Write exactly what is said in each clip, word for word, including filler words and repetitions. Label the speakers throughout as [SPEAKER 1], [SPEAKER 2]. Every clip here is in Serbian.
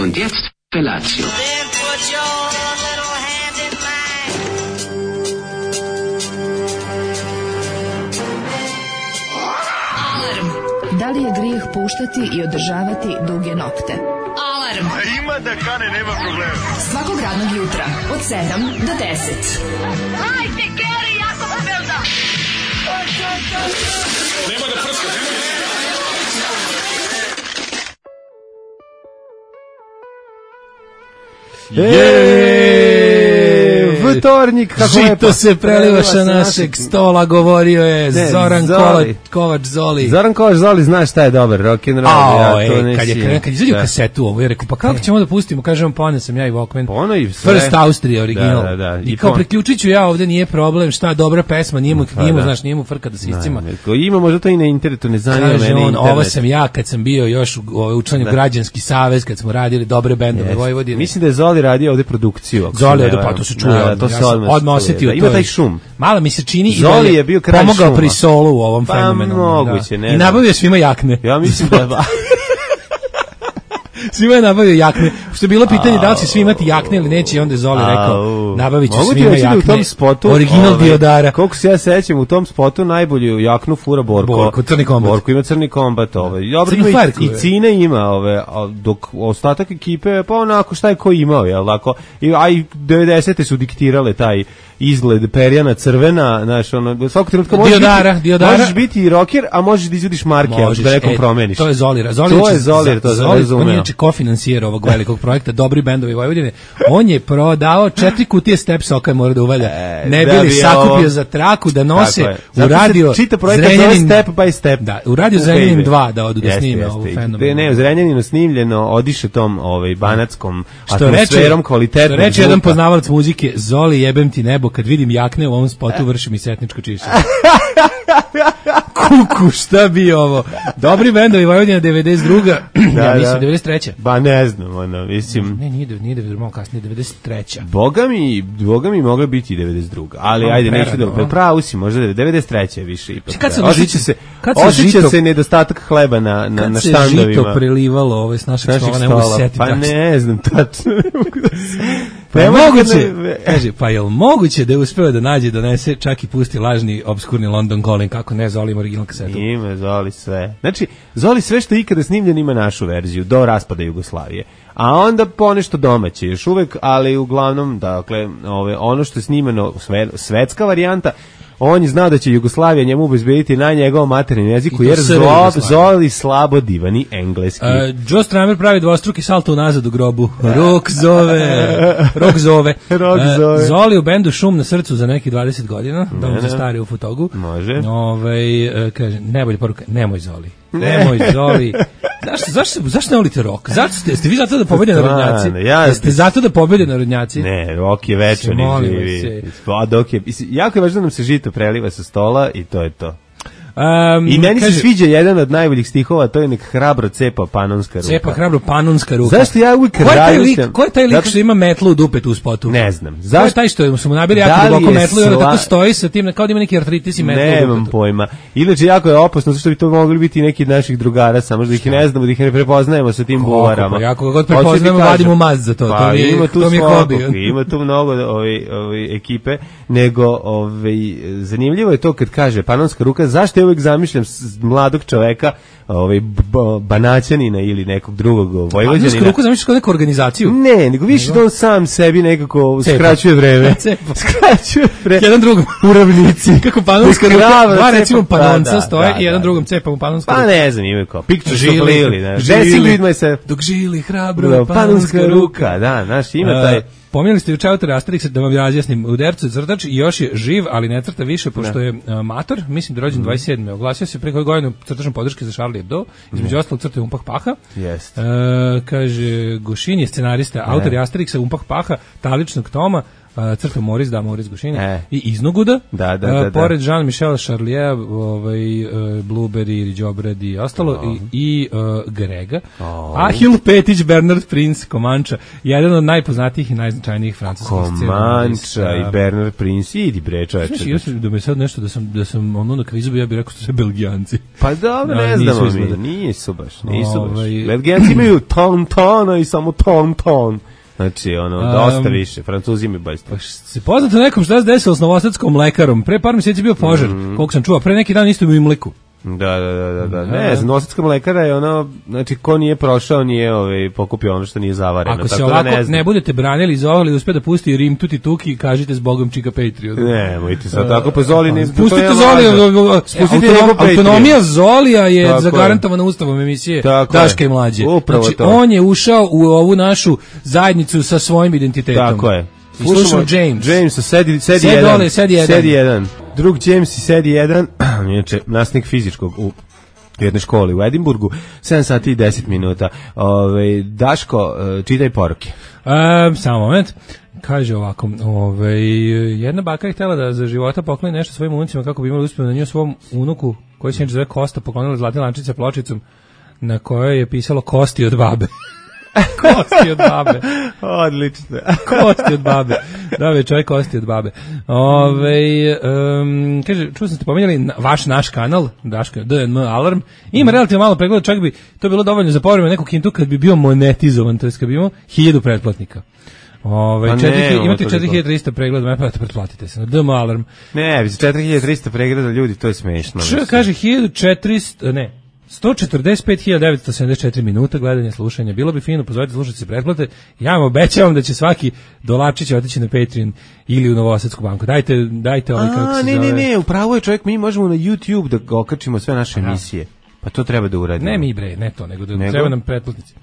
[SPEAKER 1] Und jetzt Felatio.
[SPEAKER 2] Da li je grijeh puštati i održavati duge nokte? Alarm!
[SPEAKER 3] A ima da kane, nema problema.
[SPEAKER 2] Svakog radnog jutra, od sedam do deset.
[SPEAKER 4] Hajde, Geri, jako se velda!
[SPEAKER 3] Nema da prska, nema da
[SPEAKER 5] Jeee, vtornik, kako
[SPEAKER 6] Žito
[SPEAKER 5] lepo.
[SPEAKER 6] se preliva sa našeg stola, govorio je
[SPEAKER 5] Ne,
[SPEAKER 6] Zoran
[SPEAKER 5] Zoli.
[SPEAKER 6] Kovač, Kovač Zoli.
[SPEAKER 5] Zoran Kovač Zoli, znaš šta je dobar rock and roll.
[SPEAKER 6] Ao,
[SPEAKER 5] ja to
[SPEAKER 6] e,
[SPEAKER 5] ne
[SPEAKER 6] kad je
[SPEAKER 5] si-
[SPEAKER 6] krenuo, kad je izadio
[SPEAKER 5] da.
[SPEAKER 6] kasetu ovo, ja rekao, pa kako ćemo da pustimo, kažem, poneo sam ja i Walkman.
[SPEAKER 5] Ono i sve.
[SPEAKER 6] First Austria original.
[SPEAKER 5] Da, da, da.
[SPEAKER 6] I,
[SPEAKER 5] I
[SPEAKER 6] kao
[SPEAKER 5] pon-
[SPEAKER 6] priključit ću ja ovde, nije problem, šta, dobra pesma, nije mu,
[SPEAKER 5] Pa
[SPEAKER 6] nije mu,
[SPEAKER 5] da.
[SPEAKER 6] znaš, nije mu frka da se iscima.
[SPEAKER 5] Ko ima možda to i na internetu, ne zanima
[SPEAKER 6] Kaže
[SPEAKER 5] mene
[SPEAKER 6] on,
[SPEAKER 5] internet.
[SPEAKER 6] ovo sam ja kad sam bio još u, u učlanju Građanski savez, kad smo radili dobre bendove
[SPEAKER 5] Jeste.
[SPEAKER 6] Vojvodine.
[SPEAKER 5] Mislim da je Zoli radio ovde produkciju. ako se
[SPEAKER 6] Zoli
[SPEAKER 5] ne
[SPEAKER 6] ovde, pa
[SPEAKER 5] varam.
[SPEAKER 6] to se čuje.
[SPEAKER 5] Da,
[SPEAKER 6] odmah.
[SPEAKER 5] to
[SPEAKER 6] Ja
[SPEAKER 5] se
[SPEAKER 6] sam
[SPEAKER 5] odmah,
[SPEAKER 6] odmah
[SPEAKER 5] čuje,
[SPEAKER 6] osetio.
[SPEAKER 5] da.
[SPEAKER 6] to
[SPEAKER 5] Ima
[SPEAKER 6] je-
[SPEAKER 5] taj šum.
[SPEAKER 6] Malo mi se čini i
[SPEAKER 5] Zoli
[SPEAKER 6] da
[SPEAKER 5] je bio kralj
[SPEAKER 6] pomogao
[SPEAKER 5] šuma.
[SPEAKER 6] pri solu u ovom
[SPEAKER 5] Pa,
[SPEAKER 6] fenomenu.
[SPEAKER 5] moguće, ne
[SPEAKER 6] I
[SPEAKER 5] znam.
[SPEAKER 6] nabavio svima jakne.
[SPEAKER 5] Ja mislim da...
[SPEAKER 6] Svima je nabavio jakne. Što je bilo pitanje da li će svi imati jakne ili neće, i onda je Zoli rekao,
[SPEAKER 5] Au.
[SPEAKER 6] nabavit ću
[SPEAKER 5] Mogu ti
[SPEAKER 6] svima
[SPEAKER 5] reći da
[SPEAKER 6] jakne.
[SPEAKER 5] u tom spotu,
[SPEAKER 6] Original
[SPEAKER 5] ovaj,
[SPEAKER 6] Diodara.
[SPEAKER 5] Koliko se ja sećam, u tom spotu najbolju jaknu fura Borko.
[SPEAKER 6] Borko, crni kombat.
[SPEAKER 5] Borko ima crni kombat. Ovaj. Dobro,
[SPEAKER 6] Crnu
[SPEAKER 5] ima
[SPEAKER 6] farku,
[SPEAKER 5] i, i
[SPEAKER 6] je.
[SPEAKER 5] Cine ima, ove, a dok ostatak ekipe, pa onako šta je ko imao, jel tako? I, a i devedesete su diktirale taj izgled perjana crvena, znaš, ono, svakog trenutka možeš
[SPEAKER 6] Diodara,
[SPEAKER 5] biti,
[SPEAKER 6] Diodara.
[SPEAKER 5] možeš biti i rocker, a možeš da izvodiš marke,
[SPEAKER 6] Možeš,
[SPEAKER 5] da nekom
[SPEAKER 6] e,
[SPEAKER 5] promeniš.
[SPEAKER 6] To je Zolira. Zoli
[SPEAKER 5] To
[SPEAKER 6] inače-
[SPEAKER 5] je Zolir, to
[SPEAKER 6] Zoli,
[SPEAKER 5] razumeo.
[SPEAKER 6] on je inače kofinansijer ovog velikog projekta Dobri bendovi Vojvodine. On je prodao četiri kutije Step Soka, mora da uvalja.
[SPEAKER 5] E,
[SPEAKER 6] ne
[SPEAKER 5] da
[SPEAKER 6] bi li
[SPEAKER 5] bi
[SPEAKER 6] sakupio
[SPEAKER 5] ovo-
[SPEAKER 6] za traku da nose
[SPEAKER 5] Tako je.
[SPEAKER 6] u
[SPEAKER 5] Zato se
[SPEAKER 6] radio
[SPEAKER 5] čita projekat zove
[SPEAKER 6] Zrenjanin-
[SPEAKER 5] Step by Step.
[SPEAKER 6] Da, u radio
[SPEAKER 5] U
[SPEAKER 6] Zrenjanin
[SPEAKER 5] baby.
[SPEAKER 6] dva da odu da
[SPEAKER 5] Jeste,
[SPEAKER 6] snime
[SPEAKER 5] jeste.
[SPEAKER 6] ovu
[SPEAKER 5] I
[SPEAKER 6] fenomenu.
[SPEAKER 5] Ne, u Zrenjaninu snimljeno, odiše tom ovaj, banatskom
[SPEAKER 6] Što reče,
[SPEAKER 5] atmosferom
[SPEAKER 6] što
[SPEAKER 5] kvalitetnog
[SPEAKER 6] reče jedan
[SPEAKER 5] zvuka.
[SPEAKER 6] poznavalac muzike, Zoli jebem ti nebo, kad vidim jakne u ovom spotu vrši mi setničko čišćenje. Kuku, šta bi ovo? Dobri bendovi Vojvodina devedeset druga.
[SPEAKER 5] Da,
[SPEAKER 6] ja mislim
[SPEAKER 5] da.
[SPEAKER 6] devedeset treća.
[SPEAKER 5] Ba ne znam, ono, mislim...
[SPEAKER 6] Ne, nije, nije devedeset, malo kasnije, devedeset treća.
[SPEAKER 5] Boga mi, boga mi mogla biti i devedeset druga, ali
[SPEAKER 6] Malo
[SPEAKER 5] ajde, neću
[SPEAKER 6] prerano,
[SPEAKER 5] da...
[SPEAKER 6] a?
[SPEAKER 5] Pravo si, možda devedeset treća je više ipak.
[SPEAKER 6] Kad se
[SPEAKER 5] Osjeća se,
[SPEAKER 6] kad se
[SPEAKER 5] osjeća
[SPEAKER 6] žito-
[SPEAKER 5] se nedostatak hleba na, na,
[SPEAKER 6] Kad
[SPEAKER 5] na
[SPEAKER 6] se
[SPEAKER 5] štandovima.
[SPEAKER 6] žito prelivalo ove s našeg
[SPEAKER 5] Naših
[SPEAKER 6] stola, ne mogu se
[SPEAKER 5] stola.
[SPEAKER 6] setiti.
[SPEAKER 5] Pa
[SPEAKER 6] tačno.
[SPEAKER 5] ne znam, tačno. Ne mogu da se...
[SPEAKER 6] Pa je
[SPEAKER 5] Ne mogu
[SPEAKER 6] moguće,
[SPEAKER 5] da-
[SPEAKER 6] kaže, pa je li moguće da je uspeo da nađe, donese, čak i pusti lažni, obskurni London Calling, kako ne, Zolim original kasetu.
[SPEAKER 5] Ima Zoli sve. Znači, Zoli sve što je ikada snimljen ima našu verziju, do raspada Jugoslavije. A onda ponešto domaće, još uvek, ali uglavnom, dakle, ove, ono što je snimeno, sve, svetska varijanta, on je znao da će Jugoslavija njemu obezbediti na njegovom materijalnom jeziku,
[SPEAKER 6] I to
[SPEAKER 5] jer
[SPEAKER 6] sve
[SPEAKER 5] zlo,
[SPEAKER 6] Jugoslavija.
[SPEAKER 5] Zoli slabo divani engleski.
[SPEAKER 6] Uh, Joe Stramer pravi dvostruki salto unazad u grobu. Rok zove. Rok zove.
[SPEAKER 5] Rok
[SPEAKER 6] Uh,
[SPEAKER 5] zove.
[SPEAKER 6] Zoli u bendu Šum na srcu za nekih dvadeset godina. Dom
[SPEAKER 5] Ne,
[SPEAKER 6] za
[SPEAKER 5] ne.
[SPEAKER 6] stari u Fotogu.
[SPEAKER 5] Može.
[SPEAKER 6] Ovaj, uh, kaže, najbolja poruka, nemoj Zoli. Nemoj Zoli. Zašto, zašto, zašto ne volite rok? Zato ste, ste vi zato da pobede narodnjaci?
[SPEAKER 5] Stvarno, ja-
[SPEAKER 6] Jeste zato da pobede narodnjaci?
[SPEAKER 5] Ne, Rok je večan i
[SPEAKER 6] Molim vas
[SPEAKER 5] živi.
[SPEAKER 6] se.
[SPEAKER 5] Pa dok je, mislim, jako je važno da nam se žito preliva sa stola i to je to.
[SPEAKER 6] Um,
[SPEAKER 5] I meni
[SPEAKER 6] kaže,
[SPEAKER 5] se sviđa jedan od najboljih stihova, to je nek hrabro cepa panonska ruka.
[SPEAKER 6] Cepa hrabro panonska ruka.
[SPEAKER 5] Zašto ja uvijek
[SPEAKER 6] Ko je taj lik,
[SPEAKER 5] razmišljam?
[SPEAKER 6] ko je taj lik
[SPEAKER 5] Zato-
[SPEAKER 6] što ima metlu u dupetu u spotu?
[SPEAKER 5] Ne znam.
[SPEAKER 6] Ko je
[SPEAKER 5] Zašto?
[SPEAKER 6] taj što su mu nabili
[SPEAKER 5] Da
[SPEAKER 6] jako
[SPEAKER 5] li
[SPEAKER 6] duboko
[SPEAKER 5] je
[SPEAKER 6] metlu i onda
[SPEAKER 5] sla-
[SPEAKER 6] tako stoji sa tim, kao da ima neki artritis i metlu u
[SPEAKER 5] Nemam
[SPEAKER 6] dupetu.
[SPEAKER 5] pojma. Inače, jako je opasno, zašto bi to mogli biti neki od naših drugara, samo da ih ne znamo, da ih ne prepoznajemo sa tim
[SPEAKER 6] Kako,
[SPEAKER 5] buvarama.
[SPEAKER 6] pa ja koga god
[SPEAKER 5] Hoću ti
[SPEAKER 6] prepoznajemo,
[SPEAKER 5] kažem.
[SPEAKER 6] vadimo mast za to, to
[SPEAKER 5] Pa,
[SPEAKER 6] mi je-
[SPEAKER 5] ima tu
[SPEAKER 6] to mi je
[SPEAKER 5] svakog,
[SPEAKER 6] hobi.
[SPEAKER 5] ima tu mnogo ovi, ovi ekipe, nego ovi, zanimljivo je to kad kaže panonska ruka, zašto ja uvijek zamišljam s- mladog čoveka, ovaj, b- banaćanina ili nekog drugog
[SPEAKER 6] Panonsku
[SPEAKER 5] vojvođanina.
[SPEAKER 6] ruku zamišljaš kao neku organizaciju?
[SPEAKER 5] Ne, nego više da on sam sebi nekako
[SPEAKER 6] Cepa.
[SPEAKER 5] skraćuje vreme.
[SPEAKER 6] Cepa.
[SPEAKER 5] Skraćuje vreme.
[SPEAKER 6] Jedan drugom.
[SPEAKER 5] U ravnici.
[SPEAKER 6] Kako panonska
[SPEAKER 5] Krava
[SPEAKER 6] ruka, dva
[SPEAKER 5] cepa.
[SPEAKER 6] recimo panonca
[SPEAKER 5] Da, da,
[SPEAKER 6] stoje
[SPEAKER 5] da,
[SPEAKER 6] i jedan
[SPEAKER 5] da.
[SPEAKER 6] drugom cepa mu panonska
[SPEAKER 5] Pa
[SPEAKER 6] ruka.
[SPEAKER 5] ne znam, imaju kao pictures
[SPEAKER 6] Žili,
[SPEAKER 5] of Lily, ne.
[SPEAKER 6] žili.
[SPEAKER 5] Dancing with myself.
[SPEAKER 6] Dok žili hrabro
[SPEAKER 5] Da, panonska
[SPEAKER 6] ruka.
[SPEAKER 5] ruka, da, znaš, ima taj...
[SPEAKER 6] Uh, Pominjali ste juče autora Asterixa, da vam razjasnim. U Dercu je crtač i još je živ, ali ne crta više, pošto je uh, mator, mislim da je rođen dvadeset sedme Oglasio se pre koju godinu crtačom podrške za Charlie Hebdo, između ostalog crta je Umpah Paha.
[SPEAKER 5] Jeste.
[SPEAKER 6] Uh, kaže, Gošin je scenarista, autor je Asterixa, Umpah Paha, Taličnog Toma, uh, crta Moris, da, Moris Gušini,
[SPEAKER 5] E.
[SPEAKER 6] i Iznoguda,
[SPEAKER 5] Da, da, da,
[SPEAKER 6] uh,
[SPEAKER 5] da.
[SPEAKER 6] pored Jean-Michel Charlier, ovaj, uh, Blueberry, Đobrad i ostalo, oh. i, i uh, Grega,
[SPEAKER 5] Oh.
[SPEAKER 6] Ahil Petić, Bernard Prince, Komanča, jedan od najpoznatijih i najznačajnijih francuskih scena.
[SPEAKER 5] Komanča i Bernard Prince, idi bre čoveče.
[SPEAKER 6] Znaš, još da me sad nešto, da sam, da sam ono na kvizu bi, ja bih rekao su sve Belgijanci.
[SPEAKER 5] Pa dobro,
[SPEAKER 6] Da,
[SPEAKER 5] ne
[SPEAKER 6] nisu
[SPEAKER 5] znamo
[SPEAKER 6] izgleda.
[SPEAKER 5] mi, nisu baš, nisu baš.
[SPEAKER 6] Ovaj-
[SPEAKER 5] Belgijanci imaju ton tona i samo ton ton. Znači, ono,
[SPEAKER 6] Um,
[SPEAKER 5] dosta više. Francuzi imaju baš.
[SPEAKER 6] Pa se poznato nekom šta se desilo s novosadskom mlekarom. Pre par mjeseci je bio požar,
[SPEAKER 5] Mm.
[SPEAKER 6] koliko sam čuo. Pre neki dan isto u Imliku.
[SPEAKER 5] Da, da, da, da, da. Ne, novosadska mlekara je ono, znači, ko nije prošao, nije ovaj, pokupio ono što nije zavareno.
[SPEAKER 6] Ako se
[SPEAKER 5] tako
[SPEAKER 6] ovako
[SPEAKER 5] da ne,
[SPEAKER 6] ne,
[SPEAKER 5] znam.
[SPEAKER 6] budete branili iz ovoga ili uspe da pusti Rim tuti tuki, kažite s Bogom čika Patreon.
[SPEAKER 5] Ne, mojte sad tako, pa Zoli ne...
[SPEAKER 6] Pustite Zolija,
[SPEAKER 5] Spustite
[SPEAKER 6] autonom,
[SPEAKER 5] njegov Patreon.
[SPEAKER 6] autonomija Zolija je
[SPEAKER 5] Tako je.
[SPEAKER 6] zagarantovana ustavom emisije
[SPEAKER 5] Tako
[SPEAKER 6] Daška
[SPEAKER 5] je.
[SPEAKER 6] i Mlađe.
[SPEAKER 5] Upravo
[SPEAKER 6] Znači,
[SPEAKER 5] to.
[SPEAKER 6] on je ušao u ovu našu zajednicu sa svojim identitetom.
[SPEAKER 5] Tako je.
[SPEAKER 6] I slušamo James.
[SPEAKER 5] James, sedi, sedi,
[SPEAKER 6] Sedi
[SPEAKER 5] jedan.
[SPEAKER 6] dole, sedi jedan.
[SPEAKER 5] Sedi jedan. Drug James i sedi jedan, inače, nastavnik fizičkog u jednoj školi u Edimburgu, sedam sati i deset minuta. Ove, Daško, čitaj poruke.
[SPEAKER 6] E, samo moment. Kaže ovako, ovaj, jedna baka je htjela da za života pokloni nešto svojim unucima kako bi imali uspjeh na nju svom unuku, koji se zove Kosta, poklonila zlatne lančice pločicom na kojoj je pisalo kosti od babe. Kosti od babe.
[SPEAKER 5] Odlično.
[SPEAKER 6] Kosti od babe. Da, je čovjek kosti od babe. Ove, um, kaže, čuo sam ste pomenjali na, vaš naš kanal, Daško, D N M Alarm, ima relativno malo pregleda, čak bi to bilo dovoljno za povreme neku kintu kad bi bio monetizovan, to je kad bi imao hiljadu pretplatnika. Ove,
[SPEAKER 5] Pa ne,
[SPEAKER 6] četiri,
[SPEAKER 5] imamo
[SPEAKER 6] imate
[SPEAKER 5] toliko.
[SPEAKER 6] četiri hiljade trista pregleda, pa pretplatite se na D M Alarm.
[SPEAKER 5] Ne, bi se četiri hiljade trista pregleda ljudi, to je smešno.
[SPEAKER 6] Č,
[SPEAKER 5] mislim.
[SPEAKER 6] kaže hiljadu četiristo, ne, sto četrdeset pet hiljada devetsto sedamdeset četiri minuta gledanja, slušanja. Bilo bi fino, pozovite slušati se pretplate. Ja vam obećavam da će svaki dolapčić otići na Patreon ili u Novosadsku banku. Dajte, dajte ovaj kako
[SPEAKER 5] A,
[SPEAKER 6] se
[SPEAKER 5] ne,
[SPEAKER 6] zove.
[SPEAKER 5] ne, ne, upravo je čovjek, mi možemo na YouTube da ga okačimo sve naše emisije. Pa to treba da uradimo.
[SPEAKER 6] Ne mi bre, ne to, nego da
[SPEAKER 5] Nego?
[SPEAKER 6] treba nam pretplatnici.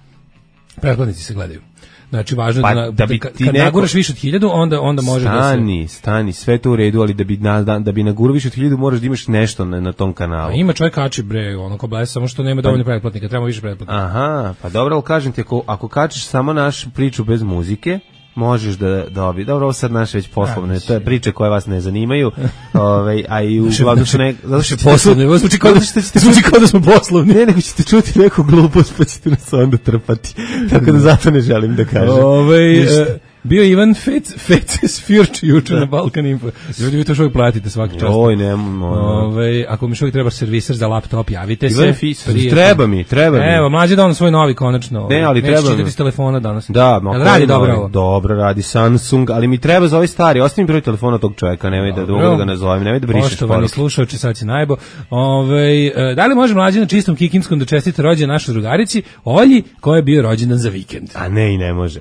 [SPEAKER 6] Pretplatnici se gledaju. Znači, važno je
[SPEAKER 5] Pa,
[SPEAKER 6] da,
[SPEAKER 5] da bi
[SPEAKER 6] kad,
[SPEAKER 5] ti
[SPEAKER 6] kad
[SPEAKER 5] neko-
[SPEAKER 6] naguraš više od hiljadu, onda, onda može da se...
[SPEAKER 5] Stani, stani, sve to u redu, ali da bi, na, da, da bi nagurao više od hiljadu moraš da imaš nešto na, na tom kanalu.
[SPEAKER 6] A ima čovjek kači bre, ono ko bles, samo što nema dovoljno pretplatnika, treba više pretplatnika.
[SPEAKER 5] Aha, pa dobro, ali kažem ti, ako, ako kačiš samo našu priču bez muzike, možeš da dobi. Dobro, ovo sad naše već poslovne, to je priče koje vas ne zanimaju, ovaj, a i uglavnom su ne... Zato što ćete
[SPEAKER 6] Poslovni, ovo zvuči kao da,
[SPEAKER 5] zato što ćete
[SPEAKER 6] zvuči kao da smo poslovni.
[SPEAKER 5] Ne, nego ćete čuti neku glupost, pa ćete nas onda trpati. Tako da zato ne želim da kažem.
[SPEAKER 6] Ovaj
[SPEAKER 5] Ništa.
[SPEAKER 6] e, bio Ivan Fec Feces Fjurč juče na Balkan Info. Ljudi, vi to što uvijek platite svaki čas.
[SPEAKER 5] Oj, nemamo.
[SPEAKER 6] Ovaj, ako mi što uvijek treba serviser za laptop, javite se.
[SPEAKER 5] Ivan Fis,
[SPEAKER 6] Prije-
[SPEAKER 5] treba mi, treba mi.
[SPEAKER 6] Evo, mlađe da on svoj novi konačno.
[SPEAKER 5] Ne, ali
[SPEAKER 6] Neće
[SPEAKER 5] treba mi.
[SPEAKER 6] čitati s telefona danas.
[SPEAKER 5] Da, ma
[SPEAKER 6] Jel radi
[SPEAKER 5] koji
[SPEAKER 6] dobro
[SPEAKER 5] novi?
[SPEAKER 6] ovo?
[SPEAKER 5] Dobro radi Samsung, ali mi treba za ovaj stari. Ostavi broj telefona tog čovjeka, nemoj da
[SPEAKER 6] Dobro.
[SPEAKER 5] dugo da ga nazovem, nemoj da brišeš
[SPEAKER 6] Poštovani
[SPEAKER 5] poruke.
[SPEAKER 6] slušaoči, sad si najbo. Ovaj, e, da li može mlađe na čistom Kikinskom da čestite rođendan našoj drugarici Olji, koja je bio rođendan za vikend?
[SPEAKER 5] A ne, i ne može.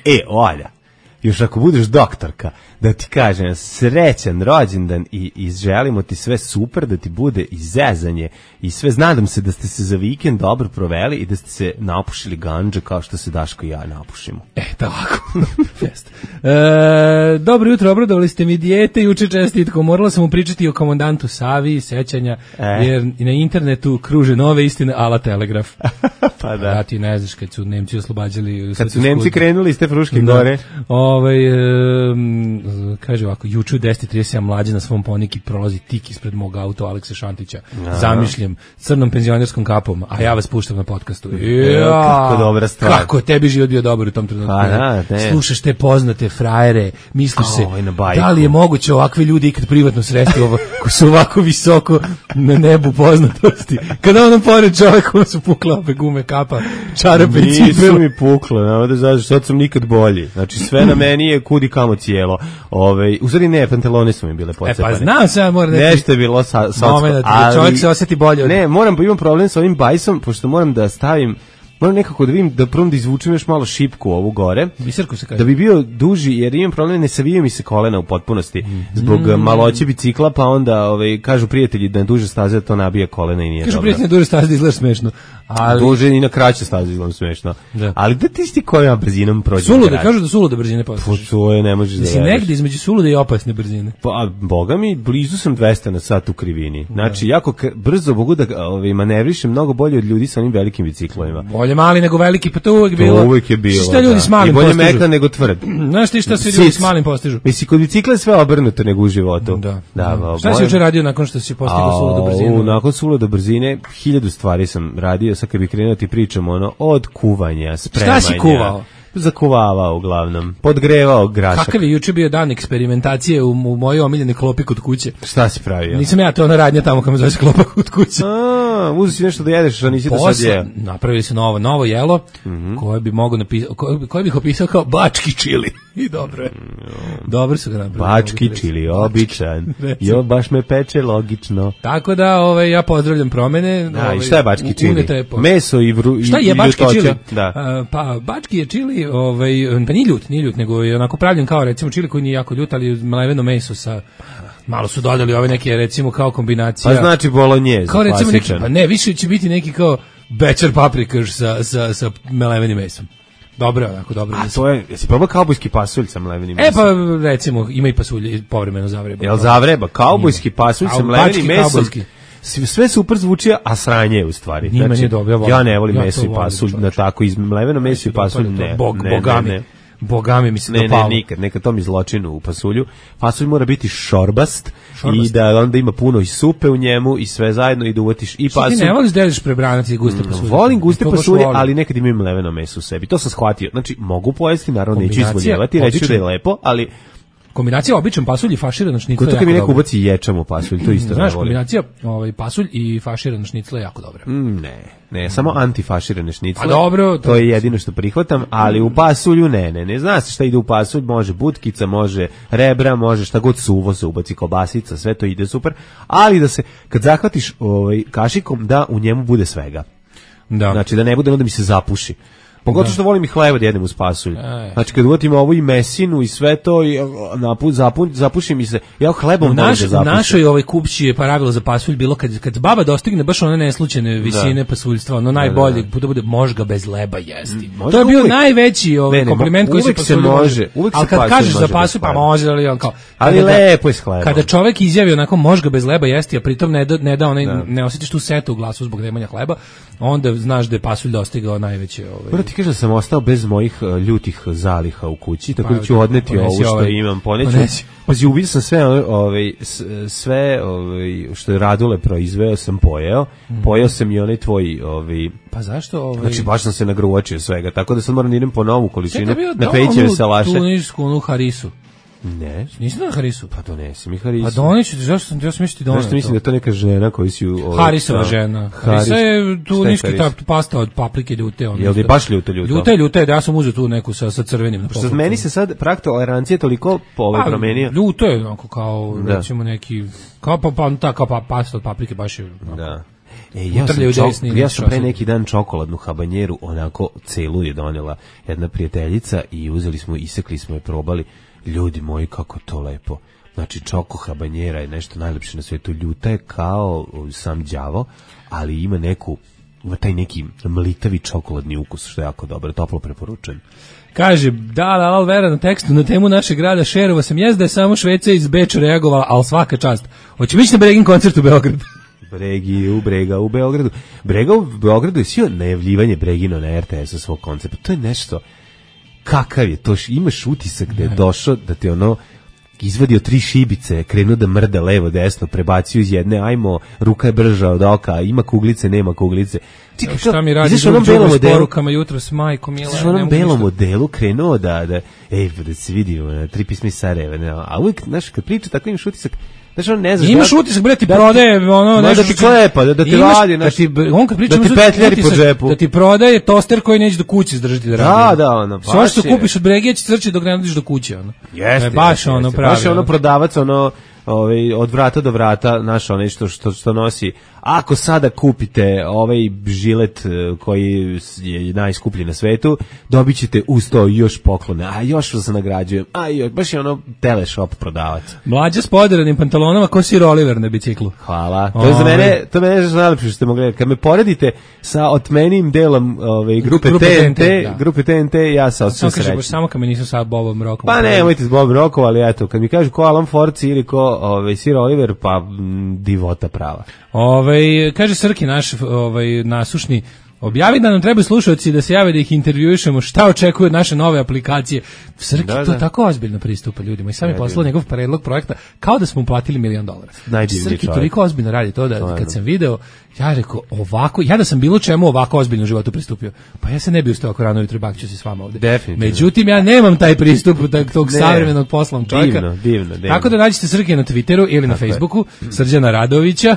[SPEAKER 5] E, Olja, još ako budeš doktorka, da ti kažem srećan rođendan i, i želimo ti sve super, da ti bude i zezanje i sve, nadam se da ste se za vikend dobro proveli i da ste se napušili gandže kao što se Daško i ja napušimo.
[SPEAKER 6] E, tako. Fest. E, dobro jutro, obradovali ste mi dijete, juče čestitko. Morala sam mu pričati o komandantu Savi, sećanja,
[SPEAKER 5] E.
[SPEAKER 6] jer na internetu kruže nove istine ala Telegraf.
[SPEAKER 5] Pa da.
[SPEAKER 6] Ja ti ne znaš, kad su Nemci oslobađali...
[SPEAKER 5] Kad su Nemci krenuli iz te Fruške gore,
[SPEAKER 6] Ovaj, em, kaže ovako, juče u deset i trideset sedam mlađe na svom poniki prolazi tik ispred mog auta Alekse Šantića. Zamišljam, crnom penzionerskom kapom, a ja vas puštam na podcastu. Ja,
[SPEAKER 5] kako dobra stvar.
[SPEAKER 6] Kako je tebi život bio dobar u tom trenutku.
[SPEAKER 5] Pa da, ne.
[SPEAKER 6] Slušaš te poznate frajere, misliš se,
[SPEAKER 5] Oj, na bajku.
[SPEAKER 6] da li je moguće ovakve ljudi ikad privatno sresti ovo, ko su ovako visoko na nebu poznatosti. Kada ono pored čovjeka su pukle ope gume, kapa, čarape i
[SPEAKER 5] nisu
[SPEAKER 6] cipele.
[SPEAKER 5] mi pukle, nema da znaš, sad sam nikad bolji. Znači sve na meni je kudi kamo cijelo. Ove, u stvari ne, pantalone su mi bile
[SPEAKER 6] E
[SPEAKER 5] pocepane.
[SPEAKER 6] pa znam se, ja moram da ti-
[SPEAKER 5] Nešto je bilo sa, sa
[SPEAKER 6] Momenat, da čovjek se osjeti bolje od-
[SPEAKER 5] Ne, moram, imam problem sa ovim bajsom, pošto moram da stavim, moram nekako da vidim, da prvom da izvučem još malo šipku ovu gore,
[SPEAKER 6] Biserku se kaže.
[SPEAKER 5] da bi bio duži, jer imam problem, ne savijaju mi se kolena u potpunosti, zbog
[SPEAKER 6] Mm.
[SPEAKER 5] maloće bicikla, pa onda ovaj, kažu prijatelji da na duže staze to nabija kolena i nije
[SPEAKER 6] Kažu
[SPEAKER 5] dobro.
[SPEAKER 6] prijatelj duže staze da izgledaš smešno. Ali
[SPEAKER 5] Duže i na kraće staze izgledam smešno.
[SPEAKER 6] Da.
[SPEAKER 5] Ali da ti sti kojom brzinom prođe?
[SPEAKER 6] sulude, kažu da sulude brzine postižeš.
[SPEAKER 5] To je, ne možeš da
[SPEAKER 6] Da si
[SPEAKER 5] veruješ.
[SPEAKER 6] negdje između sulude i opasne brzine.
[SPEAKER 5] Pa, boga mi, blizu sam dvesta na sat u krivini. Znači, jako k- brzo mogu da ovaj, manevrišem mnogo bolje od ljudi sa onim velikim biciklovima.
[SPEAKER 6] Bolje Bolje mali nego veliki, pa to uvek bilo.
[SPEAKER 5] To uvek je bilo.
[SPEAKER 6] Šta ljudi
[SPEAKER 5] da.
[SPEAKER 6] s malim
[SPEAKER 5] I bolje
[SPEAKER 6] postižu?
[SPEAKER 5] mekan nego tvrd.
[SPEAKER 6] Znaš ti šta se ljudi s malim postižu?
[SPEAKER 5] Misli, kod bicikla je sve obrnuto nego u životu.
[SPEAKER 6] Da.
[SPEAKER 5] da
[SPEAKER 6] da. Šta si juče radio nakon što si postigao suludu brzinu?
[SPEAKER 5] Nakon suludu brzine, hiljadu stvari sam radio, sad kad bi krenuo ti pričam, ono, od kuvanja, spremanja.
[SPEAKER 6] Šta si kuvao?
[SPEAKER 5] Zakuvavao uglavnom, podgrevao grašak.
[SPEAKER 6] Kakav je juče bio dan eksperimentacije u, u mojoj omiljene klopi kod kuće?
[SPEAKER 5] Šta si pravio?
[SPEAKER 6] Nisam ja to ona radnja tamo kad me zove klopa kod kuće.
[SPEAKER 5] A, uzeo si nešto da jedeš, a nisi da sad jeo.
[SPEAKER 6] Napravili su novo, novo jelo, mm -hmm. koje bi mogo napisao, koje, koje bih opisao kao bački čili. I dobro je. Dobro su ga napravili.
[SPEAKER 5] Bački čili, običan. Jo, baš me peče, logično.
[SPEAKER 6] Tako da, ovaj, ja pozdravljam promene.
[SPEAKER 5] Da,
[SPEAKER 6] ovaj,
[SPEAKER 5] i šta je bački čili? Meso i vru,
[SPEAKER 6] šta je bački čili?
[SPEAKER 5] Da.
[SPEAKER 6] A, pa, bački je čili, ovaj, pa nije ljut, nije ljut, nego je onako pravljen kao, recimo, čili koji nije jako ljut, ali mleveno meso sa... Malo su dodali ove neke, recimo, kao kombinacija.
[SPEAKER 5] Pa znači bolognese,
[SPEAKER 6] kao recimo neki,
[SPEAKER 5] klasičan.
[SPEAKER 6] pa ne, više će biti neki kao bečar paprikaš sa, sa, sa mlevenim mesom. Dobro, onako, dobro.
[SPEAKER 5] A to je, jesi probao kaubojski pasulj sa mlevenim mesom?
[SPEAKER 6] E pa, recimo, ima i pasulj povremeno zavreba.
[SPEAKER 5] Jel zavreba? Kaubojski pasulj sa mlevenim mesom? Sve super zvuči, a sranje je u stvari.
[SPEAKER 6] Nije znači, dobro, ja,
[SPEAKER 5] ja ne volim
[SPEAKER 6] ja
[SPEAKER 5] meso i pasulj, na tako iz mleveno meso i pasulj ne.
[SPEAKER 6] Bog,
[SPEAKER 5] ne,
[SPEAKER 6] bogami.
[SPEAKER 5] ne, ne.
[SPEAKER 6] Bogami mi se
[SPEAKER 5] ne,
[SPEAKER 6] dopalo.
[SPEAKER 5] Ne, nikad, neka to mi zločinu u pasulju. Pasulj mora biti šorbast,
[SPEAKER 6] šorbast.
[SPEAKER 5] I da onda ima puno i supe u njemu i sve zajedno i da uvatiš i pasulj.
[SPEAKER 6] Što ti ne voliš da jeliš prebranac i guste pasulje?
[SPEAKER 5] Volim guste pasulje, ali nekad imam mleveno meso u sebi. To sam shvatio. Znači, mogu pojesti, naravno neću izvoljevati, reći da je lepo, ali...
[SPEAKER 6] Kombinacija običan pasulj i faširan šnicl je jako
[SPEAKER 5] dobra. Kod mi neko ubaci ječam u pasulj, to isto
[SPEAKER 6] znaš,
[SPEAKER 5] ne volim.
[SPEAKER 6] Kombinacija ovaj, pasulj i faširan šnicl je jako dobra.
[SPEAKER 5] Mm, ne, ne, samo antifaširane šnicle.
[SPEAKER 6] A dobro.
[SPEAKER 5] To, to je jedino što prihvatam, ali u pasulju ne, ne, ne. Zna se šta ide u pasulj, može butkica, može rebra, može šta god suvo se ubaci, kobasica, sve to ide super, ali da se, kad zahvatiš ovaj, kašikom, da u njemu bude svega.
[SPEAKER 6] Da.
[SPEAKER 5] Znači da ne bude onda mi se zapuši. Pogotovo što volim i hleba da jedem uz pasulj. Znači kad uvatim ovo i mesinu i sve to i napun, zapun, zapuši mi se. Ja hlebom volim
[SPEAKER 6] naš,
[SPEAKER 5] da zapušim.
[SPEAKER 6] U našoj ovaj kupći je pravilo za pasulj bilo kad, kad baba dostigne baš one neslučajne visine da. Pasuljstva, ono najbolje, da, da. bude možga bez leba jesti. Možda to je bio uvijek, najveći ovaj, ne, ne, kompliment koji se pasulju može.
[SPEAKER 5] Uvijek
[SPEAKER 6] ali kad kažeš za pasulj, pa može, ali on kao...
[SPEAKER 5] Ali lepo je s hlebom.
[SPEAKER 6] Kada čovjek izjavi onako možga bez leba jesti, a pritom ne da, ne, da onaj, da. ne osjetiš tu setu u glasu zbog nemanja hleba, onda znaš da je pasulj dostigao najveće... Ovaj,
[SPEAKER 5] ti kažeš da sam ostao bez mojih uh, ljutih zaliha u kući, tako da ću odneti ovo što ovaj, imam, poneću. Pazi, ubio sam sve, ovaj, sve ovaj, što je Radule proizveo, sam pojeo. Mm. Pojeo sam i onaj tvoj... Ovaj,
[SPEAKER 6] pa zašto? Ovaj...
[SPEAKER 5] Znači, baš sam se nagruvačio svega, tako da sad moram idem po novu količinu na Pejićeve salaše.
[SPEAKER 6] Tunisku, onu harisu.
[SPEAKER 5] Ne.
[SPEAKER 6] Nisi na harisu?
[SPEAKER 5] Pa donesi mi harisu.
[SPEAKER 6] Pa donesi, zašto sam, ja sam misliti donesi.
[SPEAKER 5] Zašto mislim da je to neka žena koji si...
[SPEAKER 6] Ovaj, Harisova žena. Harisa je tuniski ta pasta od paprike ljute. Ono,
[SPEAKER 5] jel ti baš ljute ljuto?
[SPEAKER 6] Ljute, ljute, da ja sam uzeo tu neku sa, sa crvenim.
[SPEAKER 5] Što meni se sad prag tolerancije toliko po ove
[SPEAKER 6] pa,
[SPEAKER 5] promenio.
[SPEAKER 6] Ljuto je onako kao, da. recimo neki, kao pa, pa, ta, kao pa pasta od paprike baš je... Onako,
[SPEAKER 5] da. E, ja, sam čok, ja sam pre neki dan čokoladnu habanjeru, onako celu je donela jedna prijateljica i uzeli smo, isekli smo je, probali. Ljudi moji, kako to lepo. Znači, čoko habanjera je nešto najlepše na svijetu. Ljuta je kao sam đavo, ali ima neku, ima taj neki mlitavi čokoladni ukus, što je jako dobro, toplo preporučujem.
[SPEAKER 6] Kaže, da, da, ali vera na tekstu na temu našeg grada Šerova sam jezda je samo Šveca iz Beča reagovala, ali svaka čast. Hoće biti na Bregin koncert u Beogradu.
[SPEAKER 5] Bregi u Brega u Beogradu. Brega u Beogradu je sio najavljivanje Bregino na R T S-u svog koncepta. To je nešto... Kakav je to, imaš utisak da je došao, da te ono izvadio tri šibice, krenuo da mrda levo, desno, prebacio iz jedne, ajmo, ruka je brža od oka, ima kuglice, nema kuglice.
[SPEAKER 6] Čekaj, šta mi radi u onom s porukama jutro s majkom, Mila?
[SPEAKER 5] Znaš, u onom belom modelu krenuo da, da, ej, da se vidimo, na tri pisma iz Sarajeva, a uvijek, znaš, kad priča, tako imaš utisak, znači on ne znaš.
[SPEAKER 6] Imaš da, utisak bre ti da prodaje ono
[SPEAKER 5] nešto da ti klepa, da, da te radi,
[SPEAKER 6] da ti on kad priča
[SPEAKER 5] da ti petljari po džepu.
[SPEAKER 6] Da ti prodaje toster koji neće do kuće izdržati da radi.
[SPEAKER 5] Da, da, ono.
[SPEAKER 6] Sve što kupiš od Bregije će crči dok ne dođeš do kuće, ono.
[SPEAKER 5] Jeste.
[SPEAKER 6] Baš ono pravi.
[SPEAKER 5] Baš ono prodavac, ono ovaj od vrata do vrata, naš onaj što što što nosi. Ako sada kupite ovaj žilet koji je najskuplji na svetu, dobićete uz to još poklone. A još vas nagrađujem. A još, baš je ono teleshop prodavac.
[SPEAKER 6] Mlađa s poderanim pantalonama ko Sir Oliver na biciklu.
[SPEAKER 5] Hvala. To je za mene, to mene je najlepše što ste mogli. Kad me poredite sa otmenim delom ove grupe, grupe T N T, da. grupe T N T, ja sa osjećam srećan.
[SPEAKER 6] Baš samo kad me nisu sa Bobom Rokom.
[SPEAKER 5] Pa ne, nemojte s Bobom Rokom, ali eto, kad mi kažu ko Alan Forci ili ko ovaj Sir Oliver, pa m, divota prava.
[SPEAKER 6] Ovaj kaže Srki naš ovaj nasušni Objavi da nam trebaju slušalci da se jave da ih intervjuišemo, šta očekuju od naše nove aplikacije. Srki
[SPEAKER 5] Da,
[SPEAKER 6] to
[SPEAKER 5] da.
[SPEAKER 6] tako ozbiljno pristupa ljudima i sam je poslao njegov predlog projekta kao da smo mu platili milion dolara.
[SPEAKER 5] Najdivniji
[SPEAKER 6] Srki
[SPEAKER 5] čovjek.
[SPEAKER 6] toliko ozbiljno radi to da
[SPEAKER 5] Stvarno.
[SPEAKER 6] kad sam video, ja rekao ovako, ja da sam bilo čemu ovako ozbiljno u životu pristupio, pa ja se ne bi ustao ako rano jutro i bakću se s vama ovde.
[SPEAKER 5] Definitivno.
[SPEAKER 6] Međutim, ja nemam taj pristup tog, tog
[SPEAKER 5] Ne.
[SPEAKER 6] savremenog poslovnog čovjeka.
[SPEAKER 5] Divno, divno, divno.
[SPEAKER 6] Tako da nađete Srke na Twitteru ili na
[SPEAKER 5] Tako je.
[SPEAKER 6] Facebooku, Srđana Radovića.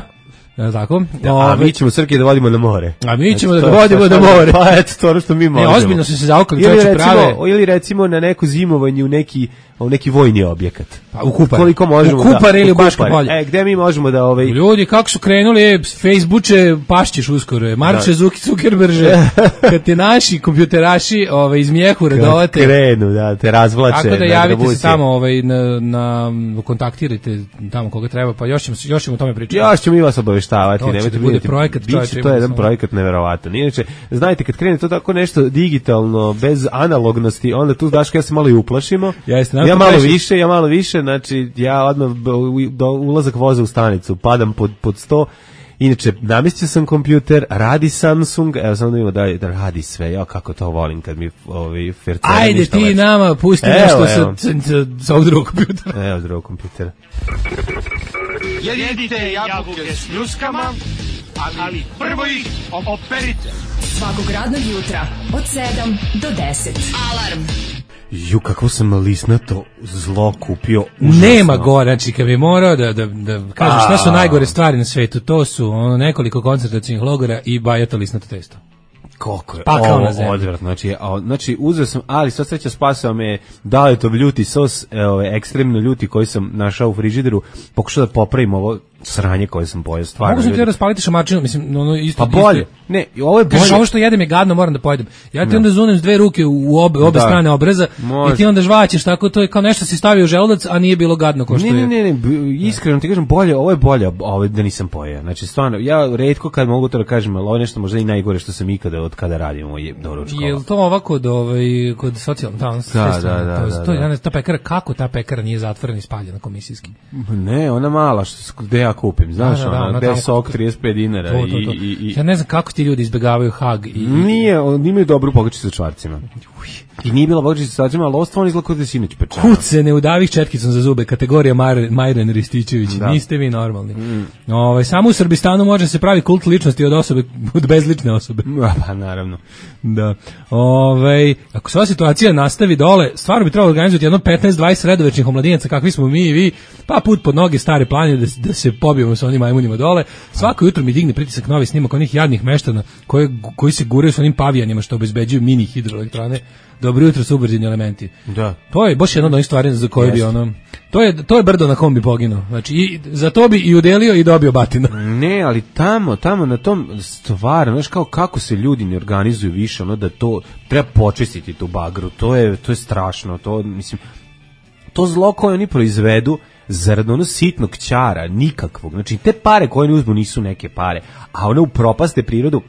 [SPEAKER 6] Ja, tako?
[SPEAKER 5] A
[SPEAKER 6] Ove-
[SPEAKER 5] mi ćemo Srke da vodimo na more.
[SPEAKER 6] A mi ćemo
[SPEAKER 5] Znači,
[SPEAKER 6] da
[SPEAKER 5] to-
[SPEAKER 6] ga vodimo
[SPEAKER 5] to-
[SPEAKER 6] na
[SPEAKER 5] to-
[SPEAKER 6] more.
[SPEAKER 5] Pa eto, to ono što mi
[SPEAKER 6] Ne,
[SPEAKER 5] možemo.
[SPEAKER 6] ozbiljno su se zaukali,
[SPEAKER 5] Ili
[SPEAKER 6] čovječe
[SPEAKER 5] recimo,
[SPEAKER 6] prave.
[SPEAKER 5] ili recimo na neko zimovanje u neki, u neki vojni objekat.
[SPEAKER 6] Pa, u Kupare.
[SPEAKER 5] Koliko možemo
[SPEAKER 6] U Kupare
[SPEAKER 5] da,
[SPEAKER 6] ili u Baško
[SPEAKER 5] Kupare.
[SPEAKER 6] polje.
[SPEAKER 5] E, gde mi možemo da ovaj
[SPEAKER 6] Ljudi, kako su krenuli, e, Facebooče, pašćeš uskoro, Marče Zuki Zuckerberže, kad te naši kompjuteraši ovaj, iz mjehura dovate.
[SPEAKER 5] krenu, da, te razvlače.
[SPEAKER 6] Tako da
[SPEAKER 5] na
[SPEAKER 6] javite se
[SPEAKER 5] revolucije.
[SPEAKER 6] tamo, ovaj, na, na, kontaktirajte tamo koga treba, pa još ćemo, se- još ćemo o tome pričati.
[SPEAKER 5] Još ćemo mi vas obaveštavati,
[SPEAKER 6] To će
[SPEAKER 5] nemojte
[SPEAKER 6] da bude
[SPEAKER 5] brinuti.
[SPEAKER 6] projekat,
[SPEAKER 5] Biće
[SPEAKER 6] čovječe,
[SPEAKER 5] to
[SPEAKER 6] ima
[SPEAKER 5] jedan
[SPEAKER 6] samo-
[SPEAKER 5] projekat neverovatan. Inače, znajte, kad krene to tako nešto digitalno, bez analognosti, onda tu Daško ja se malo i uplašimo.
[SPEAKER 6] Jeste,
[SPEAKER 5] ja
[SPEAKER 6] nakon
[SPEAKER 5] malo
[SPEAKER 6] preši-
[SPEAKER 5] više, ja malo više, znači ja odmah b- u- do ulazak voza u stanicu, padam pod, pod sto. Inače, namestio sam kompjuter, radi Samsung, evo samo da vidimo da, da radi sve, ja kako to volim kad mi ovi fercera
[SPEAKER 6] Ajde
[SPEAKER 5] ništa
[SPEAKER 6] ti
[SPEAKER 5] leče.
[SPEAKER 6] nama pusti
[SPEAKER 5] Evo,
[SPEAKER 6] nešto
[SPEAKER 5] evo.
[SPEAKER 6] sa, sa, sa, sa ovog drugog kompjutera.
[SPEAKER 5] Evo drugog kompjutera.
[SPEAKER 3] Jedite jabuke s ljuskama, ali prvo ih operite.
[SPEAKER 2] Svakog radnog jutra od sedam do deset. Alarm.
[SPEAKER 5] Ju, kako sam lisnato zlo kupio. Užasno.
[SPEAKER 6] Nema gore, znači kad bi morao da, da, da kažem šta su najgore stvari na svetu, to su ono, nekoliko koncentracijnih logora i bajato lisnato testo.
[SPEAKER 5] Koliko je
[SPEAKER 6] Pakao
[SPEAKER 5] ovo
[SPEAKER 6] na zemlji.
[SPEAKER 5] odvratno. Znači, a, znači uzeo sam, ali sva sreća spasao me Daletov ljuti sos, e, ove, ekstremno ljuti koji sam našao u frižideru, pokušao da popravim ovo sranje koje sam pojeo, stvarno.
[SPEAKER 6] Mogu sam ti
[SPEAKER 5] ljudi.
[SPEAKER 6] raspaliti šamarčinu, mislim, ono isto.
[SPEAKER 5] Pa bolje.
[SPEAKER 6] isto-
[SPEAKER 5] Ne, ovo je bolje.
[SPEAKER 6] Kažeš, ovo što jedem je gadno, moram da pojedem. Ja ti onda zunem s dve ruke u obe, obe
[SPEAKER 5] Da.
[SPEAKER 6] strane obreza
[SPEAKER 5] Može.
[SPEAKER 6] i ti onda žvaćeš, tako to je kao nešto si stavio u želudac, a nije bilo gadno ko što
[SPEAKER 5] Ne,
[SPEAKER 6] je.
[SPEAKER 5] ne, ne, ne, b- iskreno ti kažem bolje, ovo je bolje, ovo da nisam pojeo. Znači stvarno, ja retko kad mogu to da kažem, ali ovo je nešto možda i najgore što sam ikada od kada radim ovo je doručkova.
[SPEAKER 6] Jel to ovako kod ovaj kod socijalnog tamo
[SPEAKER 5] Da, da, da,
[SPEAKER 6] to,
[SPEAKER 5] da,
[SPEAKER 6] to,
[SPEAKER 5] da.
[SPEAKER 6] ja ne- ta pekara, kako ta pekara nije zatvorena i spaljena komisijski.
[SPEAKER 5] Ne, ona mala što s- gde ja kupim, znaš,
[SPEAKER 6] Da, da, da,
[SPEAKER 5] ona,
[SPEAKER 6] ona
[SPEAKER 5] gde je
[SPEAKER 6] tamo-
[SPEAKER 5] sok trideset pet dinara
[SPEAKER 6] To, to, to.
[SPEAKER 5] i, i, i
[SPEAKER 6] Ja ne znam kako ti ljudi izbegavaju Hag i,
[SPEAKER 5] nije, on imaju dobru pogačicu sa čvarcima. I nije bila pogačica sa čvarcima, ali ovo stvarno izgleda kao da je sinoć pečeno.
[SPEAKER 6] Kuc se ne udavih četkicom za zube, kategorija Mar, Majren Rističević,
[SPEAKER 5] Da.
[SPEAKER 6] niste vi normalni. Ovaj, samo u Srbistanu može se pravi kult ličnosti od osobe, od bezlične osobe.
[SPEAKER 5] Pa naravno.
[SPEAKER 6] Da. Ovaj, ako se ova situacija nastavi dole, stvarno bi trebalo organizovati jedno petnaest dvadeset sredovečnih omladinaca kakvi smo mi i vi, pa put pod noge stare planine da, se- da se pobijemo sa onim majmunima dole. Svako jutro mi digne pritisak novi snimak onih jadnih meštana koji, koji se guraju sa onim pavijanima što obezbeđuju mini hidroelektrane. Dobro jutro, subverzivni elementi.
[SPEAKER 5] Da.
[SPEAKER 6] To je baš jedna od onih stvari za koje bi
[SPEAKER 5] Jeste.
[SPEAKER 6] ono... To je, to je brdo na kom bi poginuo. Znači, i, za to bi i udelio i dobio batina.
[SPEAKER 5] Ne, ali tamo, tamo na tom stvarno, znaš kao kako se ljudi ne organizuju više, ono da to treba počistiti tu bagru. To je to je strašno, to mislim to zlo koje oni proizvedu zarad ono sitnog ćara, nikakvog. Znači te pare koje oni uzmu nisu neke pare, a one upropaste prirodu.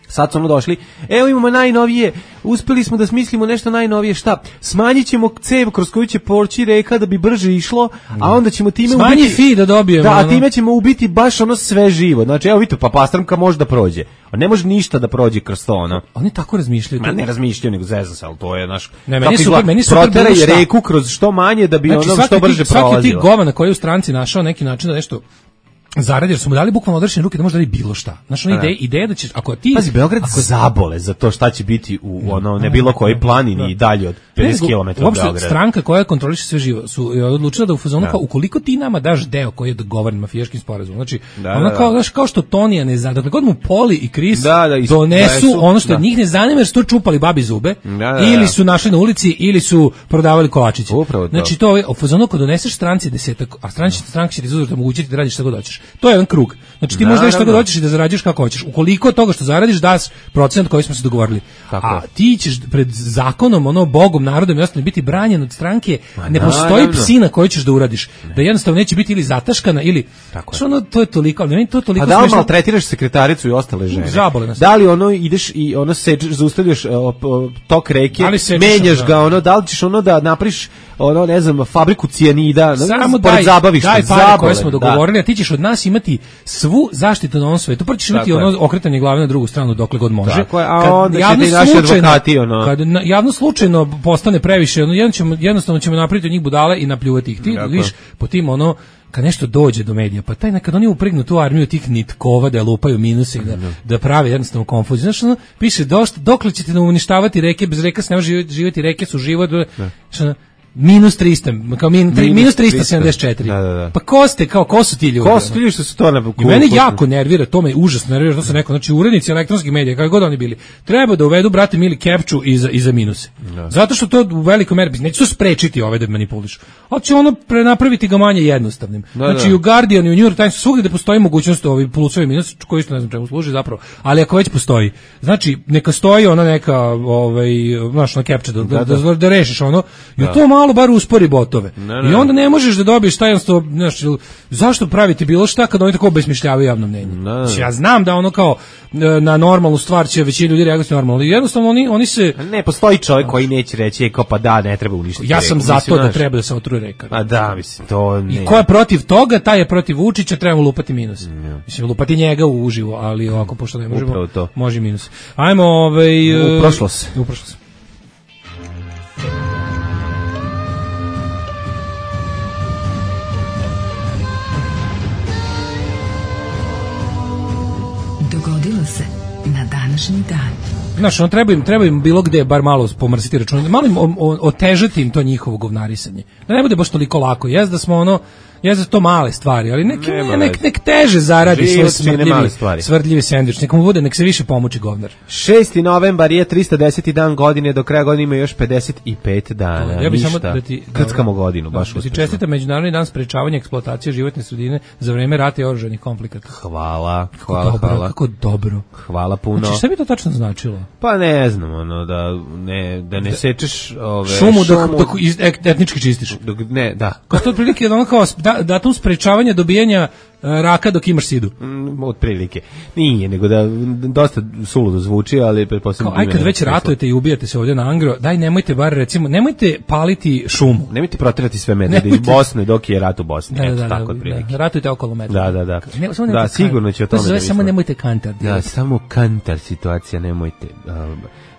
[SPEAKER 5] Sad su ono došli, evo imamo najnovije, uspeli smo da smislimo nešto najnovije, šta? Smanjit ćemo cev kroz koju će poći reka da bi brže išlo, a onda ćemo time
[SPEAKER 6] Smanji
[SPEAKER 5] ubiti...
[SPEAKER 6] fi da dobijemo.
[SPEAKER 5] Da, a
[SPEAKER 6] ono.
[SPEAKER 5] time ćemo ubiti baš ono sve živo. Znači, evo vidite, pa pastramka može da prođe. A ne može ništa da prođe kroz to, ono.
[SPEAKER 6] Oni tako razmišljaju.
[SPEAKER 5] Ma ne razmišljaju, nego zezam se, ali to je, naš...
[SPEAKER 6] Ne, meni je super, meni je super
[SPEAKER 5] Proteraj
[SPEAKER 6] bilo šta.
[SPEAKER 5] reku kroz što manje da bi
[SPEAKER 6] Znači,
[SPEAKER 5] ono
[SPEAKER 6] svaki
[SPEAKER 5] što
[SPEAKER 6] ti-
[SPEAKER 5] brže
[SPEAKER 6] svaki
[SPEAKER 5] prolazilo.
[SPEAKER 6] ti govana koji je u stranci našao neki način da nešto zaradi, jer su mu dali bukvalno odrešene ruke da može da radi bilo šta. Znaš, ona
[SPEAKER 5] Da.
[SPEAKER 6] ideja, ideja da ćeš, ako ti...
[SPEAKER 5] Pazi, Beograd
[SPEAKER 6] ako,
[SPEAKER 5] zabole za to šta će biti u ono, ne bilo koji planini i dalje od pedeset
[SPEAKER 6] Ne,
[SPEAKER 5] kilometara od
[SPEAKER 6] uopšte
[SPEAKER 5] Beograda.
[SPEAKER 6] stranka koja kontroliše sve živo su je odlučila da u fazonu kao ukoliko ti nama daš deo koji je dogovoren mafijaškim sporazumom. Znači,
[SPEAKER 5] Da,
[SPEAKER 6] ona
[SPEAKER 5] da,
[SPEAKER 6] kao,
[SPEAKER 5] da.
[SPEAKER 6] znaš, kao što Tonija ne zna, dakle god mu Poli i Kris
[SPEAKER 5] Da, da, is-
[SPEAKER 6] donesu
[SPEAKER 5] donesu,
[SPEAKER 6] ono što
[SPEAKER 5] da.
[SPEAKER 6] njih ne zanima jer su to čupali babi zube,
[SPEAKER 5] Da, da, da.
[SPEAKER 6] ili su našli na ulici ili su prodavali kolačiće.
[SPEAKER 5] Upravo to.
[SPEAKER 6] Znači to je u fazonu kad doneseš stranci desetak, a stranci stranka će ti izuzeti omogućiti da radiš šta god hoćeš. To je jedan krug. Znači ti možeš da radiš šta god
[SPEAKER 5] Naravno.
[SPEAKER 6] hoćeš i da zarađuješ kako hoćeš. Ukoliko od toga što zaradiš daš procenat koji smo se dogovorili.
[SPEAKER 5] Tako
[SPEAKER 6] A
[SPEAKER 5] je.
[SPEAKER 6] ti ćeš pred zakonom, ono bogom, narodom i ostalim biti branjen od stranke.
[SPEAKER 5] Ma
[SPEAKER 6] Ne postoji
[SPEAKER 5] naravno.
[SPEAKER 6] psina koju ćeš da uradiš. Da jednostavno neće biti ili zataškana ili
[SPEAKER 5] Tako je.
[SPEAKER 6] što ono to je toliko, ali meni to je toliko
[SPEAKER 5] A da li
[SPEAKER 6] smešno.
[SPEAKER 5] maltretiraš sekretaricu i ostale žene?
[SPEAKER 6] Zabole nas.
[SPEAKER 5] Da li ono ideš i ono sečeš, zaustavljaš o, o, tok reke,
[SPEAKER 6] Da li sečeš,
[SPEAKER 5] menjaš
[SPEAKER 6] da.
[SPEAKER 5] ga, ono, da li ćeš ono da napriš ono, ne znam, fabriku cijanida,
[SPEAKER 6] Samo
[SPEAKER 5] pored
[SPEAKER 6] daj,
[SPEAKER 5] zabavišta,
[SPEAKER 6] daj pare
[SPEAKER 5] zabole,
[SPEAKER 6] koje smo
[SPEAKER 5] da.
[SPEAKER 6] dogovorili, a ti ćeš od nas danas imati svu zaštitu na ovom svetu, prvo ćeš imati
[SPEAKER 5] Tako
[SPEAKER 6] ono
[SPEAKER 5] je.
[SPEAKER 6] okretanje glave na drugu stranu dokle god može.
[SPEAKER 5] Tako je, a
[SPEAKER 6] Kad
[SPEAKER 5] onda će
[SPEAKER 6] javno
[SPEAKER 5] ti naši
[SPEAKER 6] slučajno-
[SPEAKER 5] advokati, ono.
[SPEAKER 6] Kad na- javno slučajno postane previše, ono, jedno ćemo, jednostavno ćemo napraviti od njih budale i napljuvati ih. Ti
[SPEAKER 5] Tako.
[SPEAKER 6] viš po tim ono, kad nešto dođe do medija, pa taj nekad oni uprignu tu armiju tih nitkova da lupaju minuse i da, da prave jednostavno konfuziju. Znaš, ono, piše, došta, dokle ćete nam uništavati reke, bez reka se ne može živjeti, živjeti, reke su život, znaš, ono, minus trista, kao min, tri,
[SPEAKER 5] Minus
[SPEAKER 6] minus trista sedamdeset četiri.
[SPEAKER 5] Da, da, da.
[SPEAKER 6] Pa ko ste, kao, ko su ti ljudi?
[SPEAKER 5] Ko su ti ljudi što su to na
[SPEAKER 6] I mene jako nervira, to me užasno nervira, to se neko, znači urednici elektronskih medija, kako god oni bili, treba da uvedu, brate mili, kepču i za, i za minuse. Zato što to u velikoj meri, neće su sprečiti ove da manipulišu, ali će ono prenapraviti ga manje jednostavnim.
[SPEAKER 5] Da,
[SPEAKER 6] znači
[SPEAKER 5] da.
[SPEAKER 6] u Guardian i u New York Times svugdje da postoji mogućnost ovi plusovi minus, koji isto ne znam čemu služi zapravo, ali ako već postoji, znači neka stoji ona neka, ovaj, znaš, na kepča, da, da, da, da, da rešiš ono, i to malo bar uspori botove.
[SPEAKER 5] Ne, ne.
[SPEAKER 6] I onda ne možeš da dobiješ taj jednostavno, znaš, zašto praviti bilo šta kad oni tako obesmišljavaju javno mnenje.
[SPEAKER 5] Ne.
[SPEAKER 6] Ja znam da ono kao e, na normalnu stvar će većina ljudi reagovati normalno, ali jednostavno oni, oni se...
[SPEAKER 5] Ne, postoji čovjek koji neće reći, e, kao pa da, ne treba uništiti
[SPEAKER 6] Ja sam
[SPEAKER 5] reku.
[SPEAKER 6] za
[SPEAKER 5] Mislim,
[SPEAKER 6] to da
[SPEAKER 5] znaš,
[SPEAKER 6] treba da se otruje reka.
[SPEAKER 5] Pa da, mislim, to ne.
[SPEAKER 6] I ko je protiv toga, taj je protiv Vučića, trebamo lupati minus. Mislim, lupati njega u uživo, ali ovako, pošto ne možemo,
[SPEAKER 5] Upravo to.
[SPEAKER 6] može i minus. Ajmo, ovaj...
[SPEAKER 5] U prošlost.
[SPEAKER 6] U prošlost.
[SPEAKER 2] Dogodilo se na današnji dan.
[SPEAKER 6] Znaš, ono, treba im, treba im bilo gde bar malo pomrsiti račun, malo im o- o- otežati im to njihovo govnarisanje. Da ne bude baš toliko lako. Jez da smo ono, jez da su to male stvari, ali nek,
[SPEAKER 5] Nema
[SPEAKER 6] nek,
[SPEAKER 5] veze.
[SPEAKER 6] nek teže zaradi
[SPEAKER 5] Život
[SPEAKER 6] svoj
[SPEAKER 5] čine male
[SPEAKER 6] smrdljivi,
[SPEAKER 5] stvari.
[SPEAKER 6] svrdljivi sendvič. Nek mu bude, nek se više pomuči govnar.
[SPEAKER 5] šesti novembar je tristo deseti dan godine, do kraja godine ima još pedeset pet dana.
[SPEAKER 6] Ja bih
[SPEAKER 5] Ništa.
[SPEAKER 6] samo da ti
[SPEAKER 5] Krckamo godinu, baš
[SPEAKER 6] da ti
[SPEAKER 5] uspešno.
[SPEAKER 6] čestitam Međunarodni dan sprečavanja eksploatacije životne sredine za vreme rata i oružanih konflikata.
[SPEAKER 5] Hvala, hvala,
[SPEAKER 6] dobro,
[SPEAKER 5] hvala.
[SPEAKER 6] kako dobro.
[SPEAKER 5] Hvala puno.
[SPEAKER 6] Znači, šta bi to tačno značilo?
[SPEAKER 5] Pa ne znam, ono, da ne, da ne sečeš ove,
[SPEAKER 6] Šumu dok, dok iz- et- etnički čistiš.
[SPEAKER 5] dok, ne, da.
[SPEAKER 6] Kao to otprilike ono kao da, datum sprečavanja dobijanja e, raka dok imaš sidu.
[SPEAKER 5] Mm, otprilike. Nije, nego da dosta suludo zvuči, ali pretpostavljam
[SPEAKER 6] Kao, aj
[SPEAKER 5] da
[SPEAKER 6] kad
[SPEAKER 5] ima
[SPEAKER 6] već
[SPEAKER 5] smisla.
[SPEAKER 6] ratujete i ubijate se ovdje na Angro, daj nemojte bar recimo, nemojte paliti šumu.
[SPEAKER 5] Nemojte protirati sve medvede iz
[SPEAKER 6] Nemojte.
[SPEAKER 5] Bosne dok je rat u Bosni.
[SPEAKER 6] Da, da,
[SPEAKER 5] Eto,
[SPEAKER 6] da,
[SPEAKER 5] tako
[SPEAKER 6] da,
[SPEAKER 5] otprilike.
[SPEAKER 6] da, ratujte okolo medveda.
[SPEAKER 5] Da, da, da.
[SPEAKER 6] Ne, samo
[SPEAKER 5] Da,
[SPEAKER 6] nemojte
[SPEAKER 5] sigurno
[SPEAKER 6] kan-
[SPEAKER 5] će o
[SPEAKER 6] to
[SPEAKER 5] tome
[SPEAKER 6] se zove
[SPEAKER 5] da
[SPEAKER 6] samo
[SPEAKER 5] mislimo.
[SPEAKER 6] nemojte kantar.
[SPEAKER 5] Da, samo kantar situacija, nemojte. Um,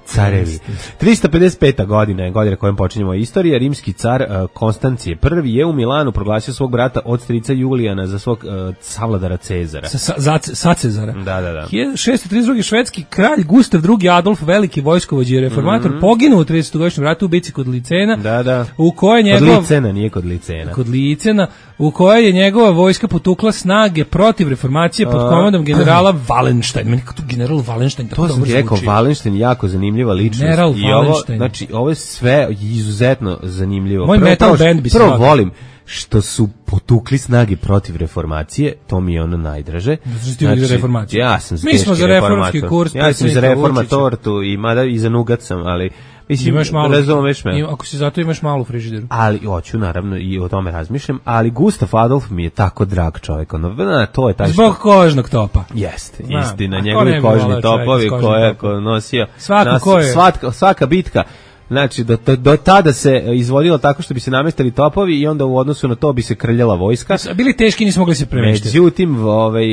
[SPEAKER 5] carevi. tristo pedeset peta godina je godina kojom počinjemo istorija. Rimski car uh, Konstancije prvi je u Milanu proglasio svog brata od strica Julijana za svog uh, savladara Cezara.
[SPEAKER 6] Sa, sa, za, sa Cezara.
[SPEAKER 5] Da, da, da.
[SPEAKER 6] hiljadu šeststo trideset druge švedski kralj Gustav drugi Adolf, veliki vojskovođa i reformator, poginuo u tridesetogodišnjem ratu u bici kod Licena,
[SPEAKER 5] Da, da.
[SPEAKER 6] u kojoj
[SPEAKER 5] Kod
[SPEAKER 6] njegov...
[SPEAKER 5] Licena, nije kod Licena.
[SPEAKER 6] kod Licena, u kojoj je njegova vojska potukla snage protiv reformacije pod komandom generala Wallenstein. Meni kako tu general Wallenstein tako
[SPEAKER 5] To sam
[SPEAKER 6] dobro
[SPEAKER 5] ti rekao,
[SPEAKER 6] zvuči.
[SPEAKER 5] Wallenstein, jako zanimljiva ličnost.
[SPEAKER 6] General
[SPEAKER 5] I ovo,
[SPEAKER 6] Wallenstein.
[SPEAKER 5] znači, ovo je sve izuzetno zanimljivo.
[SPEAKER 6] Moj metal
[SPEAKER 5] prvo,
[SPEAKER 6] band bi se
[SPEAKER 5] Prvo
[SPEAKER 6] zvao.
[SPEAKER 5] volim što su potukli snage protiv reformacije, to mi je ono najdraže.
[SPEAKER 6] Zato što ti uvijek za reformaciju.
[SPEAKER 5] Ja sam
[SPEAKER 6] Mi smo
[SPEAKER 5] teški
[SPEAKER 6] za reformski
[SPEAKER 5] reformator.
[SPEAKER 6] kurs
[SPEAKER 5] Ja sam i za
[SPEAKER 6] predsjednika
[SPEAKER 5] reformator tu, i mada i za nugat sam, ali mislim,
[SPEAKER 6] Imaš malo,
[SPEAKER 5] razumeš me.
[SPEAKER 6] ima- ako si zato imaš malo u frižideru.
[SPEAKER 5] Ali hoću naravno i o tome razmišljam, ali Gustav Adolf mi je tako drag čovjek, ono, na, to je taj
[SPEAKER 6] Zbog
[SPEAKER 5] što...
[SPEAKER 6] kožnog topa.
[SPEAKER 5] Jeste,
[SPEAKER 6] Znam,
[SPEAKER 5] istina,
[SPEAKER 6] a ko ne
[SPEAKER 5] njegovi
[SPEAKER 6] bi
[SPEAKER 5] kožni
[SPEAKER 6] voleo čovjeka
[SPEAKER 5] topovi
[SPEAKER 6] s kožnim
[SPEAKER 5] koje je
[SPEAKER 6] topom?
[SPEAKER 5] nosio.
[SPEAKER 6] Svako
[SPEAKER 5] nas-
[SPEAKER 6] ko je-
[SPEAKER 5] Svatka, svaka bitka, znači, do, do, do tada se izvodilo tako što bi se namestili topovi i onda u odnosu na to bi se krljala vojska.
[SPEAKER 6] Bili teški, nismo mogli se premeštiti.
[SPEAKER 5] Međutim, ovaj,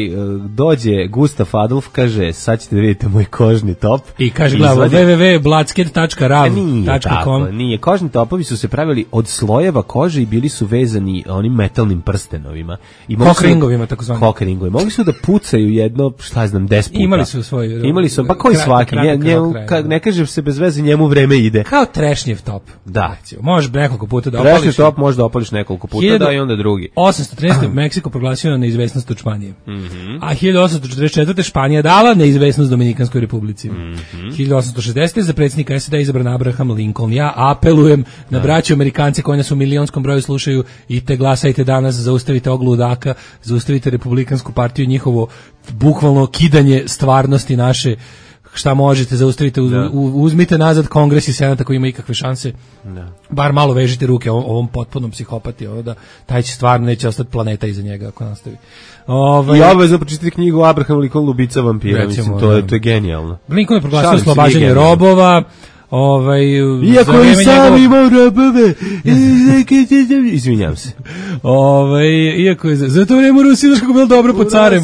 [SPEAKER 5] dođe Gustav Adolf, kaže, sad ćete da vidite moj kožni top.
[SPEAKER 6] I kaže glavo
[SPEAKER 5] Izvadi-
[SPEAKER 6] w w w tačka bladsket tačka rav
[SPEAKER 5] E, Nije
[SPEAKER 6] tačka
[SPEAKER 5] tako,
[SPEAKER 6] com.
[SPEAKER 5] nije. Kožni topovi su se pravili od slojeva kože i bili su vezani onim metalnim prstenovima. I mogli su-
[SPEAKER 6] Kokringovima, takozvani.
[SPEAKER 5] Kokringovima. Mogli su da pucaju jedno, šta ja znam, deset puta.
[SPEAKER 6] Imali su svoj-
[SPEAKER 5] Imali su, pa koji
[SPEAKER 6] kratak-
[SPEAKER 5] svaki?
[SPEAKER 6] kratak
[SPEAKER 5] Nje, njemu,
[SPEAKER 6] kraj,
[SPEAKER 5] ka-
[SPEAKER 6] da.
[SPEAKER 5] ne kaže se bez veze, njemu vreme ide.
[SPEAKER 6] Kao trešnjev top.
[SPEAKER 5] Da.
[SPEAKER 6] Recimo, možeš nekoliko puta da
[SPEAKER 5] Trešnji
[SPEAKER 6] opališ.
[SPEAKER 5] top možda opališ nekoliko puta,
[SPEAKER 6] Hiljadu-
[SPEAKER 5] da, i onda drugi.
[SPEAKER 6] osamsto trinaeste. Meksiko proglasio neizvesnost od Španije.
[SPEAKER 5] Mhm.
[SPEAKER 6] A hiljadu osamsto četrdeset četvrte. Španija dala neizvesnost Dominikanskoj republici.
[SPEAKER 5] Mhm.
[SPEAKER 6] hiljadu osamsto šezdesete. za predsjednika S A D izabran Abraham Lincoln. Ja apelujem na braću Amerikance koji nas u milionskom broju slušaju i te glasajte danas, zaustavite ovog ludaka, zaustavite Republikansku partiju, njihovo bukvalno kidanje stvarnosti naše. Šta možete, zaustavite, uz,
[SPEAKER 5] Da.
[SPEAKER 6] u- uzmite nazad Kongres i Senat ako ima ikakve šanse.
[SPEAKER 5] Da.
[SPEAKER 6] Bar malo vežite ruke ovom, ovom potpunom psihopati, ovo da taj će stvarno neće ostati planeta iza njega ako nastavi. Ovaj
[SPEAKER 5] I obavezno pročitati knjigu Abraham Lincoln, Lubica vampira,
[SPEAKER 6] Recimo,
[SPEAKER 5] mislim, to je,
[SPEAKER 6] da.
[SPEAKER 5] to je genijalno.
[SPEAKER 6] Lincoln je proglasio
[SPEAKER 5] Šalim se,
[SPEAKER 6] oslobađanje
[SPEAKER 5] nije genijalno.
[SPEAKER 6] robova. Ovaj,
[SPEAKER 5] iako i sam imao rabove, izvinjam se.
[SPEAKER 6] Ovaj, iako je, za to vreme u Rusiji, znaš kako bilo dobro po carem.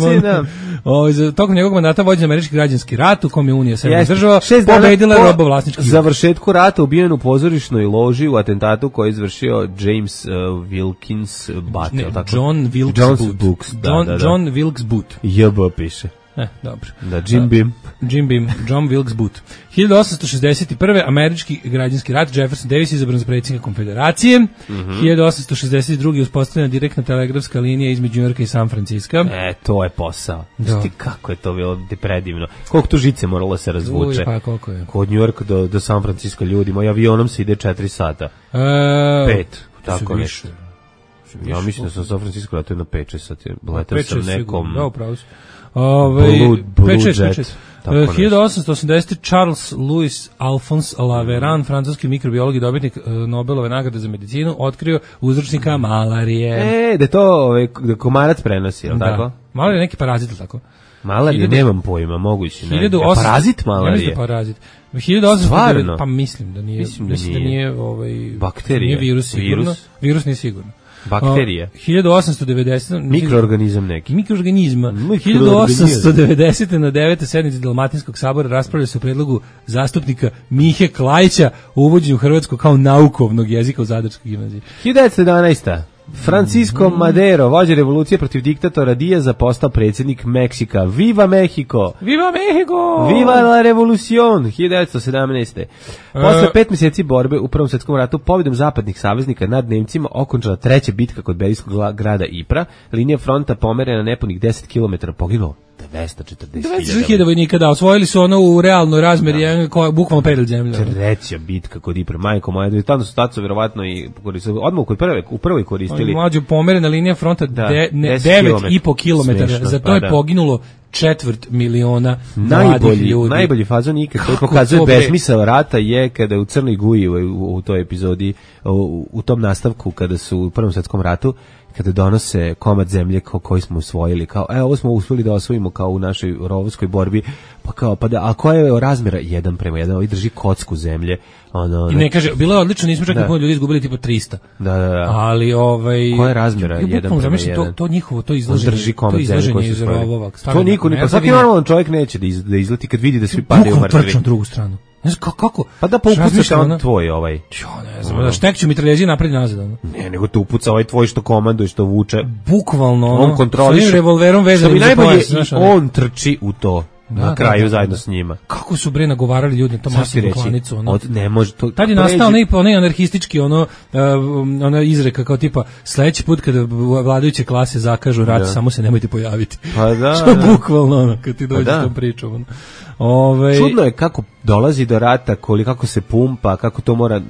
[SPEAKER 6] Ovaj, za tokom njegovog mandata vođen američki građanski rat u kom je Unija severnih država pobedila
[SPEAKER 5] po
[SPEAKER 6] robovlasnički.
[SPEAKER 5] Završetku rata ubijen u pozorišnoj loži u atentatu koji je izvršio James uh, Wilkins Booth.
[SPEAKER 6] Ne, John Wilkes Booth.
[SPEAKER 5] Da,
[SPEAKER 6] John,
[SPEAKER 5] da, da.
[SPEAKER 6] John Wilkes Booth.
[SPEAKER 5] J B piše.
[SPEAKER 6] E, dobro.
[SPEAKER 5] Da, Jim Beam.
[SPEAKER 6] Jim Beam, John Wilkes Booth. hiljadu osamsto šezdeset prve američki građanski rat, Jefferson Davis izabran za predsjednika Konfederacije. Mm-hmm. hiljadu osamsto šezdeset druge uspostavljena direktna telegrafska linija između Njujorka i San Francisco.
[SPEAKER 5] E, to je posao. Znaš kako je to bilo predivno. Koliko tu žice moralo se razvuče.
[SPEAKER 6] Uj, pa koliko je.
[SPEAKER 5] Kod Njujorka do, do San Francisco ljudi, moj avionom se ide četiri sata.
[SPEAKER 6] E,
[SPEAKER 5] Pet, tako nešto. Ja mislim da sam San Francisco letao na pet šest sati. Letao sam nekom...
[SPEAKER 6] Da, upravo si. Ove,
[SPEAKER 5] Blue, Blue
[SPEAKER 6] pet šest,
[SPEAKER 5] Jet.
[SPEAKER 6] pet šest. Uh, hiljadu osamsto osamdesete Charles Louis Alphonse Laveran, francuski mikrobiolog i dobitnik uh, Nobelove nagrade za medicinu, otkrio uzročnika malarije.
[SPEAKER 5] E, da to ovaj, da komarac prenosi, je li tako?
[SPEAKER 6] Malarija je neki parazit, tako?
[SPEAKER 5] Malarije,
[SPEAKER 6] hiljadu,
[SPEAKER 5] nemam pojma, moguće. Ne.
[SPEAKER 6] hiljadu osamsto,
[SPEAKER 5] parazit malarije?
[SPEAKER 6] Ja parazit. hiljadu osamsto,
[SPEAKER 5] Stvarno?
[SPEAKER 6] Pa mislim da nije.
[SPEAKER 5] Mislim da
[SPEAKER 6] mislim
[SPEAKER 5] nije.
[SPEAKER 6] Da nije ovaj,
[SPEAKER 5] bakterija.
[SPEAKER 6] Nije virus sigurno.
[SPEAKER 5] Virus,
[SPEAKER 6] virus nije sigurno.
[SPEAKER 5] Bakterije.
[SPEAKER 6] Uh, hiljadu osamsto devedesete
[SPEAKER 5] Mikroorganizam neki.
[SPEAKER 6] Mikroorganizma. hiljadu osamsto devedesete na devetoj sednici Dalmatinskog sabora raspravlja se o predlogu zastupnika Mihe Klajića o uvođenju hrvatskog kao naukovnog jezika u Zadarskoj gimnaziji.
[SPEAKER 5] hiljadu devetsto jedanaeste Francisco Madero, vođa revolucije protiv diktatora Diaza, postao predsjednik Meksika. Viva Mexico!
[SPEAKER 6] Viva Mexico!
[SPEAKER 5] Viva la revolucion! hiljadu devetsto sedamnaeste Posle pet mjeseci borbe u Prvom svjetskom ratu, pobjedom zapadnih saveznika nad Nemcima, okončala treća bitka kod belgijskog grada Ypres. Linija fronta pomerena nepunih deset kilometara, poginulo dvesta četrdeset
[SPEAKER 6] hiljada vojnika, da, osvojili su ono u realnoj razmeri, ja. koja bukvalno pedal zemlja.
[SPEAKER 5] Treća bitka kod Ypres, majko moja, tamo su taco vjerovatno i koristili, odmah u prvoj, u prvoj koristili.
[SPEAKER 6] Mlađo, pomerena linija fronta
[SPEAKER 5] da,
[SPEAKER 6] de, ne, devet i po kilometara, za to pa, je da. poginulo četvrt miliona mladih ljudi.
[SPEAKER 5] Najbolji fazon ikad koji pokazuje besmisao rata je kada u Crnoj Guji u, u, u toj epizodi, u, u tom nastavku kada su u Prvom svjetskom ratu, kada donose komad zemlje ko, koji smo usvojili, kao, evo, ovo smo uspjeli da osvojimo kao u našoj rovovskoj borbi, pa kao, pa da, a koja je razmjera? Jedan prema jedan, ovaj drži kocku zemlje. Ono, ono,
[SPEAKER 6] I ne kaže, bilo je odlično, nismo čak da. Ljudi izgubili tipa trista.
[SPEAKER 5] Da, da, da.
[SPEAKER 6] Ali, ovaj...
[SPEAKER 5] Koja je razmjera?
[SPEAKER 6] Ja,
[SPEAKER 5] jedan prema jedan.
[SPEAKER 6] To, to njihovo, to izlaženje,
[SPEAKER 5] drži komad
[SPEAKER 6] to izlaženje iz
[SPEAKER 5] rovova. To niko, pa svaki normalan čovjek neće da, iz, da izleti kad vidi da svi padaju u mrtvi.
[SPEAKER 6] Bukom drugu stranu. Ne znam kako?
[SPEAKER 5] Pa da pa upucaš on tvoj ovaj.
[SPEAKER 6] Jo, ne znam, da štekću mitraljezi napred nazad. Ono.
[SPEAKER 5] Ne, nego te upuca ovaj tvoj što komanduje, što vuče.
[SPEAKER 6] Bukvalno, ono.
[SPEAKER 5] On kontroliše.
[SPEAKER 6] Sa revolverom vezanim za pojas.
[SPEAKER 5] I on trči u to. Da, na kraju da, da, zajedno
[SPEAKER 6] da.
[SPEAKER 5] s njima.
[SPEAKER 6] Kako su bre nagovarali ljudi na tom masivnu klanicu, ono.
[SPEAKER 5] Od, ne može to.
[SPEAKER 6] Tad je nastao onaj onaj anarhistički ono uh, ona izreka kao tipa sledeći put kada vladajuće klase zakažu rat, da. Samo se nemojte pojaviti.
[SPEAKER 5] Pa da.
[SPEAKER 6] Što da. Bukvalno ono kad ti dođeš pa da. S tom pričom. Ono. Ove...
[SPEAKER 5] Čudno je kako dolazi do rata, koliko kako se pumpa, kako to mora,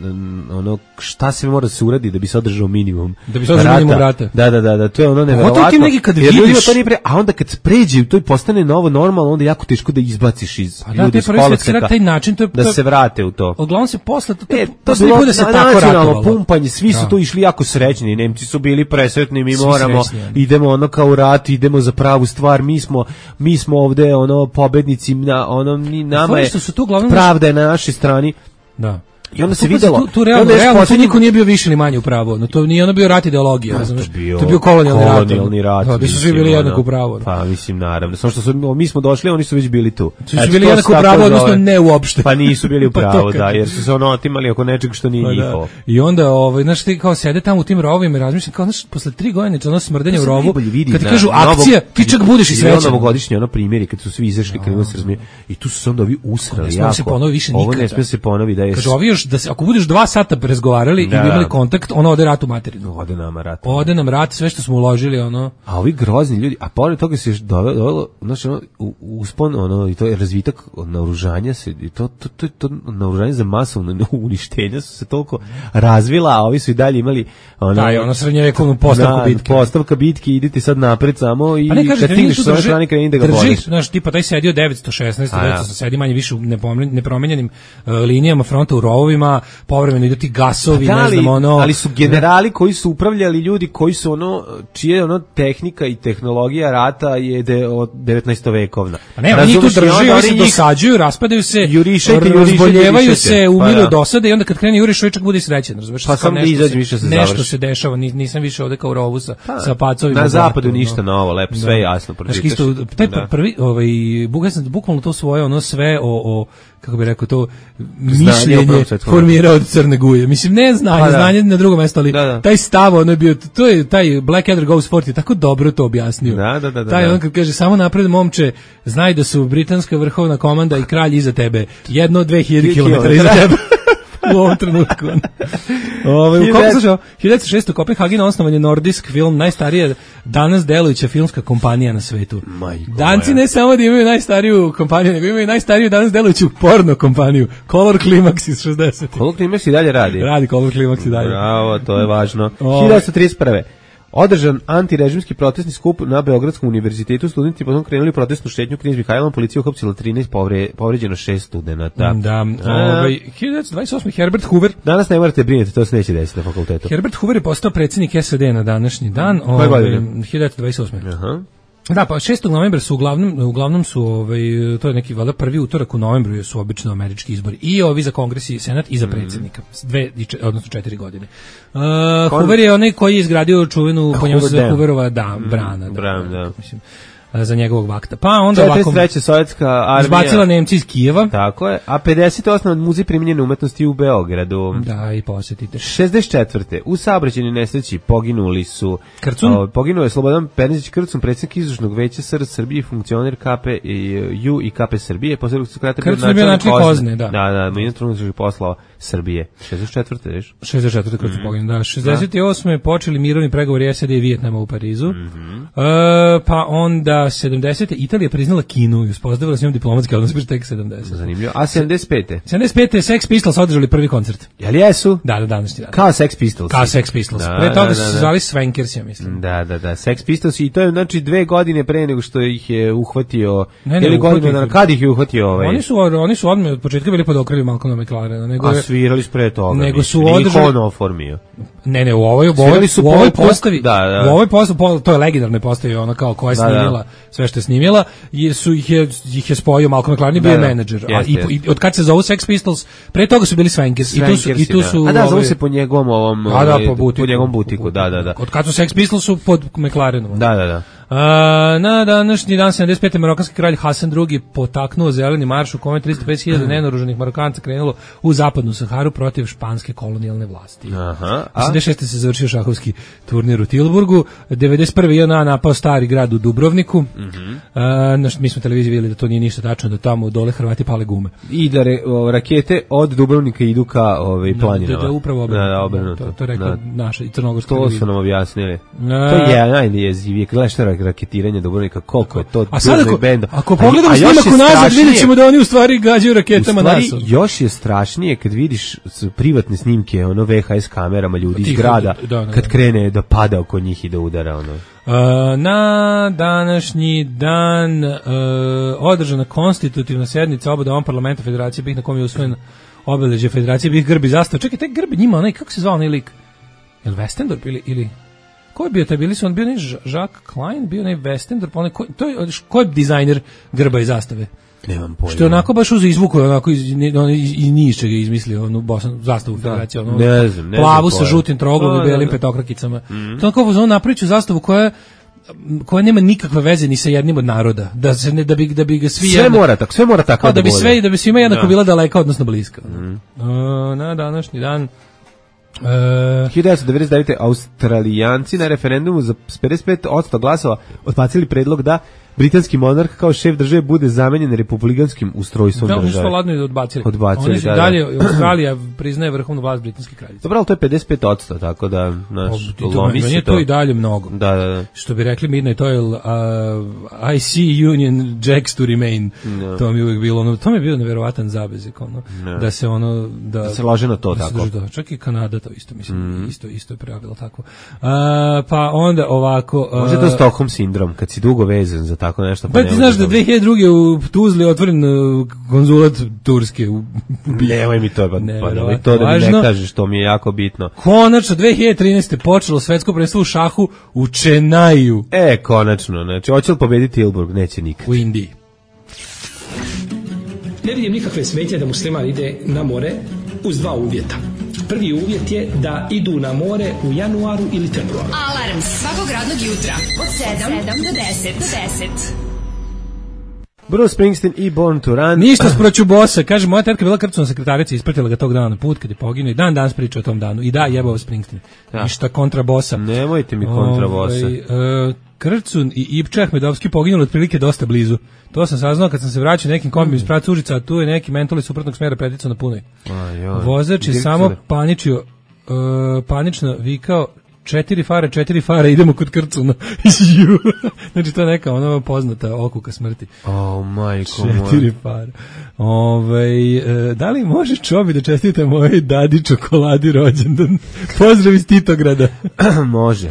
[SPEAKER 5] ono, šta se mora da se uradi da bi se održao minimum.
[SPEAKER 6] Da bi se održao minimum rata.
[SPEAKER 5] Da, da, da, da, to je ono neverovatno. Jer ljudima to nije pre, a onda kad pređe, to i postane novo normalno, onda je jako teško da izbaciš iz
[SPEAKER 6] pa
[SPEAKER 5] ljudi iz koloseka,
[SPEAKER 6] taj način, to je,
[SPEAKER 5] da se vrate u to.
[SPEAKER 6] Uglavnom se posle, to, to,
[SPEAKER 5] e,
[SPEAKER 6] to se bude se tako ratovalo.
[SPEAKER 5] Pumpanje, svi su da. To išli jako srećni, Nemci su bili presretni, mi svi moramo, srećni, idemo ono kao u rat, idemo za pravu stvar, mi smo, mi smo ovde ono pobednici, na, ono, ni nama je, pravda je na našoj strani.
[SPEAKER 6] Da.
[SPEAKER 5] I onda se videlo,
[SPEAKER 6] tu, tu realno, realno tu niko nije bio više ni manje u pravu, no to nije ono bio rat ideologija, znaš, to je bio kolonijalni rat.
[SPEAKER 5] Kolonijalni rat.
[SPEAKER 6] Da, bi su svi bili jednako u pravu.
[SPEAKER 5] Pa mislim naravno, samo što su mi smo došli, oni su već bili tu.
[SPEAKER 6] Su bili jednako u pravu, odnosno ne uopšte.
[SPEAKER 5] Pa nisu bili u pravu, da, jer su se ono otimali oko nečeg što nije njihovo.
[SPEAKER 6] I onda ovaj znaš ti kao sede tamo u tim rovovima i razmišljam kao znaš posle tri godine ono smrdenje u rovu, kad ti kažu akcija, ti čak budeš i srećan.
[SPEAKER 5] Novogodišnji ono primjeri kad su svi izašli, kad se razumije. I tu su se onda ovi usrali jako. Ovo ne sme se ponovi da je.
[SPEAKER 6] Kaže ovi još da se ako budeš dva sata razgovarali da, i imali kontakt, ono ode rat u materinu.
[SPEAKER 5] Ode nama rat.
[SPEAKER 6] Ode nam rat, sve što smo uložili, ono.
[SPEAKER 5] A ovi grozni ljudi, a pored toga se dovelo, znači ono, uspon, ono, i to je razvitak naoružanja se, i to, to, to, to naoružanje za masovno uništenje su se toliko razvila, a ovi su i dalje imali ono,
[SPEAKER 6] da, je ono srednjevekovnu postavku bitke.
[SPEAKER 5] Postavka bitke, idite sad napred samo i
[SPEAKER 6] kaže,
[SPEAKER 5] kad stigneš sa ove strane kreni da ga boliš.
[SPEAKER 6] Znaš, tipa taj sedio devetsto šesnaest, devetsto sedi manje više u nepromenjenim uh, linijama fronta u rovovima. krovovima, povremeno idu ti gasovi,
[SPEAKER 5] da,
[SPEAKER 6] ne znam, ono...
[SPEAKER 5] ali su generali koji su upravljali ljudi koji su ono, čije ono tehnika i tehnologija rata je de, od devetnaeste vekovna.
[SPEAKER 6] Pa ne, oni tu drži, oni se njih... dosađuju, raspadaju se, jurišajte, razboljevaju se, umiru pa, dosade i onda kad krene juriš, čovjek bude srećen, razumeš?
[SPEAKER 5] Pa sam da izađe više se završi.
[SPEAKER 6] Nešto se dešava, nisam više ovde kao u rovu sa, pa, sa pacovima.
[SPEAKER 5] Na zapadu ništa novo, lepo, sve je jasno.
[SPEAKER 6] Znaš, isto, taj da. prvi, ovaj, ja sam bukvalno to svoje, ono sve o, o kako bih rekao, to mišljenje formirao od Crne Guje. Mislim, ne znanje, pa, znanje na drugo mesto, ali da, da. taj stav, ono je bio, to je, taj Blackadder Goes Forth je tako dobro to objasnio.
[SPEAKER 5] Da, da, da,
[SPEAKER 6] taj
[SPEAKER 5] da.
[SPEAKER 6] on kad kaže, samo napred momče, znaj da su britanska vrhovna komanda i kralj iza tebe, jedno dve hiljade kilometara iza tebe. U ovom trenutku. Ove, u koliko slušao? hiljadu šesto. Kopenhagen osnovan je Nordisk film, najstarija danas delujuća filmska kompanija na svetu.
[SPEAKER 5] Majko
[SPEAKER 6] Danci
[SPEAKER 5] moja.
[SPEAKER 6] ne samo da imaju najstariju kompaniju, nego imaju najstariju danas delujuću porno kompaniju. Color Climax iz šezdesetih.
[SPEAKER 5] Color Climax i dalje radi?
[SPEAKER 6] Radi Color Climax i dalje.
[SPEAKER 5] Bravo, to je važno. hiljadu trideset prve. Održan antirežimski protestni skup na Beogradskom univerzitetu, studenti potom krenuli protestnu šetnju Knez Mihajlovom, policija uhapsila trinaest, povre, povređeno šest studenata.
[SPEAKER 6] Da, ovaj hiljadu dvadeset osme. Herbert Hoover.
[SPEAKER 5] Danas ne morate brinuti, to se neće desiti na fakultetu.
[SPEAKER 6] Herbert Hoover je postao predsjednik S A D na današnji dan, ovaj hiljadu dvadeset osme. Aha. Da, pa šestog novembra su uglavnom uglavnom su ovaj to je neki valjda prvi utorak u novembru su obično američki izbori i ovi za Kongres i Senat i za predsjednika. Dve odnosno četiri godine. Uh, Hoover je onaj koji je izgradio čuvenu po njemu se Hooverova da brana, da,
[SPEAKER 5] Bran, da.
[SPEAKER 6] mislim za njegovog vakta. Pa onda ovako
[SPEAKER 5] četrdeset treće. Sovjetska armija
[SPEAKER 6] izbacila Nemci iz Kijeva.
[SPEAKER 5] Tako je. A pedeset osam. Muzej primijenjene umetnosti u Beogradu.
[SPEAKER 6] Da, i posjetite.
[SPEAKER 5] šezdeset četvrte. U saobraćajnoj nesreći poginuli su
[SPEAKER 6] Krcun?
[SPEAKER 5] O, poginuo je Slobodan Pernić Krcun, predsjednik izvršnog veća S R Srbije, funkcioner K P i U i K P Srbije. Poslednjeg sekretara
[SPEAKER 6] Krcun je bio način Kozne, da.
[SPEAKER 5] Da, da, ministar unutrašnjih poslova Srbije. šezdeset četvrte. Viš?
[SPEAKER 6] šezdeset četvrte. Krcun mm. poginuo, da. šezdeset osme. počeli mirovni pregovori S A D i Vijetnama u Parizu.
[SPEAKER 5] Mm-hmm.
[SPEAKER 6] E, pa onda sedamdesete. Italija priznala Kinu i uspostavila s njom diplomatski odnos pri tek sedamdeset.
[SPEAKER 5] Zanimljivo. A sedamdeset pete.
[SPEAKER 6] sedamdeset pete. Sex Pistols održali prvi koncert.
[SPEAKER 5] Jel jesu?
[SPEAKER 6] Da, da, današnji dan.
[SPEAKER 5] Kao Sex Pistols.
[SPEAKER 6] Kao Sex Pistols. Da, pre toga da, da, su se zvali Swankers, ja mislim.
[SPEAKER 5] Da, da, da. Sex Pistols i to je znači dve godine pre nego što ih je uhvatio.
[SPEAKER 6] Ne, ne,
[SPEAKER 5] ili godinu na kad ih je uhvatio ovaj.
[SPEAKER 6] Oni su oni su odmah od početka bili pod okriljem Malcolma McLarena, nego
[SPEAKER 5] a svirali su pre toga.
[SPEAKER 6] Nego su održali
[SPEAKER 5] oformio.
[SPEAKER 6] Ne, ne, u ovoj u ovoj su u ovoj postavi, da, da. U ovoj postavi, to je legendarna postava, ona kao koja je snimila da, da. sve što je snimila, jer su ih je ih je spojio Malcolm McLaren i bio da, menadžer. A i, i od kad se zovu Sex Pistols, pre toga su bili Swankers i tu su i tu su
[SPEAKER 5] A da, zovu se po njegovom ovom
[SPEAKER 6] a da, po, butiku,
[SPEAKER 5] po njegovom butiku, da, da, da.
[SPEAKER 6] Od kad su Sex Pistols su pod McLarenom.
[SPEAKER 5] Da, da, da.
[SPEAKER 6] Uh, na današnji dan sedamdeset pete. marokanski kralj Hasan drugi potaknuo zeleni marš u kome tristo pedeset hiljada nenaoružanih Marokanca krenulo u zapadnu Saharu protiv španske kolonijalne vlasti.
[SPEAKER 5] Aha.
[SPEAKER 6] osamdeset šeste. se završio šahovski turnir u Tilburgu. devedeset prve. J N A napao stari grad u Dubrovniku.
[SPEAKER 5] Mhm.
[SPEAKER 6] Uh, naš, mi smo televiziji vidjeli da to nije ništa tačno, da tamo dole Hrvati pale gume.
[SPEAKER 5] I da re, o, rakete od Dubrovnika idu ka ovaj planinama.
[SPEAKER 6] Da, da, upravo obrnuto.
[SPEAKER 5] Da, da, obrnuto.
[SPEAKER 6] To, to rekao naša i crnogorska.
[SPEAKER 5] To su nam objasnili. Uh, to je najjezivije. Gledaj šta raketiranje Dubrovnika, koliko je to
[SPEAKER 6] a sad ako, ako pogledamo snimak unazad, vidjet ćemo da oni u stvari gađaju raketama nas.
[SPEAKER 5] U stvari, još je strašnije kad vidiš privatne snimke, ono V H S kamerama ljudi iz grada, da, da, kad da. krene da pada oko njih i da udara, ono.
[SPEAKER 6] Uh, na današnji dan uh, održana konstitutivna sjednica oba doma parlamenta Federacije BiH na kom je usvojen obeležje Federacije BiH grb i zastava. Čekaj, taj grb njima, onaj, kako se zvao onaj lik? Je li Westendorp ili... ili... Ko je bio taj, bili su, on bio onaj Jacques Klein, bio onaj Westendorp, onaj, ko, to je, ko je dizajner grba i zastave?
[SPEAKER 5] Nemam pojma.
[SPEAKER 6] Što je onako baš uzo izvuko, onako iz, iz, iz ničega izmislio onu Bosnu, zastavu Federacije, ono,
[SPEAKER 5] ne znam, ne
[SPEAKER 6] plavu sa žutim troglom i belim petokrakicama. Mm-hmm. To je onako, on napraviću zastavu koja koja nema nikakve veze ni sa jednim od naroda, da se ne da bi da bi ga svi
[SPEAKER 5] sve jedno, mora tako, sve mora tako
[SPEAKER 6] da, da bi
[SPEAKER 5] bude.
[SPEAKER 6] sve da bi svima jednako bila daleka odnosno bliska. Mm-hmm. uh, na današnji dan Uh,
[SPEAKER 5] hiljadu devetsto devedeset devete. Australijanci na referendumu za pedeset pet posto glasova odbacili predlog da britanski monarh kao šef države bude zamenjen republikanskim ustrojstvom
[SPEAKER 6] da,
[SPEAKER 5] države.
[SPEAKER 6] Da, oni su ladno i odbacili.
[SPEAKER 5] Odbacili,
[SPEAKER 6] oni su
[SPEAKER 5] da,
[SPEAKER 6] dalje,
[SPEAKER 5] da.
[SPEAKER 6] Australija priznaje vrhovnu vlast britanske kraljice.
[SPEAKER 5] Dobro, ali to je pedeset pet posto, tako da, znaš,
[SPEAKER 6] lomi se to. to i dalje mnogo.
[SPEAKER 5] Da, da, da.
[SPEAKER 6] Što bi rekli Midnight Oil, uh, I see Union Jacks to remain. No. To mi je uvijek bilo, ono, to mi je bio neverovatan zabezik, ono, no. da se ono, da,
[SPEAKER 5] da se lože na to,
[SPEAKER 6] da
[SPEAKER 5] tako.
[SPEAKER 6] Da, čak i Kanada to isto, mislim, mm. isto, isto je pravilo tako. Uh, pa onda ovako... Uh,
[SPEAKER 5] može to Stockholm sindrom, kad si dugo vezan za tako nešto.
[SPEAKER 6] Pa ti znaš da dve hiljade druge u Tuzli otvoren uh, konzulat Turske. U...
[SPEAKER 5] Nemoj mi to, pa,
[SPEAKER 6] ne,
[SPEAKER 5] pa nemoj to da mi ne kažeš, to mi je jako bitno.
[SPEAKER 6] Konačno, dve hiljade trinaeste. počelo svetsko prvenstvo u šahu u Čenaju.
[SPEAKER 5] E, konačno, znači, hoće li pobediti Tilburg? Neće nikad.
[SPEAKER 6] U Indiji.
[SPEAKER 1] Ne vidim nikakve smetnje da musliman ide na more uz dva uvjeta. Prvi uvjet je da idu na more u januaru ili februaru.
[SPEAKER 2] Alarm svakog radnog jutra od sedam do deset.
[SPEAKER 5] Bruce Springsteen i Born to Run.
[SPEAKER 6] Ništa sproću bosa, kaže moja tetka bila krcuna sekretarica, ispratila ga tog dana na put kad je poginuo i dan danas priča o tom danu. I da, jebao Springsteen. Ja. Ništa kontra bosa.
[SPEAKER 5] Nemojte mi kontra bosa.
[SPEAKER 6] Ovaj, uh, Krcun i Ipča Ahmedovski poginuli otprilike dosta blizu. To sam saznao kad sam se vraćao nekim kombijom iz Praca Užica, a tu je neki mentoli suprotnog smjera preticao na punoj. Vozač je samo paničio, uh, panično vikao četiri fare, četiri fare, idemo kod Krcuna. Znači to je neka ona poznata okuka smrti.
[SPEAKER 5] Oh, majko
[SPEAKER 6] četiri fare. Ove, e, da li može Čobi da čestite mojoj dadi čokoladi rođendan? Pozdrav iz Titograda.
[SPEAKER 5] Može.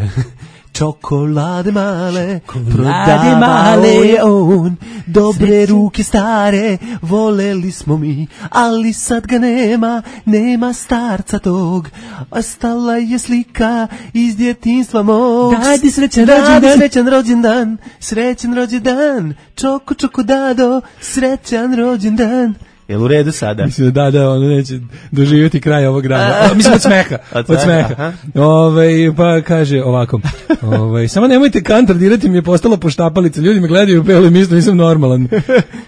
[SPEAKER 5] Čokolade male,
[SPEAKER 6] čokolade male
[SPEAKER 5] je on, dobre sreću. Ruke stare, voleli smo mi, ali sad ga nema, nema starca tog, ostala je slika iz djetinjstva mog.
[SPEAKER 6] Dadi srećan rođendan,
[SPEAKER 5] dadi srećan rođendan, srećan rođendan, čoko čoko dado, srećan rođendan. Jel u redu sada?
[SPEAKER 6] Mislim da da, ono neće doživjeti kraj ovog rada. Mislim od smeha. Od smeha. Ove, pa kaže ovako. Ove, samo nemojte kantar dirati, mi je postala poštapalica. Ljudi me gledaju u pelu i misle nisam normalan.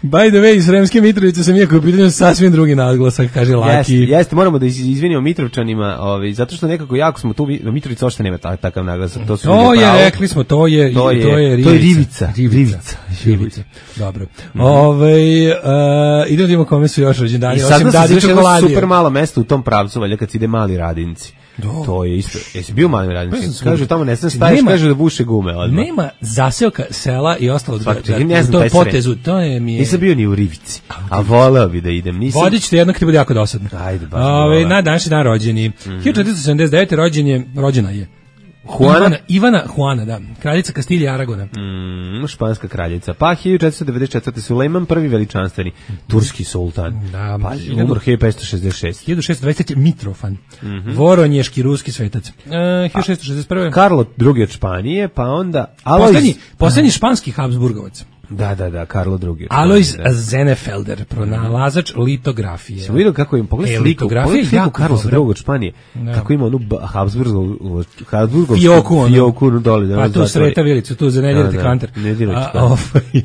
[SPEAKER 6] By the way, iz Sremske Mitrovice sam iako u pitanju sasvim drugi nadglasak, kaže Laki.
[SPEAKER 5] Jeste, jeste, moramo da izvinimo Mitrovčanima, ovaj, zato što nekako jako smo tu, Mitrovica uopšte nema takav naglasak. To,
[SPEAKER 6] to je, pravo. Rekli smo, to je,
[SPEAKER 5] to je,
[SPEAKER 6] to je rivica.
[SPEAKER 5] To je rivica.
[SPEAKER 6] Rivica. rivica. Dobro. Mm-hmm. Ove, uh, idemo da imamo kome su još rođendani.
[SPEAKER 5] I sad da se super malo mesto u tom pravcu, valjda kad se ide Mali Radinci. Do. To je isto. Jesi bio Mali Radinci? Kažu tamo ne znam staviš, kažu da buše gume odmah.
[SPEAKER 6] Nema zaseoka sela i ostalo od to je potezu, to je mi je.
[SPEAKER 5] Nisam bio ni u Rivici, a voleo bi da idem. Nisam.
[SPEAKER 6] Vodit ćete jedno kad ti bude jako dosadno.
[SPEAKER 5] Ajde, baš.
[SPEAKER 6] Ove, na današnji dan rođeni. Mm-hmm. hiljadu četiristo sedamdeset devete rođen je, rođena je.
[SPEAKER 5] Juana?
[SPEAKER 6] Ivana, Ivana Juana, da, kraljica Kastilje i Aragona.
[SPEAKER 5] Mm, španska kraljica. Pa hiljadu četiristo devedeset četvrte Sulejman prvi veličanstveni, turski sultan.
[SPEAKER 6] Da,
[SPEAKER 5] pa umro hiljadu petsto šezdeset šeste
[SPEAKER 6] hiljadu šessto dvadeset treće Mitrofan, mm-hmm. Voronješki ruski svetac. Uh, hiljadu šessto šezdeset prve
[SPEAKER 5] Karlo drugi od Španije, pa onda
[SPEAKER 6] Alojz... Poslednji, poslednji španski Habsburgovac.
[SPEAKER 5] Da, da, da, Karlo drugi.
[SPEAKER 6] Alojz Zenefelder, pronalazač litografije.
[SPEAKER 5] Sam vidio kako im pogledaj
[SPEAKER 6] e,
[SPEAKER 5] sliku, pogledaj sliku Karlosa drugog od Španije, da. Kako ima onu Habsburgovsku Habsburgovsku
[SPEAKER 6] fioku,
[SPEAKER 5] fioku dole.
[SPEAKER 6] Pa tu sreta vilicu, tu za ne dirati
[SPEAKER 5] da,
[SPEAKER 6] kanter.
[SPEAKER 5] Ne dirati
[SPEAKER 6] kanter.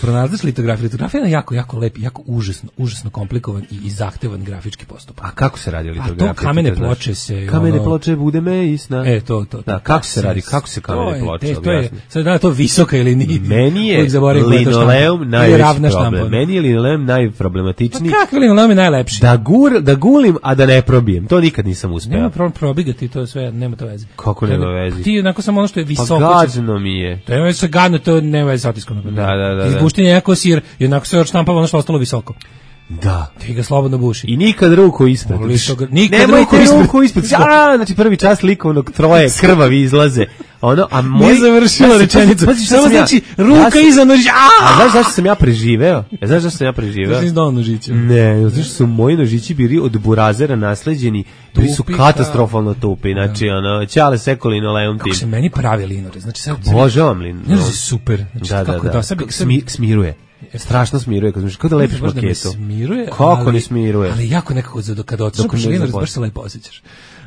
[SPEAKER 6] Pronalazač litografije. Litografija je jako, jako lep, jako užasno, užasno komplikovan i, i zahtevan grafički postupak.
[SPEAKER 5] A kako se radi litografija?
[SPEAKER 6] A to kamene ploče se...
[SPEAKER 5] Kamene
[SPEAKER 6] ono,
[SPEAKER 5] ploče bude me isna.
[SPEAKER 6] E, to, to.
[SPEAKER 5] Da, kako se radi? Kako se kamene ploče?
[SPEAKER 6] To je, sad da to visoka ili nije.
[SPEAKER 5] Meni je linoleum najveći problem. Meni je linoleum najproblematičniji.
[SPEAKER 6] Pa kako linoleum je najlepši?
[SPEAKER 5] Da, gur, da gulim, a da ne probijem. To nikad nisam uspeo.
[SPEAKER 6] Nema problem probigati, to sve, nema to veze.
[SPEAKER 5] Kako nema veze?
[SPEAKER 6] Ti onako samo ono što je visoko.
[SPEAKER 5] Pa gađeno mi je.
[SPEAKER 6] To je se gadno, to nema veze sa otiskom.
[SPEAKER 5] Da, da, da.
[SPEAKER 6] Izbuštenje jako sir, jednako se odštampava ono što ostalo visoko.
[SPEAKER 5] Da.
[SPEAKER 6] Ti ga slobodno buši.
[SPEAKER 5] I nikad ruku ispred.
[SPEAKER 6] Nikad
[SPEAKER 5] Nemojte
[SPEAKER 6] ruku,
[SPEAKER 5] ruku ispred. A, znači prvi čas likovnog troje krvavi izlaze. Ono, a moj...
[SPEAKER 6] Nije završila rečenicu. Samo znači, ruka iza nožića.
[SPEAKER 5] A znaš zašto sam ja preživeo? Ja znaš zašto sam ja preživeo?
[SPEAKER 6] Zašto nisi dao nožića?
[SPEAKER 5] Ne, znaš što su moji nožići bili od burazera nasleđeni. Bili su katastrofalno tupi. Znači, ono, ćale sekolino leum tim.
[SPEAKER 6] Kako se meni pravi linore. Znači, sad...
[SPEAKER 5] Božavam linore.
[SPEAKER 6] Znači, super.
[SPEAKER 5] Da, da, da. Smiruje. Strašno smiruje, kad znaš, kao da lepiš maketu.
[SPEAKER 6] Smiruje,
[SPEAKER 5] kako
[SPEAKER 6] ali,
[SPEAKER 5] ne smiruje?
[SPEAKER 6] Ali jako nekako kada otišao linor, baš se lepo osjećaš.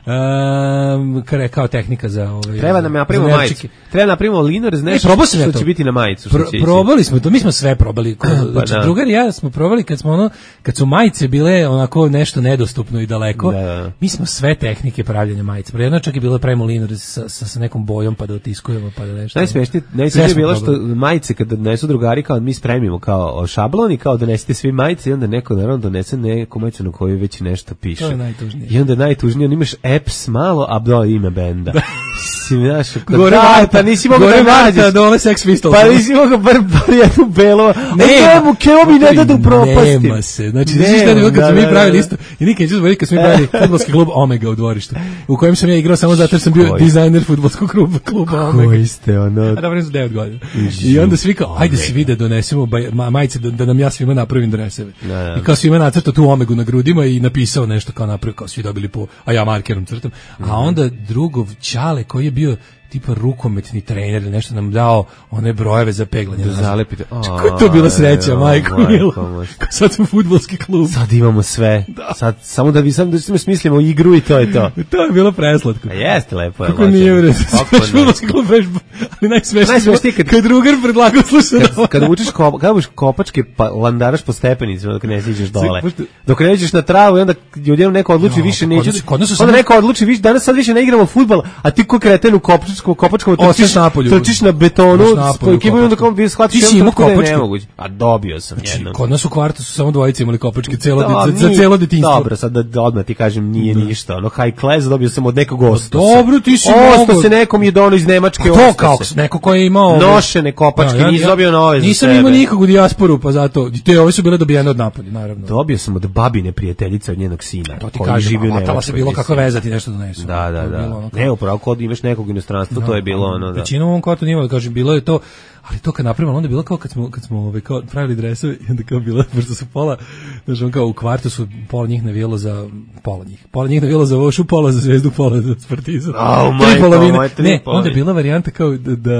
[SPEAKER 6] Um, kare, kao tehnika za ovaj.
[SPEAKER 5] Treba nam napravimo majicu. Treba napravimo linor, znaš,
[SPEAKER 6] e, što
[SPEAKER 5] ja će biti na majicu.
[SPEAKER 6] Pro, probali smo to, mi smo sve probali. Ko, pa znači, drugar i ja smo probali kad smo ono, kad su majice bile onako nešto nedostupno i daleko. Da. Mi smo sve tehnike pravljenja majice. Pre jedno čak je bilo pravimo linor sa, sa, sa nekom bojom pa da otiskujemo pa da nešto.
[SPEAKER 5] Najsmešnije, najsmešnije je bilo što majice kad donesu drugari kao mi spremimo kao šablon i kao donesite svi majice i onda neko naravno donese neku majicu na kojoj već nešto piše.
[SPEAKER 6] To je najtužnije.
[SPEAKER 5] I onda najtužnije, on imaš apps malo, a do ime benda. Mislim, znaš,
[SPEAKER 6] Gore
[SPEAKER 5] da,
[SPEAKER 6] Marta,
[SPEAKER 5] pa nisi mogao
[SPEAKER 6] Gore
[SPEAKER 5] da nađeš.
[SPEAKER 6] Marta, dole Sex Pistols.
[SPEAKER 5] Pa nisi mogao bar, bar jednu belo.
[SPEAKER 6] Nema,
[SPEAKER 5] mu keo mi ne dadu propasti.
[SPEAKER 6] Nema se. Znači, znaš šta je bilo kad smo mi
[SPEAKER 5] da,
[SPEAKER 6] pravili
[SPEAKER 5] da.
[SPEAKER 6] isto. I nikad neću zaboraviti kad smo mi pravili fudbalski klub Omega u dvorištu, u kojem sam ja igrao samo zato jer sam bio
[SPEAKER 5] Koji?
[SPEAKER 6] dizajner fudbalskog kluba, kluba Omega.
[SPEAKER 5] Koji ste, ono...
[SPEAKER 6] A dobro, sam devet godina. I onda svi kao, ajde svi da donesemo baj, ma, majice, da, da nam ja svima napravim dreseve.
[SPEAKER 5] Da, da.
[SPEAKER 6] I kao svima nacrtao tu Omegu na grudima i napisao nešto kao napravio, kao svi dobili po, a ja markerom crtam. A onda drugov Ćale koji je bio tipa rukometni trener ili nešto nam dao one brojeve za peglanje.
[SPEAKER 5] Da zalepite.
[SPEAKER 6] Kako je to bila sreća,
[SPEAKER 5] A,
[SPEAKER 6] majko
[SPEAKER 5] majko
[SPEAKER 6] mila.
[SPEAKER 5] moja.
[SPEAKER 6] Sad smo fudbalski klub.
[SPEAKER 5] Sad imamo sve. Sad, samo da vi sam da smo smislimo igru i to je to.
[SPEAKER 6] To je bilo preslatko.
[SPEAKER 5] A jeste lepo. je,
[SPEAKER 6] Kako
[SPEAKER 5] lažem.
[SPEAKER 6] nije bre.
[SPEAKER 5] Kako ne?
[SPEAKER 6] Fudbalski klub već, ali najsmešnije
[SPEAKER 5] Najsmešnije
[SPEAKER 6] kad,
[SPEAKER 5] kad-
[SPEAKER 6] kad drugar predlagao slušaj.
[SPEAKER 5] Kad, kad učiš kop, kad učiš kopačke pa landaraš po stepenicama dok ne siđeš dole.
[SPEAKER 6] Pošto-
[SPEAKER 5] Dok ne iđeš na travu i onda ljudima neko odluči
[SPEAKER 6] Jo,
[SPEAKER 5] više
[SPEAKER 6] pa
[SPEAKER 5] neće.
[SPEAKER 6] kod nas- kod nas su
[SPEAKER 5] Onda
[SPEAKER 6] samo-
[SPEAKER 5] neko odluči više danas sad više ne igramo fudbal, a ti ko kreten u kopačkom kopačkom
[SPEAKER 6] Ostaš
[SPEAKER 5] trčiš
[SPEAKER 6] napolju.
[SPEAKER 5] trčiš na betonu,
[SPEAKER 6] Ostaš napolju
[SPEAKER 5] s ekipom i onda
[SPEAKER 6] kopačkom.
[SPEAKER 5] kao bi shvatio
[SPEAKER 6] Ti si imao
[SPEAKER 5] da je
[SPEAKER 6] kopačke?
[SPEAKER 5] nemoguće. A dobio sam jednom.
[SPEAKER 6] Kod nas u kvartu su samo dvojice imali kopačke celo
[SPEAKER 5] Da,
[SPEAKER 6] za, za
[SPEAKER 5] nije-
[SPEAKER 6] celo detinjstvo.
[SPEAKER 5] Dobro, sad da, da odmah ti kažem nije ništa. Ono high class dobio sam od nekog osta.
[SPEAKER 6] dobro, ti si
[SPEAKER 5] Osto
[SPEAKER 6] mogao-
[SPEAKER 5] se nekom je dono iz Nemačke.
[SPEAKER 6] A to
[SPEAKER 5] osto
[SPEAKER 6] kao
[SPEAKER 5] se.
[SPEAKER 6] neko ko je imao ove-
[SPEAKER 5] Nošene kopačke,
[SPEAKER 6] Da, ja-
[SPEAKER 5] nisi
[SPEAKER 6] ja-
[SPEAKER 5] dobio nove za
[SPEAKER 6] Nisam
[SPEAKER 5] sebe.
[SPEAKER 6] imao nikog u dijasporu, pa zato te ove su bile dobijene od napolja, naravno.
[SPEAKER 5] Dobio sam od babine prijateljice od njenog sina.
[SPEAKER 6] To ti
[SPEAKER 5] koji
[SPEAKER 6] kažem,
[SPEAKER 5] živi u
[SPEAKER 6] a matala se
[SPEAKER 5] Nemačkoj,
[SPEAKER 6] bilo
[SPEAKER 5] mislim.
[SPEAKER 6] kako vezati nešto donesu.
[SPEAKER 5] Da, da,
[SPEAKER 6] To je
[SPEAKER 5] da.
[SPEAKER 6] bilo ono kao-
[SPEAKER 5] Ne, upravo kod imaš nekog u inostranstvu, to je bilo ono, da.
[SPEAKER 6] Većinom u ovom kvartu nije imalo, kažem, bilo je to, ali to kad napravimo, onda je bilo kao kad smo, kad smo ovaj, kao pravili dresove i onda kao bilo, pošto su pola, znači on kao u kvartu su pola njih navijalo za, pola njih, pola njih navijalo za Vošu, pola za Zvezdu, pola za Spartizam.
[SPEAKER 5] Au,
[SPEAKER 6] Tri
[SPEAKER 5] majko
[SPEAKER 6] polovine.
[SPEAKER 5] moja, tri
[SPEAKER 6] Ne, onda
[SPEAKER 5] polovine.
[SPEAKER 6] je bila varijanta kao da, da,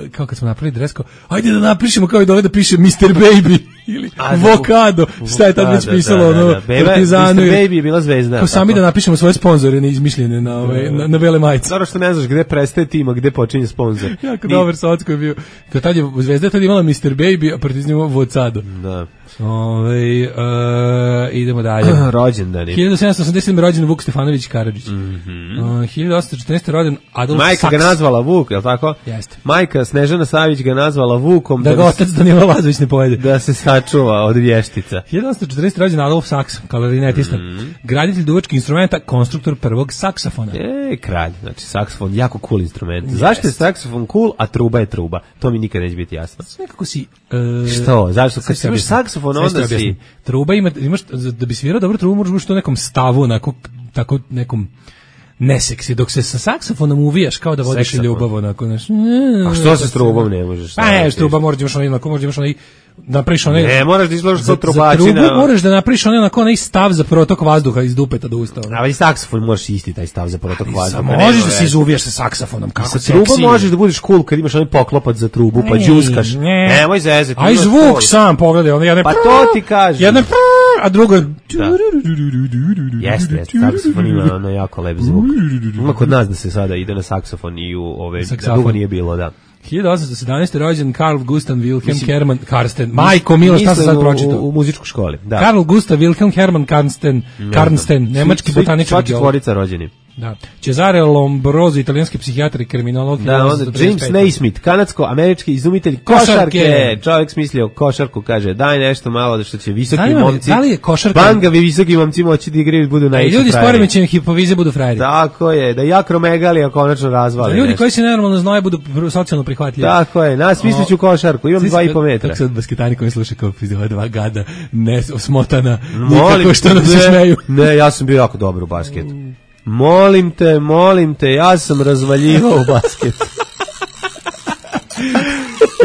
[SPEAKER 6] kao kad smo napravili dres, kao, ajde da napišemo kao i dole da piše mister Baby ili
[SPEAKER 5] A, da,
[SPEAKER 6] Vokado, šta je tad već
[SPEAKER 5] Da, da,
[SPEAKER 6] pisalo,
[SPEAKER 5] da, da,
[SPEAKER 6] ono,
[SPEAKER 5] da. Beba-
[SPEAKER 6] Partizanu.
[SPEAKER 5] mister
[SPEAKER 6] ili-
[SPEAKER 5] Baby je bila zvezda.
[SPEAKER 6] Kao sami
[SPEAKER 5] tako?
[SPEAKER 6] da napišemo svoje sponzore neizmišljene na, ove, na, na bele majice.
[SPEAKER 5] Zato što ne znaš gde prestaje tim, a gde počinje sponsor.
[SPEAKER 6] Jako
[SPEAKER 5] Ni-
[SPEAKER 6] dobar Socko je bio. Kad tad je Zvezda je tad imala mister Baby, a Partizan je imao Vocado.
[SPEAKER 5] Da.
[SPEAKER 6] Ove, uh, idemo dalje.
[SPEAKER 5] Rođendani.
[SPEAKER 6] hiljadu sedamsto osamdeset sedme rođen Vuk Stefanović Karadžić. Uh, hiljadu osamsto četrnaeste rođen Adolf
[SPEAKER 5] Majka
[SPEAKER 6] Saks.
[SPEAKER 5] ga nazvala Vuk, je li tako?
[SPEAKER 6] Jeste.
[SPEAKER 5] Majka Snežana Savić ga nazvala Vukom
[SPEAKER 6] Da ga
[SPEAKER 5] bi-
[SPEAKER 6] otac Danilo Lazović ne pojede.
[SPEAKER 5] da se sačuva od vještica.
[SPEAKER 6] hiljadu osamsto četrnaeste rođen Adolf Saks, klarinetista. Graditelj duvačkih instrumenta, konstruktor prvog saksofona.
[SPEAKER 5] E, kralj, znači saksofon, jako cool instrument. Zašto je saksofon cool, a truba je truba? To mi nikad neće biti jasno.
[SPEAKER 6] Nekako si... Uh,
[SPEAKER 5] Što? Zašto? Kad
[SPEAKER 6] Sad
[SPEAKER 5] sviraš
[SPEAKER 6] objasnim.
[SPEAKER 5] saksofon,
[SPEAKER 6] Sad ću ti
[SPEAKER 5] onda si...
[SPEAKER 6] objasnim. Truba ima, imaš, da bi svirao dobro trubu, moraš biti u nekom stavu, onako, tako nekom neseksi, dok se sa saksofonom uvijaš kao da vodiš
[SPEAKER 5] Seksafon.
[SPEAKER 6] ljubav, onako, znaš.
[SPEAKER 5] A što se s trubom ne možeš?
[SPEAKER 6] Pa ne, truba moraš da imaš onaj, onako, moraš da imaš onaj, da napraviš onaj...
[SPEAKER 5] Ne, moraš da izgledaš
[SPEAKER 6] za,
[SPEAKER 5] kao
[SPEAKER 6] za
[SPEAKER 5] trubačina.
[SPEAKER 6] trubu moraš da napraviš onaj, onako, onaj stav za protok vazduha iz dupeta do usta. ono.
[SPEAKER 5] A i saksofon možeš isti taj stav za protok vazduha.
[SPEAKER 6] Samo
[SPEAKER 5] nema
[SPEAKER 6] možeš da
[SPEAKER 5] veze.
[SPEAKER 6] se izuvijaš sa saksofonom, kako
[SPEAKER 5] Sa
[SPEAKER 6] seksi.
[SPEAKER 5] trubom možeš da budeš cool kad imaš onaj poklopac za trubu, pa
[SPEAKER 6] Ne,
[SPEAKER 5] đuskaš.
[SPEAKER 6] ne.
[SPEAKER 5] Nemoj zezati.
[SPEAKER 6] Aj
[SPEAKER 5] imaš
[SPEAKER 6] zvuk
[SPEAKER 5] cool.
[SPEAKER 6] sam, pogledaj, ono jedno...
[SPEAKER 5] Pa to ti kažem.
[SPEAKER 6] Jedno... A drugo...
[SPEAKER 5] Jeste, jeste, saksofon ima ono jako lep zvuk. Ima kod nas da se sada ide na saksofon i u ove,
[SPEAKER 6] Saksofon.
[SPEAKER 5] dugo nije bilo, da.
[SPEAKER 6] hiljadu osamsto sedamnaeste rođen Karl Gustav Wilhelm
[SPEAKER 5] Mislim-
[SPEAKER 6] Kerman Karsten. Majko Milo, šta sam
[SPEAKER 5] Mislim
[SPEAKER 6] sad pročitao?
[SPEAKER 5] U, u muzičkoj školi, da.
[SPEAKER 6] Karl Gustav Wilhelm Hermann Karsten, Karsten, nemački
[SPEAKER 5] Svi-
[SPEAKER 6] botaničar
[SPEAKER 5] Sva
[SPEAKER 6] geolog.
[SPEAKER 5] četvorica rođeni.
[SPEAKER 6] Da. Cesare Lombroso, italijanski psihijatar i kriminolog.
[SPEAKER 5] Da, onda
[SPEAKER 6] hiljadu osamsto
[SPEAKER 5] James
[SPEAKER 6] trideset pete.
[SPEAKER 5] Naismith, kanadsko-američki izumitelj
[SPEAKER 6] Košarke.
[SPEAKER 5] košarke. Čovjek smislio košarku, kaže, daj nešto malo da što će visoki
[SPEAKER 6] Zanima me,
[SPEAKER 5] momci,
[SPEAKER 6] da li je košarka-
[SPEAKER 5] bangavi visoki momci moći da igraju budu
[SPEAKER 6] Da i
[SPEAKER 5] najveći
[SPEAKER 6] ljudi s
[SPEAKER 5] frajeri.
[SPEAKER 6] poremećajem hipofize budu frajeri.
[SPEAKER 5] Tako je, da i akromegalija konačno razvali
[SPEAKER 6] Da ljudi
[SPEAKER 5] nešto.
[SPEAKER 6] koji se nenormalno znoje budu pr- socijalno prihvatljivi.
[SPEAKER 5] Tako je, nas misliću košarku, imam
[SPEAKER 6] Svi
[SPEAKER 5] dva i
[SPEAKER 6] sad-
[SPEAKER 5] po metra.
[SPEAKER 6] Kako sad basketani koji slušaju kao pizde, ova dva gada, ne, smotana,
[SPEAKER 5] Molim
[SPEAKER 6] nikako što nam se
[SPEAKER 5] ne,
[SPEAKER 6] smeju.
[SPEAKER 5] Ne, ja sam bio jako dobar u basketu. Molim te, molim te, ja sam razvaljivao u basketu.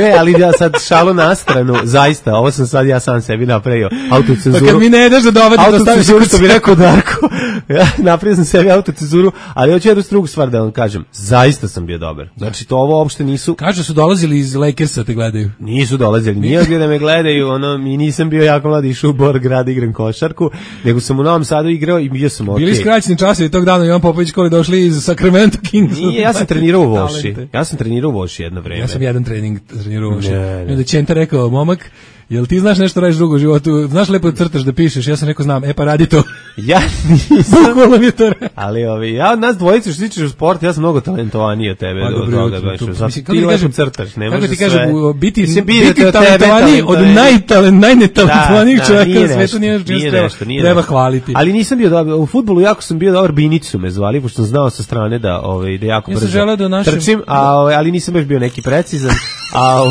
[SPEAKER 5] E, ali ja sad šalu na stranu, zaista, ovo sam sad ja sam sebi napravio
[SPEAKER 6] Pa
[SPEAKER 5] autocenzuru.
[SPEAKER 6] kad mi ne daš da dovadi, to staviš
[SPEAKER 5] Autocenzuru,
[SPEAKER 6] u
[SPEAKER 5] što bi rekao Darko. Ja napravio sam sebi autocenzuru, ali hoću jednu drugu stvar da vam kažem. Zaista sam bio dobar. Znači, to ovo uopšte nisu...
[SPEAKER 6] Kažu su dolazili iz Lakersa te gledaju.
[SPEAKER 5] Nisu dolazili, nije gdje da me gledaju, ono, i nisam bio jako mladi, išao u Bor grad, igram košarku, nego sam u Novom Sadu igrao i bio sam okej.
[SPEAKER 6] Bili skraćeni časovi tog dana, Ivan Popović koji došli iz Sacramento Kings.
[SPEAKER 5] Nije, ja sam trenirao u Voši.
[SPEAKER 6] Talente.
[SPEAKER 5] Ja sam trenirao u Voši jedno vreme.
[SPEAKER 6] Ja sam jedan trening trenirao u Voši.
[SPEAKER 5] Ne, ne.
[SPEAKER 6] I onda je Čenta rekao, momak, jel ti znaš nešto radiš drugo u životu, znaš lepo crtaš da pišeš, ja sam rekao znam, e pa radi to.
[SPEAKER 5] Ja nisam.
[SPEAKER 6] Bukvalno mi je to rekao.
[SPEAKER 5] Ali ovi, ja od nas dvojice što se tičeš u sport, ja sam mnogo talentovaniji od tebe.
[SPEAKER 6] Pa,
[SPEAKER 5] do
[SPEAKER 6] dobro,
[SPEAKER 5] toga,
[SPEAKER 6] to-
[SPEAKER 5] baš,
[SPEAKER 6] to-
[SPEAKER 5] zato
[SPEAKER 6] mislim,
[SPEAKER 5] ti
[SPEAKER 6] kako ti
[SPEAKER 5] lepo
[SPEAKER 6] kažem-
[SPEAKER 5] crtaš, ne
[SPEAKER 6] Kako
[SPEAKER 5] može
[SPEAKER 6] ti
[SPEAKER 5] sve.
[SPEAKER 6] kažem, u- biti,
[SPEAKER 5] Mislim,
[SPEAKER 6] biti
[SPEAKER 5] od tebe
[SPEAKER 6] talentovaniji od
[SPEAKER 5] talentovaniji.
[SPEAKER 6] najtalent, najnetalentovanijih
[SPEAKER 5] Da, da,
[SPEAKER 6] čovjeka
[SPEAKER 5] nije
[SPEAKER 6] na svetu
[SPEAKER 5] nešto,
[SPEAKER 6] nije nešto
[SPEAKER 5] nije
[SPEAKER 6] treba,
[SPEAKER 5] nešto, nije
[SPEAKER 6] treba
[SPEAKER 5] nešto.
[SPEAKER 6] hvaliti.
[SPEAKER 5] Ali nisam bio dobar, u fudbalu jako sam bio dobar, Binicu me zvali, pošto sam znao sa strane da, ovaj, da jako
[SPEAKER 6] Ja sam
[SPEAKER 5] brzo
[SPEAKER 6] želeo da u našem-
[SPEAKER 5] trčim, a, ovaj, ali nisam baš bio neki precizan. A, u,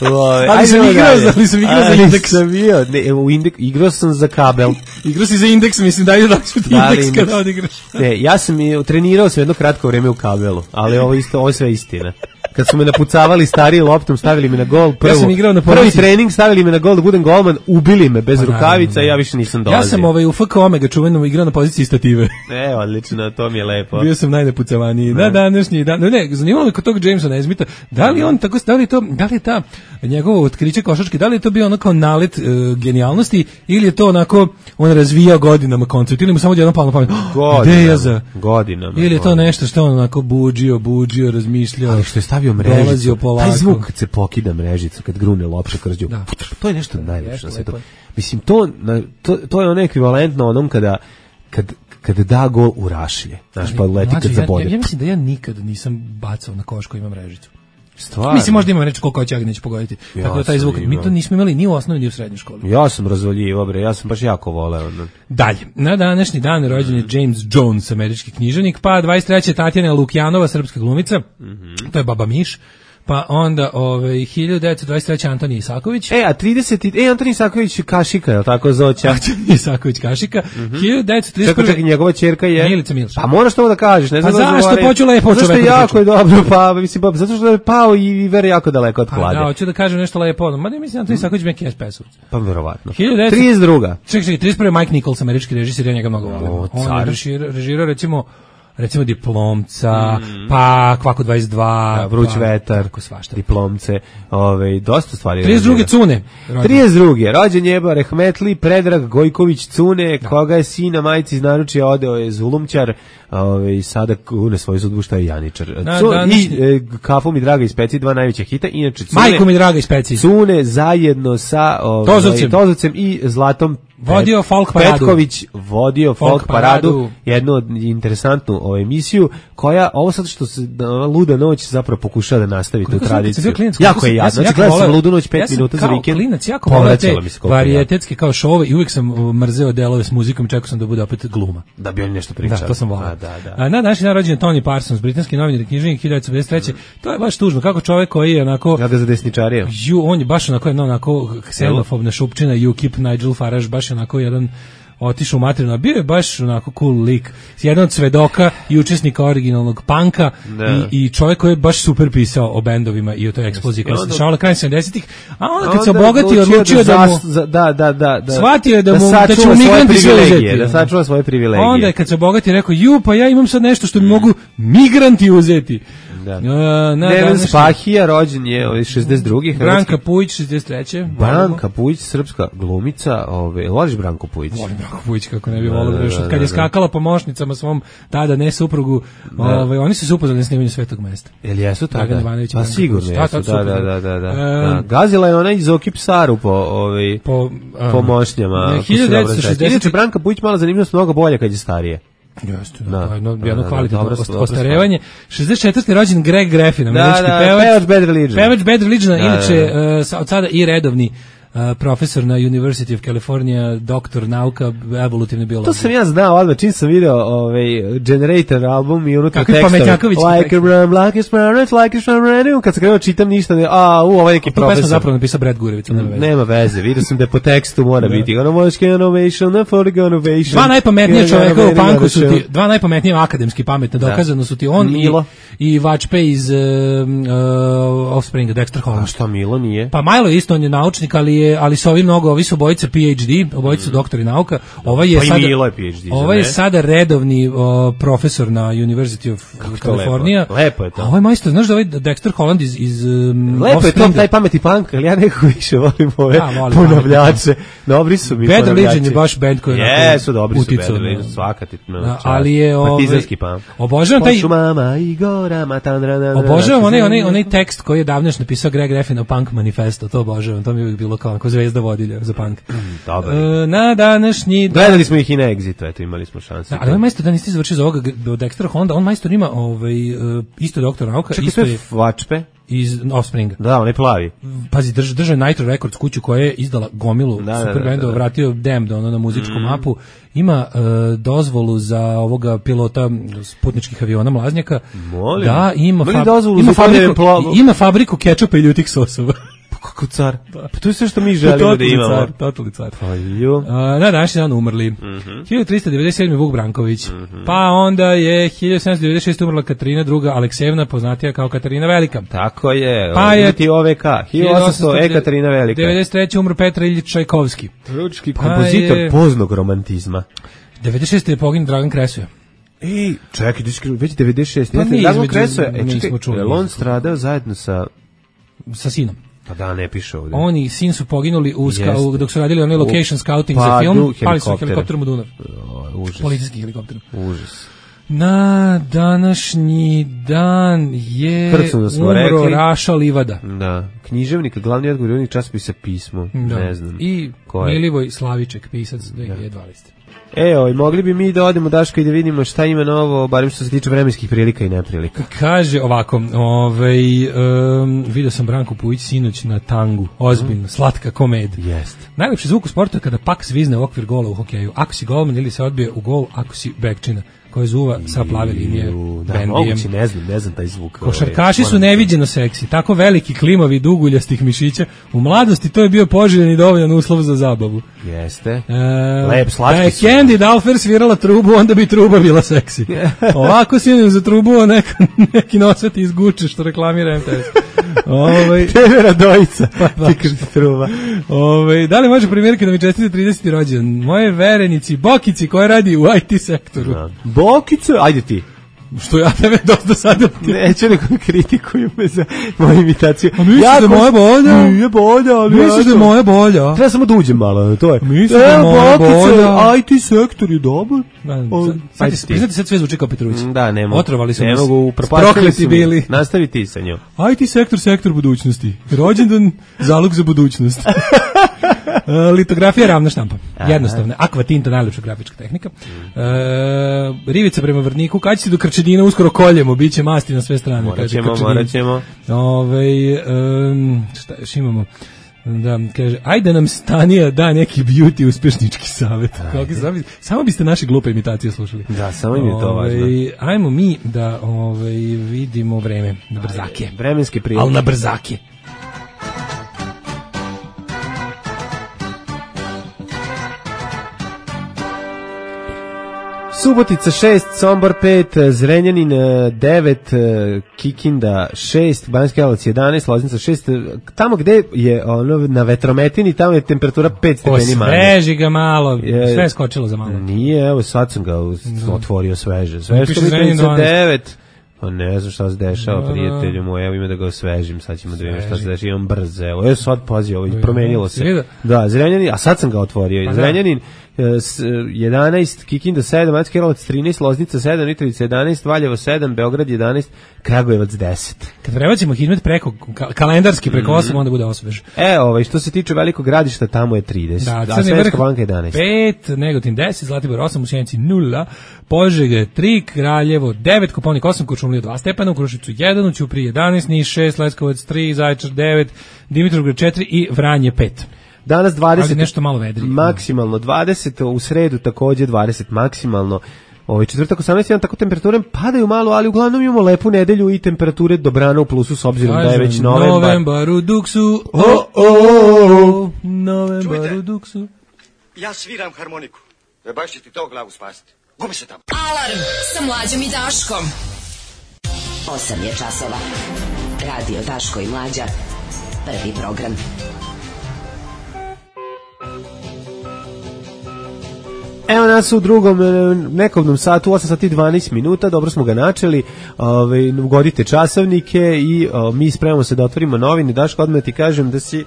[SPEAKER 5] u, ovaj,
[SPEAKER 6] Ali
[SPEAKER 5] ajde
[SPEAKER 6] sam
[SPEAKER 5] idemo
[SPEAKER 6] igrao
[SPEAKER 5] dalje.
[SPEAKER 6] za- ali sam igrao za
[SPEAKER 5] Ali
[SPEAKER 6] indeks.
[SPEAKER 5] sam bio, ne, u indek, igrao sam za kabel.
[SPEAKER 6] Igrao si za indeks, mislim, daj da ću ti
[SPEAKER 5] Da, ali
[SPEAKER 6] indeks
[SPEAKER 5] indeks.
[SPEAKER 6] kada odigraš.
[SPEAKER 5] Ne, ja sam i trenirao sam jedno kratko vrijeme u kabelu, ali ovo isto, ovo je sve istina. Kad su me napucavali stariji loptom, stavili me na gol, prvo,
[SPEAKER 6] sam igrao na
[SPEAKER 5] prvi
[SPEAKER 6] poziciji-
[SPEAKER 5] trening stavili me na gol da budem golman, ubili me bez
[SPEAKER 6] Pa,
[SPEAKER 5] rukavica
[SPEAKER 6] naravno,
[SPEAKER 5] i ja više nisam dolazio.
[SPEAKER 6] Ja sam ovaj, u F K Omega čuveno igrao na poziciji stative.
[SPEAKER 5] E, odlično, to mi je lepo.
[SPEAKER 6] Bio sam najnepucavaniji. Na današnji dan. Ne, ne, zanimalo me kod tog Jamesa Nesmitha, da li on tako, da li je to, da li je ta njegovo otkriće košarke, da li je to bio onako nalet e, genijalnosti ili je to onako on razvijao godinama koncept ili mu samo jednom palo na pamet. Oh, ideja za
[SPEAKER 5] godinama.
[SPEAKER 6] ili je to
[SPEAKER 5] godinama.
[SPEAKER 6] nešto što on onako buđio, buđio, razmišljao.
[SPEAKER 5] Ali što je stavio mrežicu,
[SPEAKER 6] dolazio polako.
[SPEAKER 5] taj zvuk kad se pokida mrežicu, kad grune lopša kroz nju,
[SPEAKER 6] Da.
[SPEAKER 5] to je nešto najlepše
[SPEAKER 6] Jeste,
[SPEAKER 5] na svetu.
[SPEAKER 6] lepo je.
[SPEAKER 5] Mislim, to, na- to, to je ono ekvivalentno onom kada, kad, kada da gol u rašlje, znaš, pa leti
[SPEAKER 6] Mlađe,
[SPEAKER 5] kad
[SPEAKER 6] ja,
[SPEAKER 5] zabode.
[SPEAKER 6] ja, ja mislim da ja nikad nisam bacao na koš koji ima mrežicu.
[SPEAKER 5] Stvarno.
[SPEAKER 6] Mislim, možda imam reći koliko hoće, ali neću pogoditi.
[SPEAKER 5] Ja
[SPEAKER 6] Tako da taj
[SPEAKER 5] sam
[SPEAKER 6] zvuk, mi
[SPEAKER 5] imao.
[SPEAKER 6] to nismo imali ni u osnovnoj ni u srednjoj školi.
[SPEAKER 5] Ja sam razvaljivo, bre, ja sam baš jako voleo. ono.
[SPEAKER 6] Dalje, na današnji dan rođen je James Jones, američki književnik, pa dvadeset treće Tatjana Lukjanova, srpska glumica, to je Baba Miš, pa onda ovaj, hiljadu devetsto dvadeset treće Antonij Isaković,
[SPEAKER 5] E, a trideset E, Antonin Saković Kašika, je li tako Zoća?
[SPEAKER 6] Antonij Isaković Kašika, hiljadu devetsto trideset
[SPEAKER 5] Čekaj,
[SPEAKER 6] prve
[SPEAKER 5] čekaj, njegova ćerka je...
[SPEAKER 6] Milica Milš.
[SPEAKER 5] Pa moraš to da kažeš, ne znam
[SPEAKER 6] Pa
[SPEAKER 5] da
[SPEAKER 6] zašto?
[SPEAKER 5] zagovaraju-
[SPEAKER 6] Hoću lepo o
[SPEAKER 5] Zato što
[SPEAKER 6] čoveku da
[SPEAKER 5] jako
[SPEAKER 6] pričam.
[SPEAKER 5] je dobro, pa, mislim, pa, zato što je pao i vere jako daleko od
[SPEAKER 6] Pa
[SPEAKER 5] klade.
[SPEAKER 6] da, hoću da kažem nešto lepo, ono, mada mislim Antonij Isaković je K S P-ovac.
[SPEAKER 5] Pa verovatno.
[SPEAKER 6] hiljadu devetsto
[SPEAKER 5] trideset druga
[SPEAKER 6] Čekaj, čekaj, trideset prve Mike Nichols, američki režiser, ja njega mnogo volim.
[SPEAKER 5] O,
[SPEAKER 6] On je
[SPEAKER 5] car.
[SPEAKER 6] režirao, režirao recimo recimo Diplomca, pa Kvako dvadeset dva,
[SPEAKER 5] Da, Vruć
[SPEAKER 6] pa,
[SPEAKER 5] vetar,
[SPEAKER 6] tako svašta.
[SPEAKER 5] diplomce, ovaj, dosta stvari.
[SPEAKER 6] trideset druge Cune. rođen.
[SPEAKER 5] trideset druge rođen je Rehmetli Predrag Gojković Cune, koga je sina majci iz naručja odeo je Zulumćar, ovaj, sada kune svoju sudbu šta je Janičar.
[SPEAKER 6] Na
[SPEAKER 5] Cu-
[SPEAKER 6] današnji-
[SPEAKER 5] I e, Kafu mi draga i Speci, dva najveća hita, inače Cune,
[SPEAKER 6] Majko mi draga iz Peci.
[SPEAKER 5] Cune zajedno sa ovaj,
[SPEAKER 6] Tozovcem.
[SPEAKER 5] Tozovcem i Zlatom
[SPEAKER 6] Vodio
[SPEAKER 5] Pet-
[SPEAKER 6] folk paradu.
[SPEAKER 5] Petković vodio folk,
[SPEAKER 6] Folk
[SPEAKER 5] paradu,
[SPEAKER 6] paradu.
[SPEAKER 5] jednu od- interesantnu ovu emisiju, koja, ovo sad što se da, ova luda noć zapravo pokušava da nastavi tu
[SPEAKER 6] Koliko sam- kad sam
[SPEAKER 5] tradiciju.
[SPEAKER 6] bio klinac,
[SPEAKER 5] Jako
[SPEAKER 6] koliko
[SPEAKER 5] je
[SPEAKER 6] sam-
[SPEAKER 5] jadno.
[SPEAKER 6] sam
[SPEAKER 5] Znači,
[SPEAKER 6] jako
[SPEAKER 5] gledao sam
[SPEAKER 6] voleo-
[SPEAKER 5] ludu noć pet
[SPEAKER 6] ja sam
[SPEAKER 5] minuta za
[SPEAKER 6] kao
[SPEAKER 5] vikend.
[SPEAKER 6] klinac jako voleo
[SPEAKER 5] povraćalo
[SPEAKER 6] te
[SPEAKER 5] mi se koliko je jadno.
[SPEAKER 6] varijetetske kao šove i uvijek sam uh, mrzeo delove s muzikom, čekao sam da bude opet gluma.
[SPEAKER 5] Da bi oni nešto pričali.
[SPEAKER 6] Da, to sam voleo.
[SPEAKER 5] A, da, da.
[SPEAKER 6] A na današnji dan rođen je Tony Parsons, britanski novinar i književnik hiljadu devetsto pedeset treće To je baš tužno, kako čovjek koji je onako
[SPEAKER 5] Ja ga za desničarije.
[SPEAKER 6] ju, on je baš onako jedna onako ksenofobna šupčina, U K I P, Nigel Farage, baš je onako jedan otišao u materinu, a bio je baš onako cool lik, jedan od svedoka i učesnika originalnog panka
[SPEAKER 5] Da.
[SPEAKER 6] i, i čovjek koji je baš super pisao o bendovima i o toj eksploziji koja se
[SPEAKER 5] onda-
[SPEAKER 6] dešavala krajem sedamdesetih a onda kad se
[SPEAKER 5] Onda
[SPEAKER 6] obogati odlučio da mu
[SPEAKER 5] zas- za- da, da, da, da.
[SPEAKER 6] shvatio je da mu- da
[SPEAKER 5] sačuva
[SPEAKER 6] će mu
[SPEAKER 5] svoje
[SPEAKER 6] migranti sve
[SPEAKER 5] privilegije,
[SPEAKER 6] uzeti.
[SPEAKER 5] Da sačuva svoje privilegije.
[SPEAKER 6] onda je kad se obogati rekao, ju, pa ja imam sad nešto što mi mogu migranti uzeti.
[SPEAKER 5] Da.
[SPEAKER 6] Uh, na
[SPEAKER 5] Neven
[SPEAKER 6] današnji-
[SPEAKER 5] Spahija, rođen je ovaj, šezdeset drugi
[SPEAKER 6] Branka Pujić, šezdeset treće
[SPEAKER 5] Branka Pujić, srpska glumica, ovaj, voliš Branku Pujić?
[SPEAKER 6] Volim Branku Pujić, kako ne bi
[SPEAKER 5] Da,
[SPEAKER 6] volio.
[SPEAKER 5] da,
[SPEAKER 6] još
[SPEAKER 5] da,
[SPEAKER 6] od kad
[SPEAKER 5] da,
[SPEAKER 6] je
[SPEAKER 5] da.
[SPEAKER 6] skakala pomoćnicama svom tada ne suprugu, ovaj, oni su se upoznali na snimanju Svetog mesta.
[SPEAKER 5] Jel jesu
[SPEAKER 6] Dragan
[SPEAKER 5] tada?
[SPEAKER 6] Ivanović i
[SPEAKER 5] Pa
[SPEAKER 6] Branka
[SPEAKER 5] sigurno
[SPEAKER 6] Pujić.
[SPEAKER 5] jesu,
[SPEAKER 6] Da,
[SPEAKER 5] da,
[SPEAKER 6] tad
[SPEAKER 5] da,
[SPEAKER 6] super.
[SPEAKER 5] da, da, da.
[SPEAKER 6] Ehm,
[SPEAKER 5] Da. Gazila je ona iz Okip Saru po, ovaj,
[SPEAKER 6] Po,
[SPEAKER 5] po
[SPEAKER 6] um,
[SPEAKER 5] mošnjama.
[SPEAKER 6] ne,
[SPEAKER 5] ako se
[SPEAKER 6] hiljadu
[SPEAKER 5] dobro
[SPEAKER 6] devetsto
[SPEAKER 5] sećam.
[SPEAKER 6] šezdeset
[SPEAKER 5] Inače, Branka Pujić mala zanimljivost mnogo bolja kad je starije.
[SPEAKER 6] Jeste,
[SPEAKER 5] Da.
[SPEAKER 6] da, da, jedno,
[SPEAKER 5] Da,
[SPEAKER 6] jedno
[SPEAKER 5] da,
[SPEAKER 6] kvalitetno
[SPEAKER 5] dobro,
[SPEAKER 6] ost-
[SPEAKER 5] dobro
[SPEAKER 6] ostarevanje. šezdeset četvrti rođen Greg Graffin, američki
[SPEAKER 5] da,
[SPEAKER 6] pevač.
[SPEAKER 5] pevač Bad Religion.
[SPEAKER 6] Pevač Bad Religion,
[SPEAKER 5] Da,
[SPEAKER 6] inače
[SPEAKER 5] da,
[SPEAKER 6] uh, sa- od sada i redovni uh, profesor na University of California, doktor nauka, evolutivne biologije.
[SPEAKER 5] To sam ja znao, odmah čim sam video ovaj Generator album i unutra
[SPEAKER 6] Kakvi
[SPEAKER 5] tekstovi.
[SPEAKER 6] pametnjakovićki
[SPEAKER 5] Like a
[SPEAKER 6] tekstovi.
[SPEAKER 5] ram, like a sparrow, like a sparrow. Kad sam krenuo čitam ništa, ne, a, u, ovaj neki
[SPEAKER 6] Tu pesmu
[SPEAKER 5] profesor.
[SPEAKER 6] zapravo napisao Brad Gurević, nema veze.
[SPEAKER 5] Nema veze, vidio sam da po tekstu mora biti. Ono možeš innovation, na for innovation.
[SPEAKER 6] Dva najpametnije čoveka u panku su ti,
[SPEAKER 5] Innovation.
[SPEAKER 6] dva najpametnije akademski pametne, dokazano su ti on i,
[SPEAKER 5] Milo.
[SPEAKER 6] i Vačpe iz uh, uh, Offspringa, Dexter
[SPEAKER 5] A
[SPEAKER 6] Holland.
[SPEAKER 5] šta Milo nije?
[SPEAKER 6] Pa Milo je isto, on je naučnik, ali je ali su ovi mnogo, ovi su obojica P H D, obojica su doktori nauka. Ovaj je
[SPEAKER 5] Pa i
[SPEAKER 6] sada
[SPEAKER 5] Milo je P H D, zar
[SPEAKER 6] Ovaj je
[SPEAKER 5] ne?
[SPEAKER 6] sada redovni o, profesor na University of California.
[SPEAKER 5] lepo. Lepo je to.
[SPEAKER 6] A ovaj majstor, znaš da ovaj Dexter Holland iz iz um,
[SPEAKER 5] Lepo je to,
[SPEAKER 6] Offspringa-
[SPEAKER 5] taj pameti punk, ali ja nekako više volim ove
[SPEAKER 6] Ja volim
[SPEAKER 5] ponavljače. Dobri su mi
[SPEAKER 6] Bad
[SPEAKER 5] ponavljači.
[SPEAKER 6] Religion je baš band koji je onako
[SPEAKER 5] Jesu, dobri su
[SPEAKER 6] uticao
[SPEAKER 5] Bad
[SPEAKER 6] na-
[SPEAKER 5] Religion, svaka ti no,
[SPEAKER 6] Da,
[SPEAKER 5] čast.
[SPEAKER 6] ali je, ovaj,
[SPEAKER 5] partizanski punk.
[SPEAKER 6] obožavam taj-
[SPEAKER 5] Po šumama i gorama, tandra,
[SPEAKER 6] Obožavam onaj, onaj, onaj tekst koji je davno još napisao Greg Graffin o Punk manifesto, to obožavam, to mi je uvijek bilo kao kao, kao zvezda vodilja za punk.
[SPEAKER 5] Dobar.
[SPEAKER 6] E, na današnji...
[SPEAKER 5] Gledali smo ih i na Exitu, eto, imali smo šanse.
[SPEAKER 6] Da, ali ovaj majstor da niste završili za ovoga od Dextera Honda, on majstor ima ovaj, uh, isto doktor nauka,
[SPEAKER 5] Čekaj,
[SPEAKER 6] isto
[SPEAKER 5] to je
[SPEAKER 6] je
[SPEAKER 5] Vačpe?
[SPEAKER 6] iz Offspringa.
[SPEAKER 5] Da, on je plavi.
[SPEAKER 6] Pazi, drž, držao je Nitro Records kuću koja je izdala gomilu
[SPEAKER 5] Da,
[SPEAKER 6] super
[SPEAKER 5] da, da,
[SPEAKER 6] bendova,
[SPEAKER 5] da.
[SPEAKER 6] vratio Damned ono na muzičku mm. mapu. Ima uh, dozvolu za ovoga pilota putničkih aviona Mlaznjaka.
[SPEAKER 5] Molim.
[SPEAKER 6] Da, ima,
[SPEAKER 5] Ima li
[SPEAKER 6] fab,
[SPEAKER 5] dozvolu
[SPEAKER 6] ima,
[SPEAKER 5] za
[SPEAKER 6] fabriku,
[SPEAKER 5] plavljenje pla-
[SPEAKER 6] ima fabriku kečupa i ljutih sosova.
[SPEAKER 5] Kako car? Pa to je sve što mi želimo da imamo.
[SPEAKER 6] Car, totalni car.
[SPEAKER 5] Pa ju.
[SPEAKER 6] Uh, na današnji dan umrli.
[SPEAKER 5] Mm-hmm.
[SPEAKER 6] hiljadu trista devedeset sedme. Vuk Branković.
[SPEAKER 5] Mm-hmm.
[SPEAKER 6] Pa onda je hiljadu sedamsto devedeset šeste. umrla Katarina druga Aleksejevna, poznatija kao Katarina Velika.
[SPEAKER 5] Tako je.
[SPEAKER 6] Pa je
[SPEAKER 5] ti O V K. hiljadu osamsto. E Katarina Velika.
[SPEAKER 6] devedeset treće. umro Petar Iljić Čajkovski.
[SPEAKER 5] Ručki
[SPEAKER 6] Pa
[SPEAKER 5] kompozitor
[SPEAKER 6] je...
[SPEAKER 5] poznog romantizma.
[SPEAKER 6] devedeset šeste. je poginuo Dragan Kresoja.
[SPEAKER 5] Ej, čekaj, već devedeset šeste.
[SPEAKER 6] Pa nije,
[SPEAKER 5] Dragan
[SPEAKER 6] između-
[SPEAKER 5] Kresoja, e,
[SPEAKER 6] nismo
[SPEAKER 5] čekaj,
[SPEAKER 6] čuli.
[SPEAKER 5] je li on stradao zajedno sa...
[SPEAKER 6] Sa sinom.
[SPEAKER 5] Pa da, ne piše ovdje.
[SPEAKER 6] Oni sin su poginuli u ska,
[SPEAKER 5] Jeste.
[SPEAKER 6] u, dok su radili onaj location scouting
[SPEAKER 5] Pa,
[SPEAKER 6] za film,
[SPEAKER 5] du-
[SPEAKER 6] pali su
[SPEAKER 5] helikoptere.
[SPEAKER 6] helikopterom u Dunav.
[SPEAKER 5] O, užas.
[SPEAKER 6] Policijski helikopter.
[SPEAKER 5] Užas.
[SPEAKER 6] Na današnji dan je
[SPEAKER 5] Krcno smo
[SPEAKER 6] umro
[SPEAKER 5] rekli.
[SPEAKER 6] Raša Livada.
[SPEAKER 5] Da, književnik, glavni odgovornik časopisa Pismo,
[SPEAKER 6] Da.
[SPEAKER 5] ne znam.
[SPEAKER 6] I
[SPEAKER 5] Ko je?
[SPEAKER 6] Milivoj Slaviček, pisac dve hiljade dvanaeste.
[SPEAKER 5] E, oj, mogli bi mi da odemo, Daško, i da vidimo šta ima novo, barem što se tiče vremenskih prilika i neprilika.
[SPEAKER 6] Kaže ovako, ovaj, um, vidio sam Branku Pujić sinoć na tangu, ozbiljno, slatka komedija.
[SPEAKER 5] Jest.
[SPEAKER 6] Najlepši zvuk u sportu je kada pak zvizne u okvir gola u hokeju. Ako si golman ili se odbije u gol, ako si bekčina koja zuva sa plave linije
[SPEAKER 5] Ju, da,
[SPEAKER 6] bendijem.
[SPEAKER 5] moguće, ne znam, ne znam taj zvuk.
[SPEAKER 6] Košarkaši
[SPEAKER 5] ovaj,
[SPEAKER 6] su
[SPEAKER 5] moram-
[SPEAKER 6] neviđeno seksi, tako veliki, klimavi, duguljastih mišića. U mladosti to je bio poželjen i dovoljan uslov za zabavu.
[SPEAKER 5] Jeste.
[SPEAKER 6] E,
[SPEAKER 5] Lep, slatki
[SPEAKER 6] da je
[SPEAKER 5] su.
[SPEAKER 6] Candy Dalfer svirala trubu, onda bi truba bila seksi. Ovako sinem za trubu, a neka, neki nosveti iz Guče što reklamira M T S. Ovaj
[SPEAKER 5] Tebe Radojica,
[SPEAKER 6] Pa,
[SPEAKER 5] ti krti truba.
[SPEAKER 6] ovaj da li može primjerke da mi čestite trideseti rođendan? Moje verenici, Bokici koja radi u I T sektoru.
[SPEAKER 5] Da. Bokice, ajde ti.
[SPEAKER 6] Što ja tebe dosta sada
[SPEAKER 5] Neće neko kritikuju me za moju imitaciju.
[SPEAKER 6] A misliš da je moja bolja?
[SPEAKER 5] Nije bolja, ali
[SPEAKER 6] Misliš da je moja bolja?
[SPEAKER 5] Treba samo da uđem malo, to je.
[SPEAKER 6] Misliš da je
[SPEAKER 5] E,
[SPEAKER 6] moja
[SPEAKER 5] Bokice,
[SPEAKER 6] bolja?
[SPEAKER 5] I T sektor je dobar. O,
[SPEAKER 6] Sad,
[SPEAKER 5] ajde
[SPEAKER 6] sad,
[SPEAKER 5] ti.
[SPEAKER 6] sad, sad sve zvuči kao Petrović.
[SPEAKER 5] Da, ne mogu.
[SPEAKER 6] Otrovali su
[SPEAKER 5] ne
[SPEAKER 6] nas.
[SPEAKER 5] mogu, upropastili
[SPEAKER 6] Prokleti
[SPEAKER 5] su mi.
[SPEAKER 6] bili.
[SPEAKER 5] Nastavi ti sa njom.
[SPEAKER 6] I T sektor, sektor budućnosti. Rođendan, zalog za budućnost. E, litografija, ravna štampa. Jednostavna. Aqua tinta, najlepša grafička tehnika. E, rivica prema vrtniku. Kad će se do Krčedina uskoro koljemo, bit će masti na sve strane.
[SPEAKER 5] Morat
[SPEAKER 6] kaže
[SPEAKER 5] ćemo,
[SPEAKER 6] Krčedin.
[SPEAKER 5] morat ćemo.
[SPEAKER 6] Ovaj, em, šta još imamo? Da, kaže, ajde nam Stanija da neki beauty uspešnički savjet. Kako se zove? Samo biste naše glupe imitacije slušali.
[SPEAKER 5] Da, samo im je to
[SPEAKER 6] Ovaj,
[SPEAKER 5] važno.
[SPEAKER 6] Ajmo mi da ovaj, vidimo vreme na brzake.
[SPEAKER 5] Vremenske prilike.
[SPEAKER 6] Ali na brzake.
[SPEAKER 5] Subotica šest, Sombor pet, Zrenjanin devet, Kikinda šest, Banjska Karlovac jedanaest, Loznica šest. Tamo gde je ono na vetrometini, tamo je temperatura pet stepeni manje.
[SPEAKER 6] Osveži ga malo,
[SPEAKER 5] Je-
[SPEAKER 6] sve je skočilo za malo.
[SPEAKER 5] Nije, evo sad sam ga uz- otvorio sveže. Sve
[SPEAKER 6] Piše
[SPEAKER 5] što mi
[SPEAKER 6] Zrenjanin
[SPEAKER 5] trideset
[SPEAKER 6] dvanaest.
[SPEAKER 5] devet. Pa ne znam šta se dešava,
[SPEAKER 6] Da.
[SPEAKER 5] prijatelju moj, evo ime da ga osvežim, sad ćemo da vidimo šta se dešava, imam brzo, evo, evo sad pazi, ovo, promenilo
[SPEAKER 6] Si vidio?
[SPEAKER 5] se. Da, Zrenjanin, a sad sam ga otvorio,
[SPEAKER 6] Pa da.
[SPEAKER 5] Zrenjanin e, s- jedanaest, Kikinda sedam, Banjska Karlovac trinaest, Loznica sedam, Mitrovica jedanaest, Valjevo sedam, Beograd jedanaest, Kragujevac deset.
[SPEAKER 6] Kad prebacimo Hidmet preko, ka- kalendarski
[SPEAKER 5] Mm.
[SPEAKER 6] preko osam, onda bude osvež.
[SPEAKER 5] E, ovaj, što se tiče Velikog Gradišta, tamo je trideset,
[SPEAKER 6] Da,
[SPEAKER 5] a
[SPEAKER 6] Crni
[SPEAKER 5] Svetska
[SPEAKER 6] vrh
[SPEAKER 5] banka jedanaest.
[SPEAKER 6] pet, Negotin deset, Zlatibor osam, u Sjenici nula, Požega tri, Kraljevo devet, Koponik osam, Kuršumlija dva stepena, u Kruševcu jedan, u Ćupriji jedanaest, Niš šest, Leskovac tri, Zaječar devet, Dimitrovgrad četiri i Vranje pet.
[SPEAKER 5] Danas dvadeset,
[SPEAKER 6] Ali nešto malo vedrije.
[SPEAKER 5] maksimalno dvadeset, u sredu takođe dvadeset maksimalno. Ovaj četvrtak osamnaest, jedan, tako temperature padaju malo, ali uglavnom imamo lepu nedelju i temperature dobrano u plusu s obzirom da je već
[SPEAKER 6] Kažem,
[SPEAKER 5] novembar.
[SPEAKER 6] Novembar u Duksu,
[SPEAKER 5] O, o, o.
[SPEAKER 6] Novembar
[SPEAKER 3] Čujte.
[SPEAKER 6] u Duksu.
[SPEAKER 3] Ja sviram harmoniku. E baš će ti to glavu spasiti. Gubi se tamo.
[SPEAKER 2] Alarm sa Mlađom i Daškom.
[SPEAKER 7] osam je časova. Radio Daško i Mlađa. Prvi program.
[SPEAKER 5] Evo nas u drugom e, nekovnom satu, osam sati i dvanaest minuta, dobro smo ga načeli, ovaj, ugodite časovnike i o, mi spremamo se da otvorimo novine. Daško, odmah ti kažem da si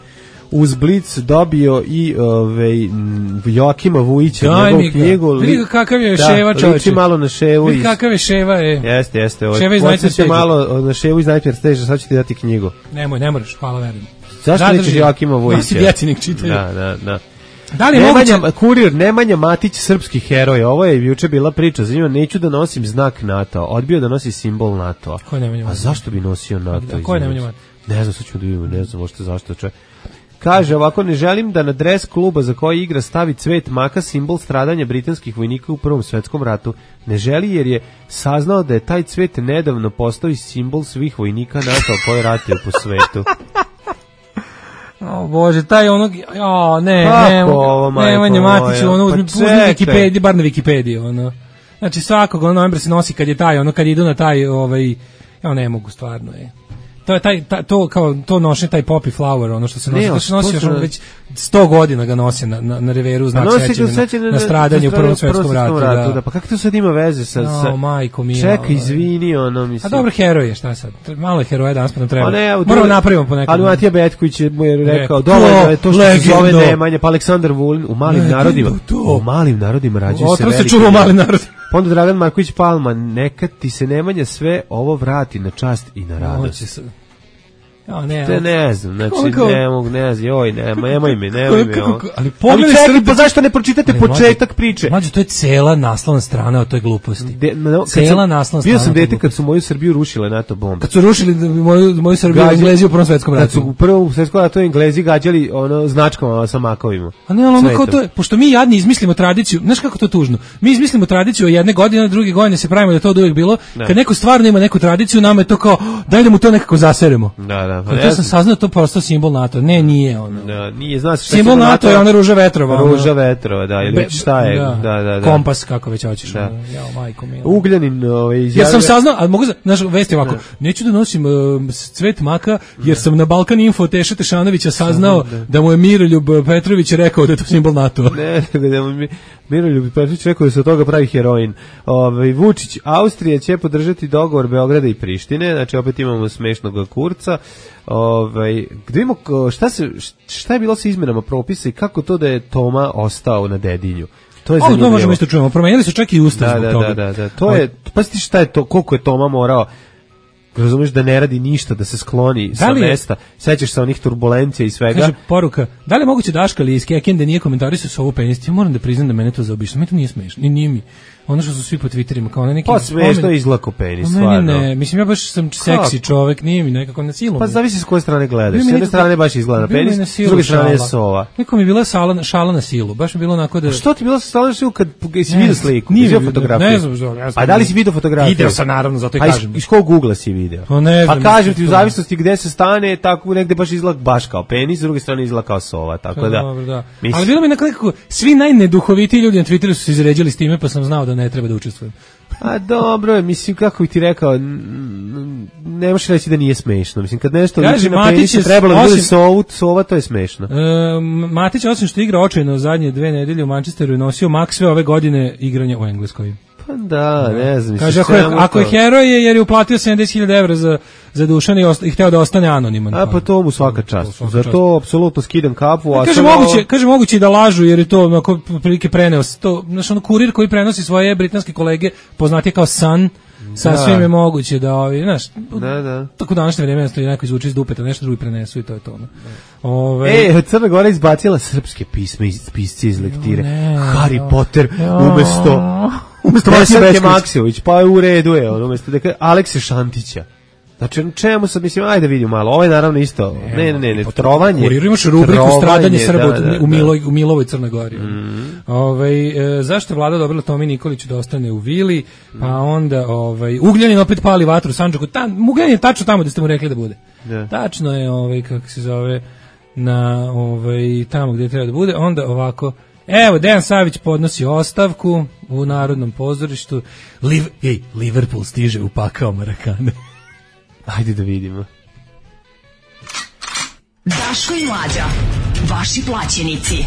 [SPEAKER 5] uz Blic dobio i ovaj, m, Joakima Vujića,
[SPEAKER 6] Daj
[SPEAKER 5] njegovu
[SPEAKER 6] mi ga.
[SPEAKER 5] knjigu.
[SPEAKER 6] Vidi ga kakav je
[SPEAKER 5] da,
[SPEAKER 6] Ševa, čoveče.
[SPEAKER 5] liči malo na Ševu.
[SPEAKER 6] Vidi
[SPEAKER 5] iz-
[SPEAKER 6] kakav je Ševa, je.
[SPEAKER 5] Jeste, jeste. Ovaj,
[SPEAKER 6] Ševa iz Nightmare
[SPEAKER 5] podsjeća
[SPEAKER 6] Stage-a.
[SPEAKER 5] malo na Ševu iz Nightmare Stage, sad ću ti dati knjigu.
[SPEAKER 6] Nemoj, ne moraš, hvala, verujem.
[SPEAKER 5] Zašto nećeš Joakima Vujića?
[SPEAKER 6] Nosi djecinik čitaju.
[SPEAKER 5] Da, da, da.
[SPEAKER 6] Da li je
[SPEAKER 5] Nemanja,
[SPEAKER 6] moguće...
[SPEAKER 5] Kurir, Nemanja Matić, srpski heroj. Ovo je juče bila priča za njima. Neću da nosim znak NATO. Odbio da nosi simbol NATO.
[SPEAKER 6] Ko je Nemanja Matić?
[SPEAKER 5] A zašto bi nosio NATO?
[SPEAKER 6] A ko je Nemanja Matić?
[SPEAKER 5] Ne znam, sad ću da vidimo, ne znam možete zašto čovjek. Kaže ovako, ne želim da na dres kluba za koji igra stavi cvet maka, simbol stradanja britanskih vojnika u Prvom svetskom ratu. Ne želi jer je saznao da je taj cvet nedavno postao i simbol svih vojnika NATO koji ratuju po svetu.
[SPEAKER 6] O Bože, taj onog, o ne,
[SPEAKER 5] Kako
[SPEAKER 6] ne,
[SPEAKER 5] ovo, majko
[SPEAKER 6] Nemanja Matić,
[SPEAKER 5] moja?
[SPEAKER 6] ono,
[SPEAKER 5] Pa
[SPEAKER 6] uzmi
[SPEAKER 5] čekaj.
[SPEAKER 6] Wikipediju, bar na Wikipediji, ono. Znači svakog ono novembra se nosi kad je taj, ono, kad idu na taj, ovaj, ja ne mogu stvarno, je. To je taj, ta, to kao to nosi taj poppy flower, ono što se nosi,
[SPEAKER 5] Ne,
[SPEAKER 6] to se nosi još
[SPEAKER 5] to-
[SPEAKER 6] već sto godina ga nosi na na, na reveru znak sećanja na, na stradanje u Prvom svetskom ratu, da.
[SPEAKER 5] da. Pa kako to sad ima veze sa... sa...
[SPEAKER 6] No, majko mila.
[SPEAKER 5] Čekaj, izvini, ono, mislim...
[SPEAKER 6] A dobro, heroj je, šta sad? Malo je heroja danas pa nam treba.
[SPEAKER 5] Pa ne, evo,
[SPEAKER 6] Moramo
[SPEAKER 5] to-
[SPEAKER 6] napravimo po nekom.
[SPEAKER 5] Ali Matija Betković je mu je rekao,
[SPEAKER 6] Rekao,
[SPEAKER 5] dovoljno je to što se zove
[SPEAKER 6] legendo.
[SPEAKER 5] Nemanja, pa Aleksandar Vulin u malim
[SPEAKER 6] Legendo
[SPEAKER 5] narodima,
[SPEAKER 6] to.
[SPEAKER 5] u malim narodima rađaju se
[SPEAKER 6] Otrov se
[SPEAKER 5] veliki
[SPEAKER 6] čuva u mali
[SPEAKER 5] narod.
[SPEAKER 6] narod.
[SPEAKER 5] Pa onda Dragan Marković Palma, neka ti se Nemanja sve ovo vrati na čast i na radost.
[SPEAKER 6] Hoće se. Ja, ne,
[SPEAKER 5] Te ne znam, znači
[SPEAKER 6] Koliko-
[SPEAKER 5] ne mogu, ne znam, joj, ne, nemoj mi, nemoj mi
[SPEAKER 6] Kako-
[SPEAKER 5] ovo.
[SPEAKER 6] kako- ali
[SPEAKER 5] Ali
[SPEAKER 6] pogledaj
[SPEAKER 5] čekaj,
[SPEAKER 6] Srbiju-
[SPEAKER 5] pa zašto ne pročitate
[SPEAKER 6] Ali,
[SPEAKER 5] početak
[SPEAKER 6] mlađe-
[SPEAKER 5] priče?
[SPEAKER 6] Mlađe, to je cela naslovna strana o toj gluposti.
[SPEAKER 5] De, no, kad
[SPEAKER 6] Cela
[SPEAKER 5] sam-
[SPEAKER 6] naslovna
[SPEAKER 5] Bio
[SPEAKER 6] strana
[SPEAKER 5] sam
[SPEAKER 6] o toj
[SPEAKER 5] dete
[SPEAKER 6] gluposti.
[SPEAKER 5] kad su moju Srbiju rušile NATO bombe.
[SPEAKER 6] Kad su rušili moju, moju Srbiju
[SPEAKER 5] Gađali-
[SPEAKER 6] Englezi u Prvom svetskom
[SPEAKER 5] Kad su
[SPEAKER 6] ratu.
[SPEAKER 5] u prvom svetskom ratu Englezi gađali ono značkama sa makovima.
[SPEAKER 6] A ne, ali ono kao
[SPEAKER 5] Cvetom.
[SPEAKER 6] to je, pošto mi jadni izmislimo tradiciju, znaš kako to je tužno? Mi izmislimo tradiciju jedne godine, druge godine se pravimo da je to od uvijek bilo.
[SPEAKER 5] Da.
[SPEAKER 6] Kad neko stvarno ima neku tradiciju, nama je to kao, daj da mu to nekako zaseremo.
[SPEAKER 5] Da, da.
[SPEAKER 6] Kad ja sam saznao to prosto simbol NATO. Ne, nije ono.
[SPEAKER 5] Da, nije, zna se šta
[SPEAKER 6] Simbol
[SPEAKER 5] će
[SPEAKER 6] NATO je ona ruža vetrova. ono.
[SPEAKER 5] Ruža vetrova, da, ili
[SPEAKER 6] Be-
[SPEAKER 5] već šta je, da, da, da.
[SPEAKER 6] Kompas, kako već hoćeš.
[SPEAKER 5] Da.
[SPEAKER 6] ono. Jao, majko mila.
[SPEAKER 5] Ugljanin ovaj,
[SPEAKER 6] Jer
[SPEAKER 5] izjavio...
[SPEAKER 6] sam saznao, a mogu, za- znaš, vesti ovako, neću da nosim uh, cvet maka, jer sam na Balkan Info Teša Tešanovića saznao da mu je Miroljub Petrović rekao da je to simbol NATO.
[SPEAKER 5] Ne, nego da mu mi Miroljub Petrović rekao da se od toga pravi heroin. Ovaj Vučić, Austrija će podržati dogovor Beograda i Prištine, znači opet imamo smešnog Kurca. Ovaj gde imamo ko- šta se šta je bilo sa izmenama propisa i kako to da je Toma ostao na Dedinju? To je
[SPEAKER 6] Ovo to
[SPEAKER 5] zanimljivo.
[SPEAKER 6] možemo isto čujemo. Promenili su čak i ustav
[SPEAKER 5] Da,
[SPEAKER 6] zbog
[SPEAKER 5] da,
[SPEAKER 6] toga.
[SPEAKER 5] da, da, da. To je, pa ti šta je to, koliko je Toma morao, razumeš da ne radi ništa, da se skloni sa
[SPEAKER 6] li je-
[SPEAKER 5] mesta, sećaš se onih turbulencija i svega.
[SPEAKER 6] Kaže poruka, da li je moguće Daška ili iz Kekende nije komentarisao sa ovu penis? Ja moram da priznam da mene to zaobišlo. Meni to nije smešno. Ni nije mi. Ono što su svi po Twitterima kao na neki
[SPEAKER 5] Pa smešno je izlako penis,
[SPEAKER 6] Meni
[SPEAKER 5] stvarno.
[SPEAKER 6] ne, mislim ja baš sam seksi čovjek, nije mi nekako na silu.
[SPEAKER 5] Pa
[SPEAKER 6] mi.
[SPEAKER 5] zavisi s koje strane gledaš.
[SPEAKER 6] Bilo
[SPEAKER 5] S
[SPEAKER 6] mi
[SPEAKER 5] jedne
[SPEAKER 6] nekako-
[SPEAKER 5] strane baš izgleda na
[SPEAKER 6] bilo mi
[SPEAKER 5] penis,
[SPEAKER 6] na
[SPEAKER 5] s
[SPEAKER 6] silu
[SPEAKER 5] druge strane je
[SPEAKER 6] šala.
[SPEAKER 5] sova.
[SPEAKER 6] Neko mi je bila šala, šala na silu, baš mi je bilo onako da...
[SPEAKER 5] Što ti bilo sa stalno kad si
[SPEAKER 6] Ne
[SPEAKER 5] vidio
[SPEAKER 6] znam,
[SPEAKER 5] sliku,
[SPEAKER 6] nije
[SPEAKER 5] vidio
[SPEAKER 6] vidio,
[SPEAKER 5] fotografiju?
[SPEAKER 6] ne znam, ne znam.
[SPEAKER 5] A da li si vidio fotografiju?
[SPEAKER 6] Video sam, naravno, zato i
[SPEAKER 5] A iz-
[SPEAKER 6] kažem.
[SPEAKER 5] Iz kog ugla si video?
[SPEAKER 6] Pa ne znam,
[SPEAKER 5] Pa kažem
[SPEAKER 6] mislim,
[SPEAKER 5] ti, u
[SPEAKER 6] to-
[SPEAKER 5] zavisnosti gde se stane, tako negde baš izgleda baš kao penis, s druge strane izgleda kao sova, tako da.
[SPEAKER 6] Dobro, da.
[SPEAKER 5] mislim-
[SPEAKER 6] Ali bilo mi nekako, svi najneduhovitiji ljudi na Twitteru su se izređali s time, pa sam znao da ne treba da učestvujem.
[SPEAKER 5] A dobro je, mislim, kako bi ti rekao, n- n- ne možeš reći da nije smešno. Mislim, kad nešto
[SPEAKER 6] Kaže,
[SPEAKER 5] liči na
[SPEAKER 6] Matić
[SPEAKER 5] penis,
[SPEAKER 6] je
[SPEAKER 5] trebalo da bude
[SPEAKER 6] osim-
[SPEAKER 5] sovu, sova, to je smešno.
[SPEAKER 6] E, Matić, osim što igra očajno zadnje dve nedelje u Manchesteru, je nosio mak sve ove godine igranja u Engleskoj.
[SPEAKER 5] Pa da, ne znam.
[SPEAKER 6] Kaže,
[SPEAKER 5] mislim,
[SPEAKER 6] ako je,
[SPEAKER 5] čemu
[SPEAKER 6] ako je
[SPEAKER 5] to?
[SPEAKER 6] heroj je jer je uplatio sedamdeset hiljada evra za, za Dušana i, osta, i hteo da ostane anoniman.
[SPEAKER 5] A pa to mu svaka čast.
[SPEAKER 6] svaka
[SPEAKER 5] Za
[SPEAKER 6] čast.
[SPEAKER 5] to apsolutno skidam kapu. A
[SPEAKER 6] Kaže
[SPEAKER 5] samo-
[SPEAKER 6] moguće, kaže moguće i da lažu jer je to onako prilike preneo s- to, znači ono kurir koji prenosi svoje britanske kolege, poznatije kao Sun, sasvim
[SPEAKER 5] Da.
[SPEAKER 6] je moguće da ovi, znaš,
[SPEAKER 5] Da, da.
[SPEAKER 6] tako u današnje vreme stoji neko izvuče iz dupeta, nešto drugi prenesu i to je to. ono. Ove,
[SPEAKER 5] E, Crna Gora izbacila srpske pisme iz pisci iz lektire.
[SPEAKER 6] ne,
[SPEAKER 5] Harry
[SPEAKER 6] jo.
[SPEAKER 5] Potter
[SPEAKER 6] Jo.
[SPEAKER 5] umesto
[SPEAKER 6] Umesto
[SPEAKER 5] Veselke
[SPEAKER 6] Maksimir Bećković.
[SPEAKER 5] Maksimović, pa je u redu je, on umesto da kaže Alekse Šantića. Znači, čemu sad, mislim, ajde vidimo malo, ovo je naravno isto, ne, ne, ne, ne trovanje.
[SPEAKER 6] Kuriru imaš rubriku
[SPEAKER 5] trovanje,
[SPEAKER 6] stradanje Srba
[SPEAKER 5] da, da,
[SPEAKER 6] u,
[SPEAKER 5] da.
[SPEAKER 6] Miloj, u Milovoj Crnoj Gori. Ovaj, e, zašto je vlada dobila Tomi Nikoliću da ostane u vili, pa onda ovaj, Ugljanin opet pali vatru u Sandžaku. Tam, Ugljanin je tačno tamo da ste mu rekli da bude.
[SPEAKER 5] Da.
[SPEAKER 6] Tačno je, ovaj, kako se zove, na ovaj, tamo gdje treba da bude. Onda ovako, evo, Dejan Savić podnosi ostavku u Narodnom pozorištu. Liv, ej, Liverpool stiže u pakao Marakane.
[SPEAKER 5] Ajde da vidimo.
[SPEAKER 2] Daško i Mlađa.
[SPEAKER 7] vaši plaćenici.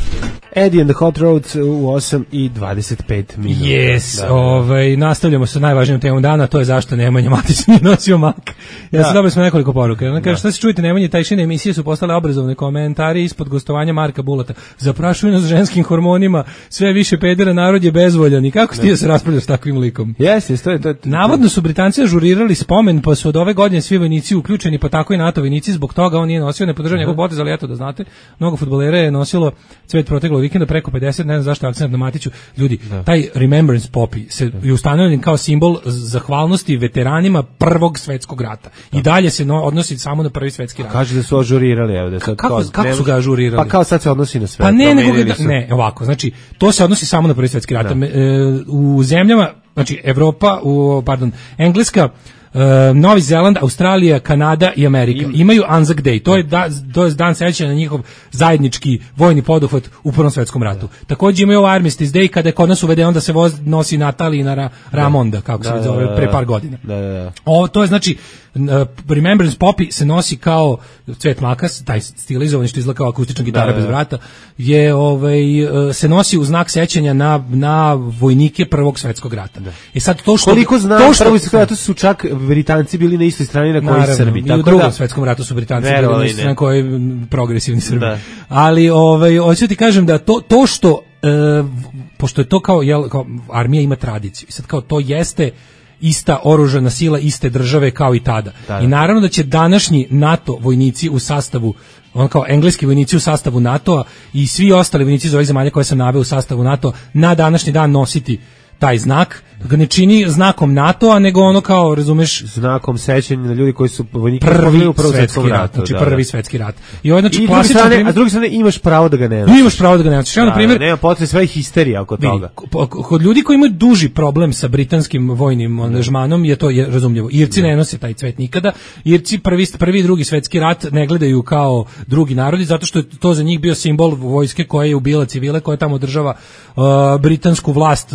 [SPEAKER 5] Eddie and the Hot Roads u osam i dvadeset pet minuta.
[SPEAKER 6] Yes,
[SPEAKER 5] da, da.
[SPEAKER 6] Ovaj, nastavljamo sa najvažnijom temom dana, to je zašto Nemanja Matić nije nosio mak. Ja sam dobili smo nekoliko poruka. Ona kaže, šta se čujete, Nemanje, tajšine emisije su postale obrazovne, komentari ispod gostovanja Marka Bulata. Zaprašuju nas ženskim hormonima, sve više pedera, narod je bezvoljan. I kako si ti da se raspravljaš s takvim likom?
[SPEAKER 5] Jeste, to je to.
[SPEAKER 6] Navodno su Britanci ažurirali spomen, pa su od ove godine svi vojnici uključeni, pa tako i NATO vojnici, zbog toga on nije nosio, ne podržava njegov potez, ali eto da znate, mnogo fudbalera je nosilo cvet proteklog vikenda, preko pedeset, ne znam zašto je akcent na Matiću. Ljudi, da. Taj Remembrance Poppy se je ustanovljen kao simbol zahvalnosti veteranima Prvog svetskog rata. Da. I dalje se no, odnosi samo na Prvi svetski rat.
[SPEAKER 5] Kaže da su ažurirali, evo da sad
[SPEAKER 6] kako,
[SPEAKER 5] kao,
[SPEAKER 6] kako su ga ažurirali?
[SPEAKER 5] Pa kao sad se odnosi na sve.
[SPEAKER 6] Pa ne, nego da, ne, ovako, znači to se odnosi samo na Prvi svetski rat. Da. E, u zemljama, znači Evropa, u pardon, Engleska, Uh, Novi Zeland, Australija, Kanada i Amerika Im. imaju Anzac Day. To je, da, to je dan sećanja na njihov zajednički vojni poduhvat u Prvom svetskom ratu. Da. Također imaju Armistice Day, kada je kod nas uvede, onda se voz nosi Natalija na Ra, Ramonda, kako da, se zove, da, da, pre par godina. Da, da, da. O, to je znači uh, Remembrance Poppy se nosi kao cvet makas, taj stilizovani što izgleda kao akustična gitara da, da, da. bez vrata, je ovaj, uh, se nosi u znak sećanja na, na vojnike Prvog svetskog rata. Da. I sad to što...
[SPEAKER 5] Koliko znam, to što, Prvi svetski ratu su čak Britanci bili na istoj strani na kojoj Srbi.
[SPEAKER 6] I u drugom da, svetskom ratu su Britanci bili na istoj strani na kojoj progresivni Srbi. Da. Ali ovaj, hoću ti kažem da to, to što, e, pošto je to kao, jel, kao, armija ima tradiciju, i sad kao to jeste ista oružana sila iste države kao i tada. Da. I naravno da će današnji NATO vojnici u sastavu, on kao engleski vojnici u sastavu NATO-a i svi ostali vojnici iz ovih zemalja koje sam naveo u sastavu NATO na današnji dan nositi taj znak, da ga ne čini znakom NATO-a, nego ono kao, razumeš,
[SPEAKER 5] znakom sećanja na ljudi koji su vojniki
[SPEAKER 6] prvi
[SPEAKER 5] u Prvom svetskom ratu,
[SPEAKER 6] znači
[SPEAKER 5] da,
[SPEAKER 6] prvi
[SPEAKER 5] da.
[SPEAKER 6] svetski rat. I ovo znači
[SPEAKER 5] I
[SPEAKER 6] klasičan
[SPEAKER 5] strane,
[SPEAKER 6] primjer,
[SPEAKER 5] a s druge strane imaš pravo da ga ne nosiš.
[SPEAKER 6] Imaš pravo da ga ne nosiš. Ja, na primjer,
[SPEAKER 5] nema potrebe sve histerija oko
[SPEAKER 6] vidi,
[SPEAKER 5] toga.
[SPEAKER 6] Kod ljudi koji imaju duži problem sa britanskim vojnim angažmanom je to je razumljivo. Irci ne, ne nose taj cvet nikada. Irci prvi prvi i drugi svetski rat ne gledaju kao drugi narodi zato što je to za njih bio simbol vojske koja je ubila civile, koja tamo održava uh, britansku vlast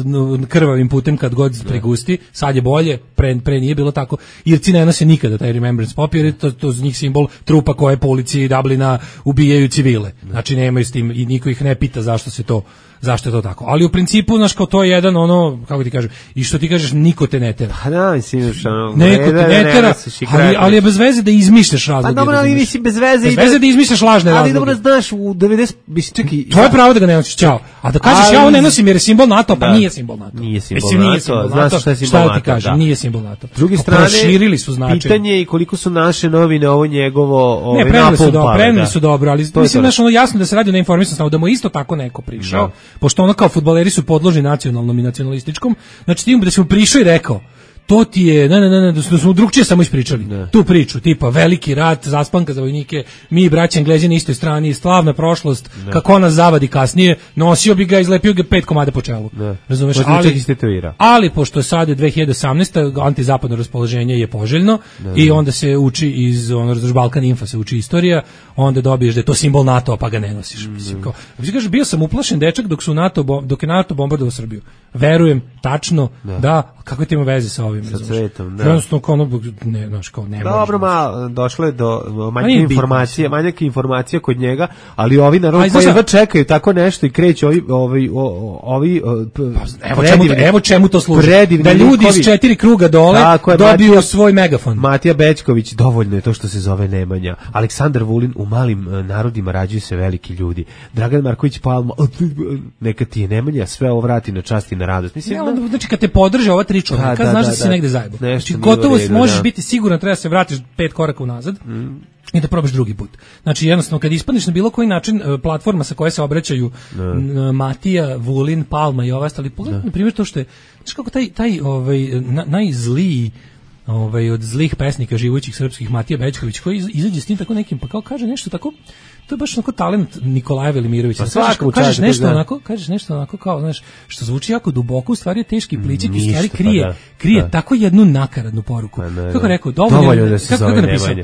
[SPEAKER 6] krvavim putem kad god prigusti. Sad je bolje, pre, pre nije bilo tako. Irci ne nose nikada taj Remembrance Poppy, jer je to, to za njih simbol trupa koje po ulici Dublina ubijaju civile. Znači nemaju s tim i niko ih ne pita zašto se to zašto je to tako. Ali u principu, znaš, kao to je jedan ono, kako ti kažem, i što ti kažeš, niko te ne tera.
[SPEAKER 5] Pa da, mislim, što ono...
[SPEAKER 6] Neko te ne tera, ali, ali je bez veze da izmišljaš razloge.
[SPEAKER 5] Pa dobro, ali nisi bez veze...
[SPEAKER 6] Bez veze da izmišljaš lažne razloge.
[SPEAKER 5] Ali dobro, znaš, u devedeset... Čekaj...
[SPEAKER 6] To je pravo da ga ne nosiš, čao. A da kažeš, ali, ja ovo ne nosim jer je simbol NATO, pa
[SPEAKER 5] da,
[SPEAKER 6] nije simbol NATO.
[SPEAKER 5] Nije simbol
[SPEAKER 6] Mislim,
[SPEAKER 5] NATO,
[SPEAKER 6] nije simbol
[SPEAKER 5] znaš
[SPEAKER 6] NATO,
[SPEAKER 5] šta je simbol NATO.
[SPEAKER 6] Šta ti kažem, nije simbol NATO.
[SPEAKER 5] S druge strane,
[SPEAKER 6] proširili su značaj.
[SPEAKER 5] Pitanje je koliko su naše novine ovo njegovo ove
[SPEAKER 6] ne, preneli su dobro, preneli
[SPEAKER 5] da.
[SPEAKER 6] su dobro, ali
[SPEAKER 5] to
[SPEAKER 6] mislim znaš ono jasno da se radi o neinformisanosti, da mu isto tako neko prišao, da. Pošto ono kao fudbaleri su podložni nacionalnom i nacionalističkom, znači ti da se mu prišao i rekao to ti je, ne, ne, ne, ne da smo drugčije samo ispričali ne. Tu priču, tipa veliki rat, zaspanka za vojnike, mi braća Englezi na istoj strani, slavna prošlost, ne. Kako nas zavadi kasnije, nosio bi ga, izlepio ga pet komada po čelu. Ne. Razumeš, ali, ali pošto sad je dve hiljade osamnaesta antizapadno raspoloženje je poželjno ne. I onda se uči iz, ono, razumeš, Balkan Infa se uči istorija, onda dobiješ da je to simbol NATO, pa ga ne nosiš. Mm. Mislim, kao, kažeš, bio sam uplašen dečak dok su NATO, dok je NATO bombardovao Srbiju. Verujem, tačno, da, da kako ti ima veze sa ovim,
[SPEAKER 5] sa cvetom, da.
[SPEAKER 6] Jednostavno, kao ono, ne, znaš, kao ne
[SPEAKER 5] dobro, ma, došlo je do manjke informacije, manjke informacije kod njega, ali ovi narod koji jedva čekaju tako nešto i kreću ovi, ovi, ovi,
[SPEAKER 6] pa, evo, čemu, evo čemu to služi, da ljudi iz četiri kruga dole je, dobiju Matija, svoj megafon.
[SPEAKER 5] Matija Bećković, dovoljno je to što se zove Nemanja. Aleksandar Vulin, u malim narodima rađuju se veliki ljudi. Dragan Marković Palma, neka ti je Nemanja, sve ovo vrati na čast i na radost. Mislim,
[SPEAKER 6] ne, onda, znači kad te podrže ova tri čovjeka, da, znaš da, da si da, negde zajebo. Znači, gotovo redu, možeš da. Biti siguran, treba se vratiš pet koraka unazad mm. i da probaš drugi put. Znači, jednostavno, kad ispadneš na bilo koji način platforma sa koje se obraćaju da. Matija, Vulin, Palma i ove ostali, pogledaj, na primjer, to što je, znači kako taj, taj ovaj, na, najzliji ovaj, od zlih pesnika živućih srpskih, Matija Bećković, koji izađe s tim tako nekim, pa kao kaže nešto tako, to je baš onako talent Nikolaja Velimirovića. Pa kažeš, kažeš nešto onako, kažeš nešto onako kao, znaš, što zvuči jako duboko, u stvari je teški pličik i stvari krije, pa da, krije da. Tako jednu nakaradnu poruku. Pa ne, kako rekao, dovoljno, dovoljno da se kako, zove kako napisao?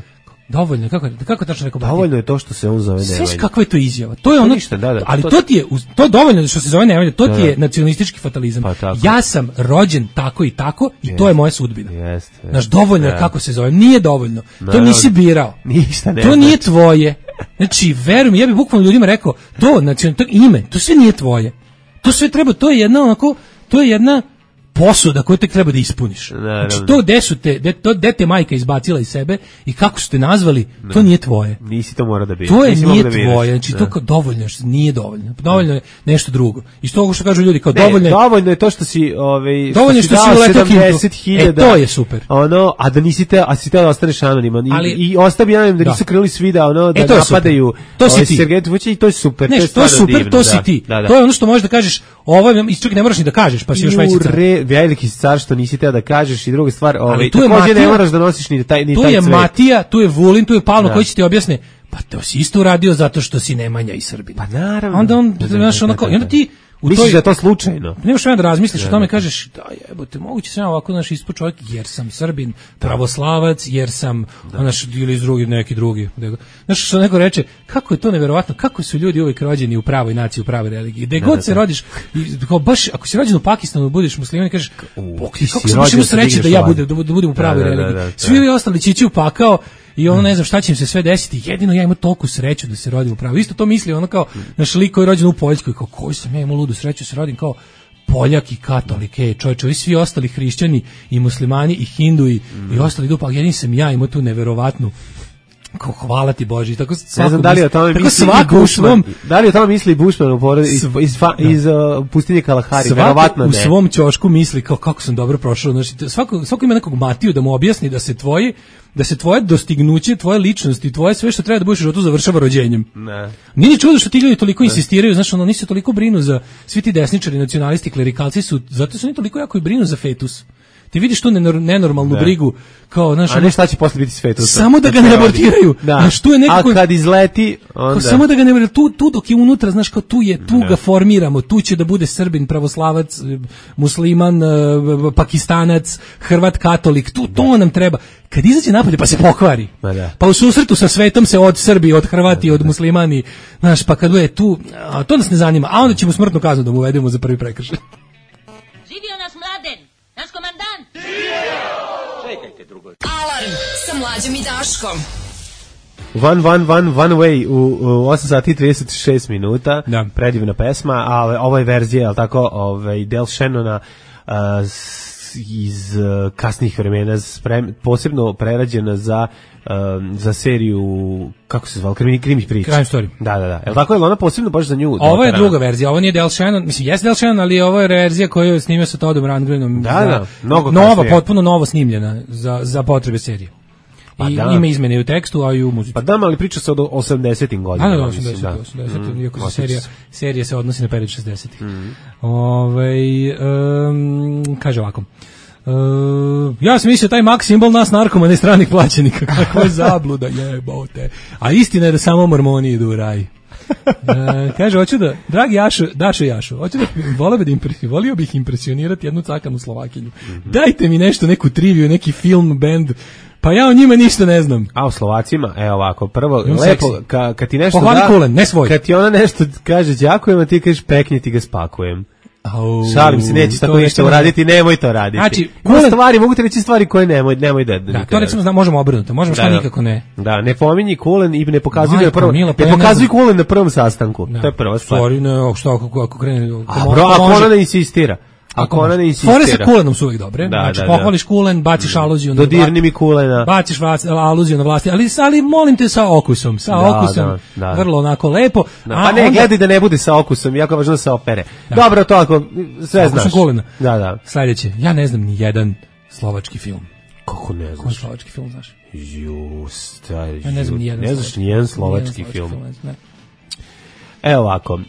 [SPEAKER 6] Dovoljno, kako kako tačno rekao?
[SPEAKER 5] Dovoljno je to što se on zove Nemanja.
[SPEAKER 6] Sve kakva je to izjava? To je ono,
[SPEAKER 5] ništa, da, da,
[SPEAKER 6] ali
[SPEAKER 5] to,
[SPEAKER 6] to ti je to dovoljno što se zove Nemanja, to da, ti je nacionalistički fatalizam. Pa, ja sam rođen tako i tako i jest, to je moja sudbina.
[SPEAKER 5] Jeste.
[SPEAKER 6] Znaš, dovoljno je kako se zove, nije dovoljno.
[SPEAKER 5] No,
[SPEAKER 6] to nisi birao.
[SPEAKER 5] Ništa ne.
[SPEAKER 6] To nije tvoje. Znači, verujem, ja bih bukvalno ljudima rekao, to, znači, to ime, to sve nije tvoje. To sve treba, to je jedna onako, to je jedna posuda koju tek treba da ispuniš.
[SPEAKER 5] Naravno.
[SPEAKER 6] Znači, to gde su te, de, to gde te majka izbacila iz sebe i kako su te nazvali,
[SPEAKER 5] ne.
[SPEAKER 6] To nije tvoje.
[SPEAKER 5] Nisi to mora da biraš.
[SPEAKER 6] To je
[SPEAKER 5] Nisi
[SPEAKER 6] nije
[SPEAKER 5] da
[SPEAKER 6] tvoje, znači to kao dovoljno, nije dovoljno. Dovoljno je nešto drugo. I što što kažu ljudi kao
[SPEAKER 5] ne,
[SPEAKER 6] dovoljno je.
[SPEAKER 5] Dovoljno je to što si, ovaj
[SPEAKER 6] dovoljno što si uletao sedamdeset hiljada. E, to je super.
[SPEAKER 5] Ono, a da nisi te, a si te da ostaneš anoniman i,
[SPEAKER 6] ali,
[SPEAKER 5] i ostavi anonim da, da nisu krili svi da ono da
[SPEAKER 6] e, to
[SPEAKER 5] napadaju.
[SPEAKER 6] To si ti.
[SPEAKER 5] Sergetu Vučić i to je super.
[SPEAKER 6] Ne,
[SPEAKER 5] to je,
[SPEAKER 6] to je super,
[SPEAKER 5] divno,
[SPEAKER 6] to si
[SPEAKER 5] da,
[SPEAKER 6] ti.
[SPEAKER 5] Da, da.
[SPEAKER 6] To je ono što možeš da kažeš, ovo je čak ne moraš ni da kažeš, pa si još veći car.
[SPEAKER 5] Veliki car što nisi teo da kažeš i druga stvar, ovaj
[SPEAKER 6] tu je
[SPEAKER 5] takođe
[SPEAKER 6] Matija,
[SPEAKER 5] ne moraš da nosiš ni taj ni
[SPEAKER 6] tu
[SPEAKER 5] taj
[SPEAKER 6] je
[SPEAKER 5] cvet.
[SPEAKER 6] Matija, tu je Vulin, tu je Pavlo koji će ti objasne, pa to si isto uradio zato što si Nemanja i Srbin.
[SPEAKER 5] Pa naravno.
[SPEAKER 6] Onda on, znaš, onako, i onda ti
[SPEAKER 5] u misliš toj, da je to slučajno?
[SPEAKER 6] Nemaš vremena da razmisliš o tome, kažeš, da jebote, moguće sam ja ovako naš ispod čovjek, jer sam Srbin, pravoslavac, jer sam, naš, ili iz drugi, neki drugi. Znaš, što neko reče, kako je to neverovatno, kako su ljudi uvijek rođeni u pravoj naciji, u pravoj religiji. Gde god se rodiš, kao baš, ako si rođen u Pakistanu, budeš musliman i kažeš, kako sam baš imao sreće da ja budem, da budem u pravoj religiji. Svi ovi ostali će ići u pakao, i ono ne znam šta će im se sve desiti, jedino ja imam toliku sreću da se rodim u pravu. Isto to misli ono kao naš lik koji je rođen u Poljskoj, kao koji sam ja imao ludu sreću se rodim kao Poljak i katolik, ej čovječe, ovi svi ostali hrišćani i muslimani i hinduji mm. i ostali idu, pa jedin sam ja imao tu neverovatnu kao hvala ti Bože, tako svako
[SPEAKER 5] ne znam da li o tome misli i Bushman, da li o tome misli Bushman u porodi iz, iz, iz uh, pustinje Kalahari, verovatno ne.
[SPEAKER 6] U svom ćošku misli kao kako sam dobro prošao, znači svako svako ima nekog Matiju da mu objasni da se tvoji da se tvoje dostignuće, tvoje ličnosti, tvoje sve što treba da budeš u životu završava rođenjem. Ne. Nije čudo što ti ljudi toliko ne. insistiraju, znaš, ono nisu toliko brinu za svi ti desničari, nacionalisti, klerikalci su, zato su oni toliko jako i brinu za fetus. Ti vidiš tu nenormalnu ne. brigu kao znaš,
[SPEAKER 5] a ne šta će posle biti s fetusom.
[SPEAKER 6] Samo da ga ne abortiraju.
[SPEAKER 5] Da.
[SPEAKER 6] Znaš, tu je nekako,
[SPEAKER 5] a kad izleti onda
[SPEAKER 6] samo da ga ne tu tu dok je unutra, znaš, kao tu je, tu ne. ga formiramo, tu će da bude Srbin, pravoslavac, musliman, Pakistanac, Hrvat, katolik, tu to nam treba. Kad izađe napolje pa se pokvari. Da. Pa u susretu sa svetom se od Srbi, od Hrvati, od muslimani, znaš, pa kad je tu, a to nas ne zanima, a onda ćemo smrtnu kaznu da mu uvedemo za prvi prekršaj.
[SPEAKER 4] Živio nas Mladen, naš komandant.
[SPEAKER 3] Čekajte drugo.
[SPEAKER 2] Alarm sa Mlađom i Daškom.
[SPEAKER 5] One, one, one, one way u, u osam sati i trideset šest minuta. Da. Predivna pesma, a ova je verzija, je li tako, ovaj, Del Shannona uh, iz uh, kasnih vremena, sprem, posebno prerađena za um, za seriju, kako se zvala, krimi, krimi priča.
[SPEAKER 6] Crime Story.
[SPEAKER 5] Da, da, da. Je li tako, je ona posebno baš za nju?
[SPEAKER 6] Ovo je druga verzija, ovo nije Del Shannon, mislim, jes Del Shannon, ali ovo je verzija koju je snimio sa Toddom Rundgrenom.
[SPEAKER 5] Da, da, mnogo
[SPEAKER 6] nova,
[SPEAKER 5] kasnije.
[SPEAKER 6] potpuno novo snimljena za, za potrebe serije. I da. Ima izmene i u tekstu, a i u muzici.
[SPEAKER 5] Pa da, ali priča se od osamdesetim godinama.
[SPEAKER 6] Da, da, osamdeset, da. osamdeset, mm, iako se serija, serija se odnosi na period šezdesetih. Mm. Ove, um, kaže ovako. Uh, ja sam mislio taj Max simbol nas narkomane stranih plaćenika, kakva je zabluda, jebote. A istina je da samo mormoni idu u raj. Uh, kaže, hoću da, dragi Jašo, Dašo Jašo, hoću da, volio, da impre, volio bih impresionirati jednu cakanu Slovakinju. Mm-hmm. Dajte mi nešto, neku triviju, neki film, band, pa ja o njima ništa ne znam.
[SPEAKER 5] A o Slovacima, evo ovako, prvo, lepo, ka, kad ti nešto
[SPEAKER 6] pohvali
[SPEAKER 5] da,
[SPEAKER 6] kulen, ne svoj.
[SPEAKER 5] Kad ti ona nešto kaže đakujem, a ti kažeš pekni ti ga spakujem. Oh, šalim se, nećeš tako ništa uraditi, nemoj to raditi. Znači, kulen, stvari, mogu ti reći stvari koje nemoj, nemoj da...
[SPEAKER 6] Da, to recimo zna, možemo obrnuti, možemo šta da, nikako ne.
[SPEAKER 5] Da, ne pominji kulen i ne pokazuj na prvom, ne pokazuj kulen na prvom sastanku, da. To je prva stvar.
[SPEAKER 6] Stvari, ne, što ako, ako krene...
[SPEAKER 5] A bro, ako ona ne insistira. Ako ona ne insistira.
[SPEAKER 6] Fore sa kulenom su uvijek dobre. Da, znači, da, pohvališ kulen, baciš aluziju na
[SPEAKER 5] vlast. Dodirni mi kulena.
[SPEAKER 6] Baciš aluziju na vlasti, ali, ali molim te sa okusom. Sa da, okusom, da, da. Vrlo onako lepo.
[SPEAKER 5] Da, pa ne, onda... gledaj da ne bude sa okusom, jako važno da se opere. Da. Dobro, to ako sve znaš.
[SPEAKER 6] Kulena.
[SPEAKER 5] Da, da.
[SPEAKER 6] Sljedeće, ja ne znam ni jedan slovački film.
[SPEAKER 5] Kako ne znaš?
[SPEAKER 6] Koji slovački film znaš?
[SPEAKER 5] Just,
[SPEAKER 6] ja ne znam ni jedan.
[SPEAKER 5] Ne znaš ni jedan slovački film. Ne. Evo ovako, um,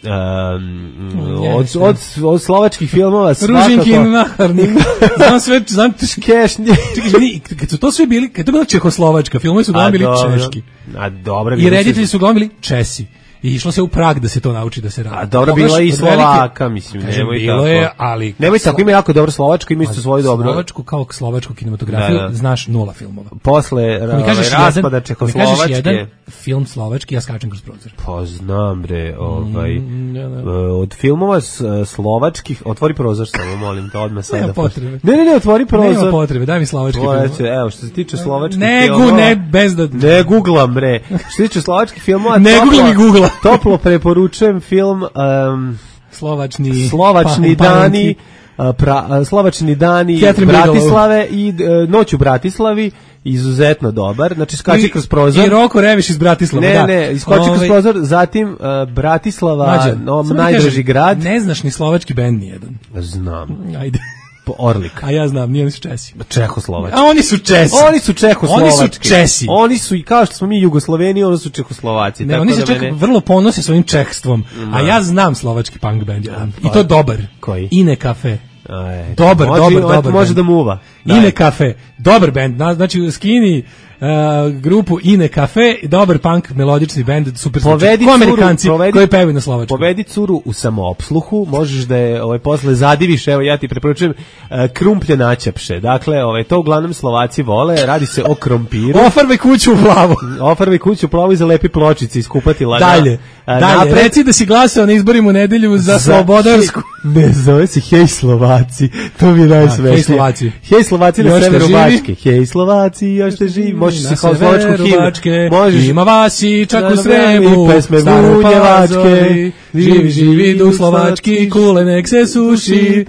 [SPEAKER 5] od, od, od slovačkih filmova svakako...
[SPEAKER 6] Ružinkin, Naharnik, znam sve, znam
[SPEAKER 5] Kešnje.
[SPEAKER 6] Čekaj, kad su to sve bili, kad to bila Čehoslovačka, filmovi su uglavnom bili češki.
[SPEAKER 5] A dobro.
[SPEAKER 6] I reditelji su uglavnom bili Česi. i išlo se u Prag da se to nauči da se radi.
[SPEAKER 5] A dobro,
[SPEAKER 6] Pogledaš
[SPEAKER 5] bila i
[SPEAKER 6] od
[SPEAKER 5] Slovaka,
[SPEAKER 6] velike-
[SPEAKER 5] mislim,
[SPEAKER 6] Kažem,
[SPEAKER 5] nemoj
[SPEAKER 6] bilo
[SPEAKER 5] tako.
[SPEAKER 6] je, ali
[SPEAKER 5] Nemoj tako, ima jako dobro Slovačka, ima isto svoju dobro.
[SPEAKER 6] Slovačku kao slovačku kinematografiju
[SPEAKER 5] Da, da.
[SPEAKER 6] znaš nula filmova.
[SPEAKER 5] Posle
[SPEAKER 6] Ako mi kažeš
[SPEAKER 5] ovaj, raspada
[SPEAKER 6] jedan, ako mi kažeš
[SPEAKER 5] Čehoslovačke.
[SPEAKER 6] jedan film slovački, ja skačem kroz prozor.
[SPEAKER 5] Pa znam bre, ovaj,
[SPEAKER 6] Mm, da, da.
[SPEAKER 5] e, od filmova s, slovačkih, otvori prozor samo, molim te, odmah sada.
[SPEAKER 6] Nema potrebe.
[SPEAKER 5] Ne, ne, ne, otvori prozor.
[SPEAKER 6] Nema potrebe, daj mi slovački
[SPEAKER 5] Ovo,
[SPEAKER 6] film.
[SPEAKER 5] eto, evo, što se tiče slovačkih
[SPEAKER 6] Ne,
[SPEAKER 5] filmova...
[SPEAKER 6] gu, ne, bez da...
[SPEAKER 5] Ne googlam, bre. Što se tiče slovačkih filmova...
[SPEAKER 6] Ne
[SPEAKER 5] toplo-
[SPEAKER 6] googlam i googla.
[SPEAKER 5] Toplo preporučujem film um,
[SPEAKER 6] Slovačni...
[SPEAKER 5] Slovačni
[SPEAKER 6] pa-
[SPEAKER 5] dani, a, pra, a, Slovačni dani
[SPEAKER 6] Catherine
[SPEAKER 5] Bratislave i e, Noć u Bratislavi, izuzetno dobar. Znači, skači
[SPEAKER 6] I-
[SPEAKER 5] kroz prozor.
[SPEAKER 6] I Roko Reviš iz Bratislava,
[SPEAKER 5] Ne,
[SPEAKER 6] da.
[SPEAKER 5] ne, iskoči kroz
[SPEAKER 6] Ovaj,
[SPEAKER 5] prozor, zatim uh, Bratislava,
[SPEAKER 6] Mlađe,
[SPEAKER 5] no,
[SPEAKER 6] samo ti
[SPEAKER 5] najdraži
[SPEAKER 6] kažem,
[SPEAKER 5] grad.
[SPEAKER 6] Ne znaš ni slovački bend nijedan.
[SPEAKER 5] Znam.
[SPEAKER 6] Ajde.
[SPEAKER 5] Po Orlik.
[SPEAKER 6] A ja znam, nije oni su Česi.
[SPEAKER 5] Čehoslovački.
[SPEAKER 6] A oni su Česi.
[SPEAKER 5] Oni su Čehoslovački.
[SPEAKER 6] Oni su Česi.
[SPEAKER 5] Oni su i kao što smo mi Jugosloveni, oni su Čehoslovaci.
[SPEAKER 6] Ne,
[SPEAKER 5] tako
[SPEAKER 6] oni
[SPEAKER 5] da
[SPEAKER 6] se čak
[SPEAKER 5] mene-
[SPEAKER 6] vrlo ponose svojim čehstvom. A ja znam slovački punk band jedan. I to dobar.
[SPEAKER 5] Koji?
[SPEAKER 6] Ine Cafe.
[SPEAKER 5] Aj,
[SPEAKER 6] Dobar,
[SPEAKER 5] može,
[SPEAKER 6] dobar,
[SPEAKER 5] može,
[SPEAKER 6] dobar
[SPEAKER 5] Može
[SPEAKER 6] band.
[SPEAKER 5] da muva.
[SPEAKER 6] Ine
[SPEAKER 5] Daj.
[SPEAKER 6] Cafe. Dobar band. Na- Znači, skini uh, grupu Ine Cafe, dobar punk, melodični band, super zvuči.
[SPEAKER 5] Povedi
[SPEAKER 6] Ko
[SPEAKER 5] curu,
[SPEAKER 6] Amerikanci
[SPEAKER 5] povedi-
[SPEAKER 6] koji pevaju na slovačkom.
[SPEAKER 5] Povedi curu u samoopsluhu, možeš da je ovaj, posle zadiviš, evo ja ti preporučujem uh, krumplje načapše. Dakle, ovaj, to uglavnom Slovaci vole, radi se o krompiru.
[SPEAKER 6] Ofarbaj kuću u plavu.
[SPEAKER 5] Ofarvaj kuću plavu i zalepi pločice, iskupatila.
[SPEAKER 6] Dalje,
[SPEAKER 5] Na-
[SPEAKER 6] dalje.
[SPEAKER 5] napred-
[SPEAKER 6] Reci da si glasao na izborima u nedelju za Slobodarsku.
[SPEAKER 5] Ne, zove se Hej Slovaci. To mi je najsmešnije.
[SPEAKER 6] Hej Slovaci.
[SPEAKER 5] Hej Slovaci na
[SPEAKER 6] Još ste
[SPEAKER 5] severu
[SPEAKER 6] živi?
[SPEAKER 5] Bačke. Hej Slovaci, još ste živi. Možeš se
[SPEAKER 6] Na
[SPEAKER 5] kao slovačku
[SPEAKER 6] severu
[SPEAKER 5] himnu.
[SPEAKER 6] Bačke,
[SPEAKER 5] Možeš
[SPEAKER 6] ima vas i čak
[SPEAKER 5] Da,
[SPEAKER 6] u
[SPEAKER 5] da,
[SPEAKER 6] Sremu,
[SPEAKER 5] i pesme
[SPEAKER 6] Staroj
[SPEAKER 5] Vunjevačke.
[SPEAKER 6] Pazovi, živi, živi duh slovački, kule nek se suši.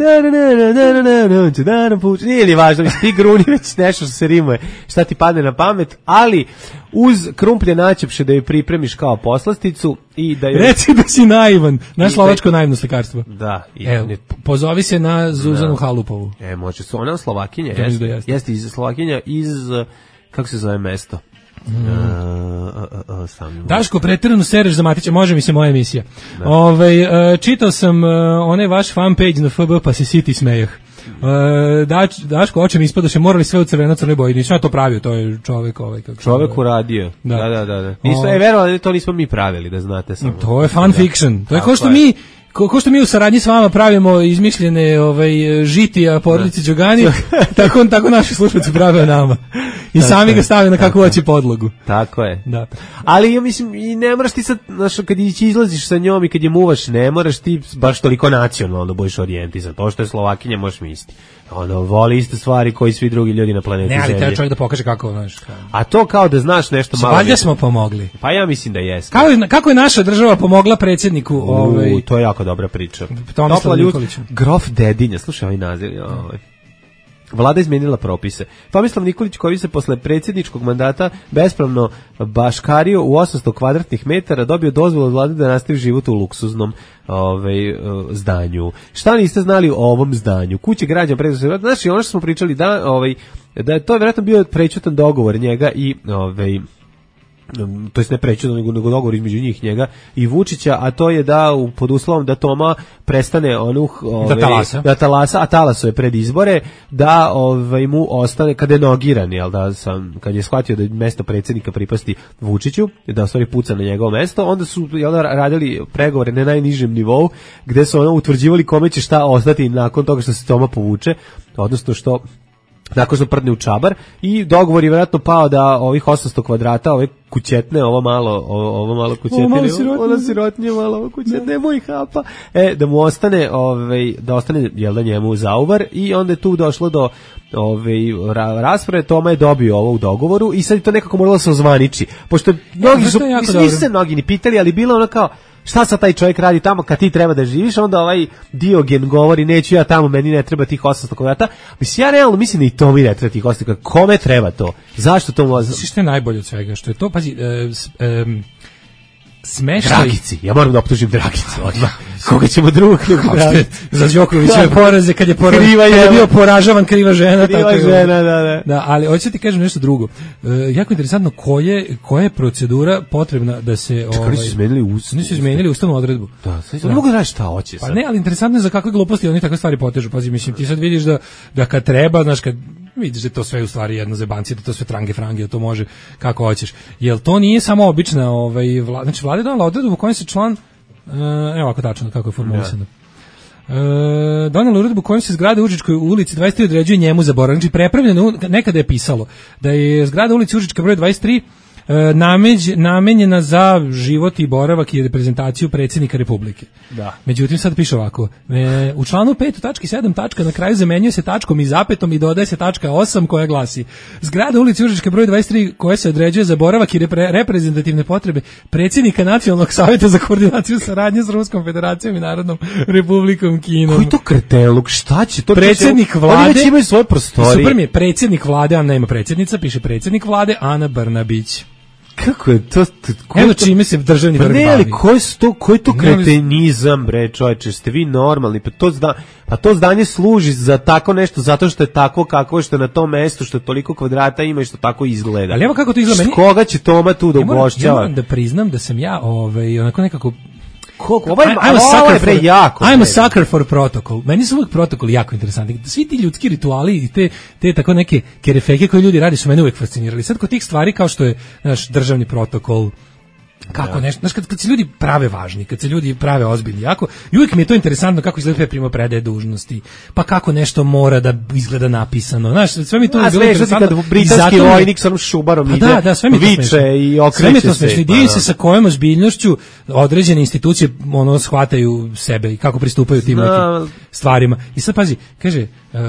[SPEAKER 5] Nije li važno, mislim, ti gruni već nešto što se rimuje, šta ti padne na pamet, ali uz krumplje načepše da ju pripremiš kao poslasticu i da ju...
[SPEAKER 6] Reci da si naivan, naš
[SPEAKER 5] I-
[SPEAKER 6] slovačko naivno slikarstvo.
[SPEAKER 5] Da. I,
[SPEAKER 6] Evo,
[SPEAKER 5] ne-
[SPEAKER 6] pozovi se na Zuzanu Halupovu.
[SPEAKER 5] E, može su, ona Slovakinja,
[SPEAKER 6] Ja mislim
[SPEAKER 5] jeste,
[SPEAKER 6] da jeste.
[SPEAKER 5] jeste iz Slovakinja iz, uh, kako se zove mesto? Mm. Uh, uh, uh, sam
[SPEAKER 6] Daško, preterano sereš za Matića, može mi se moja emisija. Ove, uh, čitao sam uh, onaj vaš fan page na F B, pa se siti smejah. Uh, Dač, Daško, oče mi ispadoše, morali sve u crveno crnoj boji, nisam ja to pravio, to je čovek ovaj. Kako se
[SPEAKER 5] čovek
[SPEAKER 6] zove.
[SPEAKER 5] uradio.
[SPEAKER 6] Da.
[SPEAKER 5] Da, da, da. da. Nismo,
[SPEAKER 6] O-
[SPEAKER 5] e, verovali, to nismo mi pravili, da znate samo.
[SPEAKER 6] To je fan fiction. To je
[SPEAKER 5] Tako
[SPEAKER 6] kao što
[SPEAKER 5] je.
[SPEAKER 6] mi ko, ko što mi u saradnji s vama pravimo izmišljene ovaj žitija porodice Đogani, tako tako naši slušatelji prave o nama. I sami ga stave na kakvu hoće podlogu.
[SPEAKER 5] Tako je.
[SPEAKER 6] Da.
[SPEAKER 5] Ali ja mislim i ne moraš ti sad, znaš, kad ići izlaziš sa njom i kad je muvaš, ne moraš ti baš toliko nacionalno budeš orijentisan. To što je Slovakinja možeš misliti. Ono, voli iste stvari koji svi drugi ljudi na planeti
[SPEAKER 6] Ne, ali
[SPEAKER 5] Zemlje.
[SPEAKER 6] treba čovjek da pokaže kako, znaš. kao-
[SPEAKER 5] A to kao da znaš nešto malo.
[SPEAKER 6] Valjda smo pomogli.
[SPEAKER 5] Pa ja mislim da jeste.
[SPEAKER 6] Kako je, kako je naša država pomogla predsjedniku ovaj
[SPEAKER 5] U, to je jako dobra priča.
[SPEAKER 6] Tomislav
[SPEAKER 5] Topla ljud-
[SPEAKER 6] Nikoliću.
[SPEAKER 5] Grof Dedinja, slušaj ovaj naziv. Ovaj. Vlada izmenila propise. Tomislav Nikolić koji se posle predsjedničkog mandata bespravno baškario u osamsto kvadratnih metara dobio dozvolu od vlade da nastavi život u luksuznom ovaj, zdanju. Šta niste znali o ovom zdanju? Kuće građana preduzeća. Znači ono što smo pričali da, ovaj, da je to vjerojatno bio prećutan dogovor njega i ovaj, to jest ne prećutno, nego, nego dogovor između njih njega i Vučića, a to je da u, pod uslovom da Toma prestane onu ovaj,
[SPEAKER 6] Da talasa.
[SPEAKER 5] da talasa, a talaso je pred izbore, da ovaj, mu ostane, kada je nogiran, jel da sam, kad je shvatio da mesto predsjednika pripasti Vučiću, da u stvari puca na njegovo mesto, onda su jel da, radili pregovore na najnižem nivou, gde su ono utvrđivali kome će šta ostati nakon toga što se Toma povuče, odnosno što nakon što prdne u čabar i dogovor je vjerojatno pao da ovih osamsto kvadrata, ove kućetne, ovo malo, ovo, ovo malo kućetne,
[SPEAKER 6] Ovo malo sirotnje.
[SPEAKER 5] ono sirotnje, malo ovo kućetne, nemoj hapa, e, da mu ostane, ovaj, da ostane, jel da njemu zauvar i onda je tu došlo do ovaj, ra, rasprave, Toma je dobio ovo u dogovoru i sad je to nekako moralo se ozvaniči, pošto mnogi
[SPEAKER 6] to
[SPEAKER 5] su,
[SPEAKER 6] je jako
[SPEAKER 5] mislim, nisu
[SPEAKER 6] dobro.
[SPEAKER 5] se mnogi ni pitali, ali bilo ono kao, šta sad taj čovjek radi tamo kad ti treba da živiš, onda ovaj Diogen govori neću ja tamo, meni ne treba tih osamsto kvadrata. Mislim, ja realno mislim da i to mi ne treba tih osamsto kvadrata. Kome treba to? Zašto to može?
[SPEAKER 6] Znaš što je najbolje od svega? Što je to, pazi, e, s- em, smeštaj...
[SPEAKER 5] Dragici, ja moram da optužim Dragicu odmah. Koga ćemo drugog nego
[SPEAKER 6] Kao što je
[SPEAKER 5] Dragicu?
[SPEAKER 6] za Đokovićeve
[SPEAKER 5] Da.
[SPEAKER 6] poraze kad je, pora,
[SPEAKER 5] Kriva
[SPEAKER 6] kad je
[SPEAKER 5] je-
[SPEAKER 6] bio poražavan kriva žena.
[SPEAKER 5] Kriva
[SPEAKER 6] tako je.
[SPEAKER 5] žena, da, da.
[SPEAKER 6] Da, ali hoću ti kažem nešto drugo. E, jako interesantno koje, koja je procedura potrebna da se...
[SPEAKER 5] Čekaj, oni su izmenili ustav.
[SPEAKER 6] Oni su izmenili ustavnu odredbu.
[SPEAKER 5] Da, sad ne mogu da raditi šta hoće
[SPEAKER 6] Pa
[SPEAKER 5] sad.
[SPEAKER 6] ne, ali interesantno je za kakve gluposti oni takve stvari potežu. Pazi, mislim, ti sad vidiš da, da kad treba, znaš, kad vidiš da je to sve u stvari jedna zebancija, da to sve trange frange, da to može kako hoćeš. Jel to nije samo obična, ovaj, vlada, znači vlada je donala odredbu u kojoj se član, uh, evo ovako tačno kako je formulisano. Uh, donala uredbu kojom se zgrada u Užičkoj ulici dvadeset tri određuje njemu za boravak. Znači prepravljeno, nekada je pisalo da je zgrada ulici Užička broj dvadeset tri Nameđ, namenjena za život i boravak i reprezentaciju predsjednika Republike.
[SPEAKER 5] Da.
[SPEAKER 6] Međutim, sad piše ovako. E, u članu pet u tački sedam tačka na kraju zamenjuje se tačkom i zapetom i dodaje se tačka osam koja glasi: zgrada ulici Užička broj dvadeset tri koja se određuje za boravak i repre, reprezentativne potrebe predsjednika Nacionalnog savjeta za koordinaciju saradnje s Ruskom federacijom i Narodnom Republikom Kinom.
[SPEAKER 5] Koji to kreteluk? Šta će to?
[SPEAKER 6] Predsjednik vlade.
[SPEAKER 5] Oni već imaju svoje prostorije.
[SPEAKER 6] Super mi je, predsjednik vlade, a nema predsjednica, piše predsjednik vlade Ana Brnabić.
[SPEAKER 5] Kako je to?
[SPEAKER 6] Evo čime se državni vrh bavi.
[SPEAKER 5] Ne, ali koji su to, koji to kretenizam, bre, čovječe, ste vi normalni, pa to, zda, pa to zdanje služi za tako nešto, zato što je tako kako je, što je na tom mestu, što je toliko kvadrata ima i što tako izgleda.
[SPEAKER 6] Ali evo kako to izgleda.
[SPEAKER 5] Koga će Toma tu da ugošćava?
[SPEAKER 6] Ja moram da priznam da sam ja ovaj, onako nekako...
[SPEAKER 5] Koliko? Ovaj, I'm, I'm, a, bre, for, jako,
[SPEAKER 6] I'm a sucker for protocol. Meni su uvijek protokoli jako interesantni. Svi ti ljudski rituali i te, te tako neke kerefeke koje ljudi radi su mene uvijek fascinirali. Sad kod tih stvari kao što je naš državni protokol, kako ja. nešto, znaš, kad, kad se ljudi prave važni, kad se ljudi prave ozbiljni, jako, i uvijek mi je to interesantno kako izgleda primopredaje dužnosti, pa kako nešto mora da izgleda napisano, znaš, sve mi to je bilo interesantno.
[SPEAKER 5] Kad britanski vojnik sa onom šubarom ide,
[SPEAKER 6] da, da, sve mi
[SPEAKER 5] viče i okreće se.
[SPEAKER 6] I divim se sa kojom ozbiljnošću određene institucije ono shvataju sebe i kako pristupaju tim nekim stvarima. I sad pazi, kaže, uh,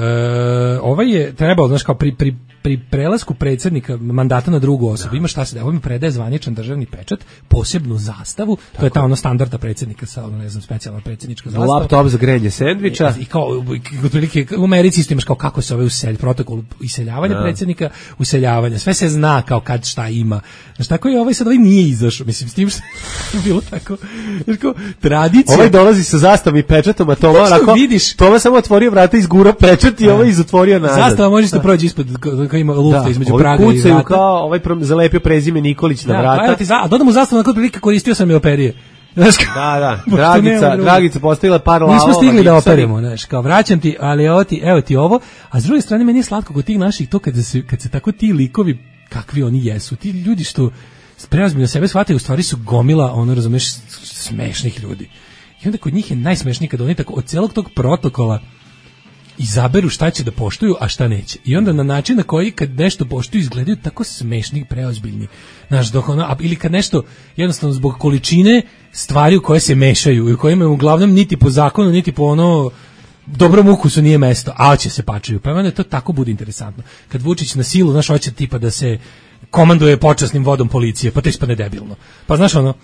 [SPEAKER 6] ovaj je trebao, znaš, kao pri, pri pri prelasku predsjednika mandata na drugu osobu, ima šta se da, ovo mi predaje zvaničan državni pečat, posebnu zastavu, tako. To je ta ono standarda predsjednika sa, ono, ne znam, specijalna predsjednička zastava.
[SPEAKER 5] Laptop za grenje sendviča.
[SPEAKER 6] I, i kao, otprilike, u Americi isto imaš kao kako se ove uselj, protokol iseljavanja da. predsjednika, useljavanja, sve se zna kao kad šta ima. Znaš, tako je ovaj sad, ovaj nije izašao, mislim, s tim što je bilo tako, znaš, kao, tradicija.
[SPEAKER 5] Ovaj dolazi sa zastavom i pečatom, a Toma, onako, Toma samo otvorio vrata, izgura pečat i ovaj izotvorio nazad. Zastava možeš da prođe ispod koji ima lufta između Praga i vrata. Kao ovaj zalepio prezime Nikolić na
[SPEAKER 6] da,
[SPEAKER 5] vrata.
[SPEAKER 6] Pa ti za, a dodamo zastavu na kod prilike koristio sam i operije. Znaš,
[SPEAKER 5] da, da, Dragica, Dragica postavila par lavova.
[SPEAKER 6] Nismo stigli da operemo, znaš, kao vraćam ti, ali evo ti, evo ti ovo, a s druge strane meni je slatko kod tih naših to kad se, kad se tako ti likovi, kakvi oni jesu, ti ljudi što preozbiljno sebe shvataju, u stvari su gomila, ono, razumeš, smešnih ljudi. I onda kod njih je najsmešniji kad oni tako od celog tog protokola izaberu šta će da poštuju, a šta neće. I onda na način na koji kad nešto poštuju izgledaju tako smešni, preozbiljni. Znaš, dok ono, ili kad nešto jednostavno zbog količine stvari u koje se mešaju i u kojima uglavnom niti po zakonu, niti po ono dobrom ukusu nije mesto, a će se pačaju. Pa onda to tako bude interesantno. Kad Vučić na silu, znaš, hoće tipa da se komanduje počasnim vodom policije, pa to ispadne debilno. Pa znaš ono,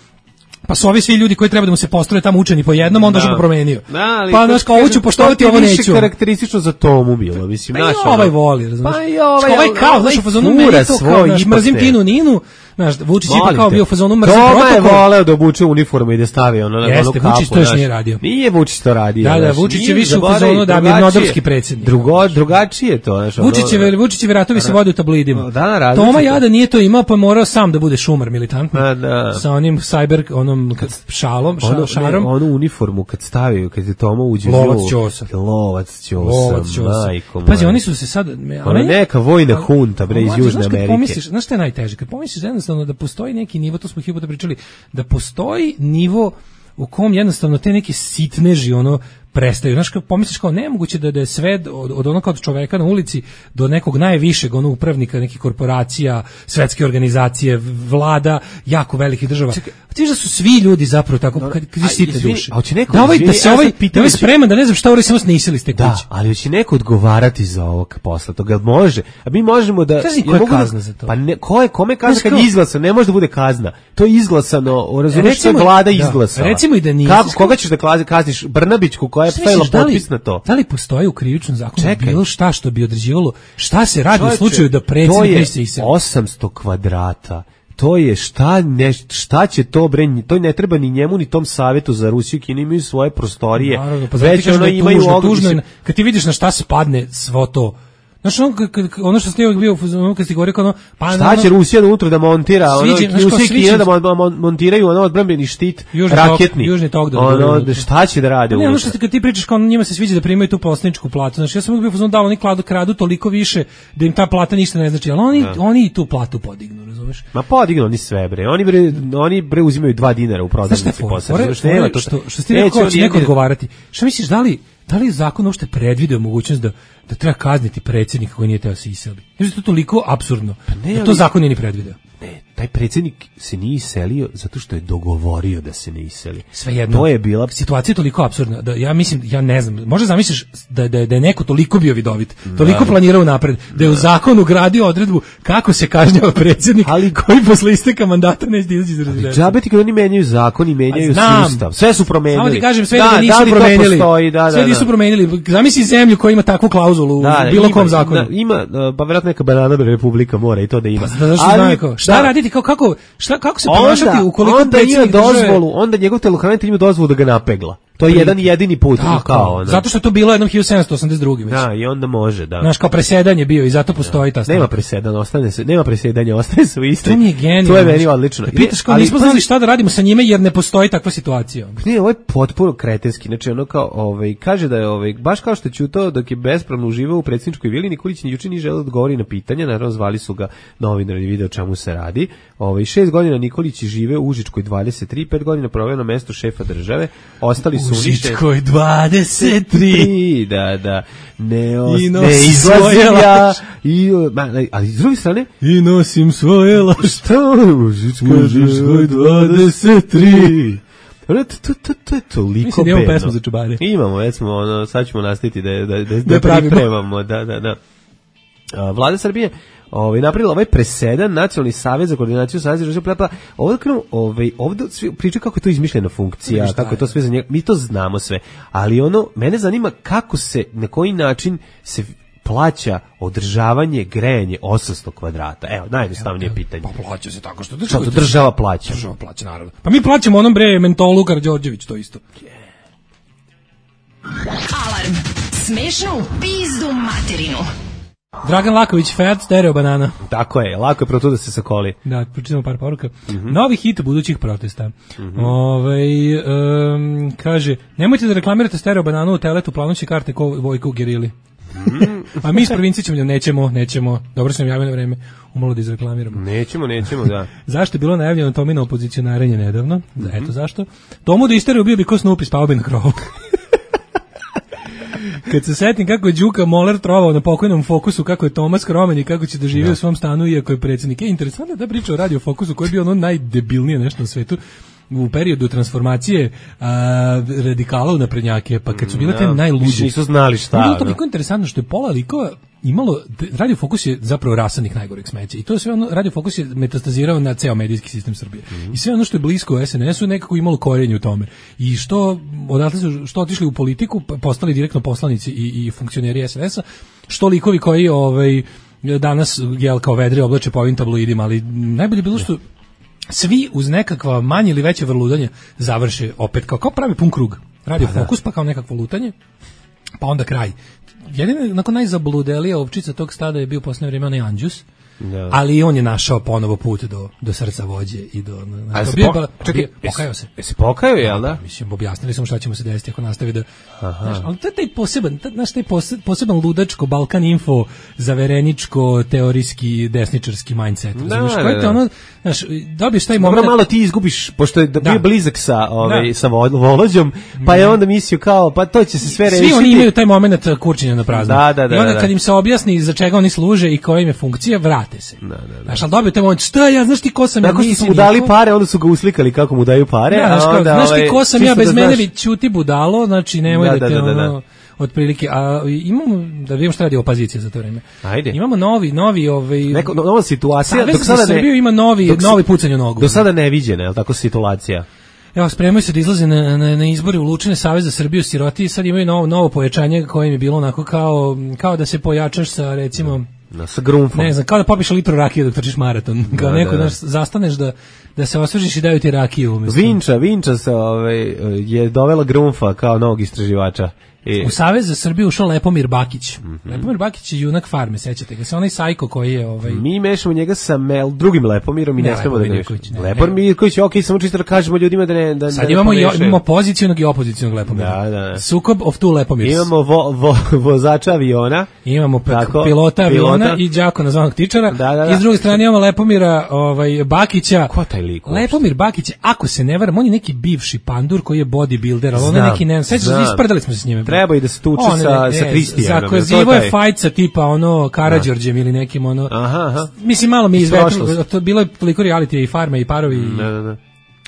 [SPEAKER 6] pa su ovi svi ljudi koji treba da mu se postroje tamo učeni po jednom, onda što ga promenio.
[SPEAKER 5] Da,
[SPEAKER 6] pa znaš, kao ovo ću poštovati, ovo neću.
[SPEAKER 5] To je karakteristično za Tomu bilo, mislim.
[SPEAKER 6] Pa i ovaj voli, razumiješ.
[SPEAKER 5] Pa i ovaj,
[SPEAKER 6] ovaj kao, znaš, u fazonu meni to kao, znaš, mrzim Tinu Ninu, znaš, Vučić je kao bio u fazonu mrzim protokol.
[SPEAKER 5] Toma je voleo da obuče uniformu i da stavi ono na onu kapu.
[SPEAKER 6] Jeste, Vučić to još nije radio.
[SPEAKER 5] Nije Vučić to radio.
[SPEAKER 6] Da, da, Vučić je više u fazonu da bi mirnodopski predsjednik.
[SPEAKER 5] Drugo, drugačije to, znaš.
[SPEAKER 6] Vučićevi, Vučićevi ratovi se vode u tabloidima.
[SPEAKER 5] Da, različito.
[SPEAKER 6] Toma Jada nije to imao, pa morao sam da bude šumar militantni. Sa onim cyber, onom šalom,
[SPEAKER 5] ono,
[SPEAKER 6] šarom.
[SPEAKER 5] Ne, onu uniformu kad stavio, kad je Toma uđe
[SPEAKER 6] Lovac Ćosa.
[SPEAKER 5] Lovac Ćosa, majko.
[SPEAKER 6] Pazi, oni su se sad...
[SPEAKER 5] Ona neka vojna hunta, bre, iz Južne Amerike.
[SPEAKER 6] Pomisliš, znaš što je najteže? Kad pomisliš jednostavno da postoji neki nivo, to smo hiljadu puta pričali, da postoji nivo u kom jednostavno te neke sitneži, ono, prestaju. Znaš, kad pomisliš kao nemoguće da, da je sve od, od onog od čoveka na ulici do nekog najvišeg onog upravnika nekih korporacija, svetske organizacije, vlada, jako velikih država. Čekaj, ti da su svi ljudi zapravo tako, kad, kad je sitne duše.
[SPEAKER 5] A hoće neko
[SPEAKER 6] da, ovaj, da se ovaj, da ovaj spreman, da ne znam šta uri samo snisili iz te kuće.
[SPEAKER 5] Da, ali hoće neko odgovarati za ovo posle toga. Može. A mi možemo da...
[SPEAKER 6] Kaži koja je kazna za to?
[SPEAKER 5] Pa ne, ko je, kome kazna kad je izglasano? Ne može da bude kazna. To je izglasano, razumiješ što je vlada izglasala.
[SPEAKER 6] Recimo i da nije.
[SPEAKER 5] Kako, koga ćeš da kazniš? Brnabićku koja je stavila potpis na to?
[SPEAKER 6] Da li postoji u krivičnom zakonu bilo šta što bi određivalo šta se radi u slučaju da predsjednik misli se
[SPEAKER 5] osamsto kvadrata. To je šta ne, šta će to bre, to ne treba ni njemu ni tom savetu za Rusiju, Kinu imaju svoje prostorije.
[SPEAKER 6] Naravno, pa već ono imaju tužno, kad ti vidiš na šta spadne svo to. Znaš, ono, ono što ste uvijek bio, ono kad ste govorio kao ono... Pa,
[SPEAKER 5] šta će
[SPEAKER 6] ono,
[SPEAKER 5] Rusija unutra da montira? Ono,
[SPEAKER 6] sviđe, znaš,
[SPEAKER 5] Rusija i
[SPEAKER 6] sviđe,
[SPEAKER 5] Kina da mon, mon, montiraju ono odbrambeni štit,
[SPEAKER 6] južni
[SPEAKER 5] raketni.
[SPEAKER 6] Tok, južni tok da
[SPEAKER 5] ono, šta će da rade
[SPEAKER 6] unutra? Ne, ono što
[SPEAKER 5] unutra?
[SPEAKER 6] kad ti pričaš kao njima se sviđa da primaju tu poslaničku platu. Znači, ja sam uvijek bio fazon da oni kladu, kradu toliko više da im ta plata ništa ne znači, ali oni,
[SPEAKER 5] da.
[SPEAKER 6] oni i tu platu podignu, razumeš?
[SPEAKER 5] Ma podignu oni sve, bre. Oni, bre, oni bre uzimaju dva dinara u prodavnici posle.
[SPEAKER 6] Što, što, što ti neko će neko odgovarati. Šta misliš, da li, da li zakon uopšte predvideo mogućnost da da treba kazniti predsjednika koji nije teo se iseli? Jer je to toliko apsurdno. Pa ne, da to zakon nije ni predvideo.
[SPEAKER 5] Ne, taj predsjednik se nije iselio zato što je dogovorio da se ne iseli.
[SPEAKER 6] Svejedno.
[SPEAKER 5] To je bila
[SPEAKER 6] situacija je toliko apsurdna da ja mislim, ja ne znam, možda zamisliš da da, da je neko toliko bio vidovit, toliko da. planirao napred, da je u zakonu ugradio odredbu kako se kažnjava predsjednik, ali koji posle isteka mandata neće izaći iz rezidencije.
[SPEAKER 5] Džabe ti kad oni menjaju zakon i menjaju sustav. Sve su promenili.
[SPEAKER 6] Samo ti kažem, sve da, da nisu da, promenili. Postoji, da, da, sve nisu promenili. Zamisli zemlju koja ima takvu klauzulu da, u bilo ima, kom zakonu.
[SPEAKER 5] Da, ima, pa verovatno neka banana republika mora i to da ima.
[SPEAKER 6] Pa, da, ali, šta raditi kao kako šta kako se ponašati ukoliko
[SPEAKER 5] onda ima dozvolu,
[SPEAKER 6] drže...
[SPEAKER 5] onda njegov telohranitelj ima dozvolu da ga napegla. To je jedan jedini put
[SPEAKER 6] da, kao onda. Zato što je to bilo jednom hiljadu sedamsto osamdeset druge već.
[SPEAKER 5] Da, i onda može, da.
[SPEAKER 6] Znaš, kao presedan je bio i zato postoji ta stvar.
[SPEAKER 5] Nema presedanja, ostane se, nema presedanja, ostaje se u istoj.
[SPEAKER 6] To mi je genijalno.
[SPEAKER 5] To je meni odlično.
[SPEAKER 6] Pitaš kao, nismo znali šta da radimo sa njime jer ne postoji takva situacija.
[SPEAKER 5] Ne, ovo je potpuno kretenski. Znači, ono kao, ovaj, kaže da je, ovaj, baš kao što je ćutao dok je bespravno uživao u predsjedničkoj vili, Nikolić ni juče nije želeo da odgovori na pitanja, naravno zvali su ga novinari, video o čemu se radi. Ovaj, šest godina Nikolić žive u Užičkoj dvadeset tri, pet godina proveo na mestu šefa države, ostali su
[SPEAKER 6] uništeni. dvadeset tri
[SPEAKER 5] da, da, ne, os, ne izlazim ja, i, ma, ali s druge strane,
[SPEAKER 6] i nosim svoje laž,
[SPEAKER 5] šta u Žičkoj dvadeset tri To, to, to, to je toliko
[SPEAKER 6] mislim, bedno. Imamo pesmu za čubare.
[SPEAKER 5] Imamo, već smo, ono, sad ćemo nastaviti da, da, da, da, da pripremamo, da, da, da. A, Vlada Srbije ovaj napravila ovaj presedan, Nacionalni savez za koordinaciju saveza država plapa. Ovdje krenu, ovaj ovdje svi pričaju kako je to izmišljena funkcija, kako je to sve za njega. Mi to znamo sve, ali ono mene zanima kako se, na koji način se plaća održavanje, grejanje osamsto kvadrata. Evo, najjednostavnije pitanje.
[SPEAKER 6] Pa plaća se tako što
[SPEAKER 5] država, što država plaća.
[SPEAKER 6] Država plaća, naravno. Pa mi plaćamo onom bre mentolu Karađorđević, to isto.
[SPEAKER 2] Alarm. Smešno u pizdu materinu.
[SPEAKER 6] Dragan Laković, Fiat Stereo Banana.
[SPEAKER 5] Tako je, lako je pro to da se sakoli.
[SPEAKER 6] Da, pročitamo par poruka. Mm-hmm. Novi hit budućih protesta. Mm-hmm. Ove, um, kaže, nemojte da reklamirate Stereo Bananu u teletu, planuće karte ko Vojko u Gerili. Mm. A mi iz provincije ćemo, nećemo, nećemo. Dobro sam javio na vreme, umalo da izreklamiramo.
[SPEAKER 5] Nećemo, nećemo, da.
[SPEAKER 6] Zašto je bilo najavljeno Tomino opozicionarenje nedavno? Mm-hmm. Eto zašto. Tomu da isteriju bio bi ko Snoopy, spao bi na krovu. Kad se setim kako je Đuka Moler trovao na pokojnom Fokusu, kako je Tomas Kromen i kako će da živi da. u svom stanu iako je predsjednik. Je interesantno da priča o Radio Fokusu koji je bio ono najdebilnije nešto na svetu u periodu transformacije a, radikala u naprednjake, pa kad su bile te no, najluđe.
[SPEAKER 5] Nisu znali šta.
[SPEAKER 6] Bilo to toliko interesantno što je pola likova imalo, Radio Fokus je zapravo rasadnik najgoreg smeća i to je sve ono, Radio Fokus je metastazirao na ceo medijski sistem Srbije. Mm-hmm. I sve ono što je blisko u es en esu nekako imalo korenje u tome. I što, odatle su, što otišli u politiku, postali direktno poslanici i, i funkcioneri es en esa, što likovi koji ovaj, danas jel, kao vedre oblače po ovim tabloidima, ali najbolje bilo što svi uz nekakva manje ili veće vrludanje završe opet kao, kao pravi pun krug. Radio pa Fokus, pa kao nekakvo lutanje, pa onda kraj. Jedina, nakon najzabludelija ovčica tog stada je bio posljednje vrijeme onaj Anđus, da. Ali on je našao ponovo put do, do srca vođe i do...
[SPEAKER 5] A se po, čekaj,
[SPEAKER 6] pokajao se.
[SPEAKER 5] Se pokajao, jel da?
[SPEAKER 6] Mislim, objasnili smo šta ćemo se desiti ako nastavi da... Znaš, ali to je taj poseban, znaš, taj poseban ludačko, Balkan Info, zavereničko, teorijski, desničarski mindset.
[SPEAKER 5] Da, da, da.
[SPEAKER 6] Koji te ono, znaš, dobiješ taj moment...
[SPEAKER 5] Dobro, malo ti izgubiš, pošto je da bio blizak sa, ove, sa Volođom, pa je onda mislio kao, pa to će se sve rešiti.
[SPEAKER 6] Svi oni imaju taj moment kurčenja na prazno.
[SPEAKER 5] Da, da, da.
[SPEAKER 6] I onda
[SPEAKER 5] da.
[SPEAKER 6] kad im se objasni za čega oni služe i koja im je funkcija, vrate se.
[SPEAKER 5] Da, da, da.
[SPEAKER 6] Znaš, ali dobio te moment, šta ja, znaš ti ko sam ja,
[SPEAKER 5] tako što su mu dali pare, onda su ga uslikali kako mu daju pare.
[SPEAKER 6] Ja, znaš, a onda, znaš ti ko sam ja, bez mene vi ćuti budalo, znači nemoj da, da te da, da, da. ono... otprilike, a imamo, da vidimo šta radi opozicija za to vreme.
[SPEAKER 5] Ajde.
[SPEAKER 6] Imamo novi, novi, ovaj...
[SPEAKER 5] Neko, nova situacija,
[SPEAKER 6] dok sada ne... Srbiju ima novi, dok, novi pucanj u nogu.
[SPEAKER 5] Do sada neviđena, je li tako situacija?
[SPEAKER 6] Evo, spremaju se da izlaze na, na, na izbori u Lučine, Savez za Srbiju, siroti, i sad imaju novo, novo pojačanje koje im je bilo onako kao, kao da se pojačaš sa, recimo...
[SPEAKER 5] No, sa grumfom.
[SPEAKER 6] Ne znam, kao da popiš litru rakije dok trčiš maraton. Kao da, neko da, da. zastaneš da, da se osvežiš i daju ti rakiju. Umjesto.
[SPEAKER 5] Vinča, Vinča se, ovaj, je dovela grumfa kao novog istraživača. E.
[SPEAKER 6] U Savez za Srbiju ušao Lepomir Bakić. Mm-hmm. Lepomir Bakić je junak Farme, sećate ga se, onaj sajko koji je... Ovaj...
[SPEAKER 5] Mi mešamo njega sa Mel, drugim Lepomirom i ne, ne smemo da ga mešamo. Lepomir Mirković, ok, samo čisto da kažemo ljudima da ne... Da,
[SPEAKER 6] Sad
[SPEAKER 5] da
[SPEAKER 6] imamo, jo, imamo pozicionog i opozicionog Lepomira.
[SPEAKER 5] Da, da.
[SPEAKER 6] Sukob of two Lepomirs.
[SPEAKER 5] Imamo vo, vo, vozača aviona.
[SPEAKER 6] Imamo
[SPEAKER 5] tako,
[SPEAKER 6] pilota aviona
[SPEAKER 5] pilota.
[SPEAKER 6] I đakona zvanog tičara.
[SPEAKER 5] Da, da, da.
[SPEAKER 6] I s druge strane imamo Lepomira ovaj, Bakića.
[SPEAKER 5] Ko taj lik?
[SPEAKER 6] Lepomir Bakić, ako se ne varam, on je neki bivši pandur koji je bodybuilder, ali on je neki, ne znam, isprdali smo se s njime.
[SPEAKER 5] Treba i da se tuče
[SPEAKER 6] on,
[SPEAKER 5] sa,
[SPEAKER 6] ne,
[SPEAKER 5] sa Kristijanom.
[SPEAKER 6] Zakozivo je fajca tipa ono Karađorđem ili nekim ono.
[SPEAKER 5] Aha, aha.
[SPEAKER 6] Mislim, malo mi izvetilo, to bilo je toliko reality i Farma i Parovi i,
[SPEAKER 5] ne, ne, ne.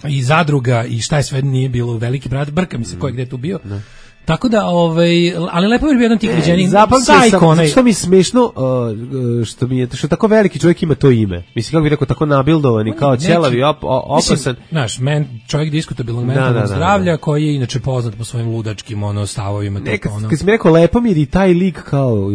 [SPEAKER 6] i Zadruga i šta je sve nije bilo, Veliki brat, brka mi se ko je gde tu bio. Ne. Tako da, ovaj, ali Lepomir bio jedan tih viđenih
[SPEAKER 5] sajko. Što mi je smešno, uh, što mi je, što tako veliki čovjek ima to ime. Mislim, kako bih rekao, tako nabildovani, kao ćelavi, op, opasan.
[SPEAKER 6] Znaš, men, čovjek diskutabilnog mentalnog da, da, zdravlja, da, da. Koji je inače poznat po svojim ludačkim ono, stavovima.
[SPEAKER 5] Ne, kad, ono. Kad si mi rekao Lepomir i taj lik kao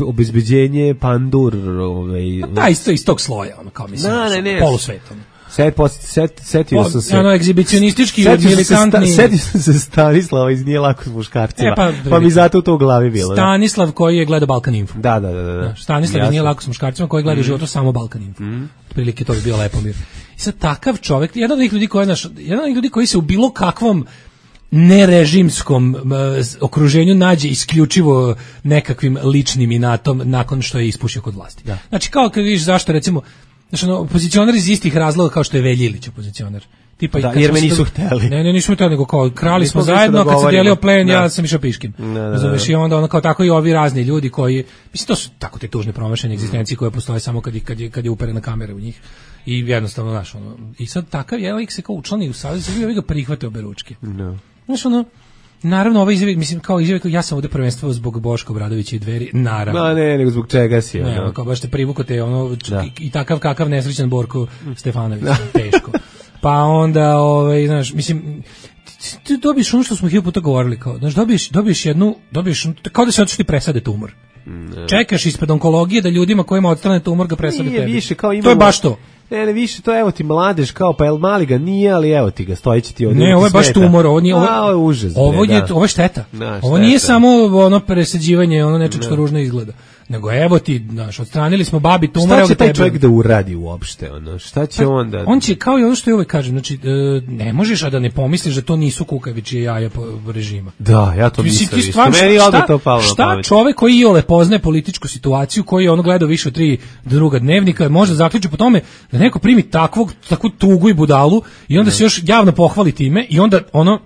[SPEAKER 5] obezbeđenje, pandur, ovaj...
[SPEAKER 6] Pa da, isto iz tog sloja, ono, kao mislim,
[SPEAKER 5] da, ne, ne,
[SPEAKER 6] polusvetom.
[SPEAKER 5] Set, set, setio sam se.
[SPEAKER 6] Ono, egzibicionistički, militantni.
[SPEAKER 5] Setio sam se Stanislava iz Nije lako s muškarcima. E, pa, pa mi zato to u glavi bilo.
[SPEAKER 6] Stanislav da. Koji je gledao Balkan Info.
[SPEAKER 5] Da, da, da. da.
[SPEAKER 6] Stanislav iz Nije lako s muškarcima koji gleda mm. životu samo Balkan Info. Mm. Prilike to bi bio Lepomir. I sad takav čovjek, jedan od njih ljudi koji, naš, jedan od njih ljudi koji se u bilo kakvom nerežimskom uh, okruženju nađe isključivo nekakvim ličnim inatom nakon što je ispušio kod vlasti. Da. Znači, kao kad vidiš zašto, recimo, znači, ono, opozicionar iz istih razloga kao što je Veljilić opozicionar. Tipa,
[SPEAKER 5] da, jer me nisu hteli.
[SPEAKER 6] Ne, ne, nismo hteli, nego kao krali smo zajedno, da kad se delio plen, da. Ja sam išao piškim. Razumeš, i onda ono kao tako i ovi razni ljudi koji, mislim, to su tako te tužne promašene egzistencije koje postoje samo kad je, kad je, kad je uperena kamera u njih. I jednostavno, znaš, ono, i sad takav je lik se kao učlani u savez, sad bi ga prihvate obe ručke. No. Znaš, ono, naravno, ovaj izjave, mislim, kao izjave, ja sam ovde prvenstvovao zbog Boška Obradovića i Dveri, naravno.
[SPEAKER 5] No, ne, nego zbog čega si.
[SPEAKER 6] Ne, no. Kao baš te privuko te, ono, da. i, i takav kakav nesrećan Borko Stefanović, da. Teško. Pa onda, ovaj, znaš, mislim, ti dobiješ ono što smo hiljadu puta govorili, kao, znaš, dobiješ, dobiješ jednu, dobiješ, kao da se otišli presade tumor. Ne. Čekaš ispred onkologije da ljudima kojima odstrane tumor ga presade tebi.
[SPEAKER 5] Više, kao imamo,
[SPEAKER 6] to je baš to.
[SPEAKER 5] Ne, ne, više, to evo ti mladež, kao, pa el mali ga nije, ali evo ti ga, stojići ti ovdje.
[SPEAKER 6] Ne, ovo je baš tumor, ovo nije, ovo,
[SPEAKER 5] A, ovo je užas.
[SPEAKER 6] Ovo je, ovo je šteta. Da, šteta. Ovo nije samo ono presađivanje, ono nečeg što ružno izgleda. Nego evo ti, znaš, odstranili smo babi tumor.
[SPEAKER 5] Šta će taj čovjek da uradi uopšte, ono? Šta će pa, on da...
[SPEAKER 6] On će, kao i ono što je uvek kažem, znači, ne možeš a da ne pomisliš da to nisu kukavičije jaja po režima.
[SPEAKER 5] Da, ja to mislim.
[SPEAKER 6] Ti stvarno, šta, to palo šta čovek koji iole poznaje političku situaciju, koji je ono gledao više od tri druga dnevnika, može zaključiti po tome da neko primi takvog, takvu tugu i budalu i onda ne. Se još javno pohvali time i onda ono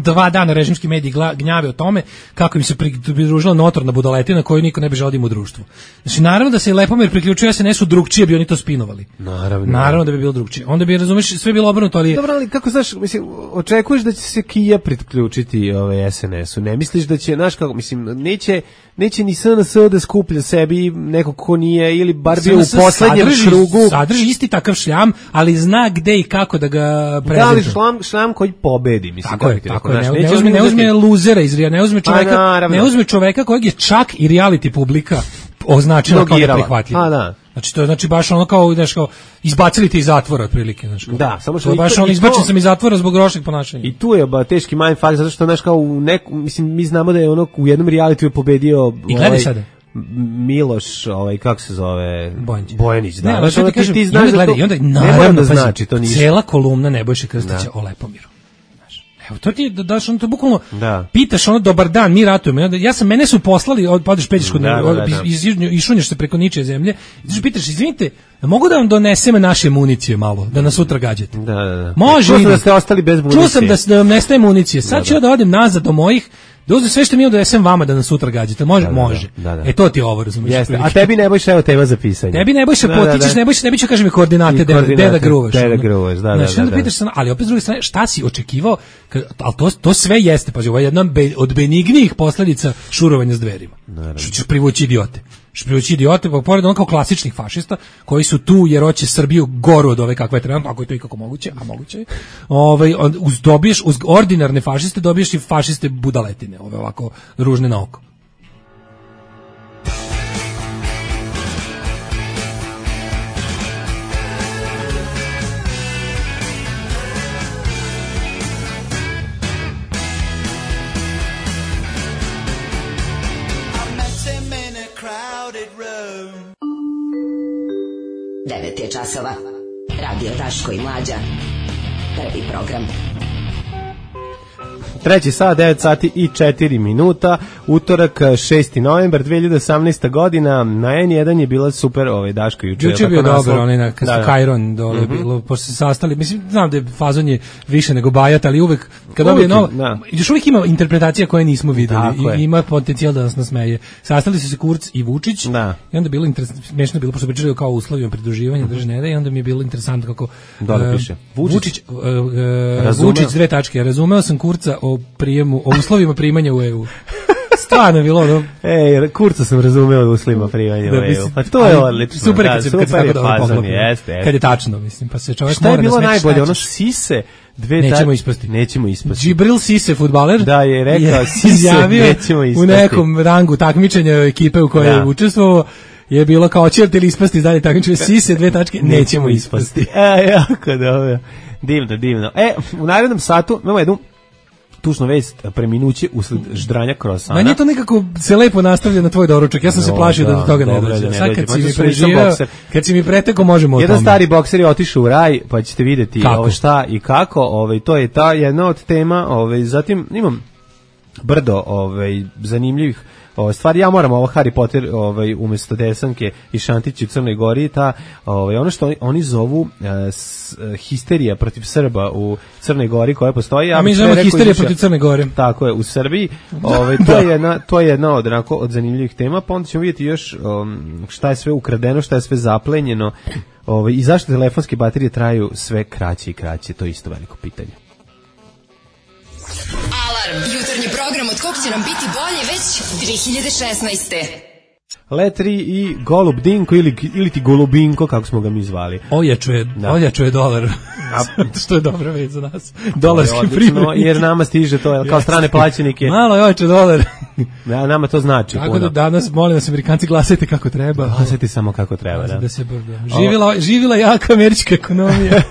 [SPEAKER 6] dva dana režimski mediji gnjave o tome kako im se pridružila notorna budaletina koju niko ne bi želeo da ima u društvu. Znači, naravno da se Lepomir priključio es en esu drugčije bi oni to spinovali.
[SPEAKER 5] Naravno.
[SPEAKER 6] Naravno da bi bilo drugčije. Onda bi, razumeš, sve bilo obrnuto, ali...
[SPEAKER 5] Dobro, ali kako, znaš, mislim, očekuješ da će se Kija priključiti ovaj es en esu. Ne misliš da će, znaš kako, mislim, neće, neće ni es en es da skuplja sebi neko ko nije, ili bar bio u poslednjem sadrži, krugu.
[SPEAKER 6] Sadrži isti takav šljam, ali zna gde i kako da ga prezentuje.
[SPEAKER 5] Da, ali šljam, šljam koji pobedi, mislim.
[SPEAKER 6] Tako je, tako je. Ne, ne, uzme, ne uzme luzera iz Rija, ne uzme čoveka,
[SPEAKER 5] pa,
[SPEAKER 6] ne uzme čoveka kojeg je čak i reality publika označila kao neprihvatljiv.
[SPEAKER 5] A da.
[SPEAKER 6] Znači to je znači baš ono kao, znaš, kao izbacili te iz zatvora otprilike, znači.
[SPEAKER 5] Da, samo što
[SPEAKER 6] baš on izbačen sam iz zatvora zbog lošeg ponašanja.
[SPEAKER 5] I tu je ba teški mindfuck zato što znaš kao u neku, mislim mi znamo da je ono u jednom realitiju pobedio
[SPEAKER 6] i gledaj ovaj, sada
[SPEAKER 5] Miloš, ovaj kako se zove,
[SPEAKER 6] Bojanić,
[SPEAKER 5] Bojanić da.
[SPEAKER 6] Ne, znači, ti, kažem, ti znaš da to, i onda naravno da znači to ništa. Cela kolumna Nebojše Krstića o Lepomiru. Evo, to ti da daš ono, to bukvalno da. Pitaš ono, dobar dan, mi ratujemo. Ja sam, mene su poslali, od, padeš peđeš kod da, da, da, da. iz, išunješ se preko ničije zemlje, i pitaš, izvinite, mogu da vam donesem naše municije malo, da nas sutra gađate?
[SPEAKER 5] Da, da, da.
[SPEAKER 6] Može.
[SPEAKER 5] Čuo sam da ste ostali bez municije.
[SPEAKER 6] Čuo sam da, da vam nestaje municije. Sad da, ću da. da odem nazad do mojih, da uzmem sve što mi imam da donesem vama da nas sutra gađate. Može? Da, da, može. Da, da. E to ti je ovo, razumiješ?
[SPEAKER 5] Jeste. A tebi Nebojša, evo tema za pisanje.
[SPEAKER 6] Tebi Nebojša, da, potičeš, da, da. Nebojša, Nebojša, kažem mi koordinate, gde da gruvaš.
[SPEAKER 5] Gde da gruvaš, da, da,
[SPEAKER 6] da. Pitaš se, ali opet s druge strane, šta si očekivao, ali to, to sve jeste, pazi, ovo je jedna od benignijih posledica šurovanja s Dverima. Što ćeš privući idiote. Što privući idiote, pa pored ono kao klasičnih fašista, koji su tu jer hoće Srbiju goru od ove kakva je trenutno, ako je to ikako moguće, a moguće je, ovaj, uz, dobiješ, uz ordinarne fašiste dobiješ i fašiste budaletine, ove ovako ružne na oko.
[SPEAKER 7] devet je časova. Radio Daško i Mlađa. Prvi program.
[SPEAKER 5] Treći sat, devet sati i četiri minuta, utorak šesti novembar dve hiljade osamnaeste. godina, na en jedan je bila super ovaj Daško juče.
[SPEAKER 6] Juče je bio dobar, onaj na Kajron dole mm -hmm. bilo, pošto se sastali, mislim, znam da je fazon je više nego bajat, ali uvek, kad dobije novo, još uvijek ima interpretacija koje nismo videli i ima potencijal da nas nasmeje. Sastali su se Kurz i Vučić da. I onda je bilo smiješno bilo, pošto pričali kao uslovima pridruživanja, drži ne da, i onda mi je bilo interesantno kako
[SPEAKER 5] dole piše.
[SPEAKER 6] Vučić, Vučić, uh, uh, Vučić dve tačke, razumeo sam Kurca o prijemu, o uslovima primanja u E U. Stvarno je bilo ono...
[SPEAKER 5] Ej, Kurca sam razumeo u uslovima primanja u E U. Pa to je odlično.
[SPEAKER 6] Super kad se tako dobro poklopi. Kad je tačno, mislim. Pa se čovjek
[SPEAKER 5] šta je bilo najbolje? Ono Sise, dve
[SPEAKER 6] nećemo ispasti.
[SPEAKER 5] Nećemo ispasti.
[SPEAKER 6] Džibril Sise, fudbaler,
[SPEAKER 5] da je rekao Sise, nećemo ispasti.
[SPEAKER 6] U nekom rangu takmičenja ekipe u kojoj je učestvovao je bilo kao ćete li ispasti dalje takmičenje Sise, dve tačke, nećemo ispasti.
[SPEAKER 5] E, jako dobro. Divno, divno. E, u narednom satu imamo jednu tužnu vest, preminuće usled ždranja krosana.
[SPEAKER 6] Meni je to nekako se lepo nastavlja na tvoj doručak. Ja sam no, se plašio da, da do toga ne dođe. Sad kad si mi preživio, kad si mi pretekao, možemo o tome.
[SPEAKER 5] Jedan stari bokser je otišao u raj, pa ćete vidjeti ovo šta i kako. Ovaj, to je ta jedna od tema. Ovaj, zatim imam brdo ovaj, zanimljivih Ove stvari, ja moram ovo Harry Potter ovaj umjesto Desanke i Šantić u Crnoj Gori, ta ovaj ono što oni, oni zovu uh, s, uh, histerija protiv Srba u Crnoj Gori koja postoji,
[SPEAKER 6] ja a mi zovemo histerija izuča, protiv Crne Gore.
[SPEAKER 5] Tako je, u Srbiji. Ovaj to je jedna to je jedna od onako od zanimljivih tema, pa onda ćemo vidjeti još um, šta je sve ukradeno, šta je sve zaplenjeno, ovaj i zašto telefonske baterije traju sve kraće i kraće, to je isto veliko pitanje.
[SPEAKER 2] Alarm, jutarnji program od kog će nam biti bolje već dve hiljade šesnaeste.
[SPEAKER 5] Letri i Golub Dinko ili, ili ti Golubinko, kako smo ga mi zvali.
[SPEAKER 6] Ojačuje, da. ojačuje dolar, što je dobra već za nas. Dolarski privrednik.
[SPEAKER 5] Jer nama stiže to, kao strane plaćenike.
[SPEAKER 6] Malo je ojačuje dolar.
[SPEAKER 5] Da, nama to znači.
[SPEAKER 6] Tako da danas, molim vas, Amerikanci, glasajte kako treba.
[SPEAKER 5] Glasajte samo kako treba, da.
[SPEAKER 6] da se živila, živila jaka američka ekonomija.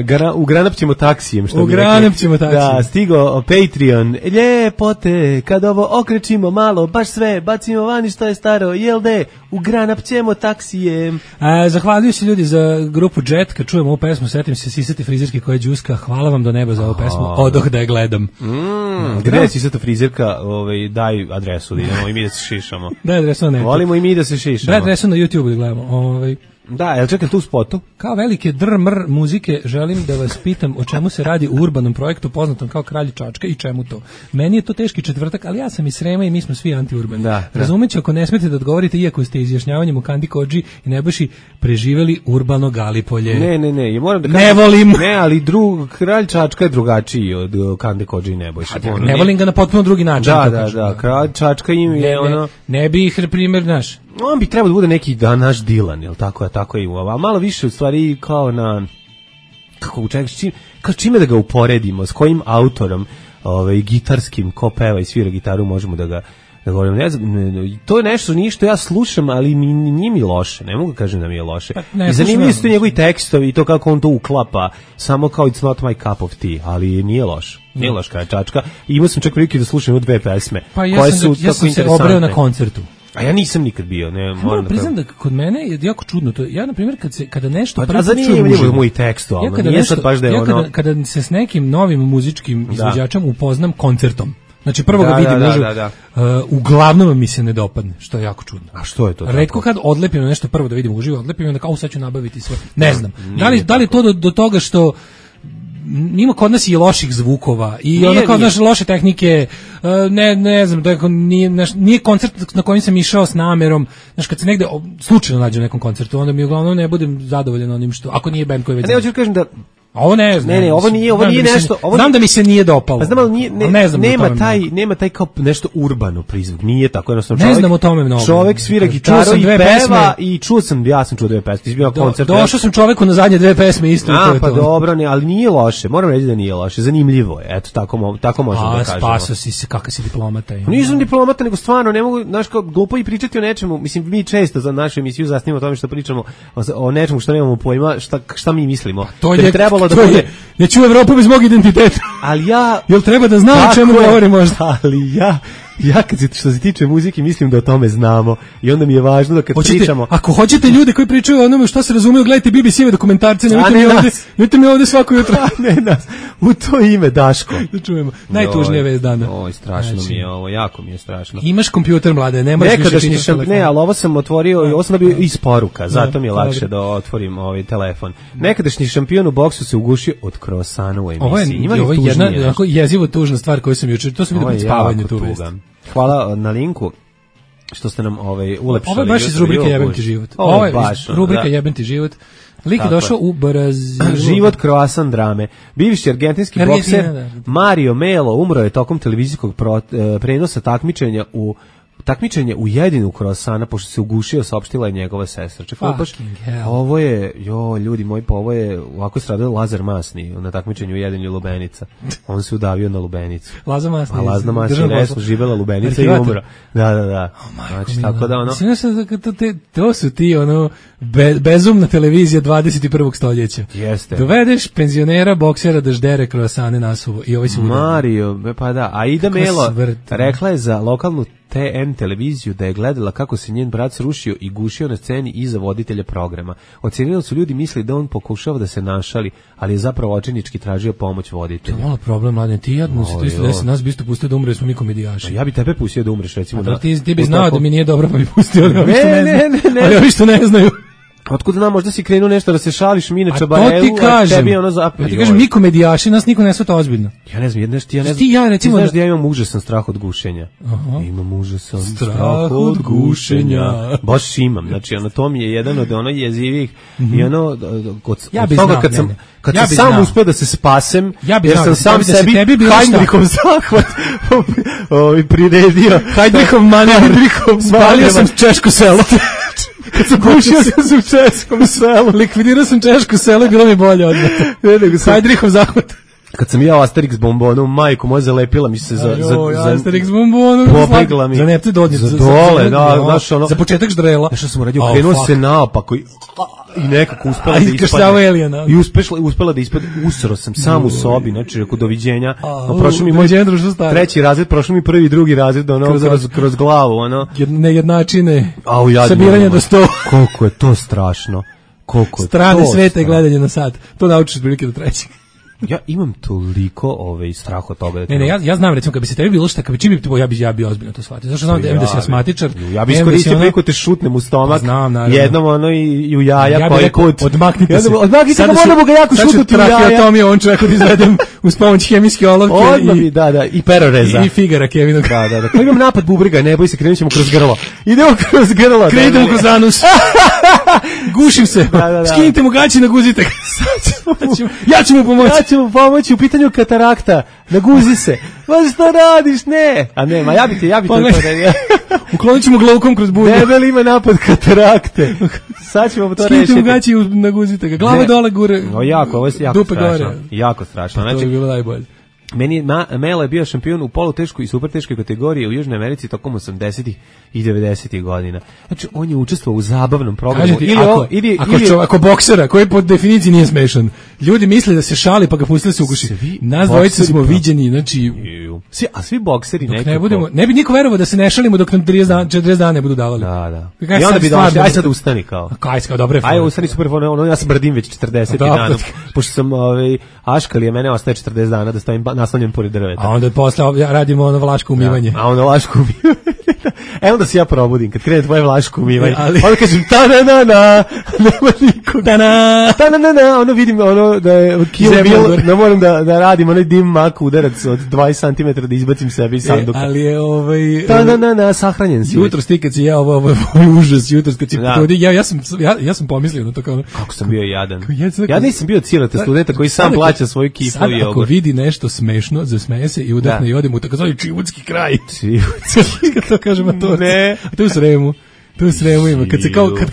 [SPEAKER 5] Gra, ugranap ćemo taksijem, što
[SPEAKER 6] ugranap ćemo taksijem.
[SPEAKER 5] Da, stigo Patreon. Ljepote, kad ovo okrećimo malo, baš sve, bacimo vani što je staro, jel de, ugranap ćemo taksijem.
[SPEAKER 6] A, zahvaljuju se ljudi za grupu Jet, kad čujemo ovu pesmu, setim se Sisati frizerke koja je džuska, hvala vam do neba za ovu pesmu, odoh da je gledam.
[SPEAKER 5] Mm, gde je Sisata frizerka, ovaj, daj adresu, da idemo i mi da se šišamo.
[SPEAKER 6] Daj adresu na netu.
[SPEAKER 5] Volimo i mi da se šišamo.
[SPEAKER 6] Daj adresu na YouTube da gledamo, ovaj.
[SPEAKER 5] Da, jel čekam tu spotu?
[SPEAKER 6] Kao velike drmr muzike želim da vas pitam o čemu se radi u urbanom projektu poznatom kao Kralj Čačka i čemu to. Meni je to teški četvrtak, ali ja sam iz Srema i mi smo svi antiurbani. Da, da. Razumeću ako ne smete da odgovorite, iako ste izjašnjavanjem u Kandi Kodži i Nebojši preživeli urbano Galipolje.
[SPEAKER 5] Ne, ne, ne, ja moram da
[SPEAKER 6] kažem, ne volim.
[SPEAKER 5] Ne, ali drug, Kralj Čačka je drugačiji od Kandi Kodži i Nebojši.
[SPEAKER 6] Ne, ne volim ga na potpuno drugi način.
[SPEAKER 5] Da, da, da, Kralj Čačka im je ono...
[SPEAKER 6] Ne bi ih, primjer, naš...
[SPEAKER 5] On bi trebao da bude neki da naš Dilan, jel tako je, tako je, a malo više u stvari kao na kako čak čim, kao čime da ga uporedimo, s kojim autorom, ovaj gitarskim, ko peva i svira gitaru, možemo da ga da govorim, ne znam, ne, to je nešto nije što ja slušam, ali mi nije mi loše, ne mogu da kažem da mi je loše. Pa, I zanimljivi su njegovi tekstovi i to kako on to uklapa, samo kao it's not my cup of tea, ali nije loše. Nije loš Kralj Čačka. I imao sam čak prilike da slušam dve pesme,
[SPEAKER 6] pa ja
[SPEAKER 5] koje
[SPEAKER 6] sam,
[SPEAKER 5] su
[SPEAKER 6] ja sam se obreo na koncertu.
[SPEAKER 5] A ja nisam nikad bio, ne,
[SPEAKER 6] moram da priznam da kod mene je jako čudno to. Ja na primjer kad se kada nešto
[SPEAKER 5] pa, zanimljivo je moj tekstualno, ja nije sad baš da je
[SPEAKER 6] ja
[SPEAKER 5] ono.
[SPEAKER 6] Kada, kada se s nekim novim muzičkim izvođačem da. upoznam koncertom. Znači prvo da, ga vidim da, uživo. Da, da, da. Uh, uglavnom mi se ne dopadne, što je jako čudno.
[SPEAKER 5] A što je to?
[SPEAKER 6] Retko kad odlepim nešto prvo da vidim uživo, odlepim i onda kao sad ću nabaviti sve. Ne znam. Da li da li to do, do toga što ima kod nas i loših zvukova i nije, onda kao naše loše tehnike, ne ne znam, da nije naš, nije koncert na kojem sam išao s namerom, znači kad se negde slučajno nađem na nekom koncertu, onda mi uglavnom ne budem zadovoljan onim što, ako nije bend koji već.
[SPEAKER 5] Ne, hoću kažem da
[SPEAKER 6] ovo ne znam.
[SPEAKER 5] Ne, ne, ovo nije, ovo nije
[SPEAKER 6] da
[SPEAKER 5] nešto, ovo
[SPEAKER 6] znam da mi se nije dopalo.
[SPEAKER 5] Pa znam, ali nije, ne,
[SPEAKER 6] ne znam
[SPEAKER 5] nema taj, mnogo. Nema taj kao nešto urbano prizvuk. Nije tako, jednostavno čovjek.
[SPEAKER 6] Ne znam o tome mnogo.
[SPEAKER 5] Čovjek svira gitaru i peva pesme. I čuo sam, ja sam čuo dve pesme. Izbio
[SPEAKER 6] Do,
[SPEAKER 5] koncert.
[SPEAKER 6] Došao sam čoveku na zadnje dve pesme isto.
[SPEAKER 5] A, to pa to. Dobro, ne, ali nije loše. Moram reći da nije loše. Zanimljivo je. Eto, tako, tako možemo da kažemo.
[SPEAKER 6] A, spaso si se, kakav si diplomata.
[SPEAKER 5] Nisam diplomata, nego stvarno, ne mogu, znaš, kao glupo i pričati o nečemu. Mislim, mi često za našu emisiju zasnivamo o tome što pričamo o nečemu što nemamo pojma, šta, šta mi mislimo.
[SPEAKER 6] To je trebalo da bude. Ne čuo Evropu bez mog identiteta.
[SPEAKER 5] Ali ja...
[SPEAKER 6] Jel treba da znam o čemu govorimo možda?
[SPEAKER 5] Ali ja ja kad se, što se tiče muzike mislim da o tome znamo i onda mi je važno da kad
[SPEAKER 6] hoćete,
[SPEAKER 5] pričamo...
[SPEAKER 6] Ako hoćete ljude koji pričaju o onome šta se razumeju, gledajte B B C-ove dokumentarce, nemojte
[SPEAKER 5] ne
[SPEAKER 6] mi ovde,
[SPEAKER 5] nas.
[SPEAKER 6] nemojte mi ovde svako jutro.
[SPEAKER 5] ne nas, u to ime Daško.
[SPEAKER 6] Da čujemo. Najtužnija vest dana.
[SPEAKER 5] Oj, strašno
[SPEAKER 6] znači,
[SPEAKER 5] mi je ovo, jako mi je strašno.
[SPEAKER 6] Imaš kompjuter, mlade, ne možeš više čitati
[SPEAKER 5] šamp... Ne, ali ovo sam otvorio, ovo sam dobio iz poruka, zato mi je
[SPEAKER 6] da,
[SPEAKER 5] lakše
[SPEAKER 6] dobro.
[SPEAKER 5] da otvorim ovaj telefon. Nekadašnji šampion u boksu se ugušio od krosana u emisiji.
[SPEAKER 6] Ovo je,
[SPEAKER 5] Ima li
[SPEAKER 6] ovo je
[SPEAKER 5] tužnije
[SPEAKER 6] jedna
[SPEAKER 5] nešto?
[SPEAKER 6] onako jezivo tužna stvar koju sam juče, to sam vidio
[SPEAKER 5] Ovo je
[SPEAKER 6] pred spavanjem
[SPEAKER 5] jako
[SPEAKER 6] tu vest.
[SPEAKER 5] tuga. Hvala na linku što ste nam ovaj ulepšali.
[SPEAKER 6] Ovo je baš iz
[SPEAKER 5] jutro,
[SPEAKER 6] rubrike
[SPEAKER 5] jo,
[SPEAKER 6] Jebem
[SPEAKER 5] bože.
[SPEAKER 6] ti život.
[SPEAKER 5] Ovo
[SPEAKER 6] Ovo
[SPEAKER 5] je
[SPEAKER 6] je
[SPEAKER 5] baš,
[SPEAKER 6] iz rubrike
[SPEAKER 5] da.
[SPEAKER 6] Jebem ti život. Lik je
[SPEAKER 5] Tako
[SPEAKER 6] došao
[SPEAKER 5] je.
[SPEAKER 6] u Brazilu.
[SPEAKER 5] Život kroasan drame. Bivši argentinski
[SPEAKER 6] Argentina,
[SPEAKER 5] bokser
[SPEAKER 6] da.
[SPEAKER 5] Mario Melo umro je tokom televizijskog pro, e, prenosa takmičenja u takmičenje u jedinu kroasana, pošto se ugušio, saopštila je njegova sestra. Čekaj, baš,
[SPEAKER 6] Fucking hell.
[SPEAKER 5] ovo je, jo, ljudi moji, pa ovo je, ovako stradao Lazar Masni na takmičenju u jedinju lubenica. On se udavio na lubenicu.
[SPEAKER 6] Laza Masni.
[SPEAKER 5] A Lazna Masni
[SPEAKER 6] državno
[SPEAKER 5] ne
[SPEAKER 6] poslo.
[SPEAKER 5] živela lubenica i
[SPEAKER 6] Arhivator.
[SPEAKER 5] umro. Da, da, da.
[SPEAKER 6] Majko
[SPEAKER 5] Znači,
[SPEAKER 6] mila.
[SPEAKER 5] tako da ono...
[SPEAKER 6] Mislim, znaš, to, to, te- to su ti, ono, be, bezumna televizija dvadeset prvog stoljeća.
[SPEAKER 5] Jeste.
[SPEAKER 6] Dovedeš penzionera, boksera da ždere kroasane nasuvo i ovaj se udari.
[SPEAKER 5] Mario, pa da, Aida
[SPEAKER 6] Kakva
[SPEAKER 5] Melo
[SPEAKER 6] smrt.
[SPEAKER 5] rekla je za lokalnu T N televiziju da je gledala kako se njen brat srušio i gušio na sceni iza voditelja programa. Ocenili su ljudi mislili da on pokušava da se našali, ali je zapravo očajnički tražio pomoć
[SPEAKER 6] To je
[SPEAKER 5] voditelja.
[SPEAKER 6] malo problem, mladen. Ti jadno se
[SPEAKER 5] O,
[SPEAKER 6] to isto
[SPEAKER 5] jo.
[SPEAKER 6] desi, nas bi isto pustio da umre, jer smo mi komedijaši.
[SPEAKER 5] Ja bi tebe pustio da umreš, recimo.
[SPEAKER 6] Da,
[SPEAKER 5] da,
[SPEAKER 6] ti, ti bi
[SPEAKER 5] u
[SPEAKER 6] znao
[SPEAKER 5] tako-
[SPEAKER 6] da mi nije dobro, pa bi pustio, ali ovi što
[SPEAKER 5] Ne,
[SPEAKER 6] ne,
[SPEAKER 5] ne,
[SPEAKER 6] znaju.
[SPEAKER 5] ne, ne.
[SPEAKER 6] Ali ovi što ne znaju.
[SPEAKER 5] Otkud znam, možda si krenuo nešto da se šališ Mine
[SPEAKER 6] A to
[SPEAKER 5] Čabarelu,
[SPEAKER 6] ti
[SPEAKER 5] a
[SPEAKER 6] kažem.
[SPEAKER 5] tebi je ono zapeo.
[SPEAKER 6] Ja ti kažem, mi komedijaši, nas niko ne shvata ozbiljno.
[SPEAKER 5] Ja ne znam, jedna što ja ne znam.
[SPEAKER 6] Ti ja, recimo,
[SPEAKER 5] ti znaš
[SPEAKER 6] da-
[SPEAKER 5] da ja imam užasan strah od gušenja.
[SPEAKER 6] Aha.
[SPEAKER 5] Imam užasan
[SPEAKER 6] Strah
[SPEAKER 5] strah,
[SPEAKER 6] od
[SPEAKER 5] od gušenja. Baš imam. Znači, ono, to mi je jedan od ono jezivih i ono, kod,
[SPEAKER 6] Ja
[SPEAKER 5] od
[SPEAKER 6] bi
[SPEAKER 5] toga
[SPEAKER 6] znao,
[SPEAKER 5] kad
[SPEAKER 6] ne,
[SPEAKER 5] sam,
[SPEAKER 6] ne.
[SPEAKER 5] kad
[SPEAKER 6] Ja
[SPEAKER 5] sam
[SPEAKER 6] bi
[SPEAKER 5] sam
[SPEAKER 6] znao.
[SPEAKER 5] uspeo da se spasem,
[SPEAKER 6] Ja bi
[SPEAKER 5] jer
[SPEAKER 6] znao
[SPEAKER 5] sam
[SPEAKER 6] da
[SPEAKER 5] sam
[SPEAKER 6] tebi- da se
[SPEAKER 5] sebi
[SPEAKER 6] tebi bilo šta.
[SPEAKER 5] Heinrichom zahvat ovaj, priredio.
[SPEAKER 6] Heinrichom manevar.
[SPEAKER 5] Heinrichom
[SPEAKER 6] Spalio
[SPEAKER 5] manevar.
[SPEAKER 6] sam češko selo.
[SPEAKER 5] Kad sam gušio sam u českom selu.
[SPEAKER 6] Likvidirao sam češko selo i bilo mi bolje odmah.
[SPEAKER 5] Ne, nego sam-
[SPEAKER 6] Heidrichov zahvat.
[SPEAKER 5] Kad sam jeo Asterix bombonom, majko moja zalepila mi se za... za,
[SPEAKER 6] Joj,
[SPEAKER 5] za
[SPEAKER 6] Asterix bombonu.
[SPEAKER 5] Pobegla mi.
[SPEAKER 6] Za nepte dodnje.
[SPEAKER 5] Za dole, da, znaš, ono-
[SPEAKER 6] Za početak ždrela.
[SPEAKER 5] Znaš što sam uradio?
[SPEAKER 6] Oh,
[SPEAKER 5] Krenuo
[SPEAKER 6] fuck.
[SPEAKER 5] se naopako i, i nekako uspela
[SPEAKER 6] A,
[SPEAKER 5] da
[SPEAKER 6] iskrštavao
[SPEAKER 5] ispadne.
[SPEAKER 6] Elijana.
[SPEAKER 5] I uspešla, uspela da ispadne. Usro sam sam u sobi, znači rekao doviđenja.
[SPEAKER 6] A,
[SPEAKER 5] A prošao mi moj
[SPEAKER 6] doviđenja, društvo staro.
[SPEAKER 5] treći razred, prošao mi prvi i drugi razred, ono,
[SPEAKER 6] Kroz-
[SPEAKER 5] kroz, kroz, glavu, ono.
[SPEAKER 6] Jed- Nejednačine.
[SPEAKER 5] Au, jadno,
[SPEAKER 6] Sabiranje
[SPEAKER 5] ono.
[SPEAKER 6] do sto.
[SPEAKER 5] Koliko je to strašno. Koliko je
[SPEAKER 6] Strane
[SPEAKER 5] to
[SPEAKER 6] sveta i
[SPEAKER 5] strašno.
[SPEAKER 6] gledanje na sat. To naučiš prilike do trećeg.
[SPEAKER 5] Ja imam toliko ovaj, strah od toga. Da
[SPEAKER 6] Ne, ne, ja, ja znam, recimo, kad bi se tebi bilo šta, kad bi čim bi, ja bi, ja bi ozbiljno to shvatio. Zašto znam da, em da si asmatičar.
[SPEAKER 5] Ja bi
[SPEAKER 6] em da si
[SPEAKER 5] iskoristio
[SPEAKER 6] ono-
[SPEAKER 5] priliku te šutnem u stomak.
[SPEAKER 6] Pa znam, naravno.
[SPEAKER 5] Jednom ono i, i u jaja
[SPEAKER 6] Ja bih
[SPEAKER 5] koji
[SPEAKER 6] rekao,
[SPEAKER 5] put.
[SPEAKER 6] odmaknite se.
[SPEAKER 5] Jednom, Odmaknite
[SPEAKER 6] Sada
[SPEAKER 5] ga,
[SPEAKER 6] ću-
[SPEAKER 5] moramo ga jako
[SPEAKER 6] sad ću
[SPEAKER 5] šutnuti u jaja.
[SPEAKER 6] traheotomiju ovom čovjeku da izvedem uz pomoć hemijske olovke
[SPEAKER 5] Odmah
[SPEAKER 6] i,
[SPEAKER 5] bi, da, da, i peroreza.
[SPEAKER 6] i figara Kevinog.
[SPEAKER 5] Da, da, da. Ko imam napad bubriga, ne boj se, krenut ćemo kroz grlo. Idemo kroz grlo.
[SPEAKER 6] Krenite mu kroz anus. Gušim se.
[SPEAKER 5] Da, da, da.
[SPEAKER 6] Skinite mu gaći, naguzite ga. Ja ću- Ja ću mu pomoći.
[SPEAKER 5] Ja ću mu pomoći u pitanju katarakta. Naguzi se. Ma što radiš? Ne. A ne, ma ja bi ti, ja bi
[SPEAKER 6] Pa
[SPEAKER 5] to
[SPEAKER 6] ne.
[SPEAKER 5] to ne.
[SPEAKER 6] Uklonit ću mu glaukom kroz bulju.
[SPEAKER 5] Debel ima napad katarakte. Sad ćemo to
[SPEAKER 6] Skinite mu
[SPEAKER 5] rešiti.
[SPEAKER 6] gaći i naguzite ga. Glava
[SPEAKER 5] Ne.
[SPEAKER 6] dole, gure.
[SPEAKER 5] O, jako, ovo je jako
[SPEAKER 6] Dupe
[SPEAKER 5] strašno.
[SPEAKER 6] gore.
[SPEAKER 5] Jako strašno.
[SPEAKER 6] To
[SPEAKER 5] Znači,
[SPEAKER 6] bi bilo najbolje.
[SPEAKER 5] meni je Ma, Melo je bio šampion u poluteškoj i superteškoj kategoriji u Južnoj Americi tokom osamdesetih i devedesetih godina. Znači, on je učestvovao u zabavnom programu.
[SPEAKER 6] Kažem ti,
[SPEAKER 5] Ili
[SPEAKER 6] ako,
[SPEAKER 5] ovo- ili,
[SPEAKER 6] ako,
[SPEAKER 5] ili,
[SPEAKER 6] čo, ako boksera, koji po definiciji nije smešan, ljudi misle da se šali pa ga pustili se uguši.
[SPEAKER 5] Svi
[SPEAKER 6] Nas dvojica
[SPEAKER 5] bokseri
[SPEAKER 6] smo
[SPEAKER 5] pa-
[SPEAKER 6] viđeni, znači,
[SPEAKER 5] Ju. Svi, a svi bokseri
[SPEAKER 6] dok
[SPEAKER 5] nekako.
[SPEAKER 6] ne budemo, ne bi niko verovao da se ne šalimo dok nam trideset dana, četrdeset dana ne budu davali.
[SPEAKER 5] Da, da.
[SPEAKER 6] Kaj
[SPEAKER 5] I onda
[SPEAKER 6] sad
[SPEAKER 5] bi
[SPEAKER 6] stvarno-
[SPEAKER 5] došli, aj sad ustani kao.
[SPEAKER 6] Kaj kao dobre
[SPEAKER 5] Aj,
[SPEAKER 6] fore.
[SPEAKER 5] ustani super, ono, ono, ja sam brdim već četrdeset
[SPEAKER 6] Da,
[SPEAKER 5] dana.
[SPEAKER 6] pa-
[SPEAKER 5] Pošto sam, ovaj, aškali je mene, ostaje četrdeset dana da stavim ba- naslanjen pored drveta.
[SPEAKER 6] A onda posle ja radimo ono vlaško umivanje.
[SPEAKER 5] A onda vlaško umivanje. E onda se ja probudim, kad krene tvoje vlaško umivanje.
[SPEAKER 6] E, ali-
[SPEAKER 5] Onda kažem, ta na na na, nema nikog.
[SPEAKER 6] Ta-na!
[SPEAKER 5] Ta na na na, ono vidim ono da je Kill
[SPEAKER 6] Zemlja
[SPEAKER 5] Bill,
[SPEAKER 6] gore.
[SPEAKER 5] da moram da, da radim onaj dim mak udarac od dvadeset centimetara da izbacim sebi iz
[SPEAKER 6] E,
[SPEAKER 5] sanduka.
[SPEAKER 6] ali je ovaj...
[SPEAKER 5] Ta na na na, sahranjen si.
[SPEAKER 6] Jutro ti kad si ja ovo, ovo, ovo užas, jutro kad si
[SPEAKER 5] Da.
[SPEAKER 6] pogodio, ja, ja, sam, ja, ja sam pomislio na to kao ono,
[SPEAKER 5] Kako sam bio jadan.
[SPEAKER 6] Ja sam-
[SPEAKER 5] Ja nisam bio cilate studenta koji sam
[SPEAKER 6] Sad ako-
[SPEAKER 5] plaća svoju kifu
[SPEAKER 6] sad
[SPEAKER 5] i
[SPEAKER 6] ako
[SPEAKER 5] jogurt.
[SPEAKER 6] vidi nešto smešno, zasmeje se i udahne
[SPEAKER 5] Da.
[SPEAKER 6] i ode mu takozvani čivudski kraj.
[SPEAKER 5] Čivudski.
[SPEAKER 6] Kad to kažemo to.
[SPEAKER 5] Ne.
[SPEAKER 6] A to je u Sremu. To je u Sremu ima. Kad se kao, kad,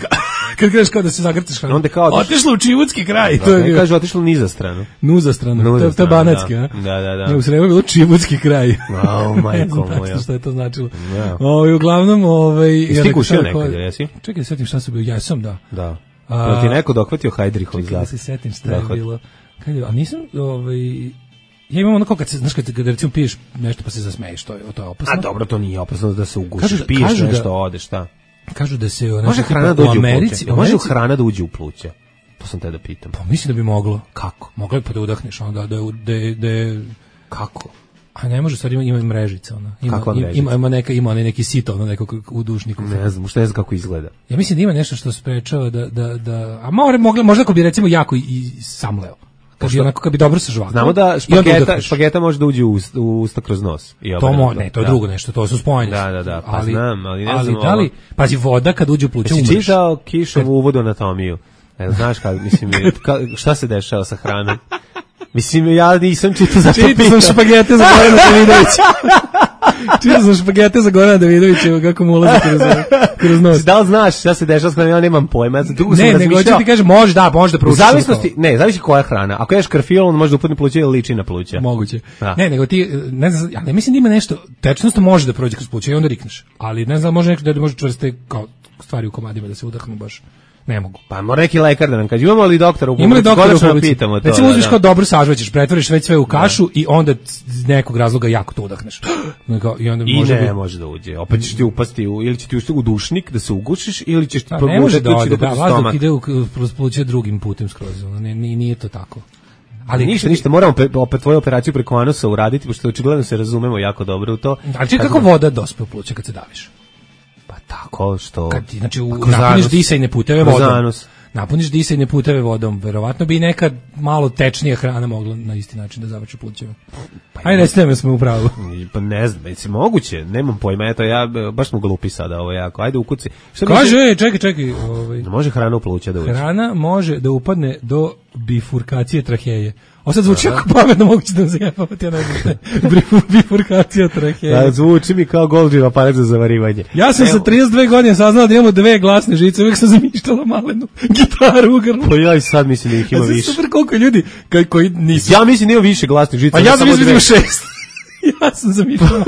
[SPEAKER 6] kad kreneš kao da se zagrtaš. kao,
[SPEAKER 5] Onda kao-
[SPEAKER 6] otišlo u čivudski kraj. To je
[SPEAKER 5] Ne
[SPEAKER 6] bio
[SPEAKER 5] kaže otišlo niza stranu.
[SPEAKER 6] nuza strana.
[SPEAKER 5] Nuza
[SPEAKER 6] To, to je
[SPEAKER 5] strana,
[SPEAKER 6] banatski,
[SPEAKER 5] da.
[SPEAKER 6] a?
[SPEAKER 5] Da, da, da.
[SPEAKER 6] Ne, u Sremu je bilo čivudski kraj.
[SPEAKER 5] Au,
[SPEAKER 6] Ne
[SPEAKER 5] majko
[SPEAKER 6] znam
[SPEAKER 5] moja.
[SPEAKER 6] tačno šta je to značilo.
[SPEAKER 5] Da.
[SPEAKER 6] Ovaj, uglavnom, ovaj...
[SPEAKER 5] Jesi
[SPEAKER 6] ja
[SPEAKER 5] ti
[SPEAKER 6] rekao,
[SPEAKER 5] kušio
[SPEAKER 6] sad,
[SPEAKER 5] nekad,
[SPEAKER 6] ko-
[SPEAKER 5] jesi?
[SPEAKER 6] Čekaj, da setim šta sam bio. Ja sam, da.
[SPEAKER 5] Da.
[SPEAKER 6] A-
[SPEAKER 5] Jel ti neko dohvatio Hajdrihov
[SPEAKER 6] Čekaj da
[SPEAKER 5] zahvat?
[SPEAKER 6] se setim šta je
[SPEAKER 5] Zahvat.
[SPEAKER 6] bilo. Kad je, a nisam, ovaj, Ja imam ono kao kad se, znaš, kad, kad recimo piješ nešto pa se zasmeješ, to je, to je opasno.
[SPEAKER 5] A dobro, to nije opasno da se ugušiš,
[SPEAKER 6] Kažu da-
[SPEAKER 5] piješ
[SPEAKER 6] kažu da-
[SPEAKER 5] nešto, odeš, šta?
[SPEAKER 6] Kažu da se... ono,
[SPEAKER 5] Može
[SPEAKER 6] tipa,
[SPEAKER 5] hrana da uđe u
[SPEAKER 6] Americi,
[SPEAKER 5] pluća?
[SPEAKER 6] u
[SPEAKER 5] Može li
[SPEAKER 6] Americi-
[SPEAKER 5] hrana da uđe u pluća? To sam te da pitam.
[SPEAKER 6] Pa mislim da bi moglo.
[SPEAKER 5] Kako?
[SPEAKER 6] Moglo bi pa da udahneš, ono, da, da, da, da,
[SPEAKER 5] Kako?
[SPEAKER 6] a ne može, stvari ima, ima i mrežica, ona. Ima,
[SPEAKER 5] Kakva
[SPEAKER 6] ima,
[SPEAKER 5] mrežica?
[SPEAKER 6] ima, ima neka, ima onaj neki sito, ono neko u dušniku.
[SPEAKER 5] Ne znam, što ne znam kako izgleda.
[SPEAKER 6] Ja mislim da ima nešto što sprečava da, da, da a more, mogla, možda ako bi recimo jako i, i samleo. Kad bi, onako, kad bi dobro sažvakao.
[SPEAKER 5] Znamo da
[SPEAKER 6] i onda
[SPEAKER 5] špageta,
[SPEAKER 6] udahneš.
[SPEAKER 5] špageta može da uđe u, ust- u usta kroz nos. I
[SPEAKER 6] To
[SPEAKER 5] obrnuto.
[SPEAKER 6] mo, ne, to je
[SPEAKER 5] Da.
[SPEAKER 6] drugo nešto, to su spojeni.
[SPEAKER 5] Da, da, da, pa znam, ali ne znam
[SPEAKER 6] da li,
[SPEAKER 5] ovo.
[SPEAKER 6] pazi, voda kad uđe u pluća
[SPEAKER 5] Jesi
[SPEAKER 6] umreš.
[SPEAKER 5] čitao Kišovu uvodu anatomiju? E, znaš kako, mislim, ka, šta se dešava sa hranom? Mislim, ja nisam čitao za to
[SPEAKER 6] Čitao
[SPEAKER 5] pitam.
[SPEAKER 6] sam špagete za Gorana Davidovića. Čitao sam špagete za Gorana Davidovića, kako mu ulazi kroz, kroz nos.
[SPEAKER 5] Da li znaš šta se dešava s hranom? Ja nemam pojma. Ja sam dugo sam
[SPEAKER 6] Ne, nego
[SPEAKER 5] razmišljao.
[SPEAKER 6] hoću ti kažem, može da, može da
[SPEAKER 5] U
[SPEAKER 6] proučiš.
[SPEAKER 5] zavisnosti, ne, zavisi koja je hrana. Ako ješ karfil, on može da upadne pluća ili liči na pluća.
[SPEAKER 6] Moguće.
[SPEAKER 5] Da.
[SPEAKER 6] Ne, nego ti, ne znam, ja ne mislim da ima nešto, tečnost može da prođe kroz pluća i onda rikneš. Ali ne znam, može nešto da može čvrste kao stvari u komadima da se udahnu baš. Ne mogu.
[SPEAKER 5] Pa mora neki lekar da nam kaže. Imamo li doktora u
[SPEAKER 6] Ima li
[SPEAKER 5] publici?
[SPEAKER 6] doktora u
[SPEAKER 5] Konačno
[SPEAKER 6] publici?
[SPEAKER 5] pitamo to.
[SPEAKER 6] Recimo
[SPEAKER 5] da,
[SPEAKER 6] uzmeš
[SPEAKER 5] da.
[SPEAKER 6] kao dobro sažvaćeš, pretvoriš već sve u kašu i onda iz nekog razloga jako to udahneš. Kao, I onda
[SPEAKER 5] I
[SPEAKER 6] može
[SPEAKER 5] ne,
[SPEAKER 6] biti-
[SPEAKER 5] može da uđe. Opet ćeš ti upasti u, ili će ti ušti u dušnik da se ugušiš, ili ćeš ti
[SPEAKER 6] A ne može da
[SPEAKER 5] progutati
[SPEAKER 6] ode, da,
[SPEAKER 5] kroz
[SPEAKER 6] vazduh
[SPEAKER 5] stomak.
[SPEAKER 6] ide u kroz pluća drugim putem skroz, ono, ne, nije, nije to tako.
[SPEAKER 5] Ali ništa, ništa, moramo pe, opet tvoju operaciju preko anusa uraditi, pošto očigledno se razumemo jako dobro u to.
[SPEAKER 6] Ali čekaj, kako voda dospe u pluća kad se daviš?
[SPEAKER 5] Pa tako što...
[SPEAKER 6] Kad ti, znači, u,
[SPEAKER 5] Pa kroz
[SPEAKER 6] napuniš
[SPEAKER 5] anus.
[SPEAKER 6] disajne puteve
[SPEAKER 5] Kroz
[SPEAKER 6] vodom.
[SPEAKER 5] anus.
[SPEAKER 6] Napuniš disajne puteve vodom, verovatno bi neka malo tečnija hrana mogla na isti način da završi plućeva. Ajde, recite mi smo u pravu.
[SPEAKER 5] I, Pa ne znam, mislim, moguće, nemam pojma, eto, ja, baš smo glupi sada ovo jako, ajde ukuci. Šta
[SPEAKER 6] Kaže,
[SPEAKER 5] misliš?
[SPEAKER 6] ej, čekaj, čekaj. Ovaj,
[SPEAKER 5] Ne može hrana u pluća da uđe.
[SPEAKER 6] hrana može da upadne do bifurkacije traheje. Ovo sad zvuči jako pametno, moguće da se jebavati, ja ne znam šta je Bifur- bifurkacija traheje.
[SPEAKER 5] Da, zvuči mi kao Golgijev aparat za zavarivanje.
[SPEAKER 6] Ja sam
[SPEAKER 5] Evo,
[SPEAKER 6] sa trideset dve godine saznao da imamo dve glasne žice, uvijek sam zamišljala malenu gitaru u grlu.
[SPEAKER 5] Pa ja i sad mislim da ih ima
[SPEAKER 6] A sad
[SPEAKER 5] više.
[SPEAKER 6] super koliko ljudi koji, koji nisu.
[SPEAKER 5] Ja mislim da ima više glasnih žica.
[SPEAKER 6] A
[SPEAKER 5] ne
[SPEAKER 6] ja sam
[SPEAKER 5] samo
[SPEAKER 6] mislio da
[SPEAKER 5] dve.
[SPEAKER 6] ima šest. Ja sam zamišljala.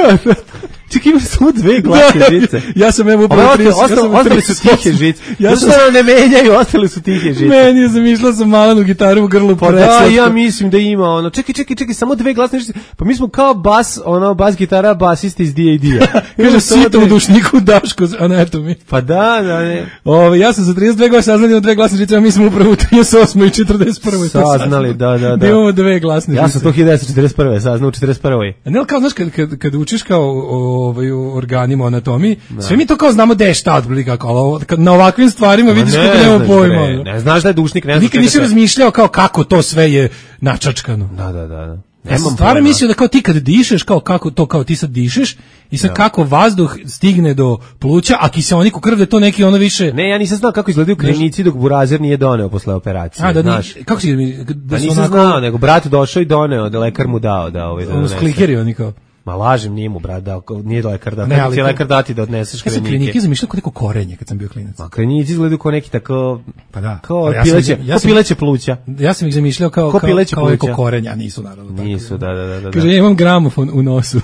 [SPEAKER 5] Čekaj, ima samo dve glasne žice.
[SPEAKER 6] Ja sam evo
[SPEAKER 5] Ove
[SPEAKER 6] upravo
[SPEAKER 5] ostale,
[SPEAKER 6] trideset, ja
[SPEAKER 5] ostale,
[SPEAKER 6] sam
[SPEAKER 5] ostale su
[SPEAKER 6] trideset
[SPEAKER 5] tihe žice.
[SPEAKER 6] Ja
[SPEAKER 5] Ja
[SPEAKER 6] sam-
[SPEAKER 5] sam ne menjaju, ostale su tihe žice.
[SPEAKER 6] Meni je zamišljala sam malenu gitaru u grlu.
[SPEAKER 5] Pa da,
[SPEAKER 6] preslatko.
[SPEAKER 5] ja mislim da ima ono. Čekaj, čekaj, čekaj, samo dve glasne žice. Pa mi smo kao bas, ono, bas gitara, basista iz D A D-a.
[SPEAKER 6] Kaže, sito u dušniku Daško anatomi.
[SPEAKER 5] Pa da, da, ne.
[SPEAKER 6] Ove, ja sam za trideset dve godine saznali da imamo dve glasne žice, a mi smo upravo u trideset osmoj i četrdeset prvoj to
[SPEAKER 5] Saznali, da, da, da.
[SPEAKER 6] Da imamo dve glasne
[SPEAKER 5] Ja
[SPEAKER 6] žice.
[SPEAKER 5] sam to hiljadu devetsto četrdeset prve saznao u četrdeset prvoj.
[SPEAKER 6] A ne, ali kao, znaš, kad, kad, kad učiš kao o, ovaj, o organima, o anatomiji, sve mi to kao znamo da je šta otprilike, kako, ali ovo- kad na ovakvim stvarima vidiš kako nema
[SPEAKER 5] znaš,
[SPEAKER 6] pojma.
[SPEAKER 5] bre,
[SPEAKER 6] ono.
[SPEAKER 5] ne znaš da je dušnik, ne znaš.
[SPEAKER 6] Nikad
[SPEAKER 5] čega
[SPEAKER 6] nisi
[SPEAKER 5] sve.
[SPEAKER 6] razmišljao kao kako to sve je načačkano.
[SPEAKER 5] Da, da, da, da.
[SPEAKER 6] Ja sam stvarno mislio da kao ti kad dišeš, kao kako to, kao ti sad dišeš, i sad kako vazduh stigne do pluća, a kiseonik u krv da je to neki ono više...
[SPEAKER 5] Ne, ja nisam znao kako izgledaju klinici dok burazer nije doneo posle operacije.
[SPEAKER 6] a, da
[SPEAKER 5] znaš.
[SPEAKER 6] ni, kako si da,
[SPEAKER 5] Pa
[SPEAKER 6] da su
[SPEAKER 5] nisam
[SPEAKER 6] onako...
[SPEAKER 5] znao, nego brat došao i doneo, da lekar mu dao da ovaj da
[SPEAKER 6] ono,
[SPEAKER 5] donese.
[SPEAKER 6] sklikeri oni kao...
[SPEAKER 5] Ma lažem, nije mu brat dao, nije lekar dao.
[SPEAKER 6] Ne,
[SPEAKER 5] Ne,
[SPEAKER 6] ali
[SPEAKER 5] ali
[SPEAKER 6] to-
[SPEAKER 5] lekar dati da odneseš
[SPEAKER 6] Ja sam
[SPEAKER 5] krenike.
[SPEAKER 6] klinike zamišljao kao neko korenje kad sam bio klinac.
[SPEAKER 5] Ma klinici izgledaju kao neki tako,
[SPEAKER 6] Pa da.
[SPEAKER 5] kao
[SPEAKER 6] Ali ja sam-
[SPEAKER 5] pileće,
[SPEAKER 6] ja
[SPEAKER 5] kao
[SPEAKER 6] sam-
[SPEAKER 5] pileće pluća.
[SPEAKER 6] Ja sam ih zamišljao kao,
[SPEAKER 5] Ko
[SPEAKER 6] kao,
[SPEAKER 5] pileće
[SPEAKER 6] kao neko
[SPEAKER 5] pluća.
[SPEAKER 6] korenja, a nisu naravno. tako.
[SPEAKER 5] Nisu, da, da, da, da.
[SPEAKER 6] Kaže, ja imam gramofon u nosu.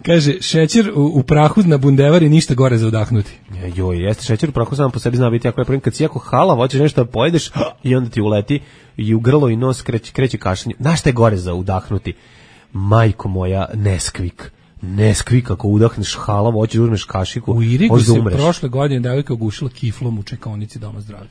[SPEAKER 6] Kaže, šećer u, u prahu na bundevari ništa gore za udahnuti.
[SPEAKER 5] E, Joj, jeste šećer u prahu sam po sebi zna biti jako je problem kad si jako hala, hoćeš nešto da pojedeš i onda ti uleti i u grlo i nos kreće, kreće kašanje. Znaš šta je gore za udahnuti? Majko moja, Neskvik. Neskvik, ako udahneš halav, hoćeš da uzmeš kašiku,
[SPEAKER 6] U Irigu
[SPEAKER 5] hoćeš da
[SPEAKER 6] se
[SPEAKER 5] umreš.
[SPEAKER 6] prošle godine devojka ugušila kiflom u čekaonici Doma zdravlja.